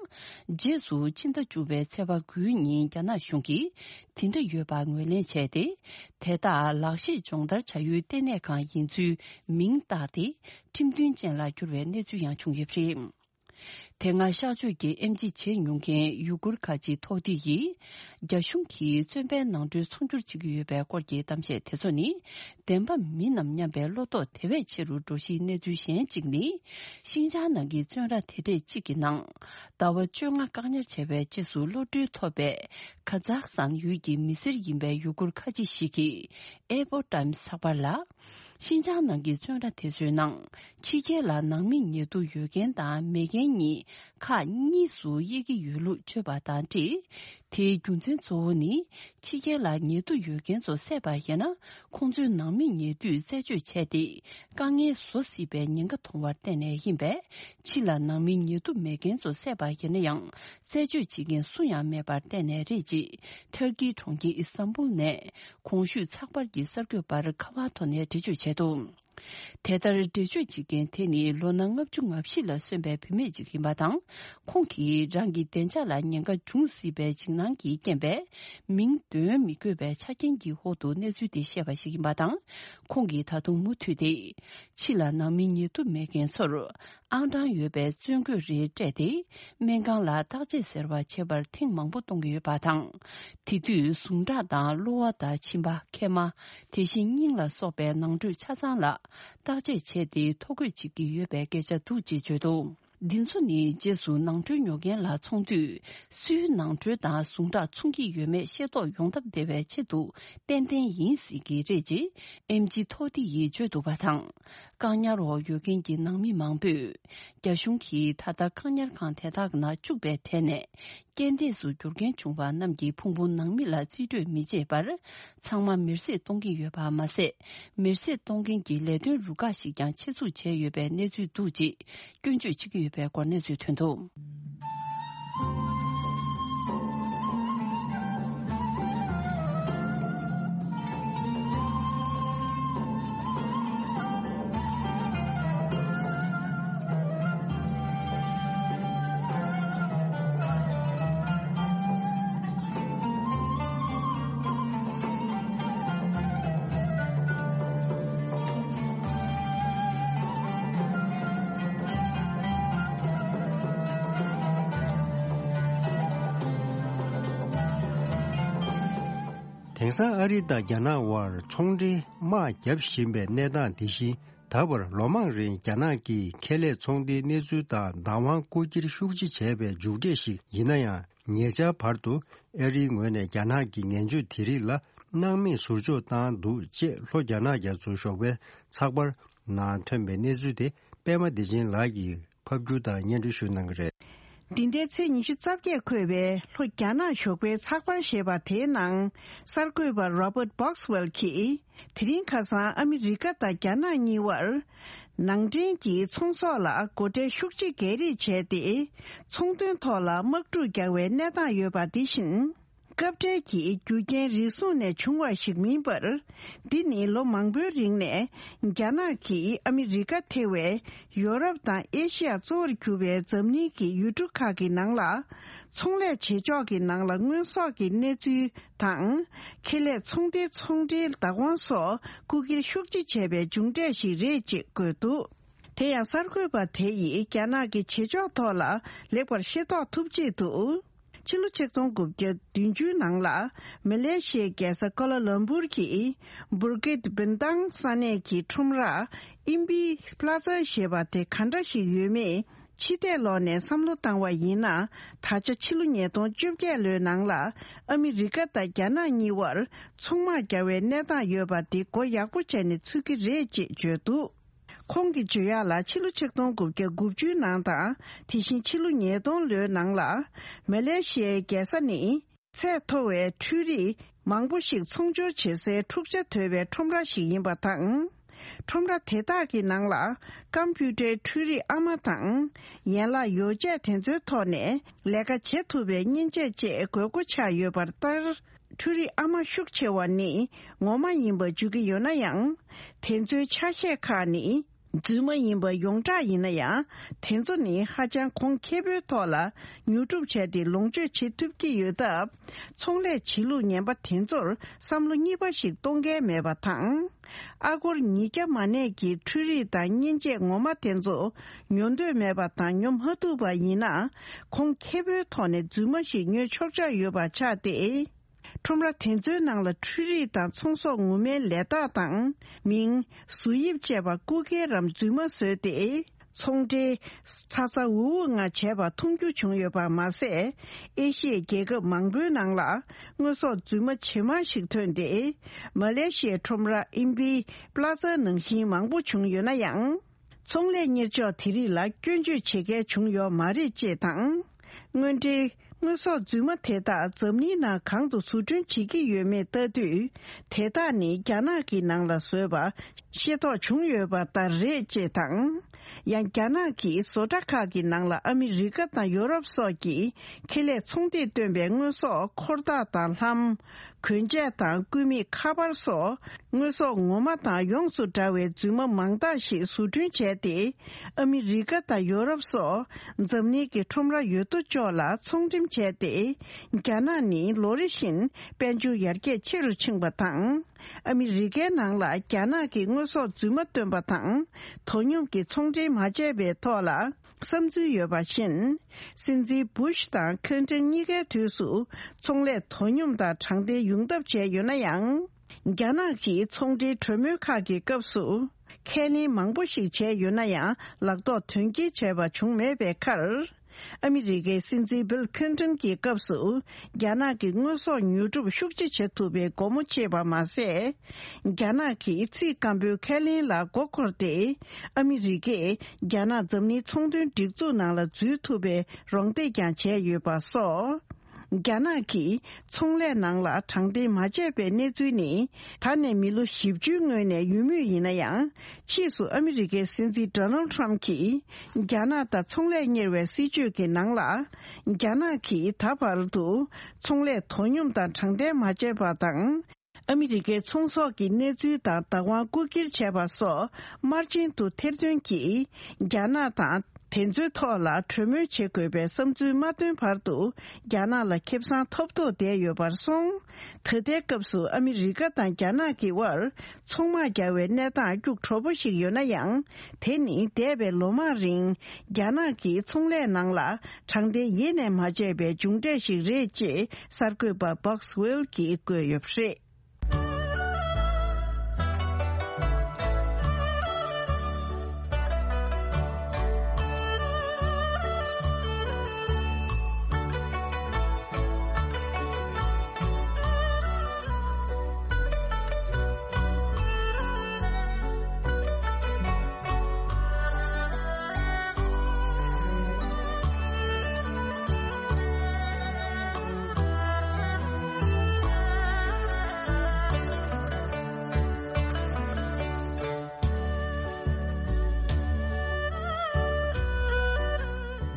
རྗེས་སུ་ཕྱི་ཟླ་བཅུ་པའི་ཚེས་པ་དགུའི་ཉིན་རྒྱ་ནག་གཞུང་གིས་དེ་འདྲ་ཡོད་པ་ངོས་ལེན་བྱས་ཏེ། དེ་དག་ལག་ཤེས་སྦྱོང་བརྡར་བྱ་ཡུལ་ལྟེ་གནས་ཁང་ཡིན་ཚུལ་མིང་བཏགས་ཏེ། ཁྲིམས་མཐུན་ཅན་ལ་གྱུར་བའི་གནས་ཚུལ་ཡང་བྱུང་ཡོད་པ་རེད། དེ་སྔ་གཤག་བཅོས་ཀྱི་ཨེམ་ཆི་བྱེད་མྱོང་མཁན་ཡུ་གུར་ཁ་ཆེ་ཐོ་ཏི་ཡིས། རྒྱ་གཞུང་གིས་བཙོན་པའི་ནང་ཁྲོལ་ཚོང་སྒྱུར་བྱེད་ཀྱི་ཡོད་པའི་སྐོར་གྱི་གཏམ་བཤད་དེ་ཚོ་ནི། བདེན་པ་མིན་ནམ་སྙམ་པའི་བློ་དོགས་དེ་བས་ཆེ་རུ་འགྲོ་གཞིའི་གནས་ཚུལ་གཞན་གཅིག་ནི། ཤིན་ཅང་ནང་གི་བཙོན་ར་དེ་གྲས་གཅིག་གི་ནང་། ཟླ་བ་བཅོ་ལྔ་བཀག་ཉར་བྱས་པའི་རྗེས་སུ་གློད་གྲོལ་ཐོབ་པའི། ཁ་ཛག་སི་ཐན་ཡུལ་གྱི་མི་སེར་ཡིན་པའི་ཡུ་གུར་ཁ་ཆེ་ཞིག་གིས། ཨེ་པོ་ཊའིམ་ཚགས་པར་ལ། ཤིན་ཅང་ནང་གི་བཙོན་ར་དེ་ཚོའི་ནང་། ཕྱི་རྒྱལ་ལ་ནང་མི་ཉེ་དུ་ཡོད་མཁན་དང་མེད་མཁན་གཉིས་ཁག་གཉིས་སུ་དབྱེ་གི་ཡོད་ལུགས་བརྗོད་པ་དང་འབྲེལ། དེའི་རྒྱུ་མཚན་གཙོ་བོ་ནི། ཕྱི་རྒྱལ་ལ་ཉེ་དུ་ཡོད་མཁན་ཚོ་བསད་པ་ཡིན་ན། ཁོང་ཚོའི་ནང་མི་ཉེ་དུས་རྩད་གཅོད་བྱས་ཏེ། དཀའ་ངལ་བཟོ་སྲིད་པའི་ཉེན་ཁ་མཐོང་བར་བརྟེན་ནས་ཡིན་པས། ཕྱི་ལ་ནང་མི་ཉེ་དུ་མེད་མཁན་ཚོ་བསད་པ་ཡིན་ན་ཡང་། རྩད་གཅོད་བྱེད་མཁན་སུ་ཡང་མེད་པར་བརྟེན་ནས་རེད་ཅེས། ཐར་ཀིའི་གྲོང་ཁྱེར་ཨི་སྟན་བུལ་ནས། གོང་ཞུས་ཚགས་པར་གྱི་གསར་འགོད་པར་ཁ་པར་ཐོག་ནས་འགྲེལ་བརྗོད་བྱས་འདུག་དེ་ལྟར་འགྲེལ་བརྗོད་བྱེད་མཁན་དེ་ནི་ལོ་ན་ལྔ་བཅུ་ང་བཞི་ལ་སོན་པའི་བུད་མེད་ཅིག་ཡིན་པ་དང་། ཁོང་གིས་རང་གི་བདེ་འཇགས་ལ་ཉེན་ཁ་འབྱུང་སྲིད་པའི་འཇིགས་སྣང་གི་རྐྱེན་པས། མིང་འདོན་མི་དགོས་པའི་ཆ་རྐྱེན་གྱི་འོག་ཏུ་གནས་ཚུལ་དེ་བཤད་པ་ཞིག་ཡིན་པ་དང་། ཁོང་གིས་ད་དུང་མུ་མཐུད་དེ། ཕྱི་ལ་ནང་མི་ཉེ་དུ་མེད་མཁན་ཚོར། ཨང་གྲངས་ཡོད་པའི་བཙོན་གོས་རེ་སྤྲད་དེ། སྨན་ཁང་ལ་བརྟག་དཔྱད་ཟེར་བ་བྱེད་པར་ཐེངས་མང་པོ་གཏོང་གི་ཡོད་པ་དང་། དེ་དུས་ཟུངས་ཁྲག་དང་གློ་བ་དང་མཆིན་པ། མཁལ་མ། དེ་བཞིན་སྙིང་ལ་སོགས་པའི་ནང་ཁྲོལ་ཆ་ཚང་ལ་བརྟག་དཔྱད་བྱས་ཏེ་ཐོ་འགོད་བྱེད་ཀྱི་ཡོད་པའི་སྐད་ཆ་འདུག་ཅེས་བརྗོད་འདུག་འདི་ཚོ་ནི་རྗེས་སུ་ནང་ཁྲོལ་ཉོ་མཁན་ལ་འཚོང་དུས་སུའི་ནང་ཁྲོལ་དང་ཟུངས་ཁྲག་འཚོང་གི་ཡོད་མེད་ཤེས་རྟོགས་ཡོང་ཐབས་བདེ་བའི་ཆེད་དུ་ཏན་ཏན་ཡིན་སྲིད་ཀྱི་རེད་ཅེས་ཨེམ་ཆི་ཐོ་ཏི་ཡིས་བརྗོད་འདུག་པ་དང་། བཀག་ཉར་འོག་ཡོད་མཁན་གྱི་ནང་མི་མང་པོས། རྒྱ་གཞུང་གིས་ད་ལྟ་བཀག་ཉར་ཁང་དེ་དག་ནང་བཅུག་པའི་གྲས་ནས། རྐྱེན་འདས་སུ་འགྱུར་མཁན་བྱུང་བ་རྣམས་ཀྱི་ཕུང་པོ་ནང་མི་ལ་རྩིས་སྤྲོད་མི་བྱེད་པར། ཚང་མ་མེར་སྲེག་གཏོང་གི་ཡོད་པ་མ་ཟད། མེར་སྲེག་གཏོང་མཁན་གྱི་ལས་དོན་རུ་ཁག་ཞིག་ཀྱང་ཆེད་འཛུགས་བྱས་ཡོད་པའི་གནས་ཚུལ་འདུག་ཅེས་སྐྱོན་བརྗོད་བྱེད་ཀྱི་ཡོད་པའི་སྐོར་གནས་ཚུལ་ཐོན་འདུག། དེང་སང་ཨ་རི་དང་རྒྱ་ནག་དབར་ཚོང་འབྲེལ་དམག་བརྒྱབ་བཞིན་པའི་གནས་སྟངས་དེ་བཞིན། ད་བར་ལོ་མང་རིང་རྒྱ་ནག་གིས་ཁེ་ལས་ཚོང་འབྲེལ་གནས་ཚུལ་དང་བདག་དབང་རྐུ་འཁྱེར་ཤུགས་ཆེ་བྱས་པའི་མཇུག་འབྲས་ཤིག་ཡིན་ན་ཡང་། ཉེ་ཆར་བར་དུ་ཨ་རིའི་ངོས་ནས་རྒྱ་ནག་གི་ངན་བྱུས་དེ་རིགས་ལ་སྣང་མེད་ཟུར་འཇོག་བཏང་འདུག་ཅེས་ལྷོ་རྒྱ་ནག་རྒྱ་མཚོའི་ཞོགས་པའི་ཚགས་པར་ནང་ཐོན་པའི་གནས་ཚུལ་དེ་པད་མ་བདེ་ཆེན་ལགས་ཀྱིས་ཕབ་སྒྱུར་དང་སྙན་སྒྲོན་ཞུ་གནང་གི་རེད། འདི་ཟླའི་ཚེས་ཉི་ཤུ་རྩ་བརྒྱད་འཁོད་པའི་ལྷོ་རྒྱ་ནག་ཞོགས་པའི་ཚགས་པར་ཞེས་པ་དེའི་ནང་གསར་འགོད་པ་Robert Boxwell་གྱིས། དེ་རིང་ཁ་སང་ཨ་མི་རི་ཀ་དང་རྒྱ་ནག་གཉིས་བར། ནང་འདྲེན་གྱི་ཚོང་ཟོག་ལ་སྒོ་ཁྲལ་ཤུགས་ཆེ་སྒལ་རེས་བྱས་ཏེ། ཚོང་དོན་ཐོག་ལ་དམག་འཁྲུག་རྒྱག་པའི་གནས་སྟངས་ཡོད་པ་དེ་བཞིན། སྐབས་འཕྲལ་གྱི་རྒྱུ་རྐྱེན་རེ་ཟུང་ནས་བྱུང་བ་ཞིག་མིན་པར། འདི་ནི་ལོ་མང་པོའི་རིང་ནས་རྒྱ་ནག་གིས་ཨ་མི་རི་ཀ་ཐེ་བའི་ཡོ་རོབ་དང་ཨེ་ཤི་ཡ་གཙོ་བོར་གྱུར་པའི་འཛམ་གླིང་གི་ཡུལ་གྲུ་ཁག་གི་ནང་ལ། ཚོང་ལས་བྱེད་ཕྱོགས་ཀྱི་ནང་ལ་དངོས་ཟོག་གི་གནས་ཚུལ་དང་། ཁེ་ལས་ཚོང་སྡེའི་ཚོང་འབྲེལ་བདག་དབང་སོགས་རྐུ་འཁྱེར་ཤུགས་ཆེ་བྱས་པའི་མཇུག་འབྲས་ཤིག་རེད་ཅེས་བཀོད་འདུག། དེ་ཡང་གསར་འགོད་པ་དེ་ཡིས་རྒྱ་ནག་གི་བྱེད་ཕྱོགས་ཐོག་ལ་ལེགས་པར་ཤེས་རྟོགས་ཐུབ་ཆེད་དུ། ཕྱི་ལོ་ཆིག་སྟོང་དགུ་བརྒྱ་བདུན་ཅུའི་ནང་ལ། མ་ལེ་ཤི་ཡའི་རྒྱལ་ས་ཀོ་ལ་ལམ་པུར་གྱི་Bukit Bintang་ས་གནས་ཀྱི་ཁྲོམ་ར་Imbi Plaza་ཞེས་པ་དེ་ག་འདྲ་ཞིག་ཡོད་མེད་ཕྱི་བལྟས་ལོག་ནས་བསམ་བློ་བཏང་བ་ཡིན་ན། ད་ཆ་ཕྱི་ལོ་ཉིས་སྟོང་བཅོ་བརྒྱད་ལོའི་ནང་ལ་ཨ་མི་རི་ཀ་དང་རྒྱ་ནག་གཉིས་བར་ཚོང་དམག་རྒྱག་པའི་གནས་སྟངས་ཡོད་པ་དེ་མགོ་ཡག་པོ་བྱས་ནས་ཚུད་ཀྱི་རེད་ཅེས་བརྗོད་འདུག། ཁོང་གིས་བརྗོད་ཡག་ལ་ཕྱི་ལོ་ཆིག་སྟོང་དགུ་བརྒྱ་དགུ་བཅུའི་ནང་དང་དེ་བཞིན་ཕྱི་ལོ་ཉིས་སྟོང་ལོའི་ནང་ལ་མ་ལེ་ཤི་ཡའི་རྒྱལ་ས་ནི་ཚད་མཐོ་བའི་འཕྲུལ་རིག་མང་པོ་ཞིག་ཚོང་སྦྱོར་བྱེད་སའི་འཁྲུག་ཆ་དོད་པའི་ཁྲོམ་ར་ཞིག་ཡིན་པ་དང་། ཁྲོམ་ར་དེ་དག་གི་ནང་ལ་ཀམ་པུ་ཊར་འཕྲུལ་རིག་ཨ་མ་དང་ཡན་ལག་ཡོ་བྱད་དེ་ཚོའི་ཐོག་ནས་ལས་ཀ་བྱེད་ཐུབ་པའི་མཉེན་ཆས་བཅས་དགོས་མཁོ་ཆགས་ཡོད་པ་ལྟར། འཕྲུལ་རིག་ཨ་མ་ཤུགས་ཆེ་བ་ནི་ངོ་མ་ཡིན་པ་བརྗོད་ཀྱི་ཡོད་ན་ཡང་། དེ་ཚོའི་ཆ་ཤས་ཁག་ནི་རྫུན་མ་ཡིན་པ་ཡོངས་གྲགས་ཡིན་ན་ཡང་། དེ་ཚོ་ནི་ཧ་ཅང་གོང་ཁེ་པོའི་ཐོག་ལ་ཉོ་སྒྲུབ་བྱས་ཏེ་ལོངས་སྤྱོད་བྱེད་ཐུབ་ཀྱི་ཡོད་སྟབས། ཚོང་ལས་བྱེད་ལུགས་ངན་པ་དེ་ཚོར་བསམ་བློ་གཉིས་པ་ཞིག་གཏོང་མཁན་མེད་པ་དང་། ཨ་སྒོར་ཉིས་བརྒྱ་མ་གནས་ཀྱི་འཕྲུལ་རིག་དང་མཉེན་ཆས་ངོ་མ་དེ་ཚོ་ཉོ་འདོད་མེད་པ་དང་ཉོ་མ་ཐུབ་པ་ཡིན་ན། གོང་ཁེ་པོའི་ཐོག་ནས་རྫུན་མ་ཞིག་ཉོས་ཆོག་ཆོག་ཡོད་པ་ཆགས་ཏེ། ཁྲོམ་ར་དེ་ཚོའི་ནང་ལ་འཕྲུལ་རིག་དང་ཚོང་ཟོག་ངོ་མའི་ལས་རྟགས་དང་མིང་། བཟོ་དབྱིབས་བཅས་པ་རྐུ་འཁྱེར་རམ་རྫུན་མ་བཟོས་ཏེ། ཚོང་འབྲེལ་ཚ་ཚ་འུར་འུར་ངང་བྱས་པ་མཐོང་རྒྱུ་བྱུང་ཡོད་པ་མ་ཟད། ཨེ་ཤི་ཡའི་རྒྱལ་ཁབ་མང་པོའི་ནང་ལ་དངོས་ཟོག་རྫུན་མ་ཇེ་མང་ཞིག་ཐོན་ཏེ། མ་ལེ་ཤི་ཡའི་ཁྲོམ་ར་ཨིམ་པི་པླ་ཛ་ནང་བཞིན་མང་པོ་བྱུང་ཡོད་ན་ཡང་། ཚོང་ལས་གཉེར་ཕྱོགས་དེ་རིགས་ལ་སྐྱོན་བརྗོད་བྱེད་མཁན་བྱུང་ཡོད་མ་རེད་ཅེས་དང་། དངོས་འབྲེལ་དངོས་ཟོག་རྫུན་མ་དེ་དག་འཛམ་གླིང་ནང་གང་དུ་བཟོ་སྐྲུན་བྱེད་ཀྱི་ཡོད་མེད་ལྟ་དུས། དེ་དག་ནི་རྒྱ་ནག་གི་ནང་ལ་བཟོས་པ་ཤེས་རྟོགས་བྱུང་ཡོད་པ་ལྟར་རེད་ཅེས་དང་། ཡང་རྒྱ་ནག་གི་བཟོ་གྲྭ་ཁག་གི་ནང་ལ་ཨ་མི་རི་ཀ་དང་ཡོ་རོབ་སོགས་ཀྱི་ཁེ་ལས་ཚོང་སྡེས་བཏོན་པའི་དངོས་ཟོག་འཁོར་ཐག་དང་ལྷམ། གོན་ཆས་དང་སྐུད་མེད་ཁ་པར་སོགས་དངོས་ཟོག་ངོ་མ་དང་ཡོངས་སུ་འདྲ་བའི་རྫུན་མ་མང་དག་ཞིག་བཟོ་སྐྲུན་བྱས་ཏེ། ཨ་མི་རི་ཀ་དང་ཡོ་རོབ་སོགས་འཛམ་གླིང་གི་ཁྲོམ་ར་ཡོད་དོ་ཅོག་ལ་ཚོང་འགྲེམས་བྱས་ཏེ། རྒྱ་ནག་ནི་ལོ་རེ་བཞིན་དཔལ་འབྱོར་ཡར་རྒྱས་ཆེ་རུ་ཕྱིན་པ་དང་། ཨ་མི་རི་ཀའི་ནང་ལ་རྒྱ་ནག་གི་དངོས་ཟོག་རྫུན་མ་བཏོན་པ་དང་དོ་སྙོམས་ཀྱི་ཚོང་འབྲེལ་མ་བྱས་པའི་ཐོག་ལ། བསམ་ཚུལ་ཡོད་པ་བཞིན། སྲིད་འཛིན་བུ་ཤི་དང་ཁི་ལིན་ཏོན་གཉིས་ཀའི་དུས་སུ་ཚོང་ལས་དོ་སྙོམས་དང་དྲང་བདེན་ཡོང་ཐབས་བྱས་ཡོད་ན་ཡང་། རྒྱ་ནག་གིས་ཚོང་འབྲེལ་གྲོས་མོལ་ཁག་གི་སྐབས་སུ། ཁས་ལེན་མང་པོ་ཞིག་བྱས་ཡོད་ན་ཡང་ལག་ཐོགས་དོན་འཁྱོལ་བྱས་པ་བྱུང་མེད་པའི་ཁར། ཨ་མི་རི་ཀའི་སྲིད་འཛིན་བིལ་ཁིན་ཏོན་གྱི་སྐབས་སུ། རྒྱ་ནག་གི་དངོས་ཟོག་ཉོ་སྒྲུབ་ཤུགས་ཆེ་བྱེད་ཐུབ་པའི་སྒོ་མོ་ཕྱེས་པ་མ་ཟད། རྒྱ་ནག་གིས་ཚིག་སྐམ་པོའི་ཁས་ལེན་ལ་མགོ་འཁོར་ཏེ། ཨ་མི་རི་ཀས་རྒྱ་ནག་འཛམ་གླིང་ཚོང་དོན་སྒྲིག་འཛུགས་ནང་ལ་འཛུལ་ཐུབ་པའི་རོགས་འདེགས་ཀྱང་བྱས་ཡོད་པ་སོགས། རྒྱ་ནག་གིས་ཚོང་ལས་ནང་ལ་དྲང་བདེན་མ་བྱས་པའི་གནས་ཚུལ་ནི། ད་ནས་མི་ལོ་བཞི་བཅུའི་སྔོན་ནས་ཡོད་མུས་ཡིན་ན་ཡང་། ཕྱིས་སུ་ཨ་མི་རི་ཀའི་སྲིད་འཛིན་ཌོ་ནལ་ཊམ་གྱིས། རྒྱ་ནག་དང་ཚོང་ལས་གཉེར་བའི་སྲིད་ཇུས་ཀྱི་ནང་ལ། རྒྱ་ནག་གིས་ད་བར་དུ། ཚོང་ལས་དོ་སྙོམས་དང་དྲང་བདེན་མ་བྱས་པ་དང་། ཨ་མི་རི་ཀའི་ཚོང་ཟོག་གི་གནས་ཚུལ་དང་བདག་དབང་རྐུ་འཁྱེར་བྱས་པ་སོགས་དམར་རྗེན་དུ་ཐེར་འདོན་གྱིས། རྒྱ་ནག་དང་དེ་ཚོའི་ཐོག་ལ་གྲོས་མོལ་བྱེད་དགོས་པའི་བསམ་ཚུལ་མ་བཏོན་བར་དུ། རྒྱ་ནག་ལ་ཁེ་བཟང་ཐོབ་ཐོབ་བསྡད་ཡོད་པར་སོང་། ད་ལྟའི་སྐབས་སུ་ཨ་མི་རི་ཀ་དང་རྒྱ་ནག་གི་དབར་ཚོང་དམག་རྒྱག་པའི་གནས་སྟངས་སྐྱུག་བྲོ་པོ་ཞིག་ཡོད་ན་ཡང་། དེ་ནི་འདས་པའི་ལོ་མང་རིང་རྒྱ་ནག་གིས་ཚོང་ལས་ནང་ལ་དྲང་བདེན་ཡེ་ནས་མ་བྱས་པའི་མཇུག་འབྲས་ཤིག་རེད་ཅེས་གསར་འགོད་པ་Box Whale གྱིས་བཀོད་ཡོད་པ་རེད།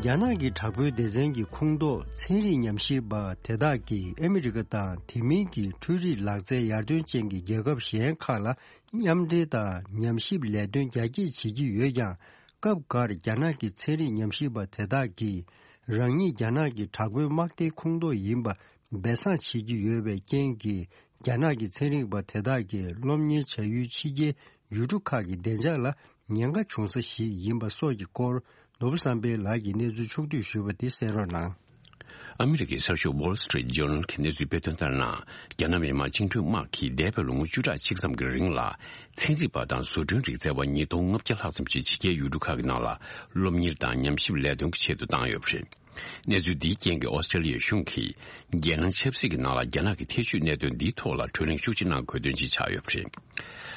རྒྱ་ནག་གི་དྲག་པོའི་སྡེ་ཚན་གྱི་ཁོངས་གཏོགས་ཚན་རིག་ཉམས་ཞིབ་པ་དེ་དག་གིས་ཨ་མི་རི་ཀ་དང་དེ་མིན་གྱི་འཕྲུལ་རིག་ལག་རྩལ་ཡར་ཐོན་ཅན་གྱི་རྒྱལ་ཁབ་གཞན་ཁག་ལ་མཉམ་འབྲེལ་དང་ཉམས་ཞིབ་ལས་དོན་རྒྱ་སྐྱེད་བྱེད་ཀྱི་ཡོད་ཀྱང་། སྐབས་འགར་རྒྱ་ནག་གི་ཚན་རིག་ཉམས་ཞིབ་པ་དེ་དག་གིས་རང་ཉིད་རྒྱ་ནག་གི་དྲག་པོའི་དམག་སྡེའི་ཁོངས་གཏོགས་ཡིན་པ་སྦས་གསང་བྱེད་ཀྱི་ཡོད་པའི་རྐྱེན་གྱིས། རྒྱ་ནག་གི་ཚན་རིག་པ་དེ་དག་གིས་སློབ་གཉེར་བྱ་ཡུལ་ཕྱི་རྒྱལ་ཡུལ་གྲུ་ཁག་གི་བདེ་འཇགས་ལ་ཉེན་ཁ་བྱུང་ས་ཞིག་ཡིན་པ་སོགས་ཀྱི་སྐོར། ནོར་བུ་བསམ་འཕེལ་ལགས་ཀྱིས་གནས་ཚུལ་ཕྱོགས་བསྡུས་ཞུས་པ་དེ་གསན་རོགས་གནང་། ཨ་མི་རི་ཀའི་གསར་ཤོག་Wall Street Journal གྱིས་གནས་ཚུལ་སྤེལ་དོན་ལྟར་ན། རྒྱ་ནག་མི་དམངས་བཅིངས་འགྲོལ་དམག་གིས་འདས་པའི་ལོ་ངོ་བཅུ་ཕྲག་གཅིག་ཙམ་གྱི་རིང་ལ། ཚན་རིག་པ་དང་བཟོ་སྐྲུན་རིག་རྩལ་བ་ཉིས་སྟོང་ལྔ་བརྒྱ་ལྷག་ཙམ་ཞིག་ཕྱི་རྒྱལ་ཡུལ་གྲུ་ཁག་གི་ནང་ལ་སློབ་གཉེར་དང་ཉམས་ཞིབ་ལས་དོན་གྱི་ཆེད་དུ་བཏང་ཡོད་པ་རེད། གནས་ཚུལ་འདིའི་རྐྱེན་གྱིས་ཨོ་སི་ཀྲེ་ལི་ཡའི་གཞུང་གིས་རྒྱལ་ནང་ཆབ་སྲིད་ཀྱི་ནང་ལ་རྒྱ་ནག་གི་ཐེ་བྱུས་གནད་དོན་འདིའི་ཐོག་ལ་གྲོས་གླེང་ཤུགས་ཆེ་གནང་དགོས་དོན་ཅིག་ཆགས་ཡོད་པ་རེད།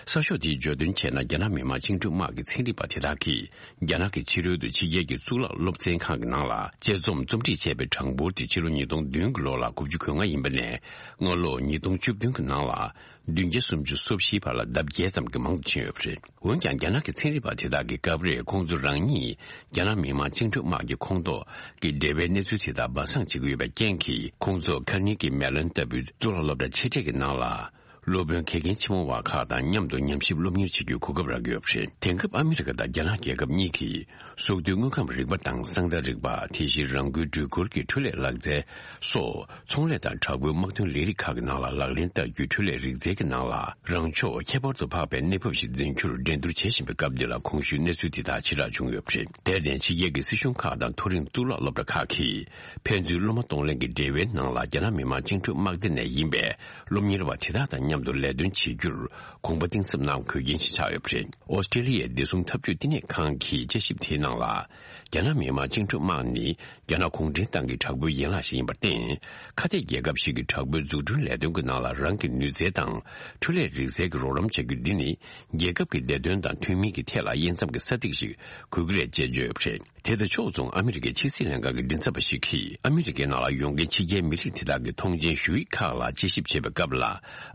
གསར་ཤོག་དེས་བརྗོད་དོན་བྱས་ན། རྒྱ་ནག་མི་དམངས་བཅིངས་འགྲོལ་དམག་གི་ཚན་རིག་པ་དེ་དག་གིས་རྒྱ་ནག་གི་ཕྱི་རོལ་དུ་ཕྱི་རྒྱལ་གྱི་གཙུག་ལག་སློབ་ཚན་ཁང་གི་ནང་ལ་དཔྱད་རྩོམ་རྩོམ་སྒྲིག་བྱས་པའི་གྲངས་འབོར་དེ་ཕྱི་ལོ་ཉིས་སྟོང་བདུན་གྱི་ལོ་ལ་དགུ་བཅུ་གོ་ལྔ་ཡིན་པ་ནས། སྔ་ལོ་ཉིས་སྟོང་བཅུ་བདུན་གྱི་ནང་ལ་བདུན་བརྒྱ་སུམ་ཅུ་སོ་བཞིའི་བར་ལ་ལྡབ་བརྒྱད་ཙམ་གྱི་མང་དུ་ཕྱིན་ཡོད་པ་རེད། འོན་ཀྱང་། རྒྱ་ནག་གི་ཚན་རིག་པ་དེ་དག་གིས་སྐབས་རེ་ཁོང་ཚོ་རང་ཉིད་རྒྱ་ནག་མི་དམངས་བཅིངས་འགྲོལ་དམག་གི་ཁོངས་གཏོགས་ཀྱི་འབྲེལ་བའི་གནས་ཚུལ་དེ་དག་སྦ་གསང་བྱེད་ཀྱི་ཡོད་པའི་རྐྱེན་གྱིས། ཁོང་ཚོ་ཁ་ནི་གི་མེ་ལོན་ལྟ་བུའི་གཙུག་ལག་སློབ་གྲྭ་ཆེ་གྲས་ཀྱི་ནང་ལ། སློབ་དཔོན་གལ་རྐྱེན་ཆེན་མོ་བ་ཁག་དང་མཉམ་དུ་ཉམས་ཞིབ་སློབ་གཉེར་བྱེད་རྒྱུའི་གོ་སྐབས་རག་གི་ཡོད་པ་རེད། དེང་སྐབས་ཨ་མི་རི་ཀ་དང་རྒྱ་ནག་རྒྱལ་ཁབ་གཉིས་ཀྱིས་སྲོག་ཐོག་དངོས་ཁམས་རིག་པ་དང་གསང་བདག་རིག་པ། དེ་བཞིན་རང་འགུལ་སྒྲོལ་འཁོར་གྱི་འཕྲུལ་ལས་ལག་རྩལ་སོགས། ཚོང་ལས་དང་དྲག་པོའི་དམག་དོན་ལས་རིགས་ཁག་གི་ནང་ལ་ལག་ལེན་བསྟར་རྒྱུའི་འཕྲུལ་ལས་རིག་རྩལ་གྱི་ནང་ལ། རང་ཕྱོགས་ཁྱད་པར་དུ་འཕགས་པའི་གནས་བབ་ཞིག་འཛིན་རྒྱུར་འགྲན་བསྡུར་བྱེད་བཞིན་པའི་སྐབས་འདི་ལ། གོང་ཞུས་གནས་ཚུལ་འདི་དག་ཕྱིར་བསྒྲགས་བྱུང་ཡོད་པ་རེད། དེར་བརྟེན། ཕྱི་རྒྱལ་གྱི་སྲིད་གཞུང་ཁག་དང་མཐོ་རིམ་གཙུག་ལག་སློབ་གྲྭ་ཁག་གིས། ཕན་ཚུན་སློབ་མ་གཏོང་ལེན་གྱི་འབྲེལ་བའི་ནང་ལ། རྒྱ་ནག་མི་དམངས་བཅིངས་འགྲོལ་དམག་སྡེ་ནས་ཡིན་པའི་སློབ་གཉེར་བ་དེ་དག་དང་མཉམ་དུ་ལས་དོན་བྱེད་རྒྱུར་དགོངས་པ་གཏིང་ཟབ་གནང་དགོས་རྐྱེན་ཞིག་ཆགས་ཡོད་པ་རེད། ཨོ་སི་ཀྲེ་ལི་ཡའི་བདེ་སྲུང་འཐབ་ཇུས་བསྟི་གནས་ཁང་གི་དཔྱད་ཞིབ་དེའི་ནང་ལ། རྒྱ་ནག་མི་དམངས་བཅིངས་འགྲོལ་དམག་ནི་རྒྱ་ནག་གུང་ཁྲན་ཏང་གི་དྲག་པོའི་ཡན་ལག་ཞིག་ཡིན་པར་བརྟེན། ཁ་གཏད་རྒྱལ་ཁབ་ཞིག་གི་དྲག་པོའི་འཛུགས་སྐྲུན་ལས་དོན་གྱི་ནང་ལ་རང་གི་ནུས་རྩལ་དང་འཕྲུལ་ལས་རིག་རྩལ་གྱི་རོགས་རམ་བྱ་རྒྱུ་འདི་ནི། རྒྱལ་ཁབ་ཀྱི་བདེ་དོན་དང་མཐུན་མིན་གྱི་ཐད་ལ་དབྱེ་མཚམས་ཀྱི་ས་ཚིགས་ཤིག་འགོད་ཀྱི་རེད་ཅེས་བརྗོད་ཡོད་པ་རེད། དེ་དང་ཕྱོགས་མཚུངས། ཨ་མི་རི་ཀའི་ཕྱི་སྲིད་ལྷན་ཁང་གི་མགྲིན་ཚབ་པ་ཞིག་གིས། ཨ་མི་རི་ཀའི་ནང་ལ་ཡོང་མཁན་ཕྱི་རྒྱལ་མི་རིགས་དེ་དག་གི་ཐོངས་མཆན་ཞུ་ཡིག་ཁག་ལ་དཔྱད་ཞིབ་བྱེད་པའི་སྐབས་ལ།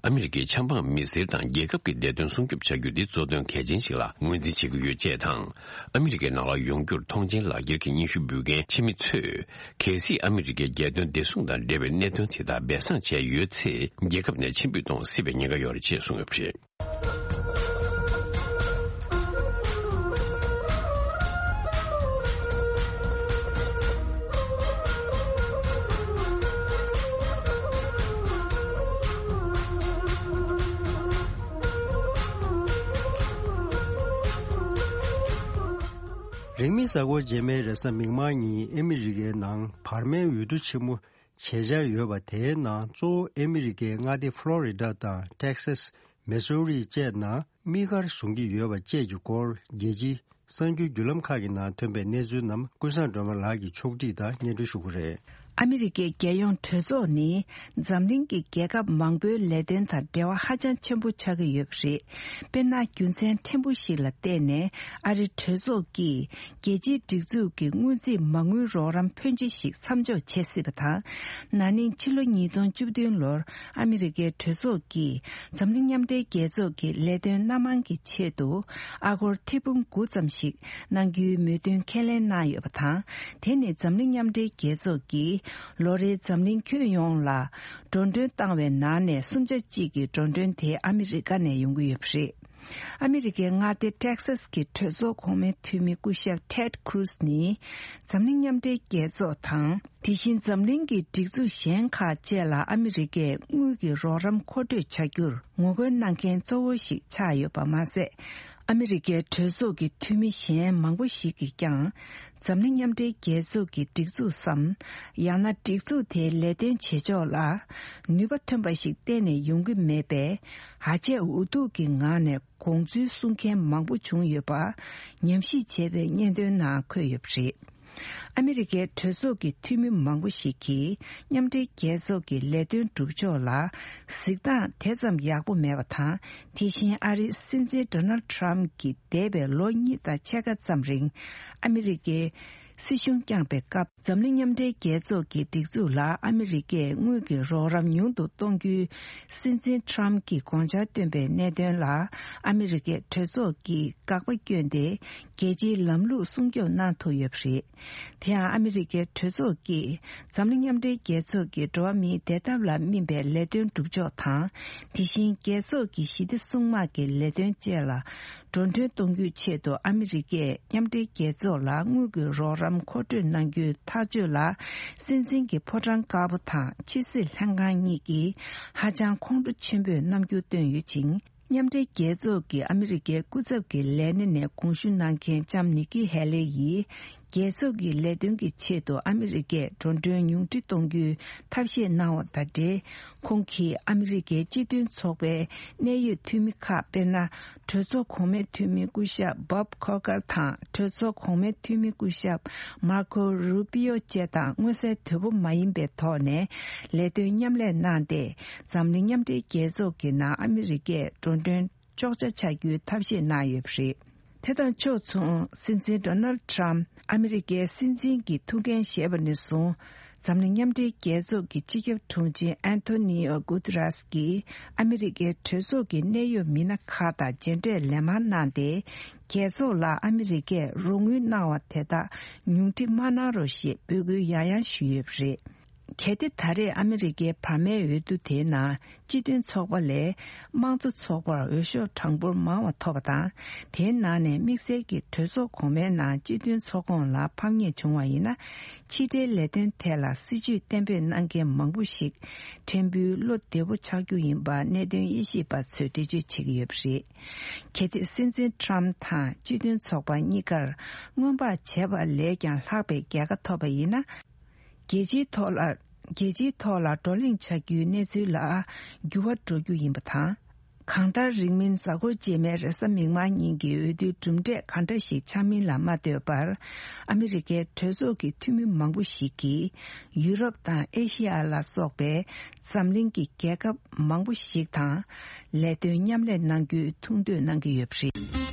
ཨ་མི་རི་ཀའི་ཆབ་འབངས་མི་སེར་དང་རྒྱལ་ཁབ་ཀྱི་བདེ་དོན་སྲུང་སྐྱོབ་བྱ་རྒྱུ་འདི་གཙོ་དོན་གལ་ཆེན་ཞིག་ལ་ངོས་འཛིན་བྱེད་ཀྱི་ཡོད་ཅེས་དང་། ཨ་མི་རི་ཀའི་ནང་ལ་ཡོང་རྒྱུར་ཐོངས་མཆན་ལག་འཁྱེར་གྱི་སྙན་ཞུ་འབུལ་མཁན་ཕྱི་མི་ཚོས། གལ་སྲིད་ཨ་མི་རི་ཀའི་རྒྱལ་དོན་བདེ་སྲུང་དང་འབྲེལ་བའི་གནད་དོན་དེ་དག་སྦས་གསང་བྱས་ཡོད་ཚེ། རྒྱལ་ཁབ་ནས་ཕྱིར་འབུད་གཏོང་སྲིད་པའི་ཉེན་ཁ་ཡོད་རེད་ཅེས་གསུངས་ཡོད་པ་རེད། རིང་མིན་གཟའ་འཁོར་རྗེས་མའི་རེས་གཟའ་མིག་དམར་ཉིན་ཨ་མི་རི་ཀའི་ནང་བར་མའི་འོས་བསྡུ་ཆེན་མོ་བྱེད་འཆར་ཡོད་པ། དེའི་ནང་གཙོ་བོ་ཨ་མི་རི་ཀའི་མངའ་སྡེ་ཕློ་རི་ཌ་དང་ཏེག་སཱས། མེ་སོ་རི་བཅས་ནང་དམིགས་བཀར་བཟུང་གི་ཡོད་པ་བཅས་ཀྱི་སྐོར། རྒྱལ་སྤྱིའི་གསར་འགྱུར་བརྒྱུད་ལམ་ཁག་གི་ནང་ཐོན་པའི་གནས་ཚུལ་རྣམས་ཀུན་བཟང་སྒྲོལ་མ་ལགས་ཀྱིས་ཕྱོགས་སྒྲིག་དང་སྙན་སྒྲོན་ཞུ་གི་རེད། ཨ་མི་རི་ཀའི་རྒྱལ་ཡོངས་གྲོས་ཚོགས་ནི་འཛམ་གླིང་གི་རྒྱལ་ཁབ་མང་པོའི་ལས་དོན་དང་འབྲེལ་བ་ཧ་ཅང་ཆེན་པོ་ཆགས་ཀྱི་ཡོད་པ་རེད། དཔེར་ན། རྒྱུ་མཚན་ཕྲན་བུ་ཞིག་ལ་བརྟེན་ནས་ཨ་རི་གྲོས་ཚོགས་ཀྱིས་རྒྱལ་སྤྱིའི་སྒྲིག་འཛུགས་ཀྱི་སྔོན་རྩིས་མ་དངུལ་རོགས་རམ་ཕོན་ཆེ་ཞིག་མཚམས་འཇོག་བྱེད་སྲིད་པ་དང་། ན་ནིང་ཕྱི་ལོ་ཉིས་སྟོང་བཅུ་བདུན་ལོར་ཨ་མི་རི་ཀའི་གྲོས་ཚོགས་ཀྱིས་འཛམ་གླིང་མཉམ་འབྲེལ་རྒྱལ་ཚོགས་ཀྱི་ལས་དོན་སྣ་མང་གི་ཆེད་དུ་ཨ་སྒོར་ཐེར་འབུམ་དགུ་ཙམ་ཞིག་གནང་རྒྱུའི་མོས་མཐུན་ཁས་ལེན་གནང་ཡོད་པ་དང་། དེ་ནི་འཛམ་གླིང་མཉམ་འབྲེལ་རྒྱལ་ཚོགས་ཀྱིས་ལོ་རེའི་འཛམ་གླིང་ཁྱོན་ཡོངས་ལ་འགྲོ་གྲོན་བཏང་བའི་ནང་ནས་གསུམ་ཆ་གཅིག་གི་འགྲོ་གྲོན་དེ་ཨ་མི་རི་ཀ་ནས་ཡོང་གི་ཡོད་པ་རེད། ཨ་མི་རི་ཀའི་མངའ་སྡེ་ཊེག་སཱས་ཀྱི་གྲོས་ཚོགས་གོང་མའི་འཐུས་མི་སྐུ་ཞབས་ཊེཌ་ཁུ་རུ་སི་ནི། འཛམ་གླིང་མཉམ་འབྲེལ་རྒྱལ་ཚོགས་དང་། དེ་བཞིན་འཛམ་གླིང་གི་སྒྲིག་འཛུགས་གཞན་ཁག་བཅས་ལ་ཨ་མི་རི་ཀས་དངུལ་གྱི་རོགས་རམ་མཁོ་སྤྲོད་བྱ་རྒྱུར་ངོ་རྒོལ་གནང་མཁན་གཙོ་བོ་ཞིག་ཆགས་ཡོད་པ་མ་ཟད། ཨ་མི་རི་ཀའི་གྲོས་ཚོགས་ཀྱི་འཐུས་མི་གཞན་མང་པོ་ཞིག་གིས་ཀྱང་། འཛམ་གླིང་མཉམ་འབྲེལ་རྒྱལ་ཚོགས་ཀྱི་སྒྲིག་འཛུགས་སམ། ཡང་ན་སྒྲིག་འཛུགས་དེའི་ལས་དོན་བྱེད་ཕྱོགས་ལ་ནུས་པ་ཐོན་པ་ཞིག་གཏན་ནས་ཡོང་གི་མེད་པས། ཧ་ཅང་འུ་ཐུག་གི་ངང་ནས་དགོངས་ཚུལ་གསུང་མཁན་མང་པོ་བྱུང་ཡོད་པ་ཉམས་ཞིབ་བྱས་པའི་སྙན་ཐོའི་ནང་འཁོད་ཡོད་པ་རེད། ཨ་མི་རི་ཀའི་གྲོས་ཚོགས་ཀྱི་འཐུས་མི་མང་པོ་ཞིག་གིས་མཉམ་འབྲེལ་རྒྱལ་ཚོགས་ཀྱི་ལས་དོན་སྒྲུབ་ཕྱོགས་ལ་གཟིགས་སྟངས་དེ་ཙམ་ཡག་པོ་མེད་པ་དང་། དེ་བཞིན་ཨ་རིའི་སྲིད་འཛིན་ཌོ་ནལ་ཌི་ཊརམ་གྱིས་འདས་པའི་ལོ་གཉིས་དང་ཕྱེད་ཀ་ཙམ་རིང་ཨ་མི་རི་ཀའི་སྲིད་གཞུང་བསྐྱངས་པའི་སྐབས། འཛམ་གླིང་མཉམ་འབྲེལ་རྒྱལ་ཚོགས་ཀྱི་སྒྲིག་འཛུགས་ལ་ཨ་མི་རི་ཀས་དངུལ་གྱི་རོགས་རམ་ཉུང་དུ་གཏོང་རྒྱུའི་སྲིད་འཛིན་ཊརམ་གྱིས་དགོངས་འཆར་བཏོན་པའི་གནད་དོན་ལ། ཨ་མི་རི་ཀས་གྲོས་ཚོགས་ཀྱིས་དགག་པ་བསྐྱོན་ཏེ། རྒྱལ་སྤྱིའི་ལམ་ལུགས་སྲུང་སྐྱོབ་གནང་ཐུབ་ཡོད་པ་རེད། དེ་ཡང་ཨ་མི་རི་ཀའི་གྲོས་ཚོགས་ཀྱིས་འཛམ་གླིང་མཉམ་འབྲེལ་རྒྱལ་ཚོགས་ཀྱི་འགྲོ་བ་མིའི་བདེ་ཐབས་ལ་སྨིན་པའི་ལས་དོན་སྒྲུབ་ཕྱོགས་དང་། དེ་བཞིན་རྒྱལ་ཚོགས་ཀྱི་ཞི་བདེ་སྲུང་དམག་གི་ལས་དོན་བཅས་ལ། འགྲོ་གྲོན་གཏོང་རྒྱུའི་ཆེད་དུ་ཨ་མི་རི་ཀས་མཉམ་འབྲེལ་རྒྱལ་ཚོགས་ལ་དངུལ་གྱི་རོགས་རམ་མཁོ་སྤྲོད་གནང་རྒྱུའི་ཐག་གཅོད་ལ། སྲིད་འཛིན་གྱི་ཕོ་བྲང་དཀར་པོ་དང་ཕྱི་སྲིད་ལྷན་ཁང་གཉིས་ཀྱིས་ཧ་ཅང་ཁོང་ཁྲོ་ཆེན་པོས་རྣམ་འགྱུར་བསྟན་ཡོད་ཅིང་། མཉམ་འབྲེལ་རྒྱལ་ཚོགས་ཀྱི་ཨ་མི་རི་ཀའི་སྐུ་ཚབ་ཀྱི་ལས་སྣེ་ནས་དགོངས་ཞུ་གནང་མཁན་ལྕམ་ནིག་ཀི་ཧེ་ལེ་ཡིས། རྒྱལ་ཚོགས་ཀྱི་ལས་དོན་གྱི་ཆེད་དུ་ཨ་མི་རི་ཀས་འགྲོ་གྲོན་ཉུང་འཕྲི་གཏོང་རྒྱུའི་ཐབས་ཤེས་གནང་བ་དང་འབྲེལ། ཁོང་གིས་ཨ་མི་རི་ཀའི་སྤྱི་མཐུན་ཚོགས་པའི་གནད་ཡོད་འཐུས་མི་ཁག་དཔེར་ན། གྲོས་ཚོགས་གོང་མའི་འཐུས་མི་སྐུ་ཞབས་བྷོབ་ཁོ་ཀར་དང་གྲོས་ཚོགས་གོང་མའི་འཐུས་མི་སྐུ་ཞབས་མར་ཁོ་རུ་པི་ཡོ་བཅས་དང་མངོན་གསལ་དོད་པོ་མ་ཡིན་པའི་ཐོག་ནས་ལས་དོན་མཉམ་ལས་གནང་སྟེ། འཛམ་གླིང་མཉམ་འབྲེལ་རྒྱལ་ཚོགས་ཀྱི་ནང་ཨ་མི་རི་ཀས་འགྲོ་གྲོན་གཅོག་ཆ་བྱ་རྒྱུའི་ཐབས་ཤེས་གནང་ཡོད་པ་རེད། དེ་དང་ཕྱོགས་མཚུངས། སྲིད་འཛིན་ཌོ་ནལ་ཌི་ཊརམ་ཨ་མི་རི་ཀའི་སྲིད་འཛིན་གྱི་ཐུགས་འགན་བཞེས་པ་ནས་བཟུང་། འཛམ་གླིང་མཉམ་འབྲེལ་རྒྱལ་ཚོགས་ཀྱི་སྤྱི་ཁྱབ་དྲུང་ཆེ་ཨན་ཐོ་ནི་ཨོ་གུ་ཏི་རེས་ཀྱིས་ཨ་མི་རི་ཀའི་གྲོས་ཚོགས་ཀྱི་གནད་ཡོད་མི་སྣ་ཁག་དང་མཇལ་འཕྲད་ལན་མང་གནང་སྟེ། རྒྱལ་ཚོགས་ལ་ཨ་མི་རི་ཀས་རོགས་དངུལ་གནང་བ་དེ་དག་ཉུང་འཕྲི་མ་གནང་རོགས་ཞེས་འབོད་སྐུལ་ཡང་ཡང་ཞུས་ཡོད་པ་རེད། གལ་ཏེ་ད་རེས་ཨ་མི་རི་ཀའི་བར་མའི་འོས་བསྡུ་དེའི་ནང་སྤྱི་མཐུན་ཚོགས་པ་ལས་དམངས་གཙོ་ཚོགས་པར་འོས་ཤོག་གྲངས་འབོར་མང་བ་ཐོབ་པ་དང་། དེའི་ནང་ནས་དམིགས་བསལ་གྱི་གྲོས་ཚོགས་གོང་མའི་ནང་སྤྱི་མཐུན་ཚོགས་ཁོངས་ལ་ཕམ་ཉེས་བྱུང་བ་ཡིན་ན། ཕྱི་འབྲེལ་ལས་དོན་ཐད་ལ་སྲིད་ཇུས་གཏན་འབེབས་གནང་མཁན་མང་པོ་ཞིག་ཕྲན་བུའི་བློ་བདེ་པོ་ཆགས་རྒྱུ་ཡིན་པ་གནད་དོན་དབྱེ་ཞིབ་པ་ཚོས་འགྲེལ་བརྗོད་བྱེད་ཀྱི་ཡོད་པ་རེད། གལ་ཏེ་སྲིད་འཛིན་ཊརམ་དང་སྤྱི་མཐུན་ཚོགས་པ་གཉིས་ཀར་སྔོན་དཔག་བྱས་པ་ལས་ཀྱང་ལྷག་པའི་རྒྱལ་ཁ་ཐོབ་པ་ཡིན་ན། རྒྱལ་སྤྱིའི་ཐོག་ལ། རྒྱལ་སྤྱིའི་ཐོག་ལ་བགྲོ་གླེང་བྱ་རྒྱུའི་གནས་ཚུལ་ལ་འགྱུར་བ་འགྲོ་རྒྱུ་ཡིན་པ་དང་། གང་ལྟར་རིང་མིན་གཟའ་འཁོར་རྗེས་མའི་རེས་གཟའ་མིག་དམར་ཉིན་གྱི་འོས་བསྡུའི་གྲུབ་འབྲས་ག་འདྲ་ཞིག་ཆགས་མིན་ལ་མ་ལྟོས་པར། ཨ་མི་རི་ཀའི་གྲོས་ཚོགས་ཀྱི་འཐུས་མི་མང་པོ་ཞིག་གིས་ཡུ་རོབ་དང་ཨེ་ཤི་ཡ་ལ་སོགས་པའི་འཛམ་གླིང་གི་རྒྱལ་ཁབ་མང་པོ་ཞིག་དང་ལས་དོན་མཉམ་ལས་གནང་རྒྱུའི་ཐུགས་འདོད་གནང་གི་ཡོད་པ་རེད།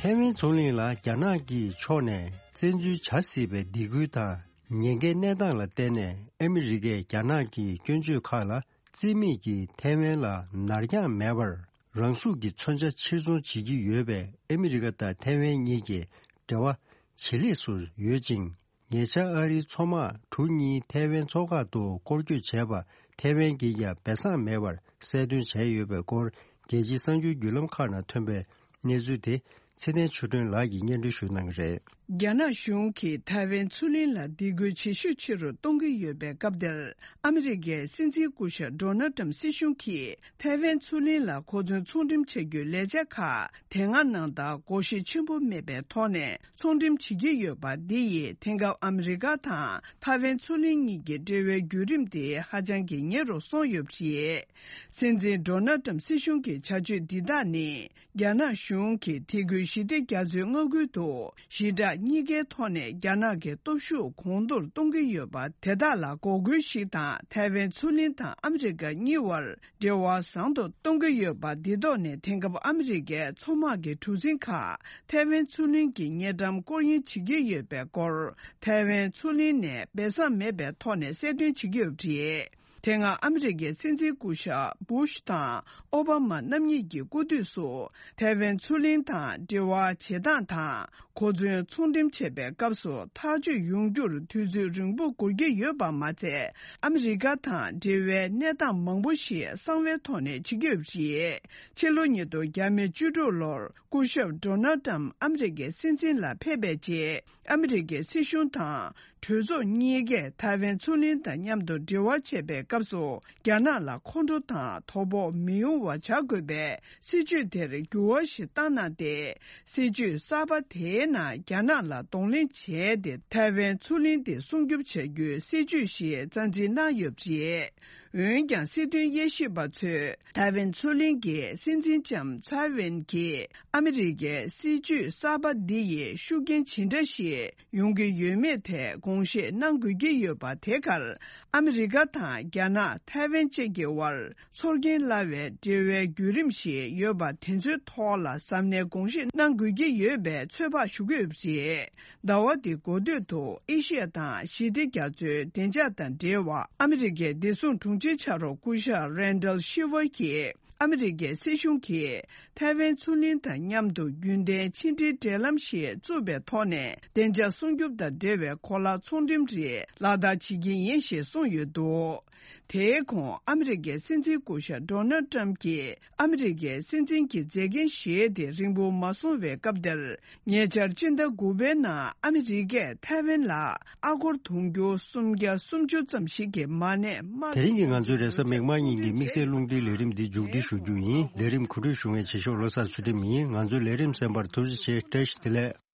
ཐའེ་ཝན་རྫོང་གླིང་ལ་རྒྱ་ནག་གི་ཕྱོགས་ནས་བཙན་འཛུལ་བྱ་སྲིད་པའི་སྡིགས་སྐུལ་དང་། ཉེན་ཁའི་གནས་སྟངས་ལ་བརྟེན་ནས་ཨ་མི་རི་ཀས་རྒྱ་ནག་གི་སྐྱོན་བརྗོད་ཁག་ལ་རྩིས་མེད་ཀྱིས་ཐའེ་ཝན་ལ་ནར་འགྱངས་མེད་པར་རང་ཤུགས་ཀྱིས་མཚོན་ཆ་ཕྱིར་ཚོང་བྱེད་ཀྱི་ཡོད་པས། ཨ་མི་རི་ཀ་དང་ཐའེ་ཝན་གཉིས་ཀྱི་འབྲེལ་བ་ཇེ་ལེགས་སུ་ཡོད་ཅིང་། ཉེ་ཆར་ཨ་རིའི་མཚོ་དམག་གྲུ་གཉིས་ཐའེ་ཝན་མཚོ་འགག་ཏུ་སྐོར་སྐྱོད་བྱས་པ། ཐའེ་ཝན་གྱིས་ཀྱང་སྦས་གསང་མེད་པར་གསལ་སྟོན་བྱས་ཡོད་པའི་སྐོར། རྒྱལ་སྤྱིའི་གསར་འགྱུར་བརྒྱུད་ལམ་ཁག་ནང་ཐོན་པའི་གནས་ཚུལ་དེ། ཚེ་བརྟན་ཆོས་སྒྲོན་ལགས་ཀྱིས་སྙན་སྒྲོན་ཞུ་གནང་གི་རེད། རྒྱ་ནག་གཞུང་གིས་ཐའེ་ཝན་མཚོ་གླིང་ལ་སྡིགས་སྐུལ་ཇེ་ཤུགས་ཆེ་རུ་གཏོང་གི་ཡོད་པའི་སྐབས་འདིར། ཨ་མི་རི་ཀའི་སྲིད་འཛིན་སྐུ་ཞབས་ཌོ་ནལ་ཏྲམ་སྲིད་གཞུང་གིས་ཐའེ་ཝན་མཚོ་གླིང་ལ་གོ་མཚོན་ཚོང་འགྲེམས་བྱ་རྒྱུའི་ལས་འཆར་ཁག་དེ་སྔ་ནང་ལྟར་སྒོར་གཞི་ཆེན་པོ་མེད་པའི་ཐོག་ནས་ཚོང་འགྲེམས་བྱེད་ཀྱི་ཡོད་པ། འདི་ཡིས་དེང་སྐབས་ཨ་མི་རི་ཀ་དང་ཐའེ་ཝན་མཚོ་གླིང་གཉིས་ཀྱི་འབྲེལ་བའི་བརྒྱུད་རིམ་དེ་ཧ་ཅང་གི་ཉེ་རུ་སོང་ཡོད་པ་རེད། སྲིད་འཛིན་ཌོ་ནལ་ཏྲམ་སྲིད་གཞུང་གི་བྱ་སྤྱོད་འདི་དག་ནི། རྒྱ་ནག་གཞུང་གིས་དེ་སྔོན་ཞི་བདེ་རྒྱ་མཚོའི་མངའ་ཁུལ་དུ་ཞི་དྲག་གཉིས་ཀའི་ཐོག་ནས་རྒྱ་ནག་གི་སྟོབས་ཤུགས་གོང་མཐོར་གཏོང་གི་ཡོད་པ། དེ་དག་ལ་འགོག་རྒོལ་ཞིག་དང་། ཐའེ་ཝན་མཚོ་གླིང་དང་ཨ་མི་རི་ཀ་གཉིས་བར་འབྲེལ་བ་བཟང་དུ་གཏོང་གི་ཡོད་པ། འདི་ཐོག་ནས་དེང་སྐབས་ཨ་མི་རི་ཀའི་མཚོ་དམག་གི་གྲུ་གཟིངས་ཁག་ཐའེ་ཝན་མཚོ་གླིང་གི་དངུལ་ཀྲམ་སྐོར་གཡེང་བྱེད་ཀྱི་ཡོད་པའི་སྐོར། ཐའེ་ཝན་མཚོ་གླིང་ནས་སྦས་གསང་མེད་པའི་ཐོག་ནས་གསལ་སྟོན་བྱེད་ཀྱི་ཡོད་པ་རེད། དེ་སྔ་ཨ་མི་རི་ཀའི་སྲིད་འཛིན་སྐུ་ཞབས་བུ་ཤ་དང་ཨོ་བྷ་མ་རྣམ་གཉིས་ཀྱི་སྐུ་དུས་སུ། ཐའེ་ཝན་མཚོ་གླིང་དང་འབྲེལ་བ་བྱེད་སྟངས་དང་། གོ་མཚོན་ཚོང་འགྲེམས་བྱེད་པའི་སྐབས་སུ་ཐག་གཅོད་ཡོང་རྒྱུར་དུས་ཚོད་རིང་པོ་འགོར་གྱི་ཡོད་པ་མ་ཚད། ཨ་མི་རི་ཀ་དང་འབྲེལ་བའི་གནས་སྟངས་མང་པོ་ཞིག་གསང་བའི་ཐོག་ནས་བྱེད་ཀྱི་ཡོད་པ་རེད། ཕྱི་ལོ་ཉིས་སྟོང་ཉེར་དྲུག་ལོར་སྐུ་ཞབས་ཌོ་ནལ་ཏྲམ་ཨ་མི་རི་ཀའི་སྲིད་འཛིན་ལ་ཕེབས་པའི་རྗེས། ཨ་མི་རི་ཀའི་སྲིད་གཞུང་དང་གྲོས་ཚོགས་གཉིས་ཀས་ཐའེ་ཝན་མཚོ་གླིང་དང་མཉམ་དུ་འབྲེལ་བ་བྱེད་པའི་སྐབས་སུ། རྒྱ་ནག་ལ་ཁོང་ཁྲོ་དང་དོ་ཕོག་མི་ཡོང་བ་བྱ་དགོས་པའི་སྲིད་ཇུས་དེར་འགྱུར་བ་ཞིག་བཏང་གནང་སྟེ། སྲིད་ཇུས་གསར་པ་དེའི་ནང་རྒྱ་ནག་ལ་གདོང་ལེན་བྱས་ཏེ། ཐའེ་ཝན་མཚོ་གླིང་དེ་སྲུང་སྐྱོབ་བྱ་རྒྱུའི་སྲིད་ཇུས་ཤིག་རྩ་འཛིན་གནང་ཡོད་པ་རེད། འོན་ཀྱང་། སྲིད་དོན་དབྱེ་ཞིབ་པ་ཚོས། ཐའེ་ཝན་མཚོ་གླིང་གི་སྲིད་འཛིན་ལྕམ་ཚའེ་ཝན་གྱིས་ཨ་མི་རི་ཀའི་སྲིད་ཇུས་གསར་པ་འདི་ཡིས་ཤུགས་རྐྱེན་ཇི་འདྲ་ཞིག་ཡོང་གི་ཡོད་མེད་ཐད་དགོངས་བཞེས་གནང་དགོས་ཀྱི་ཡོད་པ། དེ་གར་ཨ་མི་རི་ཀ་དང་རྒྱ་ནག་ཐའེ་ཝན་བཅས་ཀྱི་དབར་ཚོར་སྐྱེན་སླ་བའི་འབྲེལ་བའི་བརྒྱུད་རིམ་ཞིག་ཡོད་པ། དེ་ཚོའི་ཐོག་ལ་གཟབ་ནན་དགོངས་བཞེས་གནང་དགོས་ཀྱི་ཡོད་པའི་ཚོད་དཔག་ཞུ་གི་ཡོད་པ་རེད། ཟླ་བ་འདིའི་འགོ་སྟོད་དུ་ཨེ་ཤི་ཡ་དང་ཞི་བདེ་རྒྱ་མཚོའི་བདེ་འཇགས་དང་འབྲེལ་བ། ཨ་མི་རི་ཀའི་བདེ་སྲུང་དྲུང་ཆེ་ཕྱག་རོགས་སྐུ་ཞབས་རན་ཌལ་ཤི་ཝར་གྱིས། ཨ་མི་རི་ཀའི་སྲིད་གཞུང་གིས་ཐའེ་ཝན་མཚོ་གླིང་དང་མཉམ་དུ་རྒྱུན་ལྡན་ཕྱི་འབྲེལ་འབྲེལ་ལམ་ཞིག་བཙུགས་པའི་ཐོག་ནས། བདེ་འཇགས་སྲུང་སྐྱོབ་དང་འབྲེལ་བའི་གོ་ལ་ཚོང་འགྲེམས་རིགས་ལག་བསྟར་བྱེད་ཀྱི་ཡིན་ཞེས་གསུངས་ཡོད་འདུག་དེའི་གོང་ཨ་མི་རི་ཀའི་སྲིད་འཛིན་སྐུ་ཞབས་ཌོ་ནལ་ཏྲམ་གྱིས། ཨ་མི་རི་ཀའི་སྲིད་འཛིན་གྱི་མཛད་འགན་བཞེས་ཏེ་རིང་པོ་མ་སོང་བའི་སྐབས་དེར། ཉེ་ཆར་སྤྱི་ཟླ་དགུ་པའི་ནང་ཨ་མི་རི་ཀས་ཐའེ་ཝན་ལ་ཨ་སྒོར་དུང་ཕྱུར་སུམ་བརྒྱ་སུམ་ཅུ་ཙམ་ཞིག་གི་མ་གནས་དམག་དེ་རིང་གི་ང་ཚོའི་རེས་གཟའ་མིག་དམར་ཉིན་གྱི་དམིགས་བསལ་རླུང་འཕྲིན་ལས་རིམ་འདི་མཇུག་སྒྲིལ་ཞུ་རྒྱུ་ཡིན། ལས་རིམ་གོ་སྒྲིག་ཞུ་མཁན་བྱེད་ཤོག་བློ་བཟང་ཚུལ་ཁྲིམས་ཡིན། ང་ཚོའི་ལས་རིམ་གསན་པར་ཐུགས་རྗེ་ཆེ། བཀྲ་ཤིས་བདེ་ལེགས།